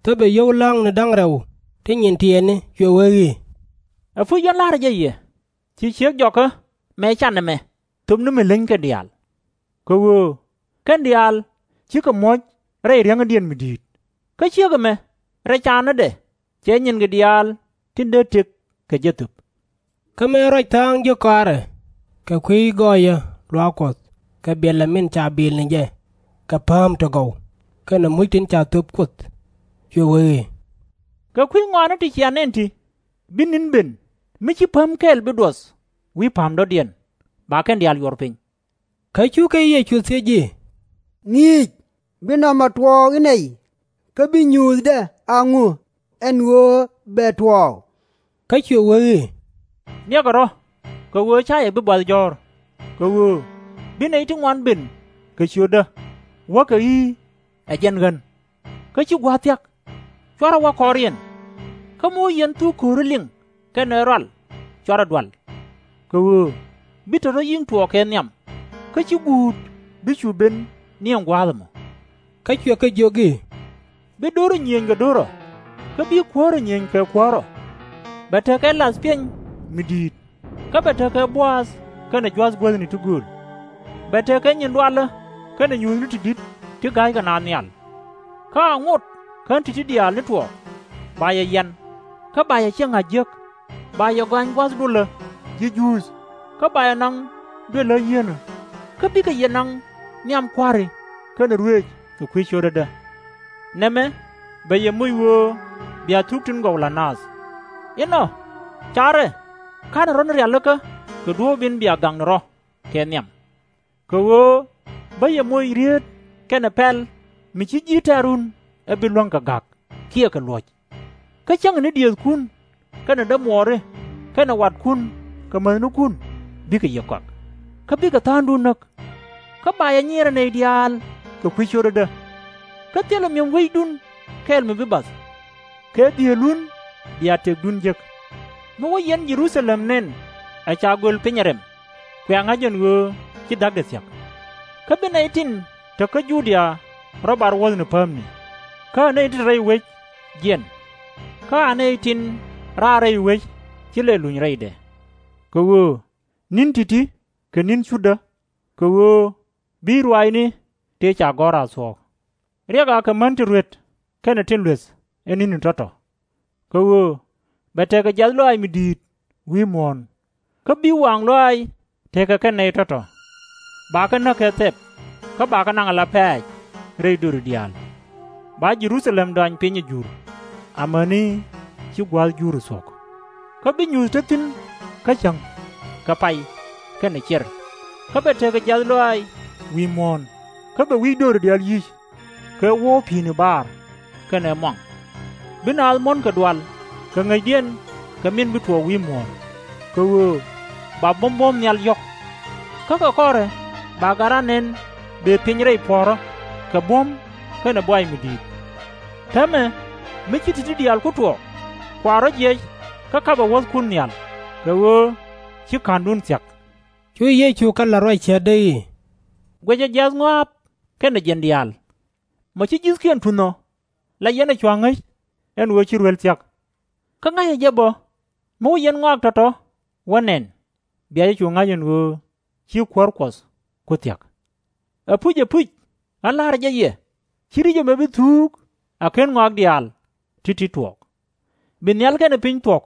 thöpɛ yio̱w la̱a̱ŋni da̱ŋ rɛw ti nyin tiɛɛkni, cuɛ wee i̱, Ɛ puc yɛn la̱rä jɛ yɛ, ci ciek jɔkä mɛ can ɛmɛ thöpni mi leny kɛn diaal. Kɛ ɣöö kɛn diaal cikɛ muɔ̱c rɛy riäŋädiɛn mi di̱i̱t, kä ciek ɛmɛ rɛy canädɛ cɛ nyinkɛ diaal tin dee tëk kɛ jɛ thöp. Kä mëë ruac tha̱a̱ŋ ji̱ kɔaarɛ kɛ kui̱ gɔɔyä luaak Kuɔth kɛ biɛlɛ min ca bil ni jɛ kɛ pääm ti gɔw kɛnɛ muc tin ca thöp Kuoth, cuɛ wee i̱, Kɛ kui̱ ŋɔaani ti cia nɛn ti bi ni̱n ben mi /ci päm kɛl bi duɔth wi̱i̱ pa̱a̱m dɔ̱diɛn, ba kɛn diaal yuɔr piny? Kä cu Yecu thiec i̱, Ŋi̱i̱c, bi nɔmɔ tuɔɔk i̱ nɛy, kä bi nyuuthdɛ a ŋu ɛn ɣöö bɛ tuɔɔk? Kä cuɛ wee i̱, Niɛkɛ rɔ̱, kɛ ɣöö /ca yɛ bi buath jɔ̱ɔ̱r, kɛ ɣöö bi nɛy ti ŋuan ben kɛ ciötdä, wäkɛ i̱, Ɛ jɛn ɣän. Kä /ci gua̱a̱th thia̱k, /cuarɛ wä kɔriɛn. Kä mi wä yɛn thuk ko̱ri liŋ kɛnɛ rual, /cuarɛ dual. Kɛ ɣöö bi te rɔ̱ yi̱ŋ tuɔɔk kɛ nhiam, kä /ci guut bi cu ben ni ɛn gua̱a̱th ɛmɔ. Kä cuɛ kɛ jiök i̱, Bi do̱rä nyiëëny kɛ do̱rä, kä bi kuäärä nyiëëny kɛ kuäärä. Bɛ tekɛ lath piɛny mi di̱i̱t, kä bɛ tekɛ buaath kɛnɛ jua̱th guäthni ti gööl. Bɛ tekɛ nyin dualä kɛnɛ nyuuthni ti di̱t ti ga̱ykɛ naath nhial. Kä a ŋot kä ti̱ti̱ diaal ni tuɔɔk, ba yɛ yian, kä ba yɛ ciɛŋ a jiäk, ba yɛ gɔany gua̱th dolä ji̱ Juudh, kä ba yɛ naŋ duël ɣä yieenä, kä bikɛ yɛ naŋ nhiam kua̱ri kɛnɛ ruëëc kɛ kui̱ cio̱tädä. Nɛmɛ bɛ yɛ moc ɣöö bia thuk tin gɔw la̱t naath. Inɔ, carɛ ka̱nɛ rɔ̱ ni rialikä kɛ duɔ̱ɔ̱p in bia gaŋ ni rɔ̱ kɛ nhiam. Kɛ ɣöö bä yɛ moc rieet kɛnɛ pɛl mi /ci ji̱ tɛ̈run ɛ bi luäŋ kɛ ga̱k kiɛ kɛ luɔ̱c. Kä cäŋɛ ni diëëthkun kɛnɛ dämuɔɔri kɛnɛ watkun kɛ mäthnikun bikɛ yɛ kɔak, kä bikɛ tha̱a̱ŋdun näk. Kä ba yɛ nyiɛrɛ nɛy diaal kɛ kui̱ cio̱tädä. Kä thilɛ mi̱em wecdun kɛl mi bi bath, kɛ dhielun bia tëkdun jek. Mi wä yɛn Jɛ-ru-tha-lɛm nɛn ɛ ca göl piny ɛ rɛm, kuɛ ŋa̱c ɛn ɣöö ci dha̱kdɛ thia̱k. Kä bi nɛy tin te kä Ju-dia rɔ̱ bar wuɔ̱thni päämni, kä a nɛy tin te rɛy wec jiɛn, kä a nɛy tin raar rɛy wec /ci lɛ luny rɛydɛ. Kɛ ɣöö ni̱n ti̱ti̱ kɛ ni̱n cutdä, kɛ ɣöö bi ruaacni tëë ca gɔ̱r a thuɔ̱k. Riɛk akɛ män tin ruet kɛnɛ tin lueth ɛ ni̱ni tɔ̱tɔ̱. Kɛ ɣöö bɛ tekɛ jiath lɔaac mi di̱i̱t wi̱i̱ muɔ̱ɔ̱n, kä bi waaŋ lɔaac tekɛ kɛ nɛy tɔ̱tɔ̱. Bakɛ näk kɛ thɛp, kä bakɛ naŋ ala pɛ̈ɛ̈c rɛy dööri diaal. Ba Jɛ-ru-tha-lɛm dɔany piny ɛ jur, amäni ci gua̱a̱th jur ɛ thuɔ̱k. Kä bi nyuuth te thi̱n kä cäŋ, kɛ pay, kɛnɛ ciɛr. Kä bɛ tekɛ jiath lɔaac wi̱i̱ muɔ̱ɔ̱n, kä bɛ wi̱c dööri diaal yi̱c, kɛ wo̱o̱ pi̱i̱ni baar kɛnɛ muaŋ. Bi naath muɔ̱n kɛ dual kɛ ŋäcdiɛn kɛ min bi tuɔɔk wi̱i̱ muɔ̱ɔ̱n, kɛ ɣöö ba buɔ̱m buɔ̱ɔ̱m nhial yɔ̱k. Kä kɛ kɔrɛ ba gat ran nɛn bëë piny rɛy puɔ̱ɔ̱rä kɛ buɔ̱m kɛnɛ buay mi di̱i̱t. Täämɛ, mi ci ti̱ti̱ diaal ku tuɔɔk, kua rɔ̱ jiɛc kä kapɛ wuɔ̱thkun nhial, kɛ ɣöö ci ka̱ndun thia̱k. Cu Yecu kɛ la̱r ruac cätdɛ i̱, Guɛcɛ jiath ŋɔaap kɛnɛ jiɛn diaal. Mɔ ci ji̱thkiɛn tunh ɔ, la yɛn ɛ cua ŋäc ɛn ɣöö ci ruël thia̱k. Kä ŋa̱cɛ jɛ bä, mi wä yɛn ŋɔak tɔ̱tɔ̱ wä nɛn, bia jɛ cu ŋa̱c ɛn ɣöö ci Kuäär Kuɔth ku thia̱k. Ɛpuc, ɛpuc, ɣän la̱rä jɛ yɛ, /ci ri̱c ɛmɛ bi thuuk a /ken ŋɔak diaal ti̱ti̱ tuɔɔk. Bi nhial kɛnɛ piny thuɔ̱k,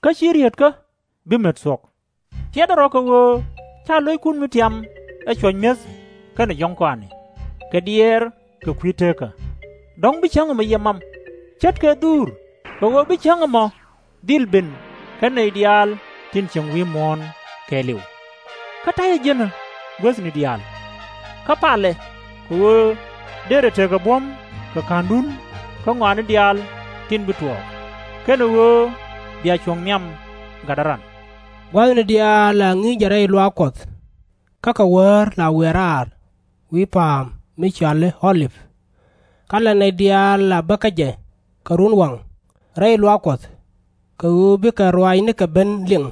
kä /ci rieetkä bi met thuɔ̱k. Tiɛtdɛ rɔ̱ kɛ ɣöö /ca lo̱ckun mi tiam ɛ cuɔ̱c mi̱eth kɛnɛ jɔ̱ŋ kɔaani, kɛ diɛɛr kɛ kui̱ teekä. Dɔ̱ŋ bi cäŋ ɛmɔ yɛ mam, ce̱tkɛ dhuur, kɛ ɣöö bi cäŋ ɛmɔ dhil ben kä nɛy diaal tin cieŋ wi̱i̱ muɔ̱ɔ̱n kɛɛliw. Kä ta̱yɛ ji̱n ɛ guäthni diaal. Kä palɛ, kɛ ɣöö dërɛ tekɛ buɔ̱m kɛ ka̱ndun kä ŋɔaani diaal tin bi tuɔɔk, kɛnɛ ɣöö bia cuɔ̱ŋ nhiam gatdä ran. Gua̱thni diaal la ŋi̱i̱cɛ rɛy luaak Kuɔth, kä kɛ wäär la wiaa raar wi̱i̱ pa̱a̱m mi cɔal i̱ Ɔ-lip. Kä la nɛy diaal la bä kä jɛ kɛ runwaŋ rɛy luaak Kuɔth, kɛ ɣöö bikɛ ruaacnikɛ ben liŋ.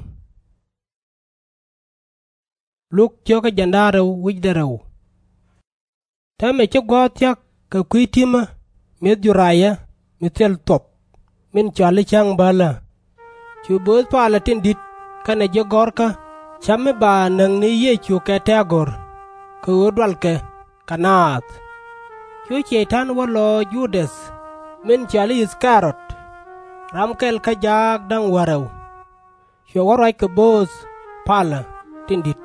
Täämɛ ci gua̱a̱th thia̱k kɛ kui̱ ti̱mä mi̱eth Ju-rayä mi thil thuɔ̱p, min cɔal i̱ Cäŋ Bäälä. Cu bööth palä tin di̱t kɛnɛ ji̱ gɔ̱rkä cäp mi ba näk ni Yecu kɛ tɛ̈ɛ̈ go̱r, kɛ ɣöö dualkɛ kɛ naath. Cu Cɛy-tan wä lɔc Ju-däth min cɔal i̱ I-thɛ-ri-ot, ram kɛl kä jaak da̱ŋ wäl rɛw. Cuɛ wä ruac kɛ bööth palä tin di̱t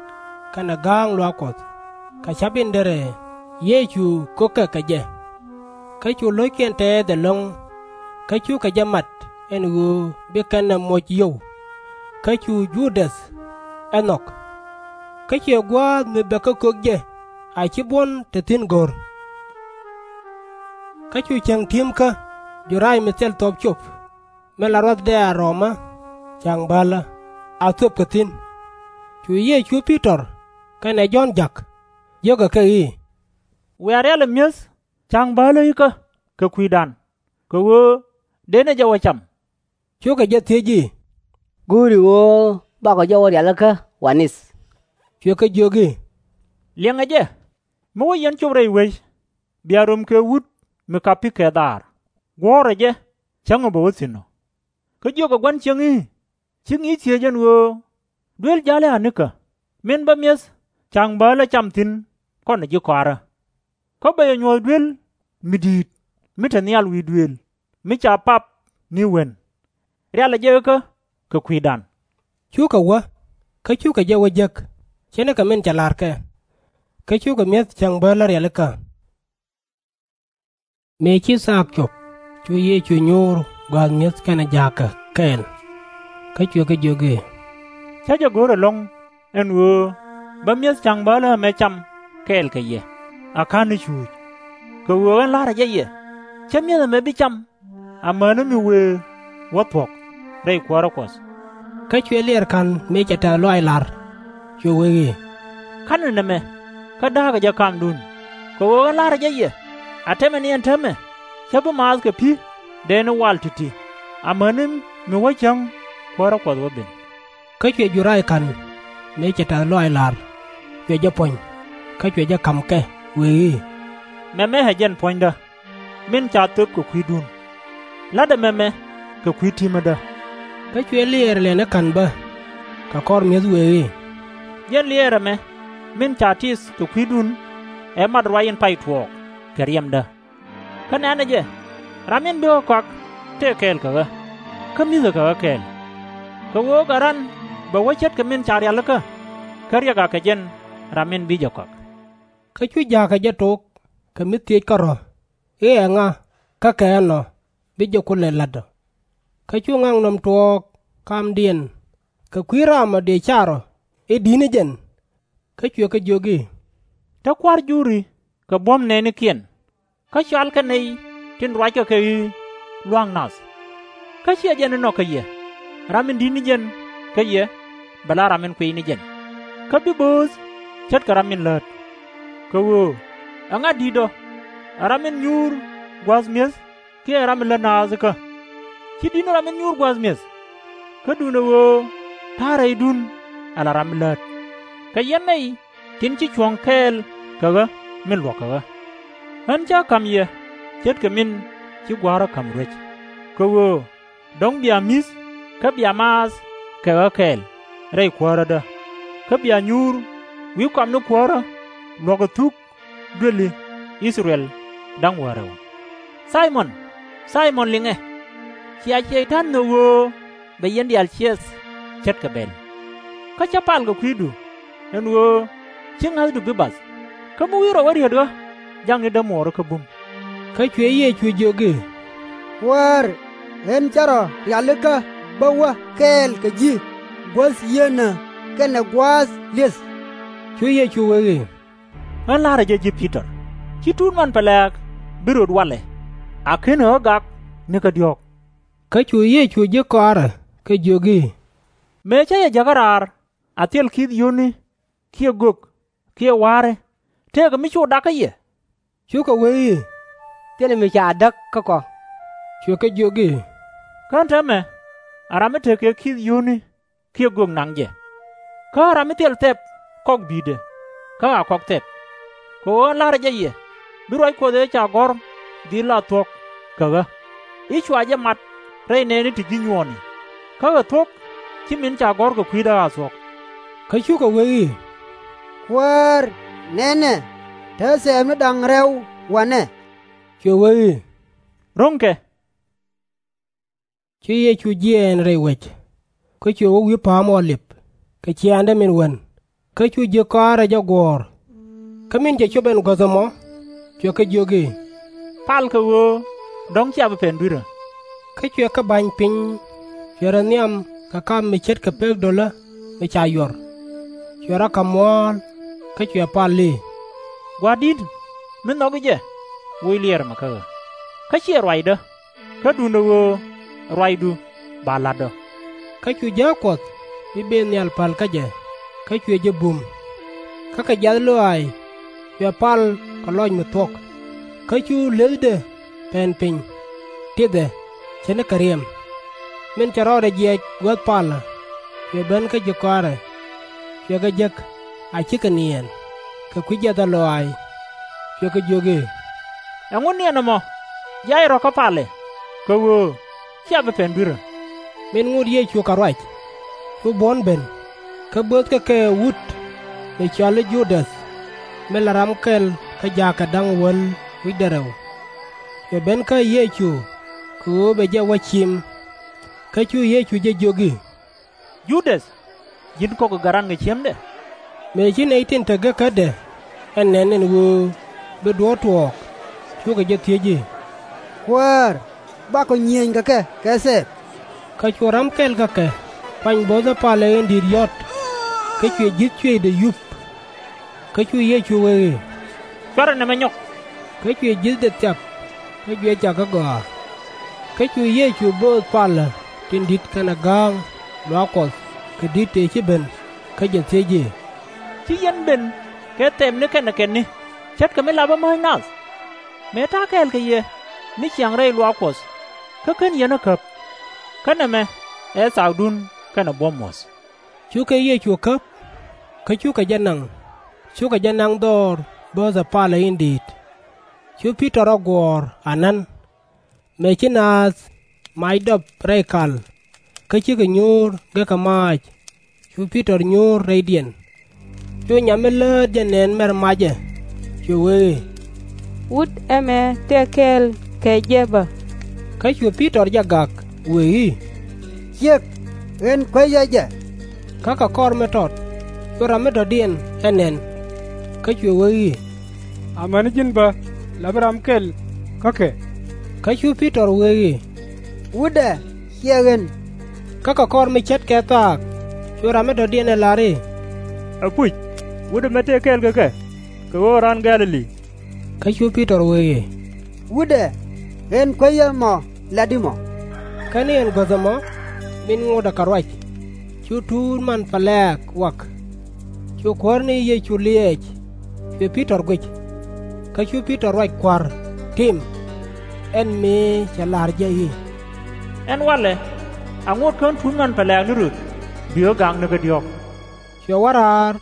kɛnɛ ga̱a̱ŋ luaak Kuɔth, kɛ ca̱p in derɛ Yecu ko̱kɛ kɛ jɛ. Kä cu lo̱ckiɛn tɛɛth ɛlɔ̱ŋ, kä cukɛ jɛ mat ɛn ɣöö bi kɛn ɛ moc yio̱w. Kä cu Ju-däth ɛ nhɔk. Kä cuɛ gua̱a̱th mi bɛ kä kök jɛ a /ci buɔ̱n te thi̱n go̱r. Kä cu cäŋ ti̱mkä Ju-raay mi thil thuɔ̱p cop, min la ruathdɛ a Roma Cäŋ Bäälä, a thöpkɛ thi̱n. Cu Yecu Pi-tɔr kɛnɛ Jɔ̱ɔ̱n ja̱k, jio̱kɛ kɛ i̱, Wiaa rialɛ mi̱eth Cäŋ Bäälä ikä kɛ kui̱dan, kɛ ɣöö dënɛ jɛ wä cam. Cukɛ jɛ thiec i̱, Go̱o̱ri ɣöö bakɔ jɔwä rialikä wa̱ni̱th? Cuɛ kɛ jiök i̱, Liɛŋɛ jɛ, mi wä yɛn cop rɛy wec, bia röm kɛ wut mi kapi kɛ-dhaar, guɔ̱ɔ̱rɛ jɛ cäŋ ɔ bɛ wä thi̱n ɔ. Kä jiökɛ gua̱n cieŋ i̱, Ci ŋi̱i̱c thiec ɛn ɣöö duel ja̱lɛ a̱nikä, min bä mi̱eth Cäŋ Bäälä cam thi̱n kɔnɛ ji̱ kɔaarä? Kä bɛ yɛ nyuɔ̱th duel mi di̱i̱t mi te nhial wi̱i̱ duëël mi ca pap ni wen. Rialɛ jɛ ikä kɛ kui̱dan. Cukɛ wä, kä cukɛ jɛ wä jek ce̱tnikɛ min cɛ la̱rkɛ. Kä cukɛ mi̱eth Cäŋ Bäälä rialikä. Mëë ci thaak cop, cu Yecu nyuur gua̱a̱th mi̱eth kɛnɛ ja̱a̱kä kɛɛl. Kä cuɛ kɛ jiök i̱, Cä jɛ go̱r ɛlɔ̱ŋ ɛn ɣöö bä mi̱eth Cäŋ Bäälä ɛmɛ cam kɛɛl kɛ yɛ, a /ka̱n ni cuuc. Kɛ ɣöö ɣän la̱rä jɛ yɛ, cä mi̱eth ɛmɛ bi cam amäni mi wëë wä thuɔ̱k rɛy kuäärä Kuɔth. Kä cuɛ Liɛɛr Ka̱n mëë cɛ tɛ̈th lɔaac la̱r, cuɛ wee i̱, Ka̱nɛ nɛmɛ, kä da̱a̱kɛ jɛ kamdun. Kɛ ɣöö ɣän la̱rä jɛ yɛ, a täämɛ ni ɛn täämɛ, cä bi maath kɛ pi̱ dɛɛni wal ti̱ti̱, amäni mi wä cäŋ kuäärä Kuɔth wä ben. Kä cuɛ Ju-raay Ka̱n mëë cɛ tɛ̈th lɔaac la̱r, cuɛ jɛ puɔ̱ny, kä cuɛ jɛ ka̱m kɛ, wee i̱, Mɛmɛ ɛ jɛn puɔ̱nydä, min ca thöp kɛ kui̱dun. La̱tdɛ mɛmɛ kɛ kui̱ ti̱mädä. Kä cuɛ Liɛɛr Lɛni Ka̱n bä, kɛ kɔr mi̱eth, wee i̱, Jɛn Liɛɛr ɛmɛ min ca tith kɛ kui̱dun, ɛ mat ruac in pay tuɔɔk kɛ riɛmdä. Kä nɛ̈nɛ jɛ, ram in bi ɣä kɔak tëë kɛɛl kɛ ɣä, kä mi̱thɛ kɛ ɣä kɛɛl. Kɛ ɣöö gat ran bɛ wä ce̱tkɛ min ca rialikä, kä riɛk akɛ jɛn ram in bi jɛ kɔak. Kä cu ja̱a̱kɛ jɛ tok kɛ mi thiec kärɔ̱ i̱ ɛŋa kä kɛ ɛnɔ bi jɛ kulɛ la̱t ɔ. Kä cu ŋaknɔm tuɔɔk kamdiɛn kɛ kui̱ ram ɔ dëë car ɔ i̱, Di̱t ni jɛn? Kä cuɛ kɛ jiök i̱, Te kua̱r juri kɛ buɔ̱m nɛɛnikiɛn, kä cɔalkɛ nɛy tin ruackɛ kɛ i̱ Lua̱ŋ nath. Kä /ciɛ jɛn inɔ kä yɛ. Ram in di̱t ni jɛn kä yɛ bɛ la ram in kuiy ni jɛn, kä bi bööth ce̱tkɛ ram min läät. Kɛ ɣöö ɛŋa di̱tdɔ, ɛ ram min nyuur gua̱a̱th mi̱eth kiɛ ɛ ram min lät naath ikä? /Ci di̱t ni ram min nyuur gua̱a̱th mi̱eth. Kä duundɛ ɣöö ta̱a̱ rɛydun ala ram mi läät, kɛ yɛn nɛy tin ci cuɔ̱ŋ kɛɛl kɛ ɣä min luɔ̱k kɛ ɣä. Ɣän cä ka̱m yɛ ce̱tkɛ min ci gua̱a̱rä ka̱m ruec, kɛ ɣöö dɔ̱ŋ bia mi̱th kä bia maath kɛ ɣä kɛɛl rɛy kuäärädä, kä bia nyuur wi̱i̱ kɔamni kuäärä luɔ̱k ɛ thuk duëli I-thɛ-rɛl da̱ŋ wäl rɛw. Thay-mɔn, Thay-mɔn, liŋɛ! Cia Cɛy-tan nhök ɣöö bɛ yɛn diaal ciɛth ce̱tkɛ bɛl. Kä cä pal kɛ kui̱du, ɛn ɣöö /ci ŋa̱thdu bi bath, kä mi wi̱i̱ rɔ wä riet ɣä, jakni dämuɔɔri kä bum. Kä cuɛ Yecu jiök i̱, Kuäär, ɣän cä rɔ rialikä bä wä kɛɛl kɛ ji̱ guäth yieenä kɛnɛ gua̱a̱th li̱eth. Cu Yecu wee i̱, Ɣän la̱rä jɛ ji̱ Pi-tɔr, /ci tuut man pɛlɛ̈ɛ̈k bi röt walɛ, a /kenɛ ɣä gak nikä diɔ̱ɔ̱k. Kä cu Yecu ji̱ kɔaarɛ kɛ jiök i̱, Mëë cä yɛ jäkä raar a thil ki̱th yio̱o̱ni kiɛ gök kiɛ wa̱a̱ri, tëëkɛ mi cu dak kä yɛ? Cukɛ wee i̱, Thilɛ mi ca däk kä kɔ. Cuɛ kɛ jiök i̱, Kä ɛn täämɛ ɛ ram mi tekɛ ki̱th yio̱o̱ni kiɛ gök naŋ jɛ. Kä ɛ ram mi thil thɛp kɔk bi̱i̱dɛ, kä a kɔk thɛp. Kɛ ɣöö ɣän la̱rä jɛ yɛ, bi ruac Kuɔth ëë ca gɔ̱r dhil a thuɔ̱k kɛ ɣä, i̱ cua jɛ mat rɛy nɛɛni ti ji̱ nyuɔɔni, kä kɛ thuɔ̱k /ci min ca gɔ̱r kɛ kui̱dä a thuɔ̱k. Kä cukɛ wee i̱, Kuäär, nɛnɛ, te thɛɛpni da̱ŋ rɛw wanɛ. Cuɛ wee i̱, Ro̱ŋkɛ. Cu Yecu jiɛɛn rɛy wec, kä cuɛ wä wi̱i̱ Pa̱a̱m Ɔ-lip kɛ ciaaŋdɛ min wän, kä cu ji̱ kɔaarɛ jɛ guɔ̱ɔ̱r. Kä min cɛ cop ɛn guäth ɛmɔ, cuɛ kɛ jiök i̱, Pal, kɛ ɣöö dɔ̱ŋ /cia bi pɛn dui̱rä. Kä cuɛ kɛ ba̱ny piny, cuɛ rɔ nhiam kɛ kam mi ce̱tkɛ pek dolä mi ca yuɔr, cuɛ rɔ kɛ muɔ̱ɔ̱l, kä cuɛ pal i̱, Gua̱a̱r di̱t mi nhɔki jɛ, woc liɛɛr ɛmɛ kä ɣä, kä /ciɛ ruacdä, kä duundɛ ɣöö ɛ ruacdu ba la̱tdä. Kä cu jääk Kuɔth mi bëë nhial päl kä jɛ, kä cuɛ jɛ bum. Kä kɛ jiath lɔaac cuɛ pal kɛ lɔc mi thuɔ̱k, kä cu le̱thdɛ pɛn piny, tithɛ ce̱tnikɛ riɛm. Min cɛ rɔɔdɛ jiɛc guäth palä cuɛ ben kä ji̱ kɔaarɛ, cuɛ kɛ jek a /cikɛ niɛɛn kɛ kui̱ jiathä lɔaac, cuɛ kɛ jiök i̱, Ɛŋu niɛn ɛmɔ? Jiac rɔ̱ kä palɛ, kɛ ɣöö /cia bi pɛn dui̱rä. Min ŋot Yecu kɛ ruac, cu buɔ̱n ben, kä bööthkɛ kɛ wut mi cɔal i̱ Ju-däth, min la ram kɛl kä jaakɛ da̱ŋ wäl wi̱cdɛ rɛw. Cuɛ ben kä Yecu kɛ ɣöö bɛ jɛ wä cim. Kä cu Yecu jɛ jiök i̱, Ju-däth, ji̱n kɔk ɛ gat ran kɛ ciemdɛ? Mëë ci nɛy tin te gekädɛ ɛ nɛn ɛn ɣöö bi duɔ̱ɔ̱r tuɔɔk, cukɛ jɛ thiec i̱, Kuäär, bakɔ nyiëëny kɛ kɛ kɛ thɛɛp? Kä cu ram kɛl kä kɛ kuany bo̱o̱thä palä in di̱i̱t yɔ̱t, kä cuɛ ji̱th cuëëcdɛ yup. Kä cu Yecu wee i̱, Cuarɛ nɛmɛ nyɔk. Kä cuɛ ji̱thdɛ thiap, kä cuɛ jakä gɔaa. Kä cu Yecu bööth palä tin di̱t kɛnɛ ga̱a̱ŋ luaak Kuɔth kɛ di̱t tëë ci ben, kä jɛ thiec i̱, Ci yɛn ben kɛ thɛpni kɛnɛ kɛtni ce̱tkɛ mi lapä mäc nath? Mëë ta̱a̱ kɛɛl kɛ yɛ ni ciaŋ rɛy luaak Kuɔth, kä /ken yɛn ɛ käp. Kä nɛmɛ ɛ thaakdun kɛnɛ buɔ̱m muɔ̱th. Cukɛ Yecu käp, kä cukɛ jɛ naŋ, cukɛ jɛ naŋ dhɔr bööthɛ palä in di̱i̱t. Cu Pi-tɔr rɔ guɔ̱ɔ̱r anan. Mëë ci naath mac dɔp rɛy kal, kä cikɛ nyuur gekä maac, cu Pi-tɔr nyuur rɛydiɛn. Cu nyam mi läät jɛ nɛn mɛr macɛ, cuɛ wee i̱, Wut ɛmɛ tëë kɛɛl kɛ jɛ bä. Kä cu Pi-tɔr jɛ gak wee i̱, Ciek, ɣän kuecä jɛ. Kä kɛ kɔr mi tɔt, cu ram mi dɔ̱diɛn ɛ nɛn, kä cuɛ wee i̱, Amäni ji̱n bä, lapä ram kɛl kä kɛ. Kä cu Pi-tɔr wee i̱, Wutdɛ, /ciɛ ɣän. Kä kɛ kɔr mi ce̱tkɛ thaak, cu ram mi dɔ̱diɛn ɛ lar i̱, Ɛpuc, wut ɛmɛ tëë kɛɛl kɛ kɛ, kɛ ɣöö ɛ raan Gɛ̈-lɛ-li. Kä cu Pi-tɔr wee i̱, Wutdɛ, ɣän kuecä mɔ lat i̱ mɔ. Kä ni ɛn guäth ɛmɔ, min ŋotdɛ kɛ ruac, cu tuut man pɛlɛ̈ɛ̈k wak, Cuɛ Kuäär ni Yecu liɛɛc, cuɛ Pi-tɔr guic. Kä cu Pi-tɔr ruac Kua̱r, tim, ɛn mëë cɛ la̱r jɛ i̱, Ɛn walɛ, a ŋot kä ɣän tuut ŋuan pɛlɛ̈ɛ̈k ni röt, bi ɣä gaŋ ni kä diɔ̱ɔ̱k. Cuɛ wä raar,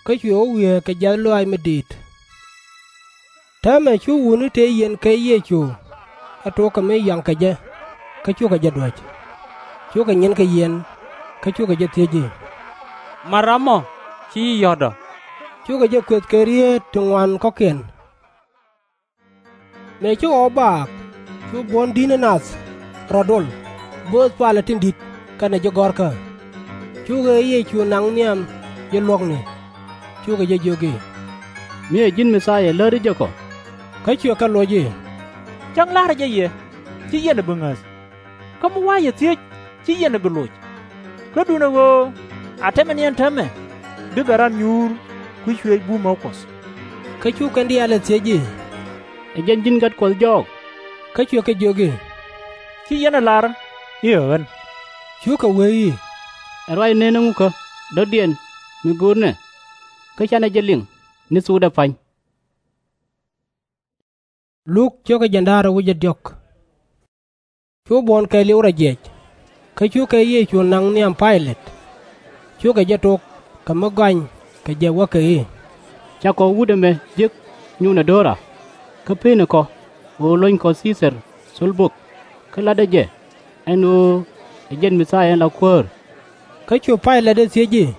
kä cuɛ wä wiee kɛ jiath lɔaac mi diit. Täämɛ cu wutni tëë yiɛn kɛ Yecu ɛ tok kɛ mi yɔaŋ kɛ jɛ, kä cukɛ jɛ duäc. Cukɛ nyin kɛ yiɛn, kä cukɛ jɛ thiec i̱, Mat ram mɔ, ci ji̱ yɔ̱t ɔ? Cukɛ jɛ kuëth kɛ rieet ti ŋuan kɔ̱kiɛn. Mëë ci ɣɔw baak, cu buɔ̱n di̱t ni nath rɔ̱ dol, bööth palä tin di̱t kɛnɛ ji̱ gɔ̱rkä. Cu ɣëë Yecu naŋ nhiam ji̱ luɔ̱kni, cukɛ jɛ jiök i̱, Mi ɛ ji̱n Mi-thia lätdi jɛ kɔ? Kä cuɛ kɛ loc i̱, Cäŋ la̱rä jɛ yɛ, ci yɛn ɛ bi ŋäth. Kä mi wa̱a̱ yɛ thiec, ci yɛn ɛ bi loc. Kä duundɛ ɣöö a tɛmɛ ni ɛn täämɛ, bikɛ ran nyuur kui̱ cuëëc bumä Kuɔth. Kä cu kɛn diaal ɛ thiec i̱, Ɛ jɛn ji̱n gat Kuɔth jɔɔk? Kä cuɛ kɛ jiök i̱, Ci yɛn ɛ lar i̱ ɛ ɣän. Cukɛ wee i̱, Ɛ ruac nɛn ɛŋu kä dɔ̱diɛn mi go̱o̱rnɛ, kä canɛ jɛ liŋ ni thokdɛ pa̱ny? Luk cio̱kä jiɛn da̱ŋ rɛw wi̱cdɛ diɔ̱k. Cu buɔ̱n kɛɛliw rɔ jiɛc, kä cukɛ Yecu naŋ nhiam Pay-lɛt. Cukɛ jɛ tok kɛ mi gɔany kɛ jɛ wäkɛ i̱, Cakɔ wut ɛmɛ jek nyuunɛ do̱ra, kä pe̱e̱nikɔ ɣöö luɔ̱nykɔ Thii-thɛr thöl bök, kä la̱tdä jɛ ɛn ɣöö ɛ jɛn Mi-thia in la kuäär. Kä cu Pay-lɛt ɛ thiec i̱,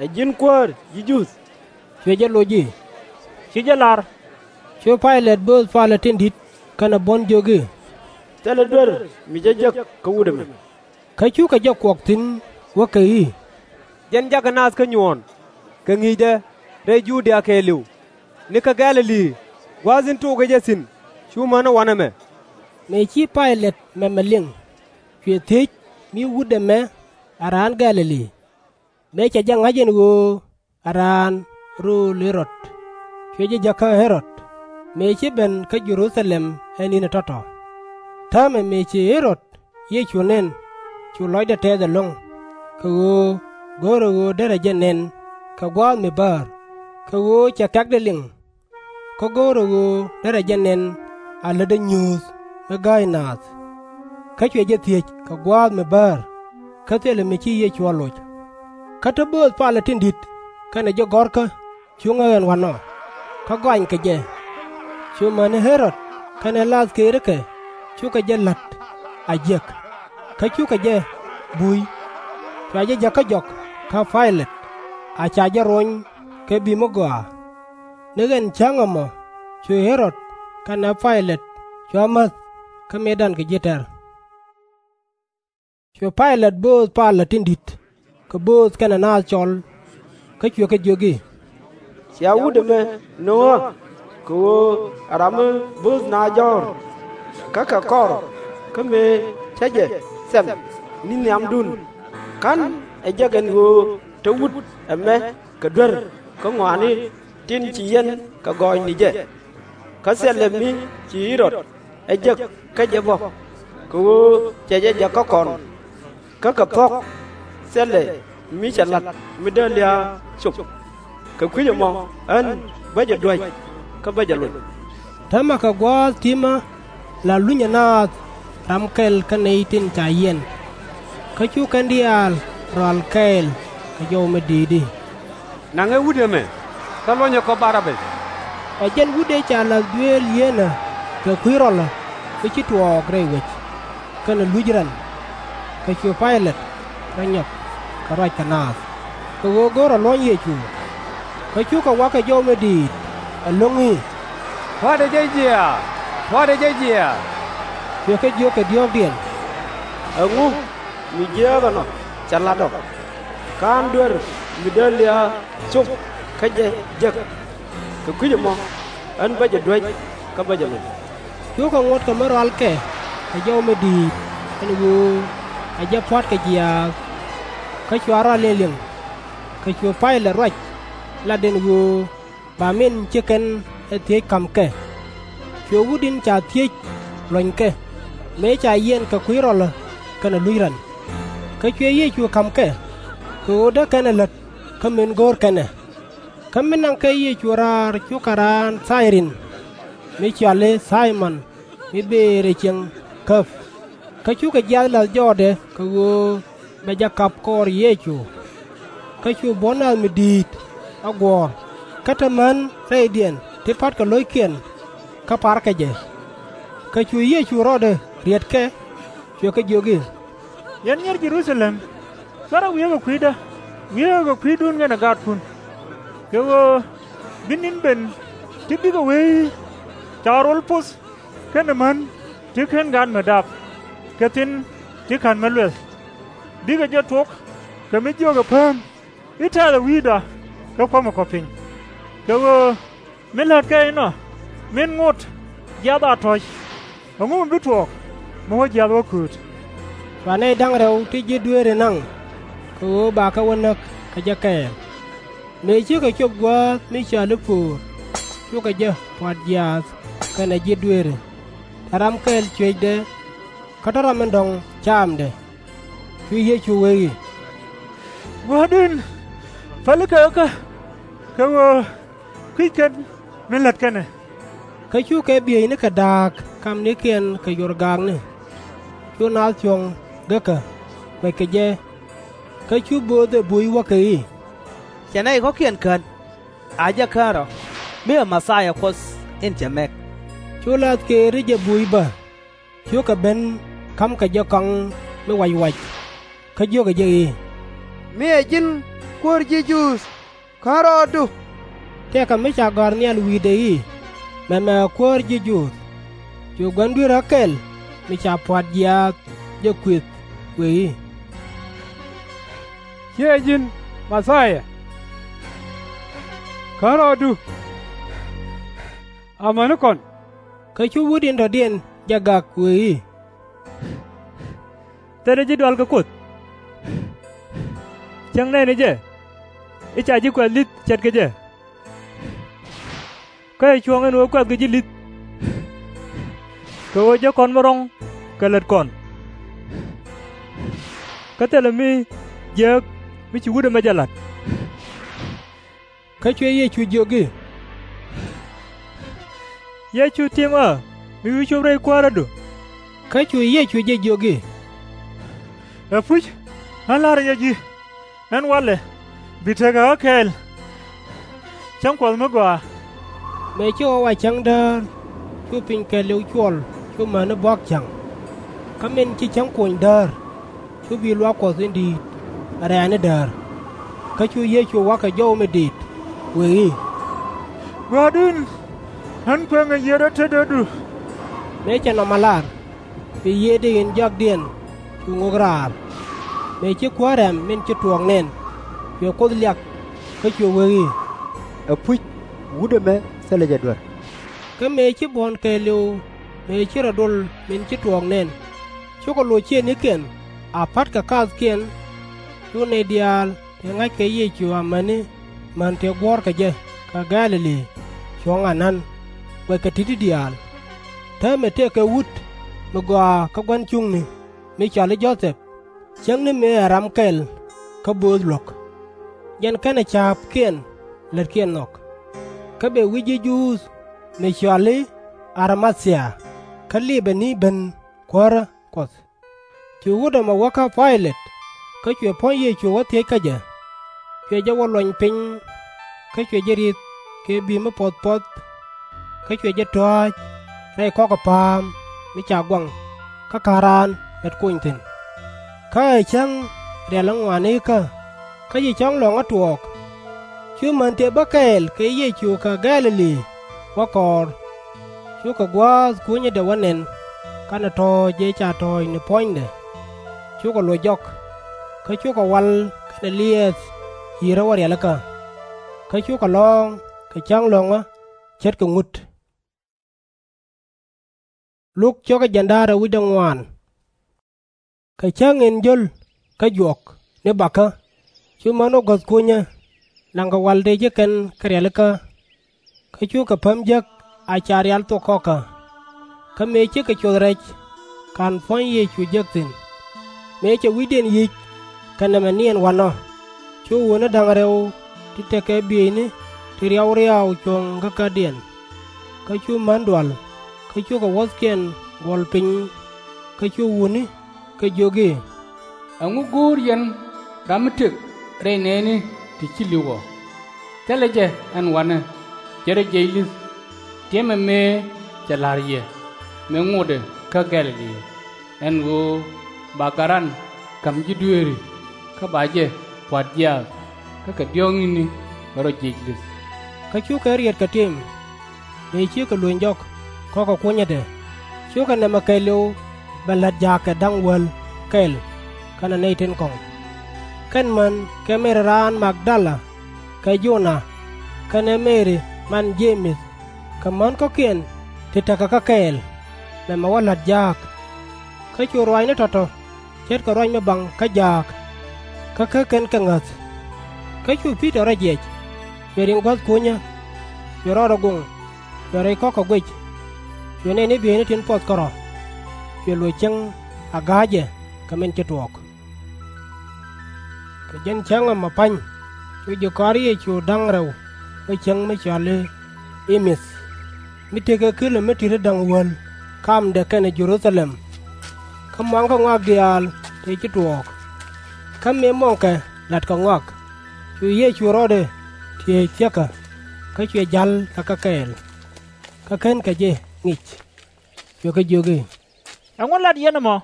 Ɛ ji̱n kuäär ji̱ Juudh? Cuɛ jɛ loc i̱, Ci jɛ lar. Cu Pay-lɛt bööth palä tin di̱t kɛnɛ buɔ̱n jiök i̱, Thilɛ duer mi cä jek kä wut ɛmɛ. Kä cukɛ jɛ kuɔk thi̱n wäkɛ i̱, Jɛn jakä naath kä nyuɔɔn, kɛ ŋi̱i̱cdɛ rɛy Ju-dia kɛɛliw, ni kä Gɛ̈-lɛ-li gua̱a̱th in tokɛ jɛ thi̱n cu mäni wanɛ mɛ. Mëë ci Pay-lɛt mɛmɛ liŋ, cuɛ thiec mi wut ɛmɛ ɛ raan Gɛ̈-lɛ-li. Mëë cɛ jɛ ŋa̱c ɛn ɣöö ɛ raan rööl Ɣɛ-rɔd, cuɛ jɛ jäk kä Ɣɛ-rɔd, mëë ci ben kä Jɛ-ru-tha-lɛm ɛ ni̱n ɛ tɔ̱tɔ̱. Täämɛ mëë ci Ɣɛ-rɔd Yecu nɛn, cu lɔcdɛ tɛɛth ɛlɔ̱ŋ, kɛ ɣöö go̱o̱rɛ ɣöö derɛ jɛ nɛn kɛ gua̱a̱th mi bäär, kɛ ɣöö cɛ kɛ̈kdɛ liŋ. Kä go̱o̱rɛ ɣöö derɛ jɛ nɛn a lätdä nyuuth mi gääy naath. Kä cuɛ jɛ thiec kɛ gua̱a̱th mi bäär, kä thilɛ mi ci Yecu a loc. Kä te bööth palä tin di̱t kɛnɛ ji̱ gɔ̱rkä cu ŋäk ɛn wa̱nɔ, kä gɔanykɛ jɛ. Cu mäni Ɣɛ-rɔd kɛnɛ la̱th këërikɛ cukɛ jɛ la̱t a jiäk, kä cukɛ jɛ buy. Cua jɛ jäk kä jɔk kä Pay-lɛt, a ca jɛ rony kɛ bi̱i̱ mi gɔaa. Ni ɛn cäŋ ɛmɔ cu Ɣɛ-rɔd kɛnɛ Pay-lɛt cua mäth kä mëëdan kɛ ji̱ tɛ̈r. Cu Pay-lɛt bööth palä tin di̱t kɛ bööth kɛnɛ naath cɔl, kä cuɛ kɛ jiök i̱, Cia wut ɛmɛ no̱o̱ŋä, kɛ ɣöö ɛ ram mi bööth naath jɔ̱ɔ̱r, kä kɛ kɔr, kä mëë cä jɛ thɛm ni nhiamdun, /ka̱n ɛ jek ɛn ɣöö te wut ɛmɛ kɛ duer kä ŋɔaani tin ci yɛn kɛ gɔɔy ni jɛ. Kä thilɛ mi ci Ɣɛ-rɔd ɛ jek kä jɛ bä, kɛ ɣöö cɛ jɛ jäk kä kɔn. Kä kɛ thuɔ̱k, thilɛ mi cɛ la̱t mi dee lia̱a̱ cop. Kɛ kui̱c ɛmɔ ɣän bä jɛ duäc kä bä jɛ loc. Täämɛ kɛ gua̱a̱th ti̱mä la lunyɛ naath ram kɛl kä nɛy tin ca yiɛn. Kä cu kɛn diaal rɔal kɛɛl kɛ jɔw mi di̱i̱t i̱, Naŋɛ wut ɛmɛ, kä luɔ̱nyɛ kɔ Bar-bäth. Ɛ jɛn wut ëë ca la̱th dueel yieenä kɛ kui̱ rɔlä mi ci tuɔɔk rɛy wec, kɛnɛ luc rɛn. Kä cu Pay-lɛt rɔ nyɔk kɛ ruac kɛ naath, kɛ ɣöö görɛ luɔ̱ny Yecu. Kä cukɛ wa̱k kɛ jɔw mi di̱i̱t ɛlɔ̱ŋ i̱, Pua̱tdɛ jɛ jiaath! Pua̱tdɛ jɛ jiaath! Cuɛ kɛ jiök kɛ diɔ̱ɔ̱kdiɛn, Ɛŋu mi jiääk ɛnɔ cɛ la̱t ɔ? /Ka̱n duer mi dee lia̱a̱ cop kä jɛ jek. Kɛ kui̱c ɛmɔ ɣän bä jɛ duäc kä bä jɛ loc. Cukɛ ŋuɔ̱t kɛ mi rɔalkɛ kɛ jɔw mi di̱i̱t ɛn ɣöö ɛ jɛ pua̱tkɛ jiaath. Kä cua rɔal liɛŋliɛŋ. Kä cu Pay-lɛt ruac lat ɛn ɣöö ba min ci kɛn ɛ thiec ka̱m kɛ. Cuɛ wut in ca thiec luɔ̱nykɛ, mëë ca yiɛn kɛ kui̱ rɔlä kɛnɛ luc rɛn. Kä cuɛ Yecu ka̱m kɛ, kɛ ɣöö dee kɛn ɛ lät kä min go̱o̱r kɛn ɛ. Kä min naŋ kɛ Yecu raar cukɛ raan Thayrin, mi cɔal i̱ Thay-mɔn, mi bëë rɛy cieŋ käp. Kä cukɛ jiaath la̱th jɔɔdɛ kɛ ɣöö bɛ jɛ kap kɔɔr Yecu. Kä cu buɔ̱n naath mi di̱i̱t a guɔ̱ɔ̱r, kä te män rɛydiɛn ti pa̱tkɛ lo̱ckiɛn kä parkɛ jɛ. Kä cu Yecu rɔɔdɛ riet kɛ, cuɛ kɛ jiök i̱, Yɛn nyier Jɛ-ru-tha-lɛm, /cuarɛ wiee kɛ kui̱dä, wiee kɛ kui̱dun kɛnɛ gaatkun. Kɛ ɣöö bi ni̱n ben ti bikɛ wee i̱, /Ca rol poth kɛnɛ män ti /ken gaat mi dap, kɛ thi̱n ti /ka̱n mi luɛth, bikɛ jɛ tuɔk kɛ mi jiökɛ pääm i̱, Tɛ̈th ɛ wi̱i̱da, kä kuämɛ kɔ piny. Kɛ ɣöö min la̱tkɛ inɔ, min ŋot jiath a tɔ̱c, ɛŋu mi bi tuɔɔk mi wä jiath wä kööt? Cu nɛy da̱ŋ rɛw ti ji̱ dueeri naŋ kɛ ɣöö bakɛ wä näk kɛ jɛ kɛɛl. Mëë cikɛ cop gua̱a̱th mi cɔal i̱ Po̱o̱r, cukɛ jɛ pua̱t jiaath kɛnɛ ji̱ dueeri, tɔ̱ ram kɛl cuecdɛ kä tɔ̱ ram in dɔ̱ŋ caamdɛ. Cu Yecu wee i̱, Gua̱a̱r in, pälikä kä, kɛ ɣöö kui̱c kɛn min lät kɛn ɛ. Kä cukɛ bieynikɛ da̱a̱k kamnikiɛn kɛ yorgaakni. Cu naath cuɔ̱ŋ gekä, guɛckɛ jɛ. Kä cu bööth ɛ buc wäkɛ i̱, Cɛ nɛy kɔ̱kiɛn kän, a jɛ kän rɔ̱, mi ɛ Mɛthia Kuɔth in cɛ mɛk. Cu la̱th keer i̱ jɛ buc bä, cukɛ ben ka̱mkɛ jɛ kɔaŋ mi wac wac, kä jiökɛ jɛ i̱, Mi ɛ ji̱n Kuäär ji̱ Juudh, kän rɔɔdu. Tëëkɛ mi ca gɔ̱a̱r nhial wi̱i̱dɛ i̱, Mɛmɛ ɛ Kuäär ji̱ Juudh. Cu gua̱n dueerä kɛl mi ca pua̱t jiaath jɛ kuëth, wëë i̱, Ciɛ ji̱n Mɛthia? Kän rɔɔdu amäni kɔn. Kä cu wut in dɔ̱diɛn jɛ gak, wëë i̱, Thilɛ ji̱ dual kɛ Kuoth. Cäŋ nɛɛni jɛ i̱, Ca ji̱ kuɛth li̱th ce̱tkɛ jɛ. Kä ɛ cuɔ̱ɔ̱ŋ ɛn ɣöö kuɛthkɛ ji̱ li̱th, kɛ ɣöö jek kɔn mi ro̱ŋ kɛ lät kɔn. Kä thilɛ mi jiääk mi ci wut ɛmɛ jɛ la̱t. Kä cuɛ Yecu jiök i̱, Yɛ cu ti̱em ɣä mi wi̱i̱ cop rɛy kuäärädu? Kä cu Yecu jɛ jiök i̱, Ɛpuc, ɣän la̱rä yɛ ji̱, ɛn walɛ bi tekɛ ɣä kɛɛl cäŋ Kuɔth mi gɔaa. Mëë ci ɣɔw a cäŋ däär, cu piny kɛɛliw cuɔl cu mäni buɔ̱k cäŋ. Kä min ci cäŋ kuɔny däär, cu bi̱i̱ luaak Kuɔth in di̱i̱t rɛ̈ɛ̈ni däär. Kä cu Yecu wa̱kɛ jɔw mi di̱i̱t, wëë i̱, Gua̱a̱r in, ɣän kuëŋɛ yiëërä tetdädu. Mëë cɛ nɔmɔ lar, cuɛ yiëëdɛ in jɔakdiɛn cu ŋok raar. Mëë ci kuäär rɛ̈m min ci tuɔɔk nɛn, cuɛ Kuoth liak, kä cuɛ wee i̱, Ɛpuc, wut ɛmɛ thilɛ jɛ duer. Kä mëë ci buɔ̱n kɛɛliw mëë ci rɔ dol min ci tuɔɔk nɛn, cukɛ loc ciëëŋnikiɛn a pa̱t kɛ kathkiɛn. Cu nɛy diaal tëë ŋa̱ckɛ Yecu amäni män tëë guɔ̱ɔ̱rkɛ jɛ kɛ Gɛ̈-lɛ-li cuɔ̱ŋ anan, guɛckɛ ti̱ti̱ diaal. Täämɛ tëëkɛ wut mi gɔaa kä gua̱n cuŋni, mi cɔal i̱ Jɔ-thɛp, cäŋ ni mëë ɛ ram kɛl kä bööth luɔ̱k. Jɛn kɛnɛ ca̱a̱pkiɛn lätkiɛn nhɔk. Kä bɛ wi̱c ji̱ Juudh mi cɔal i̱ Ar-ma-thia, kä lipɛ ni ben kuäärä Kuɔth. Cu wut ɛmɔ wä kä Pay-lɛt, kä cuɛ puɔ̱ny Yecu wä thiec kä jɛ. Cuɛ jɛ wä luɔny piny, kä cuɛ jɛ ri̱th kɛ bi̱i̱ mi puɔ̱th puɔ̱th, kä cuɛ jɛ tɔ̱a̱c rɛy kɔ̱kɛ pa̱a̱m mi ca guaŋ kä ka̱n raan lät kony thi̱n. Kä ɛ cäŋ rialikä ŋuanikä, kä ci cɔ̱ŋ lɔ̱ŋä tuɔɔk. Cu män tëë bä kɛɛl kɛ Yecu kä Gɛ̈-lɛ-li wä kɔɔr. Cukɛ gua̱a̱th kunyädɛ wä nɛn, kɛnɛ tɔ̱ɔ̱c ëë ca tɔ̱ɔ̱c ni puɔ̱nydɛ. Cukɛ loc jɔk, kä cukɛ wal kɛnɛ liɛɛth ci̱i̱rä wä rialikä. Kä cukɛ lɔ̱ɔ̱ŋ kɛ cäŋ lɔ̱ŋä ce̱tkɛ ŋut. Luk cɔkä jiɛn da̱ŋ rɛw wi̱cdɛ ŋuan. Kɛ cäŋ in jio̱l kä juɔk ni bakä, cu män wä guäth kunyä, naŋkɛ wal tëë ji̱ kɛn kɛ rialikä. Kä cukɛ päm jek a ca rial thok kɔkä. Kä mëë cikɛ cuɔth rɛc, /ka̱n puɔ̱ny Yecu jek thi̱n. Mëë cɛ wi̱cdiɛn yi̱c kɛ nɛmɛ niɛn wanɔ, cu wutni da̱ŋ rɛw ti tekɛ bieyni ti riaw riaw cuɔ̱ŋ kä kädiɛn. Kä cu män dual, kä cukɛ wuɔ̱thkiɛn guɔl piny, kä cu wutni kɛ jiök i̱, Ɛŋu go̱o̱r yɛn ram mi tëk rɛy nɛɛni ti ci li̱w ɔ? Thilɛ jɛ ɛn wanɛ, cɛ rɔ jiɛc li̱th. Tiɛmɛ mëë cɛ la̱r yɛ, mëë ŋotdɛ kä Gɛ̈-lɛ-li, ɛn ɣöö ba gat ran ka̱m ji̱ dueeri, kä ba jɛ pua̱t jiaath, kä kɛ diɔ̱ɔ̱kni rɔ jiɛc li̱th. Kä cukɛ riɛtkɛ tim, mëë cikɛ luny jɔk kɔ̱kɛ kunyädɛ, cukɛ nɛmɛ kɛɛliw bɛ la̱t jaakɛ da̱ŋ wäl kɛl kɛnɛ nɛy tin kɔ̱ŋ. Kɛn män kɛ Mɛri raan Mag-dala, kɛ Jo-na, kɛnɛ Mɛri man Je-mɛth, kɛ män kɔ̱kiɛn ti tekɛ kä kɛɛl, mɛmɛ wä la̱t jaak. Kä cu ruaacni tɔ̱tɔ̱ ce̱tkɛ ruac mi baŋ kä jaak, kä käk kɛn kɛ ŋäth. Kä cu Pi-tɔr rɔ jiɛc, cuɛ riŋ guäth kunyä, cuɛ rɔɔdɛ goŋ, cuɛ rɛy kɔ̱kɛ guic, cuɛ nɛy ni bieyni tin puɔth kärɔ̱, cuɛ loc cäŋ a ga̱a̱cɛ kɛ min ci tuɔɔk. Kɛ jɛn cäŋ ɛmɔ pa̱ny, cu ji̱ kɔaar Yecu da̱ŋ rɛw wä cäŋ mi cɔal i̱ Ɛmɛth, mi tekɛ kilomɛtër ti da̱ŋ wäl kamdɛ kɛnɛ Jɛ-ru-tha-lɛm. Kä muaŋkɛ ŋɔak diaal tëë ci tuɔɔk. Kä mëë muɔ̱ŋkɛ la̱tkɛ ŋɔak, cu Yecu rɔɔdɛ ti̱eec thiäkä, kä cuɛ ja̱l kɛ kɛ kɛɛl. Kä /kenkɛ jɛ ŋic. Cuɛ kɛ jiök i̱, Ɛŋu lat yɛn ɛmɔ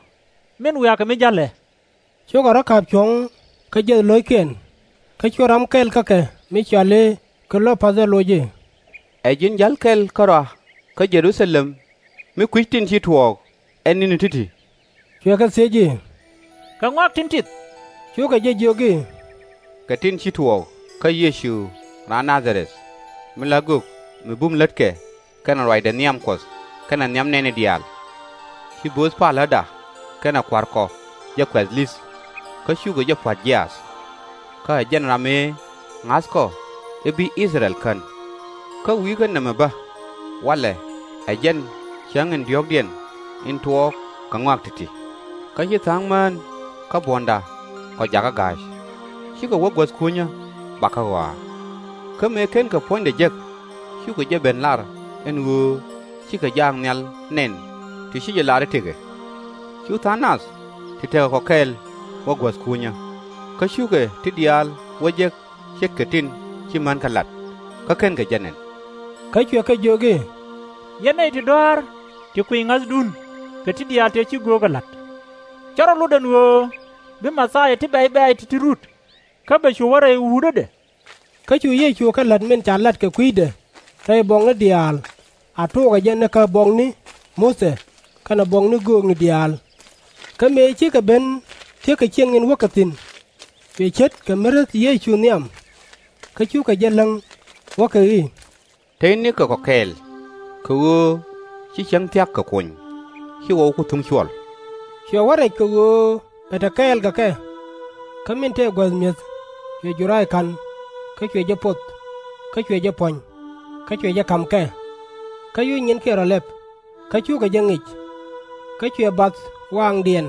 min wiakɛ mi ja̱lɛ? Cukɛ rɔ̱ ka̱p cuɔ̱ŋ kä jiäth lo̱ckiɛn. Kä cu ram kɛl kä kɛ mi cɔal i̱ Ki-lo-path ɛ loc i̱, Ɛ ji̱n ja̱l kɛl kärɔa kä Jɛ-ru-tha-lɛm mi kui̱c tin ci tuɔɔk ɛ ni̱ni ti̱ti̱? Cuɛ kɛ thiec i̱, Kɛ ŋɔak tin tith? Cukɛ jɛ jiök i̱, Kɛ tin ci tuɔɔk kä Yecu raan Naa-dha-rɛth, mi la gök mi bum lätkɛ kɛnɛ ruacdɛ nhiam Kuɔth kɛnɛ nhiam nɛɛni diaal. Ci bööth paläda kɛnɛ kua̱r kɔ jɛ kuɛth li̱th, kä cukɛ jɛ pua̱t jiaath. Kä ɛ jɛn ram ëë ŋa̱thkɔ i̱ bi I-thɛ-rɛl kän. Kä wi̱i̱ kɛ nɛmɛ bä, walɛ ɛ jɛn cäŋ in diɔ̱ɔ̱kdiɛn in tuɔɔk kɛ ŋɔak ti̱ti̱. Kä ci tha̱a̱ŋ mään kä buɔ̱nda kɔ jakä ga̱a̱c. Cikɛ wä guäth kunyä bakä ɣɔaa. Kä mëë /kenkɛ puɔ̱nydɛ jek, cukɛ jɛ ben lar ɛn ɣöö cikɛ jaak nhial nɛn ti ci jɛ lar i̱ tëkɛ. Cu tha̱a̱ŋ nath ti tekɛ kɔ kɛɛl wä guäth kunyä, kä cukɛ ti diaal wä jek ce̱tkɛ tin ci mänkɛ lat, kä /kenkɛ jɛ nɛn. Kä cuɛ kɛ jiök i̱, Yɛn nɛy ti dɔ̱a̱r ti kui̱c ŋa̱thdun kɛ ti diaal tëë ci göökä la̱t. Cä rɔ lot ɛn ɣöö bi Mɛ-thia ti bɛ̈c bɛ̈ɛ̈c ti̱ti̱ rut, kä bɛ cu wä rɛy wutädɛ. Kä cu Yecu kɛ la̱t min ca lat kɛ kui̱dɛ rɛy buɔkni diaal, a tok ɛ jɛ ni kä buɔkni Muthɛ kɛnɛ buɔkni göökni diaal. Kä mëë cikɛ ben thiäk kɛ ciɛŋ in wäkɛ thi̱n, cuɛ ce̱tkɛ mi reth Yecu nhiam. Kä cukɛ jɛ läŋ, wäkɛ i̱, Tëë nikɛ kɔ kɛɛl, kɛ ɣöö ci cäŋ thia̱k kɛ kony, /ci ɣɔw ku thuŋ cuɔl. Cuɛ wä rɛc kɛ ɣöö bɛ te kɛɛl kɛ kɛ. Kä min tëë guäth mi̱eth, cuɛ juray ka̱n, kä cuɛ jɛ poth, kä cuɛ jɛ puɔ̱ny, kä cuɛ jɛ ka̱m kɛ. Kä cu nyinkiɛn rɔ lɛp, kä cukɛ jɛ ŋic. Kä cuɛ bath waaŋdiɛn,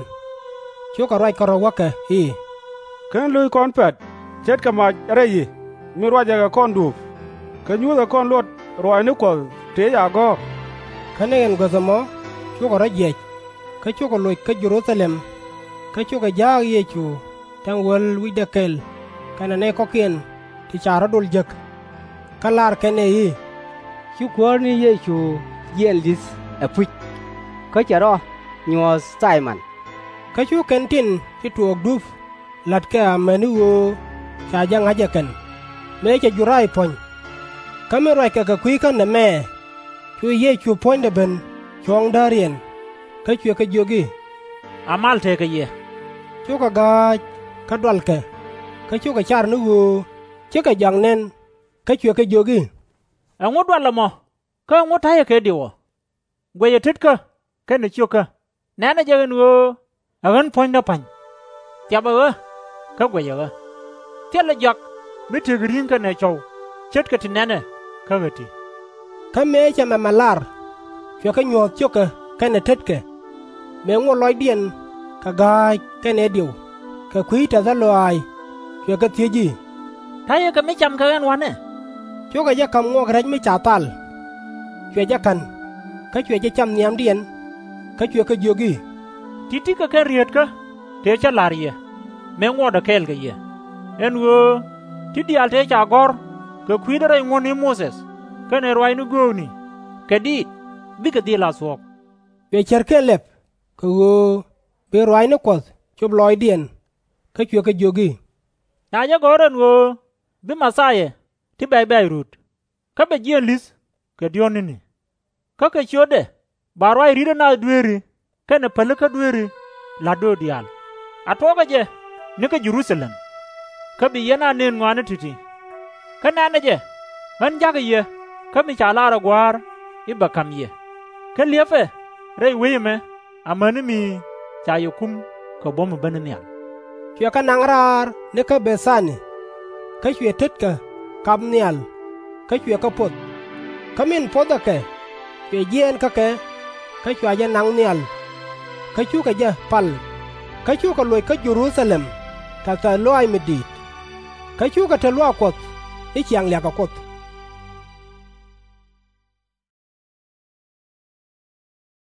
cukɛ ruac kärɔ̱, wäkɛ i̱, /Ken lo̱c kɔn pɛ̈t ce̱tkɛ mac rɛy i̱, min ruacɛ kɛ kɔn duɔ̱ɔ̱p, kä nyuthɛ kɔn luɔt ruaacni Kuɔth tëë ca gɔ̱r. Kä ni ɛn guäth ɛmɔ cukɛ rɔ̱ jiɛc, kä cukɛ loc kä Jɛ-ru-tha-lɛm. Kä cukɛ ja̱a̱k Yecu tɛ̈ŋ wäl wi̱cdɛ kɛl kɛnɛ nɛy kɔ̱kiɛn ti ca rɔ̱ dol jek. Kä lar kɛn ɛ i̱, Ci Kuäär ni Yecu jiɛɛn li̱th ɛpuc, kä cɛ rɔ nyuɔ̱th Thay-mɛn. Kä cu kɛn tin ci tuɔɔk dup la̱t kɛ amäni ɣöö ca jɛ ŋa̱c ɛ kɛn, mëë cɛ juray puɔ̱ny. Kä min ruackɛ kɛ kui̱ kä nɛmɛ, cu Yecu puɔ̱nydɛ ben cuɔ̱ɔ̱ŋ dääriɛn. Kä cuɛ kɛ jiök i̱, A mal tekɛ yɛ. Cukɛ ga̱a̱c, kä dualkɛ, kä cukɛ car ni ɣöö cikɛ jɔak nɛn. Kä cuɛ kɛ jiök i̱, Ɛŋu dual ɛmɔ, kä ɛŋu ta̱yɛ kɛ diw ɔ? Guɛcɛ tetkä kɛnɛ ciökä, nɛ̈nɛ jɛ ɛn ɣöö ɛ ɣän puɔ̱nydä pa̱ny. Thiapɛ ɣä, kä guɛcɛ ɣä. Thilɛ jɔak mi tekɛ ri̱ŋ kɛnɛ cɔw ce̱tkɛ ti nɛ̈nɛ kä ɣä ti. Kä mëë cɛ mɛmɛ lar, cuɛ kɛ nyuɔ̱th ciökɛ kɛnɛ tetkɛ, mëë ŋot lɔcdiɛn kɛ ga̱a̱c kɛnɛ diw kɛ kui̱ tɛthä lɔaac. Cuɛ kɛ thiec i̱, Ta̱yɛ kɛ mi cam kɛ ɣän wanɛ? Cukɛ jɛ ka̱m ŋuɔk rɛc mi ca thal. Cuɛ jɛ ka̱n, kä cuɛ jɛ cam nhiamdiɛn, kä cuɛ kɛ jiök i̱, Ti̱ti̱ kɛ kɛn rieetkä tëë cä la̱r yɛ, mëë ŋuɔtdä kɛɛl kɛ yɛ, ɛn ɣöö ti̱ diaal tëë ca gɔ̱r kɛ kui̱dä rɛy ŋuɔ̱tni Muthɛ kɛnɛ ruaacni göökni, kɛ diit bikɛ dhil a thuɔ̱k. Cuɛ cärkiɛn lɛp, kɛ ɣöö bi ruaacni Kuɔth cop lɔɔcdiɛn, kä cuɛ kɛ jiök i̱, Na jɛ gɔ̱r ɛn ɣöö bi Mɛ-thia ti bɛ̈c bɛ̈ɛ̈c rut, kä bɛ jiɛɛn li̱th kɛ diɔ̱ɔ̱k ni̱ni. Kä kɛ ciötdɛ ba ruac ri̱t ɛ nath dueeri kɛnɛ pälikä dueeri la̱t döör diaal. A tuɔɔkä jɛ nikä Jɛ-ru-tha-lɛm, kä bi yɛn a nën ŋɔaani ti̱ti̱. Kä nɛ̈nɛ jɛ, ɣän ja̱kä yɛ kä mi ca lar ɛ Gua̱a̱r i̱ bɛ ka̱m yɛ, kä li̱epɛ rɛy wec ɛmɛ amäni mi ca yɛ kum kɛ buɔ̱m ɛ bäni nhial. Cuɛ kɛ naŋ raar nikä Bɛ̈th-a-ni, kä cuɛ tetkä kap nhial, kä cuɛ kɛ poth. Kä min pothɛ kɛ, cuɛ jiɛɛn kä kɛ, kä cua jɛ naŋ nhial, kä cukɛ jɛ pal. Kä cukɛ loc kä Jɛ-ru-tha-lɛm tɛ̈th tɛ̈th lɔaac mi di̱i̱t, kä cukɛ te luaak Kuɔth ni ciaŋ liakɛ Kuoth.